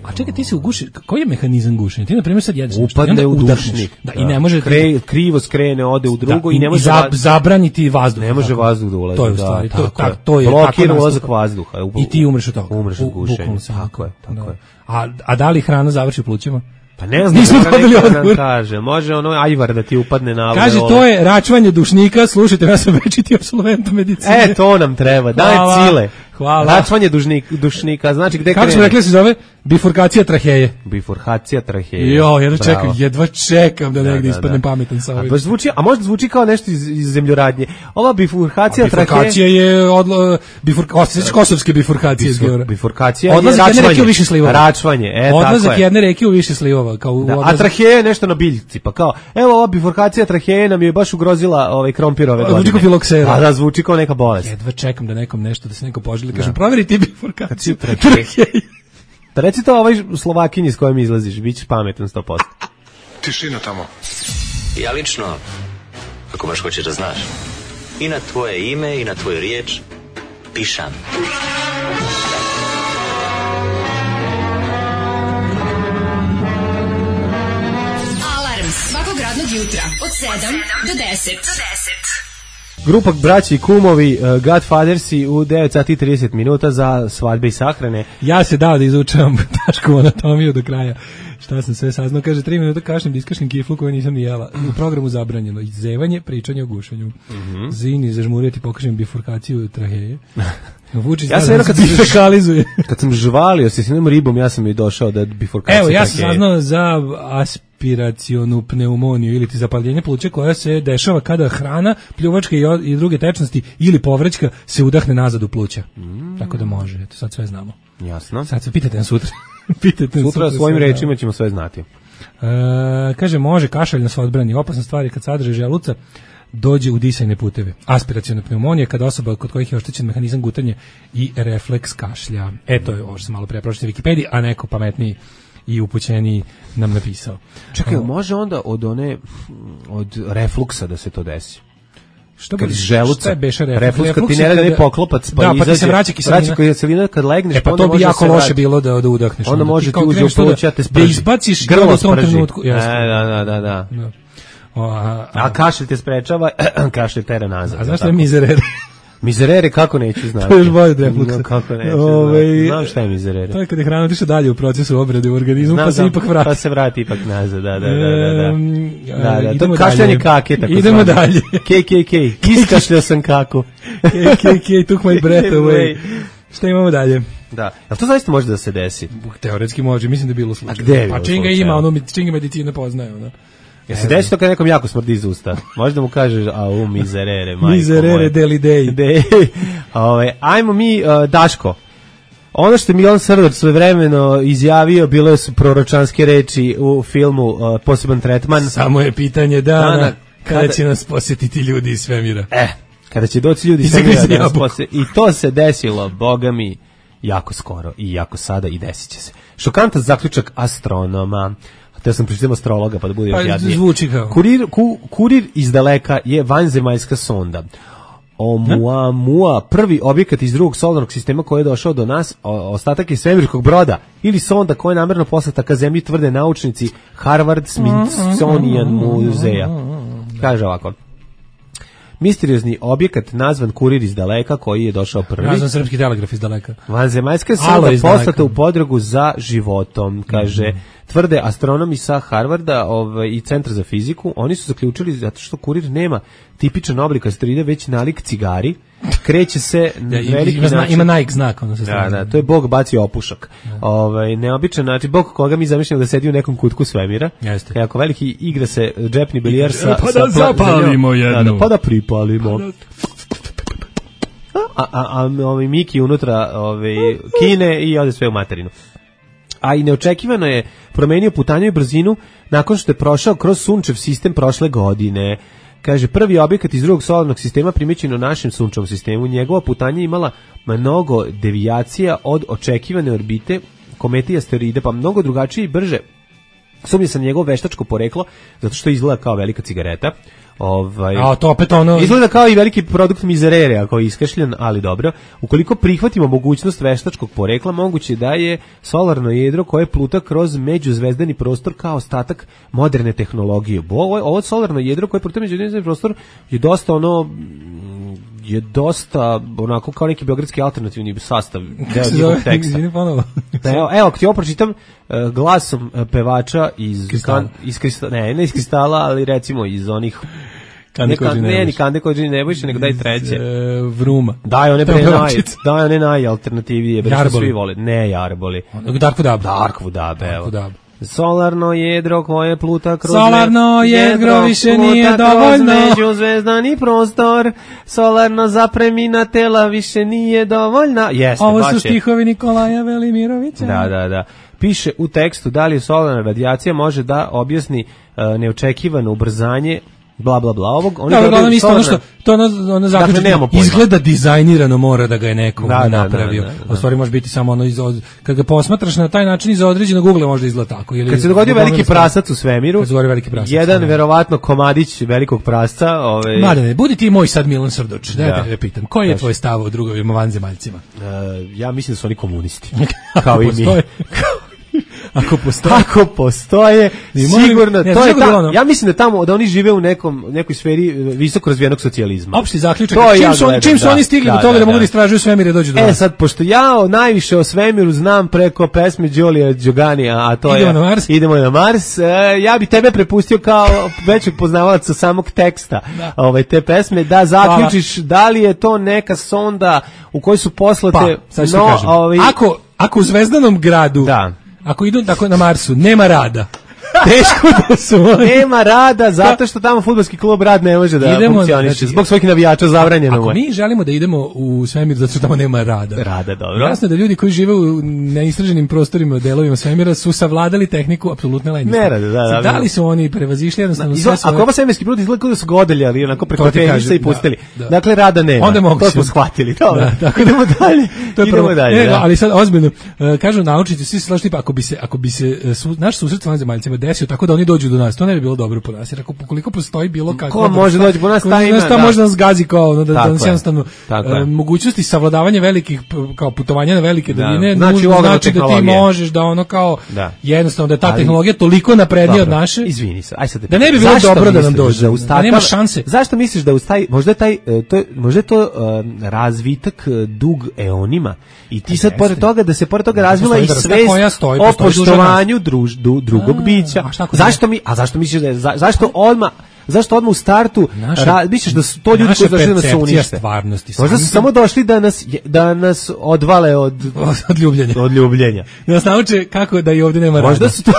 [SPEAKER 6] A čekaj, ti se uguši, koji je mehanizam gušenja? Ti, na primjer, sad jedeš nešto i
[SPEAKER 5] Upadne
[SPEAKER 6] onda
[SPEAKER 5] u
[SPEAKER 6] udahneš.
[SPEAKER 5] dušnik.
[SPEAKER 6] Da, i ne može...
[SPEAKER 5] Kre, krivo skrene, ode u drugo
[SPEAKER 6] da,
[SPEAKER 5] i ne može
[SPEAKER 6] za,
[SPEAKER 5] va-
[SPEAKER 6] zabraniti vazduh.
[SPEAKER 5] ne može
[SPEAKER 6] tako.
[SPEAKER 5] vazduh da ulazi.
[SPEAKER 6] To je u
[SPEAKER 5] da,
[SPEAKER 6] stvari, to,
[SPEAKER 5] tako
[SPEAKER 6] tak,
[SPEAKER 5] je.
[SPEAKER 6] to je
[SPEAKER 5] Blokira
[SPEAKER 6] tako nastupa.
[SPEAKER 5] ulazak vazduha. U-
[SPEAKER 6] I ti umreš od toga.
[SPEAKER 5] Umreš od
[SPEAKER 6] U-
[SPEAKER 5] gušenja.
[SPEAKER 6] bukvalno samo
[SPEAKER 5] Tako je, tako
[SPEAKER 6] da.
[SPEAKER 5] je.
[SPEAKER 6] A, a da li hrana završi u plućima?
[SPEAKER 5] Pa ne znam,
[SPEAKER 6] Nismo
[SPEAKER 5] mora
[SPEAKER 6] dobili
[SPEAKER 5] neki da nam
[SPEAKER 6] odgovor.
[SPEAKER 5] kaže. Može ono ajvar da ti upadne na
[SPEAKER 6] Kaže,
[SPEAKER 5] alveole.
[SPEAKER 6] to je račvanje dušnika, slušajte, ja sam večiti apsolvent medicine.
[SPEAKER 5] E, to nam treba. Daj
[SPEAKER 6] Hvala.
[SPEAKER 5] cile.
[SPEAKER 6] Hvala.
[SPEAKER 5] Račvanje dužnik, dušnika. Znači, gde
[SPEAKER 6] Kako smo
[SPEAKER 5] krene?
[SPEAKER 6] rekli da se zove? Bifurkacija traheje.
[SPEAKER 5] Bifurkacija traheje.
[SPEAKER 6] Jo, jedva
[SPEAKER 5] Bravo.
[SPEAKER 6] čekam, jedva čekam da negdje
[SPEAKER 5] da,
[SPEAKER 6] ispadnem
[SPEAKER 5] da.
[SPEAKER 6] pametan sa
[SPEAKER 5] A
[SPEAKER 6] ovim.
[SPEAKER 5] baš zvuči, a možda zvuči kao nešto iz, iz zemljoradnje. Ova bifurkacija traheje...
[SPEAKER 6] Bifurkacija je odlo, bifur, osjećaš kosovske bifurkacije iz
[SPEAKER 5] Bifur-
[SPEAKER 6] Geora.
[SPEAKER 5] bifurkacija je
[SPEAKER 6] Odlazak jedne
[SPEAKER 5] račvanje.
[SPEAKER 6] reke u više slivova.
[SPEAKER 5] Račvanje, e, tako
[SPEAKER 6] Odlazak
[SPEAKER 5] je.
[SPEAKER 6] jedne reke u više slivova. Kao u
[SPEAKER 5] Da, a
[SPEAKER 6] odlazak-
[SPEAKER 5] traheja je nešto na biljci, pa kao, evo ova bifurkacija traheje nam je baš ugrozila ovaj krompirove
[SPEAKER 6] A,
[SPEAKER 5] godine.
[SPEAKER 6] zvuči kao filoksera.
[SPEAKER 5] A da, zvuči kao neka bolest.
[SPEAKER 6] Jedva čekam da nekom nešto, da se neko poželi. Kažem, proveri ti bifurkaciju
[SPEAKER 5] traheje. Da reci to ovoj Slovakinji s kojom izlaziš, bit ćeš pametan sto posto.
[SPEAKER 3] Tišina tamo.
[SPEAKER 8] Ja lično, ako baš hoćeš da znaš, i na tvoje ime i na tvoju riječ pišam.
[SPEAKER 2] Alarm svakog radnog jutra od sedam do deset.
[SPEAKER 5] Grupa braći i kumovi uh, Godfathersi u devet sati i trideset minuta za svadbe i sahrane.
[SPEAKER 6] Ja se dao da izučavam Daškovu anatomiju do kraja. Šta sam sve saznao? Kaže, tri minuta kašnem da iskašnem kiflu koju nisam ni jela. U programu zabranjeno. Izevanje, pričanje o gušenju. Mm-hmm. Zini, zažmuriti, pokažem bifurkaciju traheje. Vučić
[SPEAKER 5] ja sam jedno kad, kad sam žvalio se s jednom ribom, ja sam i došao da bifurkaciju
[SPEAKER 6] traheje. Evo, ja sam
[SPEAKER 5] traheje.
[SPEAKER 6] saznao za aspiracionu pneumoniju ili ti zapaljenje pluća koja se dešava kada hrana, pljuvačka i, o, i druge tečnosti ili povraćka se udahne nazad u pluća. Mm. Tako da može. Eto, sad sve znamo.
[SPEAKER 5] Jasno.
[SPEAKER 6] Sad se pitajte na sutra. Pitajte
[SPEAKER 5] sutra,
[SPEAKER 6] sutra
[SPEAKER 5] svojim
[SPEAKER 6] sve,
[SPEAKER 5] rečima ćemo sve znati.
[SPEAKER 6] E, kaže, može kašalj nas odbrani. Opasna stvar je kad sadrže želuca dođe u disajne puteve. Aspiraciona pneumonija kada osoba kod kojih je oštećen mehanizam gutanja i refleks kašlja. Eto je ovo što sam malo pre pročitao na Wikipediji, a neko pametniji i upućeniji nam napisao.
[SPEAKER 5] Čekaj, može onda od one od refluksa da se to desi?
[SPEAKER 6] Što
[SPEAKER 5] kad iz želuca,
[SPEAKER 6] reflux,
[SPEAKER 5] reflux kad ti ne radi ne poklopac, pa
[SPEAKER 6] da,
[SPEAKER 5] izađe,
[SPEAKER 6] pa ti se vraća kiselina.
[SPEAKER 5] Vraća kiselina kad legneš,
[SPEAKER 6] e, pa to bi jako loše bilo da, da udahneš.
[SPEAKER 5] Onda može ti uđe u pluća, te sprži.
[SPEAKER 6] Da izbaciš grlo u tom trenutku.
[SPEAKER 5] E, da, da, da, da.
[SPEAKER 6] da. O, a, a,
[SPEAKER 5] a kašelj te sprečava, kašelj tera nazad.
[SPEAKER 6] A znaš šta je mizerere?
[SPEAKER 5] Mizerere kako neću znati.
[SPEAKER 6] To je još bolje od refluksa.
[SPEAKER 5] No, kako neću
[SPEAKER 6] Ove,
[SPEAKER 5] znati. Znam šta je mizerere.
[SPEAKER 6] To je kad je hrana otišla dalje u procesu obrade u organizmu, znam, pa se znam, ipak vrati.
[SPEAKER 5] Pa se vrati ipak nazad, da, da, da. da, da. da, da.
[SPEAKER 6] Idemo
[SPEAKER 5] to kašljanje kake, tako
[SPEAKER 6] Idemo
[SPEAKER 5] znam.
[SPEAKER 6] dalje.
[SPEAKER 5] K K K, iskašljao sam kaku.
[SPEAKER 6] K K K, took my breath away. Šta imamo dalje?
[SPEAKER 5] Da. A to zaista može da se desi?
[SPEAKER 6] Teoretski može, mislim da je bilo slučaj.
[SPEAKER 5] A gde je
[SPEAKER 6] Pa činga ima, ono, činga medicina poznaje, ono.
[SPEAKER 5] Ja se desi to kad nekom jako smrdi iz usta. Možda mu kažeš, a u mizerere, majko
[SPEAKER 6] mizerere deli dej.
[SPEAKER 5] Dej. Ove, ajmo mi, uh, Daško. Ono što je Milan Srdar svojevremeno izjavio, bilo su proročanske reči u filmu uh, Poseban tretman.
[SPEAKER 6] Samo je pitanje dana, dana kada, kada će nas posjetiti ljudi iz svemira.
[SPEAKER 5] Eh, kada će doći ljudi iz svemira da nas posjeti. I to se desilo, boga mi, jako skoro i jako sada i desit će se. Šokantan zaključak astronoma. Ja sam pričao astrologa, pa da bude
[SPEAKER 6] pa,
[SPEAKER 5] još jadnije.
[SPEAKER 6] Zvuči kao.
[SPEAKER 5] Kurir, ku, kurir iz daleka je vanzemaljska sonda. Oumuamua, prvi objekat iz drugog solarnog sistema koji je došao do nas, o, ostatak je svemirskog broda ili sonda koja je namerno poslata ka zemlji, tvrde naučnici Harvard Smithsonian muzeja. Kaže ovako. Misteriozni objekat nazvan Kurir iz daleka koji je došao prvi.
[SPEAKER 6] Nazvan srpski telegraf iz daleka.
[SPEAKER 5] Vanzemaljska sonda poslata u potragu za životom, kaže. Mm-hmm. Tvrde astronomi sa Harvarda ovaj, i Centra za fiziku. Oni su zaključili zato što Kurir nema tipičan oblik asteroida, već nalik cigari. Kreće se
[SPEAKER 6] ja, veliki ima, način. Ima Nike znak. Ono se
[SPEAKER 5] da, da, to je Bog bacio opušak. Ja. Ovaj, neobičan način. Bog koga mi zamišljamo da sedi u nekom kutku svemira.
[SPEAKER 6] Jeste.
[SPEAKER 5] Jako veliki igra se džepni bilijar sa...
[SPEAKER 6] E, pa da sa zapalimo jednu.
[SPEAKER 5] Da, da, pa da pripalimo. A, a, a, a ovaj Miki unutra ovaj, kine i ode sve u materinu. A i neočekivano je promenio putanju i brzinu nakon što je prošao kroz sunčev sistem prošle godine. Kaže, prvi objekat iz drugog solarnog sistema primećen u našem sunčevom sistemu. Njegova putanja imala mnogo devijacija od očekivane orbite komete i asteroide, pa mnogo drugačije i brže. Sumnja sam njegovo veštačko poreklo, zato što izgleda kao velika cigareta. Ovaj,
[SPEAKER 6] a to opet ono...
[SPEAKER 5] Izgleda kao i veliki produkt mizerere, ako je iskašljen, ali dobro. Ukoliko prihvatimo mogućnost veštačkog porekla, moguće da je solarno jedro koje pluta kroz međuzvezdani prostor kao ostatak moderne tehnologije. Ovo, ovo solarno jedro koje pluta međuzvezdani prostor je dosta ono... je dosta onako kao neki beogradski alternativni sastav deo njegovog teksta. Evo, evo, ako ti ovo pročitam uh, glasom uh, pevača iz kristala. Kan, iz kristala, ne, ne iz kristala, ali recimo iz onih
[SPEAKER 6] Kande
[SPEAKER 5] ne, ne, ni Kande Kođini Nebojša, nego daj treće.
[SPEAKER 6] E, vruma.
[SPEAKER 5] Daj one pre naj, daj one najalternativnije, bre što svi vole. Ne, Jarboli.
[SPEAKER 6] Dark Vodab.
[SPEAKER 5] Dark Vodab, evo. Solarno jedro koje pluta kroz
[SPEAKER 6] Solarno jedro više nije dovoljno.
[SPEAKER 5] Međuzvezdani prostor. Solarno zapremina tela više nije dovoljna. Jeste,
[SPEAKER 6] ovo su stihovi Nikolaja Velimirovića.
[SPEAKER 5] Da, da, da. Piše u tekstu da li solarna radijacija može da objasni uh, neočekivano ubrzanje bla bla bla ovog, oni
[SPEAKER 6] da,
[SPEAKER 5] dobiju
[SPEAKER 6] uglavnom isto ono što
[SPEAKER 5] solarne-
[SPEAKER 6] to ono ono zaključak
[SPEAKER 5] nemamo
[SPEAKER 6] izgleda dizajnirano, mora da ga je neko
[SPEAKER 5] Da, da,
[SPEAKER 6] napravio.
[SPEAKER 5] da, da, da.
[SPEAKER 6] A u stvari može biti samo ono iz od- kad ga posmatraš na taj način iz određenog ugla može da izgleda tako ili
[SPEAKER 5] Kad se dogodio
[SPEAKER 6] uglavnom
[SPEAKER 5] veliki
[SPEAKER 6] iz-
[SPEAKER 5] prasac u svemiru,
[SPEAKER 6] Kad se dogodio veliki prasac,
[SPEAKER 5] jedan
[SPEAKER 6] da.
[SPEAKER 5] verovatno komadić velikog prasca, ovaj
[SPEAKER 6] Mladene, budi ti moj sad Milan Srdoč, da,
[SPEAKER 5] Da.
[SPEAKER 6] da te pitam, koji je
[SPEAKER 5] Kaži.
[SPEAKER 6] tvoj stav o drugovima vanzemaljcima?
[SPEAKER 5] e, ja mislim da su oni komunisti. Kao i mi.
[SPEAKER 6] Postoje. Ako postoji.
[SPEAKER 5] Ako postoje,
[SPEAKER 6] I molim-
[SPEAKER 5] sigurno,
[SPEAKER 6] ne,
[SPEAKER 5] to je
[SPEAKER 6] znaš kako je
[SPEAKER 5] ta,
[SPEAKER 6] ono?
[SPEAKER 5] ja mislim da tamo, da oni žive u nekom, nekoj sferi visoko razvijenog socijalizma.
[SPEAKER 6] Opšti zaključak,
[SPEAKER 5] To
[SPEAKER 6] čim
[SPEAKER 5] ja
[SPEAKER 6] su, oni,
[SPEAKER 5] gledam,
[SPEAKER 6] čim su
[SPEAKER 5] da,
[SPEAKER 6] oni stigli
[SPEAKER 5] da,
[SPEAKER 6] do toga da,
[SPEAKER 5] da,
[SPEAKER 6] mogu
[SPEAKER 5] da.
[SPEAKER 6] da istražuju svemir i dođu do
[SPEAKER 5] E
[SPEAKER 6] nas.
[SPEAKER 5] sad, pošto ja o najviše o svemiru znam preko pesme Đolija Đoganija, a to
[SPEAKER 6] Idemo
[SPEAKER 5] je
[SPEAKER 6] na Mars.
[SPEAKER 5] Idemo na Mars, e, ja bi tebe prepustio kao većeg poznavalaca samog teksta
[SPEAKER 6] Da.
[SPEAKER 5] ovaj, te pesme, da zaključiš da li je to neka sonda u kojoj su poslate,
[SPEAKER 6] Pa, sad ću
[SPEAKER 5] no,
[SPEAKER 6] ti kažem.
[SPEAKER 5] ovaj,
[SPEAKER 6] Ako, ako u zvezdanom gradu,
[SPEAKER 5] Da.
[SPEAKER 6] ako idu tako na Marsu, nema rada. Teško da su oni.
[SPEAKER 5] nema rada, zato što tamo fudbalski klub rad ne može da
[SPEAKER 6] Idemo,
[SPEAKER 5] funkcioniše.
[SPEAKER 6] znači,
[SPEAKER 5] Zbog svojih navijača zabranjeno mu
[SPEAKER 6] Ako
[SPEAKER 5] je.
[SPEAKER 6] mi želimo da idemo u svemir zato što tamo nema rada.
[SPEAKER 5] Rada, dobro.
[SPEAKER 6] Jasno je da ljudi koji žive u neistraženim prostorima, delovima svemira su savladali tehniku apsolutne lenjosti.
[SPEAKER 5] Nerada, da, da,
[SPEAKER 6] Da
[SPEAKER 5] da.
[SPEAKER 6] li su oni prevazišli jednostavno
[SPEAKER 5] Izva-
[SPEAKER 6] sve svoje...
[SPEAKER 5] Ako ovo svemirski brod izgleda kao da su ga odeljali onako preko
[SPEAKER 6] To ti
[SPEAKER 5] tenisa
[SPEAKER 6] kažem,
[SPEAKER 5] i pustili.
[SPEAKER 6] da, da.
[SPEAKER 5] Dakle, rada nema.
[SPEAKER 6] Onda mogu
[SPEAKER 5] to
[SPEAKER 6] se-
[SPEAKER 5] smo shvatili. Dobro.
[SPEAKER 6] Da, tako da-
[SPEAKER 5] idemo dalje.
[SPEAKER 6] To je
[SPEAKER 5] idemo
[SPEAKER 6] prvo.
[SPEAKER 5] dalje.
[SPEAKER 6] Ne,
[SPEAKER 5] da.
[SPEAKER 6] ali sad ozbiljno, uh, kažu naučnici, svi se slažu tipa, ako bi se, ako bi se uh, su, naš susret s vanzemaljcima desio tako da oni dođu do nas, to ne bi bilo dobro po nas, jer ako koliko postoji bilo kako...
[SPEAKER 5] Ko može doći po nas, taj ima,
[SPEAKER 6] ta
[SPEAKER 5] da.
[SPEAKER 6] može nas gazi kao, ono, da, da
[SPEAKER 5] Tako
[SPEAKER 6] nas
[SPEAKER 5] je.
[SPEAKER 6] jednostavno
[SPEAKER 5] Tako je.
[SPEAKER 6] uh, mogućnosti savladavanja velikih, p- kao putovanja na velike
[SPEAKER 5] Da.
[SPEAKER 6] daljine,
[SPEAKER 5] Znači,
[SPEAKER 6] nužno
[SPEAKER 5] ogromna
[SPEAKER 6] znači da ti
[SPEAKER 5] tehnologija.
[SPEAKER 6] možeš da ono kao,
[SPEAKER 5] Da.
[SPEAKER 6] jednostavno da je ta
[SPEAKER 5] Ali-
[SPEAKER 6] tehnologija toliko naprednija od
[SPEAKER 5] Dobro,
[SPEAKER 6] naše,
[SPEAKER 5] Izvini se. Aj sad te
[SPEAKER 6] Da ne bi
[SPEAKER 5] pitam,
[SPEAKER 6] bilo
[SPEAKER 5] zašto
[SPEAKER 6] dobro da nam
[SPEAKER 5] misliš
[SPEAKER 6] dođe,
[SPEAKER 5] uz
[SPEAKER 6] da nema
[SPEAKER 5] takav-
[SPEAKER 6] šanse.
[SPEAKER 5] Zašto misliš da uz taj, možda je taj, e, to, je- možda je to e, razvitak e, dug eonima i ti sad
[SPEAKER 6] jeste.
[SPEAKER 5] pored toga, da se pored toga razvila i
[SPEAKER 6] postoji vrsta
[SPEAKER 5] svest
[SPEAKER 6] koja stoji,
[SPEAKER 5] o
[SPEAKER 6] postoji duže
[SPEAKER 5] poštovanju druž, du, drugog
[SPEAKER 6] A,
[SPEAKER 5] bića.
[SPEAKER 6] a šta ako ne?
[SPEAKER 5] Zašto mi, a zašto misliš da je, za- zašto odmah Zašto odmah u startu
[SPEAKER 6] Naša-
[SPEAKER 5] ra, misliš da su to ljudi
[SPEAKER 6] naša
[SPEAKER 5] koji su došli da nas
[SPEAKER 6] percepcija
[SPEAKER 5] unište?
[SPEAKER 6] stvarnosti,
[SPEAKER 5] Možda su
[SPEAKER 6] samim
[SPEAKER 5] samo došli da nas da nas odvale od
[SPEAKER 6] od ljubljenja.
[SPEAKER 5] od ljubljenja.
[SPEAKER 6] Da nas nauče kako da i ovdje nema rada.
[SPEAKER 5] Možda su to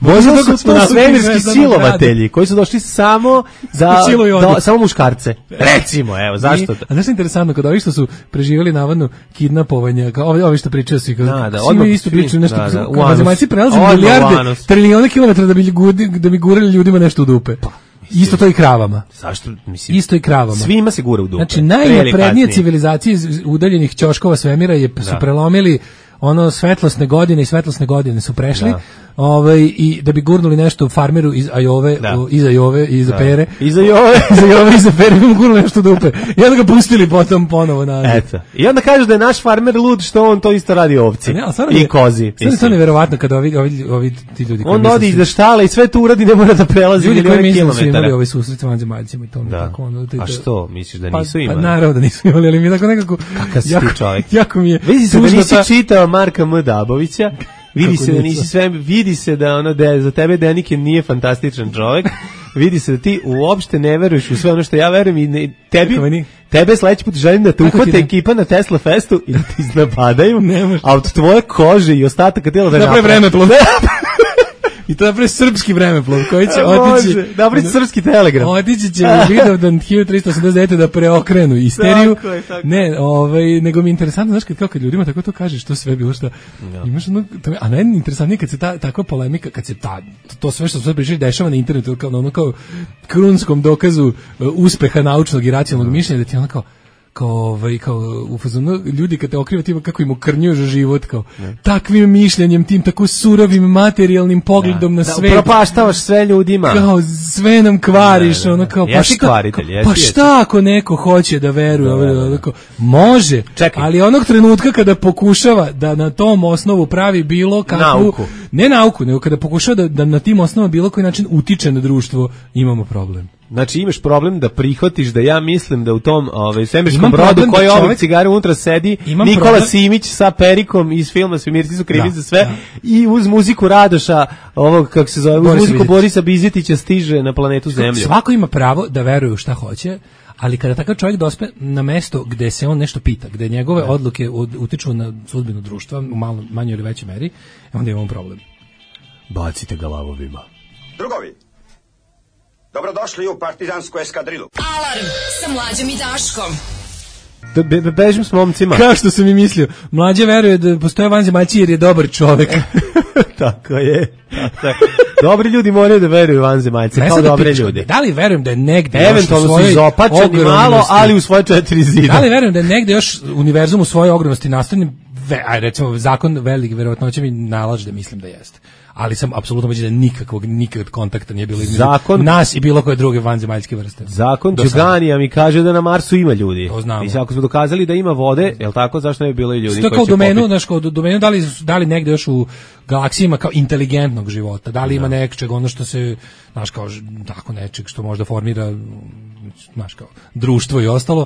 [SPEAKER 6] Možda
[SPEAKER 5] Možda
[SPEAKER 6] dok
[SPEAKER 5] su
[SPEAKER 6] smo
[SPEAKER 5] to
[SPEAKER 6] navikli
[SPEAKER 5] svemirski
[SPEAKER 6] zvezdanog
[SPEAKER 5] silovatelji koji su došli samo da,
[SPEAKER 6] Siluju
[SPEAKER 5] da
[SPEAKER 6] odu.
[SPEAKER 5] samo muškarce. Recimo, evo, zašto?
[SPEAKER 6] I- A znaš što je interesantno, kada ovi što su preživjeli navodno kidnapovanje, kao ovi, ovi što pričaju svi, kao,
[SPEAKER 5] Da, da,
[SPEAKER 6] svi
[SPEAKER 5] odmah
[SPEAKER 6] mi isto
[SPEAKER 5] svi-
[SPEAKER 6] pričaju nešto,
[SPEAKER 5] da, da,
[SPEAKER 6] kao
[SPEAKER 5] u anus.
[SPEAKER 6] vanzemaljci prelaze
[SPEAKER 5] Odmah u
[SPEAKER 6] milijarde,
[SPEAKER 5] anus.
[SPEAKER 6] trilijone kilometra da bi, gudi, da bi gurali ljudima nešto u dupe. Isto to i kravama.
[SPEAKER 5] Zašto, mislim,
[SPEAKER 6] Isto i kravama.
[SPEAKER 5] svima se gura u dupe.
[SPEAKER 6] Znači,
[SPEAKER 5] Pre ili
[SPEAKER 6] najnaprednije
[SPEAKER 5] kasnije.
[SPEAKER 6] civilizacije iz udaljenih ćoškova svemira je, su
[SPEAKER 5] Da.
[SPEAKER 6] prelomili ono svetlosne godine i svetlosne godine su prešli,
[SPEAKER 5] Da.
[SPEAKER 6] ovaj, i da bi gurnuli nešto u farmeru iz Ajove,
[SPEAKER 5] Da.
[SPEAKER 6] u- iz Ajove, iz Apere.
[SPEAKER 5] Iza i ove.
[SPEAKER 6] Iz Ajove, iz Apere, bi mu gurnuli nešto u dupe. I onda ga pustili potom ponovo na...
[SPEAKER 5] Eto. I onda kažu da je naš farmer lud što on to isto radi ovci.
[SPEAKER 6] Ne, ali stvarno
[SPEAKER 5] I
[SPEAKER 6] je-
[SPEAKER 5] kozi.
[SPEAKER 6] Stvarno je to
[SPEAKER 5] mislim.
[SPEAKER 6] neverovatno kada ovi, ovi, ovi ti ljudi koji
[SPEAKER 5] On
[SPEAKER 6] misle
[SPEAKER 5] odi
[SPEAKER 6] su-
[SPEAKER 5] iza štale i sve to uradi, ne mora da prelazi
[SPEAKER 6] ljudi koji
[SPEAKER 5] milijone
[SPEAKER 6] misle da su imali
[SPEAKER 5] kilometara.
[SPEAKER 6] ovaj susret sa vanzemaljcima i to mi
[SPEAKER 5] Da.
[SPEAKER 6] tako ono, to-
[SPEAKER 5] A
[SPEAKER 6] to-
[SPEAKER 5] što, misliš da
[SPEAKER 6] Pa,
[SPEAKER 5] nisu
[SPEAKER 6] pa
[SPEAKER 5] imali?
[SPEAKER 6] naravno da nisu imali, ali mi je tako nekako...
[SPEAKER 5] Kakav si ti
[SPEAKER 6] jako-
[SPEAKER 5] čovjek?
[SPEAKER 6] Jako mi je...
[SPEAKER 5] Vidi se da
[SPEAKER 6] tužno
[SPEAKER 5] nisi
[SPEAKER 6] ta-
[SPEAKER 5] čitao Marka M. Dabovića, vidi
[SPEAKER 6] Kako
[SPEAKER 5] se da
[SPEAKER 6] nisam?
[SPEAKER 5] nisi sve, vidi se da ono da je- za tebe Denike nije fantastičan čovjek, vidi se da ti uopšte ne veruješ u sve ono što ja verujem i ne, tebi,
[SPEAKER 6] Kako meni?
[SPEAKER 5] tebe sledeći put želim da te
[SPEAKER 6] Kako ti
[SPEAKER 5] uhvate
[SPEAKER 6] ne?
[SPEAKER 5] ekipa na Tesla Festu i da te iznapadaju,
[SPEAKER 6] Ne može.
[SPEAKER 5] a od tvoje kože i ostataka tela da
[SPEAKER 6] Napravi
[SPEAKER 5] napravi-
[SPEAKER 6] vremeplov. I to napravi srpski vremeplov koji će otići...
[SPEAKER 5] Može, napravi srpski telegram.
[SPEAKER 6] Otići će u Vidovdan hiljadu tristo osamdeset devete da preokrenu isteriju.
[SPEAKER 5] Tako je, tako.
[SPEAKER 6] Ne, ovaj, nego mi je interesantno, znaš, kad, kao kad ljudima tako to kažeš, to sve bilo šta. Imaš ono, to, mi- a najinteresantnije kad se ta, takva polemika, kad se ta, to sve što sve pričali dešava na internetu, kao na ono kao krunskom dokazu uh, uspeha naučnog i racionalnog mišljenja, da ti ono kao, kao, ovaj, kao u fazonu, ljudi kad te okriva tima kako im ukrnjuješ život, kao takvim mišljenjem, tim tako surovim materijalnim pogledom na
[SPEAKER 5] Da,
[SPEAKER 6] svet.
[SPEAKER 5] upropaštavaš sve ljudima.
[SPEAKER 6] Kao sve nam kvariš,
[SPEAKER 5] Da, da, da.
[SPEAKER 6] ono kao pa
[SPEAKER 5] Jesi
[SPEAKER 6] šta,
[SPEAKER 5] kvaritelj,
[SPEAKER 6] kao,
[SPEAKER 5] jesi,
[SPEAKER 6] pa
[SPEAKER 5] jesi.
[SPEAKER 6] šta ako neko hoće da veruje,
[SPEAKER 5] Da,
[SPEAKER 6] ovaj,
[SPEAKER 5] da, da.
[SPEAKER 6] ono kao, može,
[SPEAKER 5] Čekaj.
[SPEAKER 6] ali onog trenutka kada pokušava da na tom osnovu pravi bilo kakvu,
[SPEAKER 5] Nauku.
[SPEAKER 6] ne nauku, nego kada pokušava da, da na tim osnovama bilo koji način utiče na društvo, imamo problem.
[SPEAKER 5] Znači imaš problem da prihvatiš da ja mislim da u tom ovaj svemirskom
[SPEAKER 6] Imam
[SPEAKER 5] brodu
[SPEAKER 6] problem da
[SPEAKER 5] koji ovog
[SPEAKER 6] čovek-
[SPEAKER 5] cigare unutra sedi
[SPEAKER 6] Imam
[SPEAKER 5] Nikola
[SPEAKER 6] problem-
[SPEAKER 5] Simić sa Perikom iz filma Svemirci su krivi
[SPEAKER 6] Da,
[SPEAKER 5] za sve
[SPEAKER 6] da.
[SPEAKER 5] i uz muziku Radoša ovog kako se zove uz
[SPEAKER 6] Borisa
[SPEAKER 5] muziku
[SPEAKER 6] Bizetića.
[SPEAKER 5] Borisa Bizetića stiže na planetu Zemlju.
[SPEAKER 6] Svako ima pravo da veruje u šta hoće, ali kada takav čovjek dospe na mesto gde se on nešto pita, gde njegove odluke ud- utiču na sudbinu društva u malo, manjoj ili većoj meri, onda imamo problem.
[SPEAKER 5] Bacite ga lavovima.
[SPEAKER 9] Drugovi, dobrodošli u partizansku eskadrilu.
[SPEAKER 2] Alarm sa mlađom i Daškom.
[SPEAKER 5] da be, bežim s momcima.
[SPEAKER 6] Kao što sam i mislio. Mlađe veruje da postoje vanzemaljci jer je dobar čovek.
[SPEAKER 5] Tako je. Tako je. Dobri ljudi moraju da veruju vanzemaljce, kao dobre
[SPEAKER 6] pičko,
[SPEAKER 5] ljudi.
[SPEAKER 6] Da li verujem da je negde
[SPEAKER 5] eventualno
[SPEAKER 6] još u svojoj
[SPEAKER 5] su izopačeni malo, ali u svoje četiri zida.
[SPEAKER 6] Da li verujem da je negde još univerzum u svojoj ogromnosti nastavljen, aj recimo zakon velike verovatnoće mi nalaže da mislim da jeste. Ali sam apsolutno ubeđen da nikakvog nikakvog kontakta nije bilo između
[SPEAKER 5] zakon,
[SPEAKER 6] nas i bilo koje druge vanzemaljske vrste.
[SPEAKER 5] Zakon Đuganija mi kaže da na Marsu ima ljudi.
[SPEAKER 6] To znamo.
[SPEAKER 5] I ako smo dokazali da ima vode, je l' tako, zašto ne bi bilo i ljudi?
[SPEAKER 6] Što kao domenu, znaš, kao domenu, da li, da li negde još u galaksiji ima kao inteligentnog života, da li ima
[SPEAKER 5] da.
[SPEAKER 6] nečeg, ono što se, znaš, kao tako nečeg što možda formira, znaš, kao društvo i ostalo.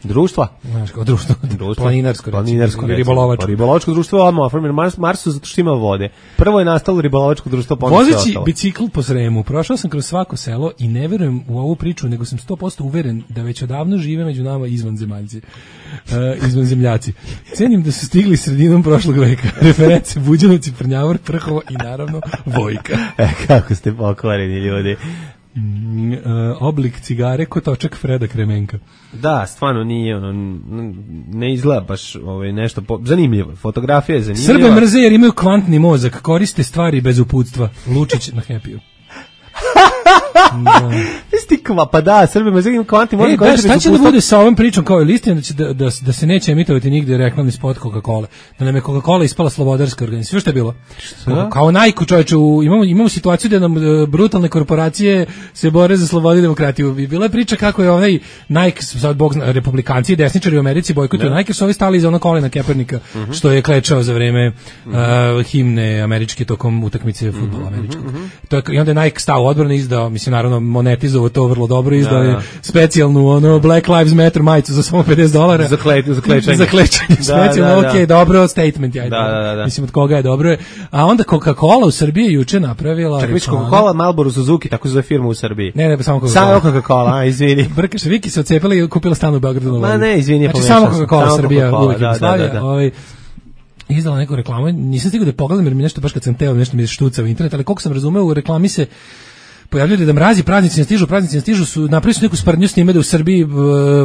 [SPEAKER 5] Društva?
[SPEAKER 6] Znaš, kao društvo,
[SPEAKER 5] društvo
[SPEAKER 6] planinarsko,
[SPEAKER 5] planinarsko
[SPEAKER 6] ribolovačko.
[SPEAKER 5] Ribolovačko društvo je odmah oformljeno Mars, Marsu zato što ima vode. Prvo je nastalo ribolovačko društvo, pa
[SPEAKER 6] vozeći bicikl po Sremu, prošao sam kroz svako selo i ne verujem u ovu priču, nego sam sto posto uveren da već odavno žive među nama izvanzemaljci. Uh, izvanzemljaci. Cenim da su stigli sredinom prošlog veka. Reference Buđanovci, Prnjavor, Prhovo i naravno Vojka.
[SPEAKER 5] E, kako ste pokvareni ljudi.
[SPEAKER 6] Mm, uh, oblik cigare ko točak Freda Kremenka.
[SPEAKER 5] Da, stvarno nije ono, ne izgleda baš ovaj, nešto po, zanimljivo. Fotografija je zanimljiva.
[SPEAKER 6] Srbe mrze jer imaju kvantni mozak, koriste stvari bez uputstva. Lučić na Happy-u. Da.
[SPEAKER 5] Stikva, pa da, Srbe mrze imaju kvantni mozak.
[SPEAKER 6] E, da, šta će da bude sa ovom pričom kao listom da, će da, da, da se neće emitovati nigde reklamni spot Coca-Cola. Da nam je Coca-Cola ispala slobodarska organizacija. Što je bilo? Kao, kao Nike, čovječe, imamo, imamo situaciju da nam uh, brutalne korporacije se bore za slobodu i demokratiju. I bila je priča kako je onaj Nike, sad bog zna, republikanci i desničari u Americi bojkotuju da. Nike, su ovi stali iza ono kolena Kaepernika, uh-huh. što je klečao za vreme uh, himne američke tokom utakmice fudbala američkog. Uh-huh. To je, i onda je Nike stao odbrano, izdao, mislim, naravno monetizovao to vrlo dobro, izdao je specijalnu ono Black Lives Matter majicu za samo pedeset dolara.
[SPEAKER 5] Za, kle, za klečanje.
[SPEAKER 6] Za klečanje, da, specijalno, da, da. Ok, dobro, statement, ajde.
[SPEAKER 5] Da, da, da.
[SPEAKER 6] Mislim, od koga je dobro je. A onda Coca-Cola u Srbiji juče napravila...
[SPEAKER 5] Čak viš Coca-Cola, Marlboro, Suzuki, tako zove firma u Srbiji.
[SPEAKER 6] Ne, ne, samo Coca-Cola.
[SPEAKER 5] Samo Coca-Cola, a, izvini.
[SPEAKER 6] Brkaš, Viki se ocepila i kupila stan u Beogradu.
[SPEAKER 5] Ma ne, izvini,
[SPEAKER 6] znači, samo Coca-Cola Srbija,
[SPEAKER 5] Coca-Cola,
[SPEAKER 6] uvijek
[SPEAKER 5] da, da, da, da.
[SPEAKER 6] Ovaj, izdala neku reklamu, nisam stigao da pogledam jer mi nešto baš kad sam teo, nešto mi je štucao u internet, ali koliko sam razumeo, u reklami se pojavljaju da mrazi, praznici ne stižu, praznici ne stižu, su napravili su neku sprdnju s njime da u Srbiji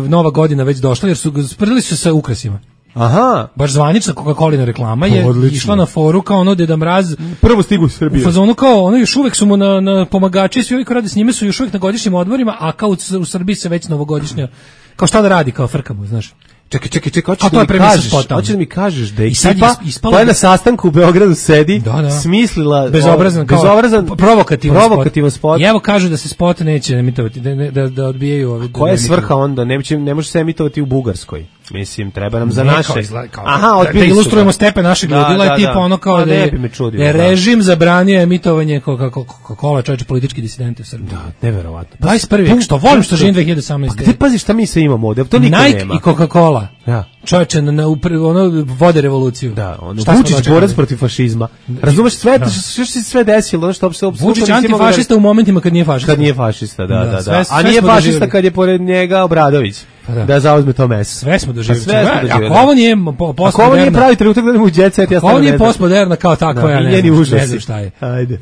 [SPEAKER 6] Nova godina već došla, jer su sprdili su sa ukrasima.
[SPEAKER 5] Aha.
[SPEAKER 6] Baš zvanična Coca-Colina reklama je
[SPEAKER 5] odlično.
[SPEAKER 6] Išla na foru kao ono Deda Mraz.
[SPEAKER 5] Prvo stigu u Srbiju.
[SPEAKER 6] U fazonu kao ono još uvek su mu na, na pomagači, svi ovi koji rade s njime su još uvek na godišnjim odmorima, a kao u, u Srbiji se već novogodišnja, kao šta da radi, kao frkamo, znaš.
[SPEAKER 5] Čekaj, čekaj, čekaj, hoćeš da, mi kažeš, hoćeš da mi kažeš da je ekipa koja na sastanku u Beogradu sedi, da, da. smislila
[SPEAKER 6] bezobrazan, kao,
[SPEAKER 5] bezobrazan
[SPEAKER 6] provokativan,
[SPEAKER 5] provokativan spot. spot.
[SPEAKER 6] I evo kažu da se spot neće emitovati, da, da, da odbijaju ovi.
[SPEAKER 5] Koja je svrha onda? Ne, ne može se emitovati u Bugarskoj. Mislim, treba nam za
[SPEAKER 6] ne,
[SPEAKER 5] naše.
[SPEAKER 6] Kao, kao,
[SPEAKER 5] Aha,
[SPEAKER 6] da, da ilustrujemo stepen našeg
[SPEAKER 5] da,
[SPEAKER 6] ludila,
[SPEAKER 5] da,
[SPEAKER 6] je tipa ono kao da je,
[SPEAKER 5] čudio,
[SPEAKER 6] da je režim zabranio emitovanje Coca-Cola, čovječe, politički disidenti u Srbiji.
[SPEAKER 5] Da, neverovatno.
[SPEAKER 6] dvadeset prvi vek, što volim što živim dve hiljade osamnaeste.
[SPEAKER 5] Pa gde pazi šta mi se imamo ovde? To niko
[SPEAKER 6] Nike
[SPEAKER 5] nema.
[SPEAKER 6] Nike i Coca-Cola.
[SPEAKER 5] Ja.
[SPEAKER 6] Čovječe, na, na, ono vode revoluciju.
[SPEAKER 5] Da, ono, Vučić borac protiv fašizma. Razumeš, sve, da. što se sve desilo, ono što uopšte...
[SPEAKER 6] Vučić antifašista u momentima kad nije fašista.
[SPEAKER 5] Kad nije fašista, da, da, da.
[SPEAKER 6] Sve,
[SPEAKER 5] A nije fašista kad je pored njega Obradović. Da. da zauzme to mesto.
[SPEAKER 6] Sve smo doživjeli.
[SPEAKER 5] Sve smo doživjeli.
[SPEAKER 6] Ako ovo nije postmoderna...
[SPEAKER 5] Ako ovo nije pravi trenutak da idemo u jet set, ja
[SPEAKER 6] stvarno ne znam. Ako ovo nije postmoderna kao takva, da, ja ne znam,
[SPEAKER 5] užasi.
[SPEAKER 6] ne znam šta je.
[SPEAKER 5] Ajde.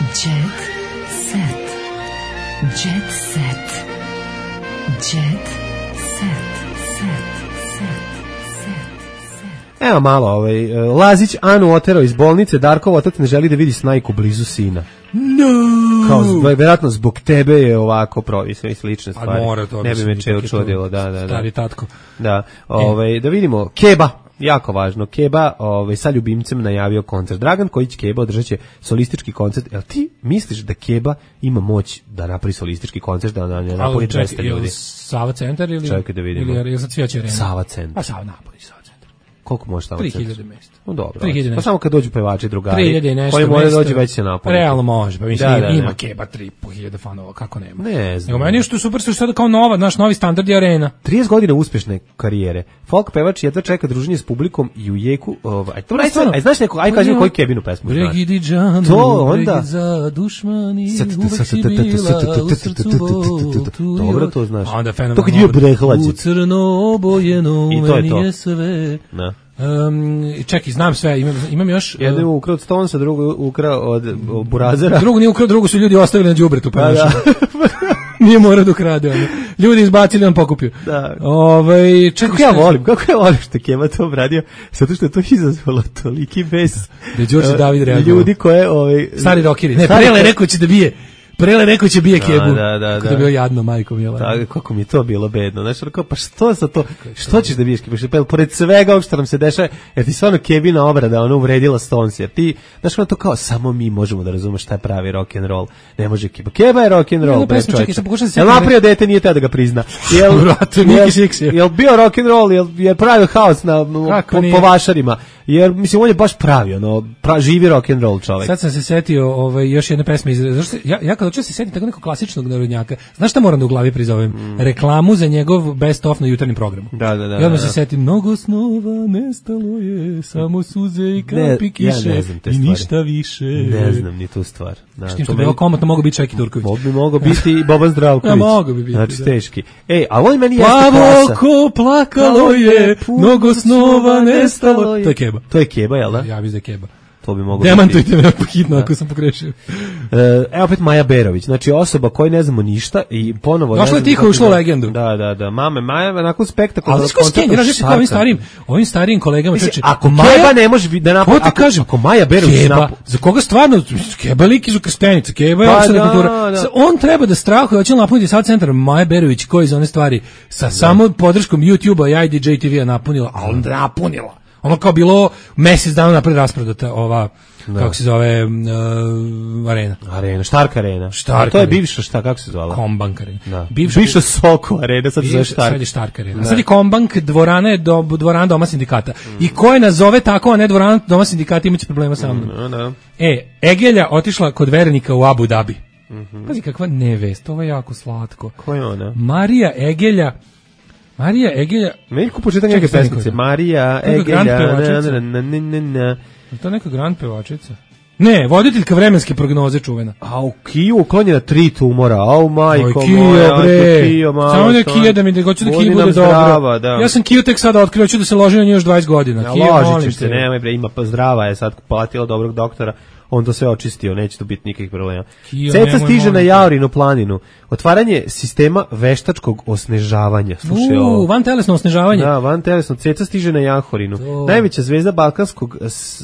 [SPEAKER 2] Jet set. Jet set. Jet set.
[SPEAKER 5] Evo malo, ovaj, Lazić Anu oterao iz bolnice, Darkov otac ne želi da vidi Snajku blizu sina.
[SPEAKER 6] No!
[SPEAKER 5] Kao, vjerojatno zbog tebe je ovako provisno i slične stvari.
[SPEAKER 6] A mora to.
[SPEAKER 5] Ne bi me čeo čudilo, da, da, da.
[SPEAKER 6] Stari tatko.
[SPEAKER 5] Da, ovaj, da vidimo, Keba, jako važno, Keba ovaj, sa ljubimcem najavio koncert. Dragan Kojić Keba održat će solistički koncert. Jel ti misliš da Keba ima moć da napravi solistički koncert, da na napuni dvesta ljudi?
[SPEAKER 6] Sava centar ili...
[SPEAKER 5] Čekaj da vidimo.
[SPEAKER 6] Ili je sad Cvijaća arena?
[SPEAKER 5] Sava centar.
[SPEAKER 6] Pa Sava napuni Sava centar.
[SPEAKER 5] Koliko može Sava centar?
[SPEAKER 6] tri hiljade mesta.
[SPEAKER 5] No dobro.
[SPEAKER 6] tri hiljade
[SPEAKER 5] pa samo kad dođu pevači drugari.
[SPEAKER 6] tri hiljade nešto.
[SPEAKER 5] Koji moraju doći već se napuniti.
[SPEAKER 6] Realno može, pa mislim
[SPEAKER 5] da, da,
[SPEAKER 6] ima
[SPEAKER 5] ne.
[SPEAKER 6] Keba tri i po hiljade fanova, kako nema.
[SPEAKER 5] Ne znam.
[SPEAKER 6] Nego meni je što je super što je sada kao nova, naš novi standard je arena.
[SPEAKER 5] trideset godina uspešne karijere. Folk pevač jedva čeka druženje s publikom i u jeku, ovaj, to aj, aj znaš neko, aj kaži koju Kebinu pesmu znaš.
[SPEAKER 6] Bregi džanu,
[SPEAKER 5] to onda
[SPEAKER 6] za dušmani, uvek si bila u srcu botu.
[SPEAKER 5] Dobro to znaš.
[SPEAKER 6] Onda fenomen.
[SPEAKER 5] To kad je bio Brehlađe.
[SPEAKER 6] U crno obojeno meni je sve.
[SPEAKER 5] Da.
[SPEAKER 6] Um, čekaj, znam sve, imam, imam još...
[SPEAKER 5] Jedno je ukrao od Stonesa, drugo je ukrao od, od Burazera.
[SPEAKER 6] Drugo nije ukrao, drugo su ljudi ostavili na đubretu, pa da. Nije morao da ukrade. Ono. Ljudi izbacili, on pokupio.
[SPEAKER 5] Da.
[SPEAKER 6] Ove, čekaj,
[SPEAKER 5] kako ja volim, kako ja volim što Keba to obradio, zato što je to izazvalo toliki bes.
[SPEAKER 6] Da je Đorđe uh, David reagovao.
[SPEAKER 5] Ljudi koje... Ovaj,
[SPEAKER 6] stari rokeri. Ne, Prele rekao će da bije. Prele rekao će bije Kebu.
[SPEAKER 5] Da, da,
[SPEAKER 6] kako da. Je bilo jadno, majko mila.
[SPEAKER 5] Da, kako mi je to bilo bedno. Znaš, kao, pa što za to? Što ćeš da biješ Kebu? Pa pored svega ovog što nam se dešava, jer ti stvarno Kebina obrada, ona uvredila Stones, jer ti, znaš, ono to kao, samo mi možemo da razumemo šta je pravi rock and roll. Ne može Keba. Keba je rock and roll, bre čovječe. Jel napravio dete, nije te da ga prizna. Jel, jel, jel bio rock and roll, jel, jel pravio haos na, po, po vašarima. Jer, mislim, on je baš pravi, ono, pra, živi rock and roll čovjek.
[SPEAKER 6] Sad sam se setio ovaj, još jedne pesme, iz, zašto, ja, ja kad hoću se setim tako nekog klasičnog narodnjaka, znaš šta moram da u glavi prizovem? Mm. Reklamu za njegov best of na jutarnjem programu.
[SPEAKER 5] Da, da, da.
[SPEAKER 6] I odmah se setim, mnogo snova nestalo je, samo suze i kapi kiše,
[SPEAKER 5] ja
[SPEAKER 6] i ništa više.
[SPEAKER 5] Ne znam ni tu stvar.
[SPEAKER 6] Da, što bi bilo komotno mogo biti Čeki Turković.
[SPEAKER 5] Mogu bi mogo biti i Boban Zdravković.
[SPEAKER 6] Ja, mogu bi biti.
[SPEAKER 5] Znači, teški. Ej, a on meni jeste
[SPEAKER 6] klasa. Plavoko plakalo je, mnogo snova nestalo. To je Keba.
[SPEAKER 5] To je Keba, jel da?
[SPEAKER 6] Ja mislim da je Keba.
[SPEAKER 5] To bi moglo
[SPEAKER 6] demantujte me hitno ako sam pogrešio.
[SPEAKER 5] Evo opet Maja Berović, znači osoba koja ne znamo ništa i ponovo...
[SPEAKER 6] Došla je tiho, ušla u legendu.
[SPEAKER 5] Da, da, da, mame Maja, nakon spektakularnog
[SPEAKER 6] koncerta... Ali znaš ko skenjera, znaš ovim starijim, ovim starijim kolegama...
[SPEAKER 5] Mislim, ako Keba ne može da napravi...
[SPEAKER 6] Ako, kažem,
[SPEAKER 5] ako Maja Berović...
[SPEAKER 6] Keba, za koga stvarno... Keba lik iz Ukrštenica, Keba je opštena kultura. On treba da strahuje, hoće napuniti sad centar Maja Berović, koji za one stvari sa samo podrškom YouTube-a i I D J T V-a napunila, a on napunila. Ono kao bilo mesec dana napred rasprodata ova, da. Kako se zove, uh, arena.
[SPEAKER 5] Arena, Štark arena.
[SPEAKER 6] Štark
[SPEAKER 5] to je bivša, šta, kako se zvala?
[SPEAKER 6] Kombank arena.
[SPEAKER 5] Da. Bivša, bivša Soko arena, sad se zove Štark.
[SPEAKER 6] Sad je Štark arena. Sad je Kombank, dvorana je do, dvorana Doma sindikata. Mm. I ko je nazove tako, a ne dvorana Doma sindikata, imaće problema sa mnom.
[SPEAKER 5] Mm, no.
[SPEAKER 6] E, Egelja otišla kod vernika u Abu Dhabi. Mm-hmm. Pazi kakva nevest, ovo je jako slatko.
[SPEAKER 5] Ko je ona?
[SPEAKER 6] Marija Egelja, Marija Egelja...
[SPEAKER 5] Neliko početak neke pesmice. Marija Egelja... Na, na, na, na, na.
[SPEAKER 6] Je to neka grand pevačica? Ne, voditeljka vremenske prognoze čuvena.
[SPEAKER 5] A u Kiju uklonjena tri tumora. Au majko
[SPEAKER 6] Kio,
[SPEAKER 5] moja.
[SPEAKER 6] Bre.
[SPEAKER 5] Kio, malo.
[SPEAKER 6] Samo da Kija da mi da hoću da Kija bude dobro.
[SPEAKER 5] Da.
[SPEAKER 6] Ja sam Kiju tek sada otkrio, hoću da se ložim na nju još dvadeset godina.
[SPEAKER 5] Ja,
[SPEAKER 6] Kija,
[SPEAKER 5] ložit ćeš se, nemoj bre, ima pa zdrava je sad platila dobrog doktora. On to sve očistio, neće tu biti nikakvih problema. Kio, Ceca stiže na Jaorinu planinu. Otvaranje sistema veštačkog osnežavanja. Slušaj,
[SPEAKER 6] ovo. Van telesno osnežavanje.
[SPEAKER 5] Da, van telesno. Ceca stiže na Jahorinu. To. Najveća zvezda balkanskog s,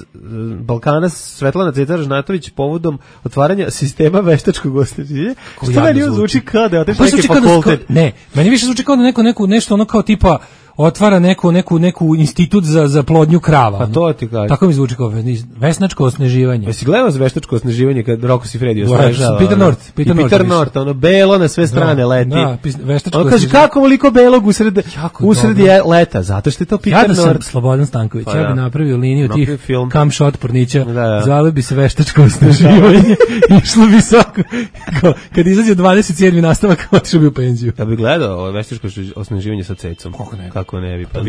[SPEAKER 5] Balkana Svetlana Ceca Ražnatović povodom otvaranja sistema veštačkog osnežavanja. Što meni zvuči kao da je otišao neki fakultet?
[SPEAKER 6] Ne, meni više zvuči kao da neko, neko, nešto ono kao tipa otvara neku neku neku institut za za plodnju krava.
[SPEAKER 5] Pa to ti kažem.
[SPEAKER 6] Tako mi zvuči kao vesnačko osneživanje.
[SPEAKER 5] Jesi gledao veštačko osneživanje kad Rocco Siffredi osnežava?
[SPEAKER 6] Peter North, Peter North.
[SPEAKER 5] Peter North, ono belo na sve strane da, leti.
[SPEAKER 6] Da, veštačko.
[SPEAKER 5] On kaže kako veliko belog usred usred je leta, zato što je to Peter North.
[SPEAKER 6] Ja da sam Slobodan Stanković, pa, ja bih napravio liniju tih
[SPEAKER 5] film.
[SPEAKER 6] Cam shot pornića. Da, da. Zvali bi se veštačko osneživanje. Išlo bi svako kad izađe dvadeset sedmi nastavak, otišao bi u penziju.
[SPEAKER 5] Ja bih gledao veštačko osneživanje sa Cecom.
[SPEAKER 6] Kako ne?
[SPEAKER 5] Kako ne bi? Pa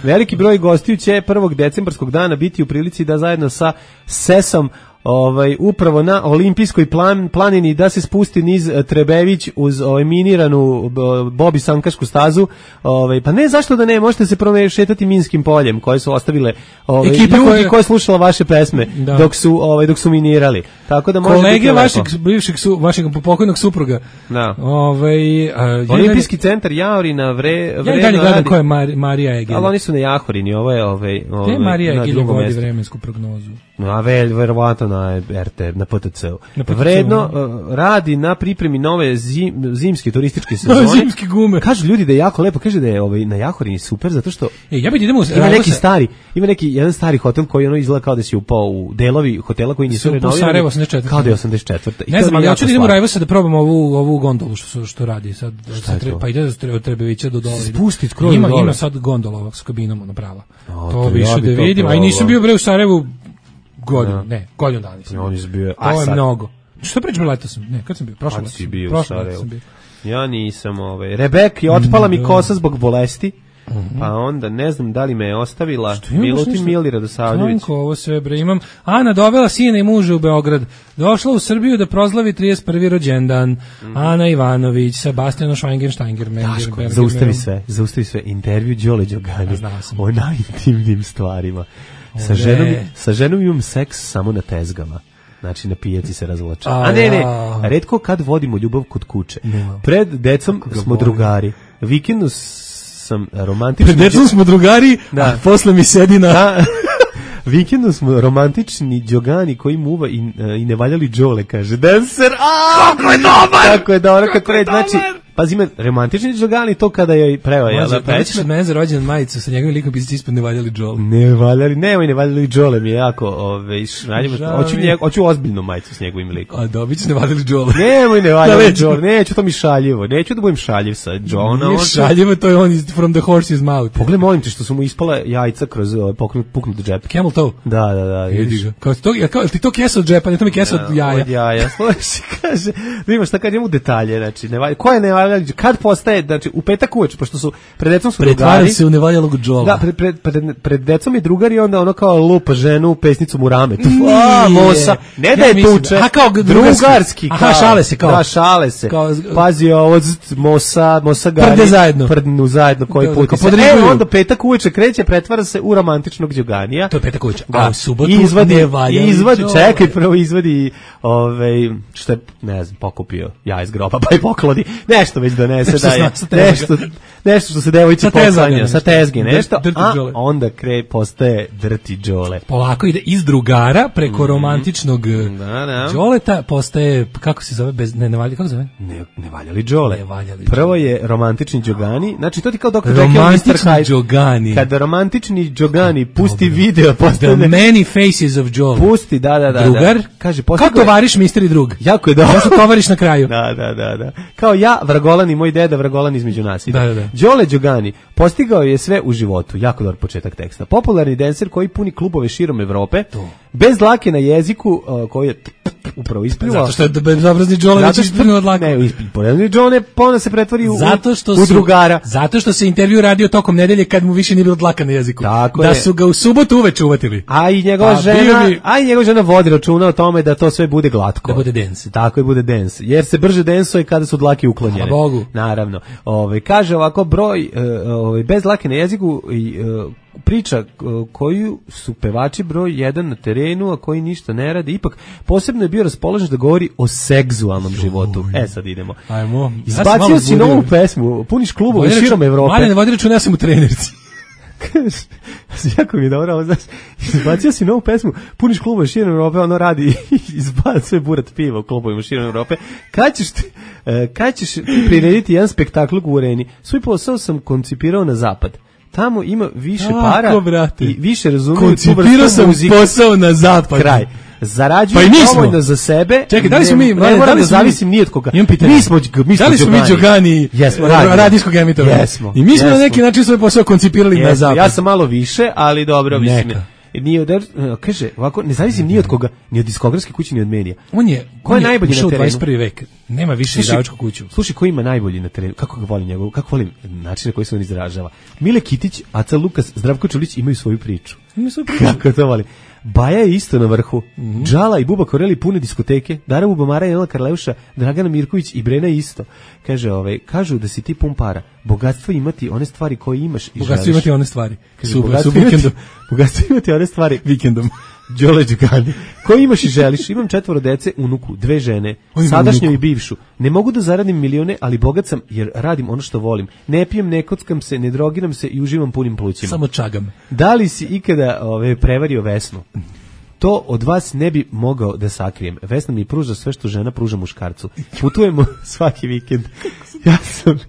[SPEAKER 5] veliki broj gostiju će prvog decembarskog dana biti u prilici da zajedno sa Sesom ovaj upravo na olimpijskoj plan, planini da se spusti niz Trebević uz ovaj miniranu Bobi Sankašku stazu. Ovaj pa ne zašto da ne, možete se prošetati minskim poljem koje su ostavile ovaj
[SPEAKER 6] ekipa
[SPEAKER 5] ljudi
[SPEAKER 6] koja
[SPEAKER 5] koji slušala vaše pesme da. dok su ovaj dok su minirali. Tako da možete
[SPEAKER 6] kolege vašeg bivšeg su vašeg pokojnog supruga.
[SPEAKER 5] Da.
[SPEAKER 6] Ovaj
[SPEAKER 5] Olimpijski centar Jaorina vre
[SPEAKER 6] vre. Ja dalje gledam ko je Mar, Marija Egelja.
[SPEAKER 5] Ali oni su na Jahorini, ovo je ovaj ovaj
[SPEAKER 6] Marija Egelja vodi vremensku prognozu.
[SPEAKER 5] A vel, verovatno na R T, na P T C-u. Vredno uh, radi na pripremi nove zim, zimske turističke sezone.
[SPEAKER 6] Zimske gume.
[SPEAKER 5] Kažu ljudi da je jako lepo, kaže da je ovaj na Jahorini super zato što
[SPEAKER 6] e, ja bih idemo
[SPEAKER 5] ima neki se... stari, ima neki jedan stari hotel koji ono izgleda kao da si upao u delovi hotela koji nisu renovirani. Kao da je osamdeset četvrte.
[SPEAKER 6] Ne znam, ali hoću da idemo u Rajvosa da probamo ovu ovu gondolu što što radi sad. Treba, pa ide od Trebevića do dole.
[SPEAKER 5] Spustiti skroz
[SPEAKER 6] ima,
[SPEAKER 5] dole.
[SPEAKER 6] Ima sad gondola ovak s kabinom ona prava. O, to više da vidim, a i nisam bio bre u Sarajevu godinu, ja. ne, godinu dana nisam.
[SPEAKER 5] On je bio,
[SPEAKER 6] a to je mnogo. Što pričam, leto sam, ne, kad sam bio, prošle leto.
[SPEAKER 5] Prošle leto sam bio. Ja nisam, ovaj, Rebek je otpala mi kosa zbog bolesti. Mm-hmm. Pa onda, ne znam da li me je ostavila Milutin Mili Radosavljević.
[SPEAKER 6] Tanko, ovo sve bre, imam. Ana dovela sina i muža u Beograd. Došla u Srbiju da prozlavi trideset prvi rođendan. Mm. Ana Ivanović, Sebastiano Schweingensteiger,
[SPEAKER 5] Daško, zaustavi sve, zaustavi sve. Intervju Đole Đogani o najintimnim stvarima. Sa ženom, sa ženom imam seks samo na tezgama. Znači na pijaci se razvlače. A, A ne, ne, retko kad vodimo ljubav kod kuće. No. Pred decom smo drugari. Vikendu sam romantični.
[SPEAKER 6] Pred decom smo drugari, da. A posle mi sedi na... Da.
[SPEAKER 5] Vikendu smo romantični Đogani koji muva i, i nevaljali Đole, kaže. Dancer, aaa!
[SPEAKER 6] Kako je dobar!
[SPEAKER 5] Kako je dobro, kako je dobar! Znači, pazi me, romantični Đogani to kada je preo, jel da?
[SPEAKER 6] Pa ćeš od mene za rođendan majicu sa njegovim likom pisati ispod nevaljali Đole.
[SPEAKER 5] Nevaljali, nemoj nevaljali Đole, mi je jako, ove, šraljimo, hoću, njeg, hoću ozbiljnu majicu s njegovim likom.
[SPEAKER 6] A dobit ću nevaljali Đole.
[SPEAKER 5] Nemoj nevaljali Đole, neću, to mi šaljivo, neću da budem šaljiv sa Đona.
[SPEAKER 6] Nije šaljivo, to je on iz From the Horse's Mouth.
[SPEAKER 5] Pogledaj, molim te što su mu ispala jajca kroz ove, puknut džep.
[SPEAKER 6] Camel toe?
[SPEAKER 5] Da, da, da.
[SPEAKER 6] Vidi ga. Kao to, kao, ti to kesa od džepa, ne to mi kesa od jaja.
[SPEAKER 5] Od jaja, slušaj, kaže, da imaš šta kad njemu detalje, znači, nevalj, ko je nevaljali, kad postaje, znači, u petak uveče, pošto su, pred decom su drugari.
[SPEAKER 6] Pretvara se u nevaljalog Đola.
[SPEAKER 5] Da, pred, pred, pred, pred decom je drugari, onda ono kao lupa ženu pesnicom u rame. A, mosa, ne da je tuče,
[SPEAKER 6] a kao
[SPEAKER 5] drugarski.
[SPEAKER 6] Aha, šale se kao.
[SPEAKER 5] Da, šale se. Kao, pazi ovo, mosa, mosa gari.
[SPEAKER 6] Prde zajedno.
[SPEAKER 5] Prdnu zajedno, koji
[SPEAKER 6] da,
[SPEAKER 5] put. E, onda petak uveče kreće, pretvara se u romantičnog Đoganija.
[SPEAKER 6] To je petak uveče. A u subotu
[SPEAKER 5] izvadi, izvadi, čekaj, prvo izvadi, ovaj, što je, ne znam, pokupio ja iz groba, pa i pokladi, nešto već donese, da je, nešto, nešto što se devojci poklanja, sa tezge, nešto, a onda kre, postaje drti Đole.
[SPEAKER 6] Polako ide iz drugara preko romantičnog Đoleta, postaje, kako se zove, bez, ne, ne valja, kako zove?
[SPEAKER 5] Ne, ne valjali Đole.
[SPEAKER 6] Ne valjali
[SPEAKER 5] Prvo je romantični Đogani, znači to ti kao doktor
[SPEAKER 6] romantični Đogani.
[SPEAKER 5] Kada romantični Đogani pusti video, postane...
[SPEAKER 6] The many faces of Đole.
[SPEAKER 5] Pusti, da, da, da.
[SPEAKER 6] Drugar?
[SPEAKER 5] Da. Kaže,
[SPEAKER 6] kao tovariš misteri drug.
[SPEAKER 5] Jako je dobro.
[SPEAKER 6] Ja su tovariš na kraju.
[SPEAKER 5] Da, da, da, da. Kao ja, Vragolan i moj deda, Vragolan između nas.
[SPEAKER 6] Da, da, da.
[SPEAKER 5] Đole Đogani postigao je sve u životu. Jako dobar početak teksta. Popularni denser koji puni klubove širom Evrope. To. Bez dlake na jeziku, uh, koji je upravo isplivao.
[SPEAKER 6] Zato što je bezobrazni Đole već isplivao od dlake.
[SPEAKER 5] Ne, isplivao. Đole pona se pretvori u,
[SPEAKER 6] zato što
[SPEAKER 5] u drugara.
[SPEAKER 6] Su, zato što se intervju radio tokom nedelje kad mu više nije bilo dlaka na jeziku.
[SPEAKER 5] Tako
[SPEAKER 6] da
[SPEAKER 5] je.
[SPEAKER 6] Su ga u subotu uveče uvatili.
[SPEAKER 5] A i njegova a, žena, bi... a i njegova žena vodi računa o tome da to sve bude glatko.
[SPEAKER 6] Da bude dance.
[SPEAKER 5] Tako je, bude dance. Jer se brže densuje kada su dlake uklonjene.
[SPEAKER 6] A Bogu.
[SPEAKER 5] Naravno. Ove, kaže ovako broj ove, bez dlake na jeziku i priča koju su pevači broj jedan na terenu, a koji ništa ne radi, ipak posebno je bio raspoložen da govori o seksualnom životu. E, sad idemo.
[SPEAKER 6] Ajmo.
[SPEAKER 5] Izbacio ja si novu pesmu, puniš klubove širom Evrope.
[SPEAKER 6] Malje, ne vodi računa, ja sam u trenerci.
[SPEAKER 5] Jako mi je dobro, ovo znaš, izbacio si novu pesmu, puniš klubove širom Evrope, ono radi, izbacuje burat piva u klubovima širom Evrope. Kad ćeš ti, kad ćeš ti prirediti jedan spektakl u Ureni? Svoj posao sam koncipirao na zapad. Tamo ima više Tako, para brate. I više razumiju.
[SPEAKER 6] Koncipirao sam muzike. Posao na zapad.
[SPEAKER 5] Kraj. Zarađujem pa dovoljno za sebe.
[SPEAKER 6] Čekaj, da li smo mi,
[SPEAKER 5] ne, ne moram da zavisim ni od koga. Mi smo, mi
[SPEAKER 6] da li smo mi Đogani
[SPEAKER 5] jesmo,
[SPEAKER 6] radijskog emitora?
[SPEAKER 5] Jesmo.
[SPEAKER 6] I mi smo jesmo. Na neki način svoj posao koncipirali jesmo. Na zapad.
[SPEAKER 5] Ja sam malo više, ali dobro, mislim. Nije od, kaže, ovako, ne zavisim ni od koga, ni od diskografske kuće, ni od medija.
[SPEAKER 6] On je,
[SPEAKER 5] ko je on najbolji je na terenu?
[SPEAKER 6] dvadeset prvi vek. Nema više izdavačku kuću.
[SPEAKER 5] Slušaj, ko ima najbolji na terenu? Kako ga volim njegov? Kako volim način na koji se on izražava? Mile Kitić, Aca Lukas, Zdravko Čulić imaju svoju priču.
[SPEAKER 6] Imaju svoju priču.
[SPEAKER 5] Kako to volim? Baja je isto na vrhu. Mm-hmm. Džala i Buba Koreli pune diskoteke. Dara Bubamara, Jelena Karleuša, Dragana Mirković i Brena isto. Kaže, ovaj, kažu da si ti pun para. Bogatstvo imati one stvari koje imaš i
[SPEAKER 6] bogatstvo
[SPEAKER 5] želiš.
[SPEAKER 6] Imati one stvari.
[SPEAKER 5] Kaže, super, bogatstvo, imati, vikendom. bogatstvo imati one stvari vikendom. Đole Đogani. Koji imaš i želiš? Imam četvoro dece, unuku, dve žene, sadašnju i bivšu. Ne mogu da zaradim milione, ali bogat sam jer radim ono što volim. Ne pijem, ne kockam se, ne drogiram se i uživam punim plućima.
[SPEAKER 6] Samo čagam.
[SPEAKER 5] Da li si ikada ove, prevario Vesnu? To od vas ne bi mogao da sakrijem. Vesna mi pruža sve što žena pruža muškarcu. Putujemo svaki vikend. Ja sam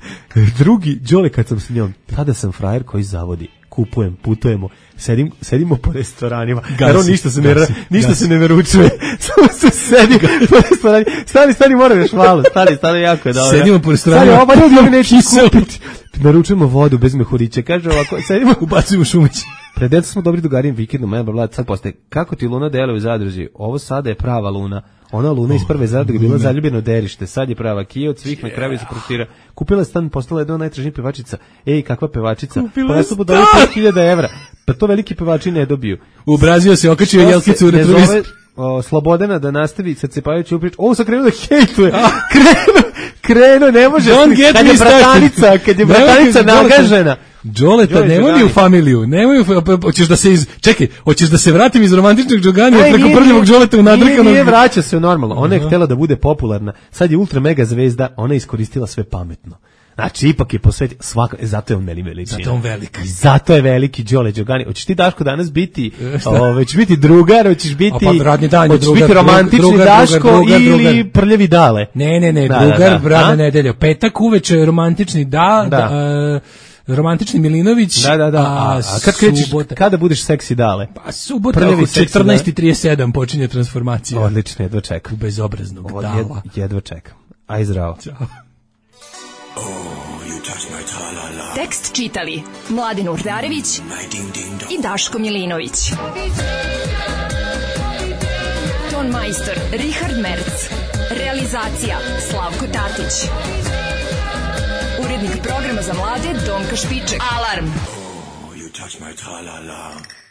[SPEAKER 5] drugi Đole kad sam s njom. Tada sam frajer koji zavodi. Kupujem, putujemo, sedim, sedimo po restoranima. Jer on ništa se ne, gasi, ništa gasi. se ne naručuje. Samo se sedi po restoranima. Stani, stani, moram još malo. Stani, stani, jako je dobro.
[SPEAKER 6] Sedimo po restoranima.
[SPEAKER 5] Stani, ovo ljudi neće kupiti. Naručujemo vodu bez mehurića. Kaže ovako, sedimo,
[SPEAKER 6] ubacujemo šumići.
[SPEAKER 5] Pred djeca smo dobri dogarim vikendom, ja bla, sad postaje, kako ti luna deluje u zadruži? Ovo sada je prava luna. Ona Luna iz prve zadruge bila zaljubljena u derište, sad je prava kija od svih, na kraju se proktira. Kupila je stan, postala jedna od najtražnijih pevačica. Ej, kakva pevačica?
[SPEAKER 6] Kupila
[SPEAKER 5] pa su mu dali pet hiljada evra. Pa to veliki pevači ne dobiju.
[SPEAKER 6] U Brazil se okačio jelkicu u retrovizor.
[SPEAKER 5] O, Slobodana da nastavi sad cepajući uprič. Ovo sam krenuo da hejtuje. Krenuo, krenuo, ne može. Kad je bratanica, kad je bratanica nagažena.
[SPEAKER 6] Đoleta, nemoj mi u familiju, nemoj u, hoćeš da se iz, čekaj, hoćeš da se vratim iz romantičnog džoganija preko prljavog Đoleta u nadrkanog.
[SPEAKER 5] Nije, nije, vraća se normalno, ona je uh-huh. htjela da bude popularna, sad je ultra mega zvezda, ona je iskoristila sve pametno. Znači, ipak je posvetio, svaka, zato je on meni veličina.
[SPEAKER 6] Zato on veliki.
[SPEAKER 5] I zato je veliki Đole Đogani. Hoćeš ti, Daško, danas biti, ove, ćeš biti drugar, hoćeš biti,
[SPEAKER 6] pa, radni dan,
[SPEAKER 5] hoćeš
[SPEAKER 6] drugar,
[SPEAKER 5] biti romantični
[SPEAKER 6] drugar,
[SPEAKER 5] Daško
[SPEAKER 6] drugar, drugar,
[SPEAKER 5] ili
[SPEAKER 6] drugar.
[SPEAKER 5] prljavi Dale.
[SPEAKER 6] Ne, ne, ne,
[SPEAKER 5] da,
[SPEAKER 6] drugar,
[SPEAKER 5] da, da.
[SPEAKER 6] radna nedelja. Petak uveče romantični da,
[SPEAKER 5] da.
[SPEAKER 6] da uh, romantični Milinović.
[SPEAKER 5] Da, da, da. A, a kad krećeš, kada budeš seksi Dale?
[SPEAKER 6] Pa subota oko četrnaest i trideset sedam počinje transformacija.
[SPEAKER 5] Odlično, jedva čekam.
[SPEAKER 6] U bezobraznog
[SPEAKER 5] o,
[SPEAKER 6] Dala.
[SPEAKER 5] Jed, jedva čekam. Aj zdravo.
[SPEAKER 6] Ćao.
[SPEAKER 2] Tekst čitali Mladin Urdarević i Daško Milinović. Ton majstor Richard Merc. Realizacija Slavko Tatić. Urednik programa za mlade Donka Špiček. Alarm! Oh, you touch my tra-la-la.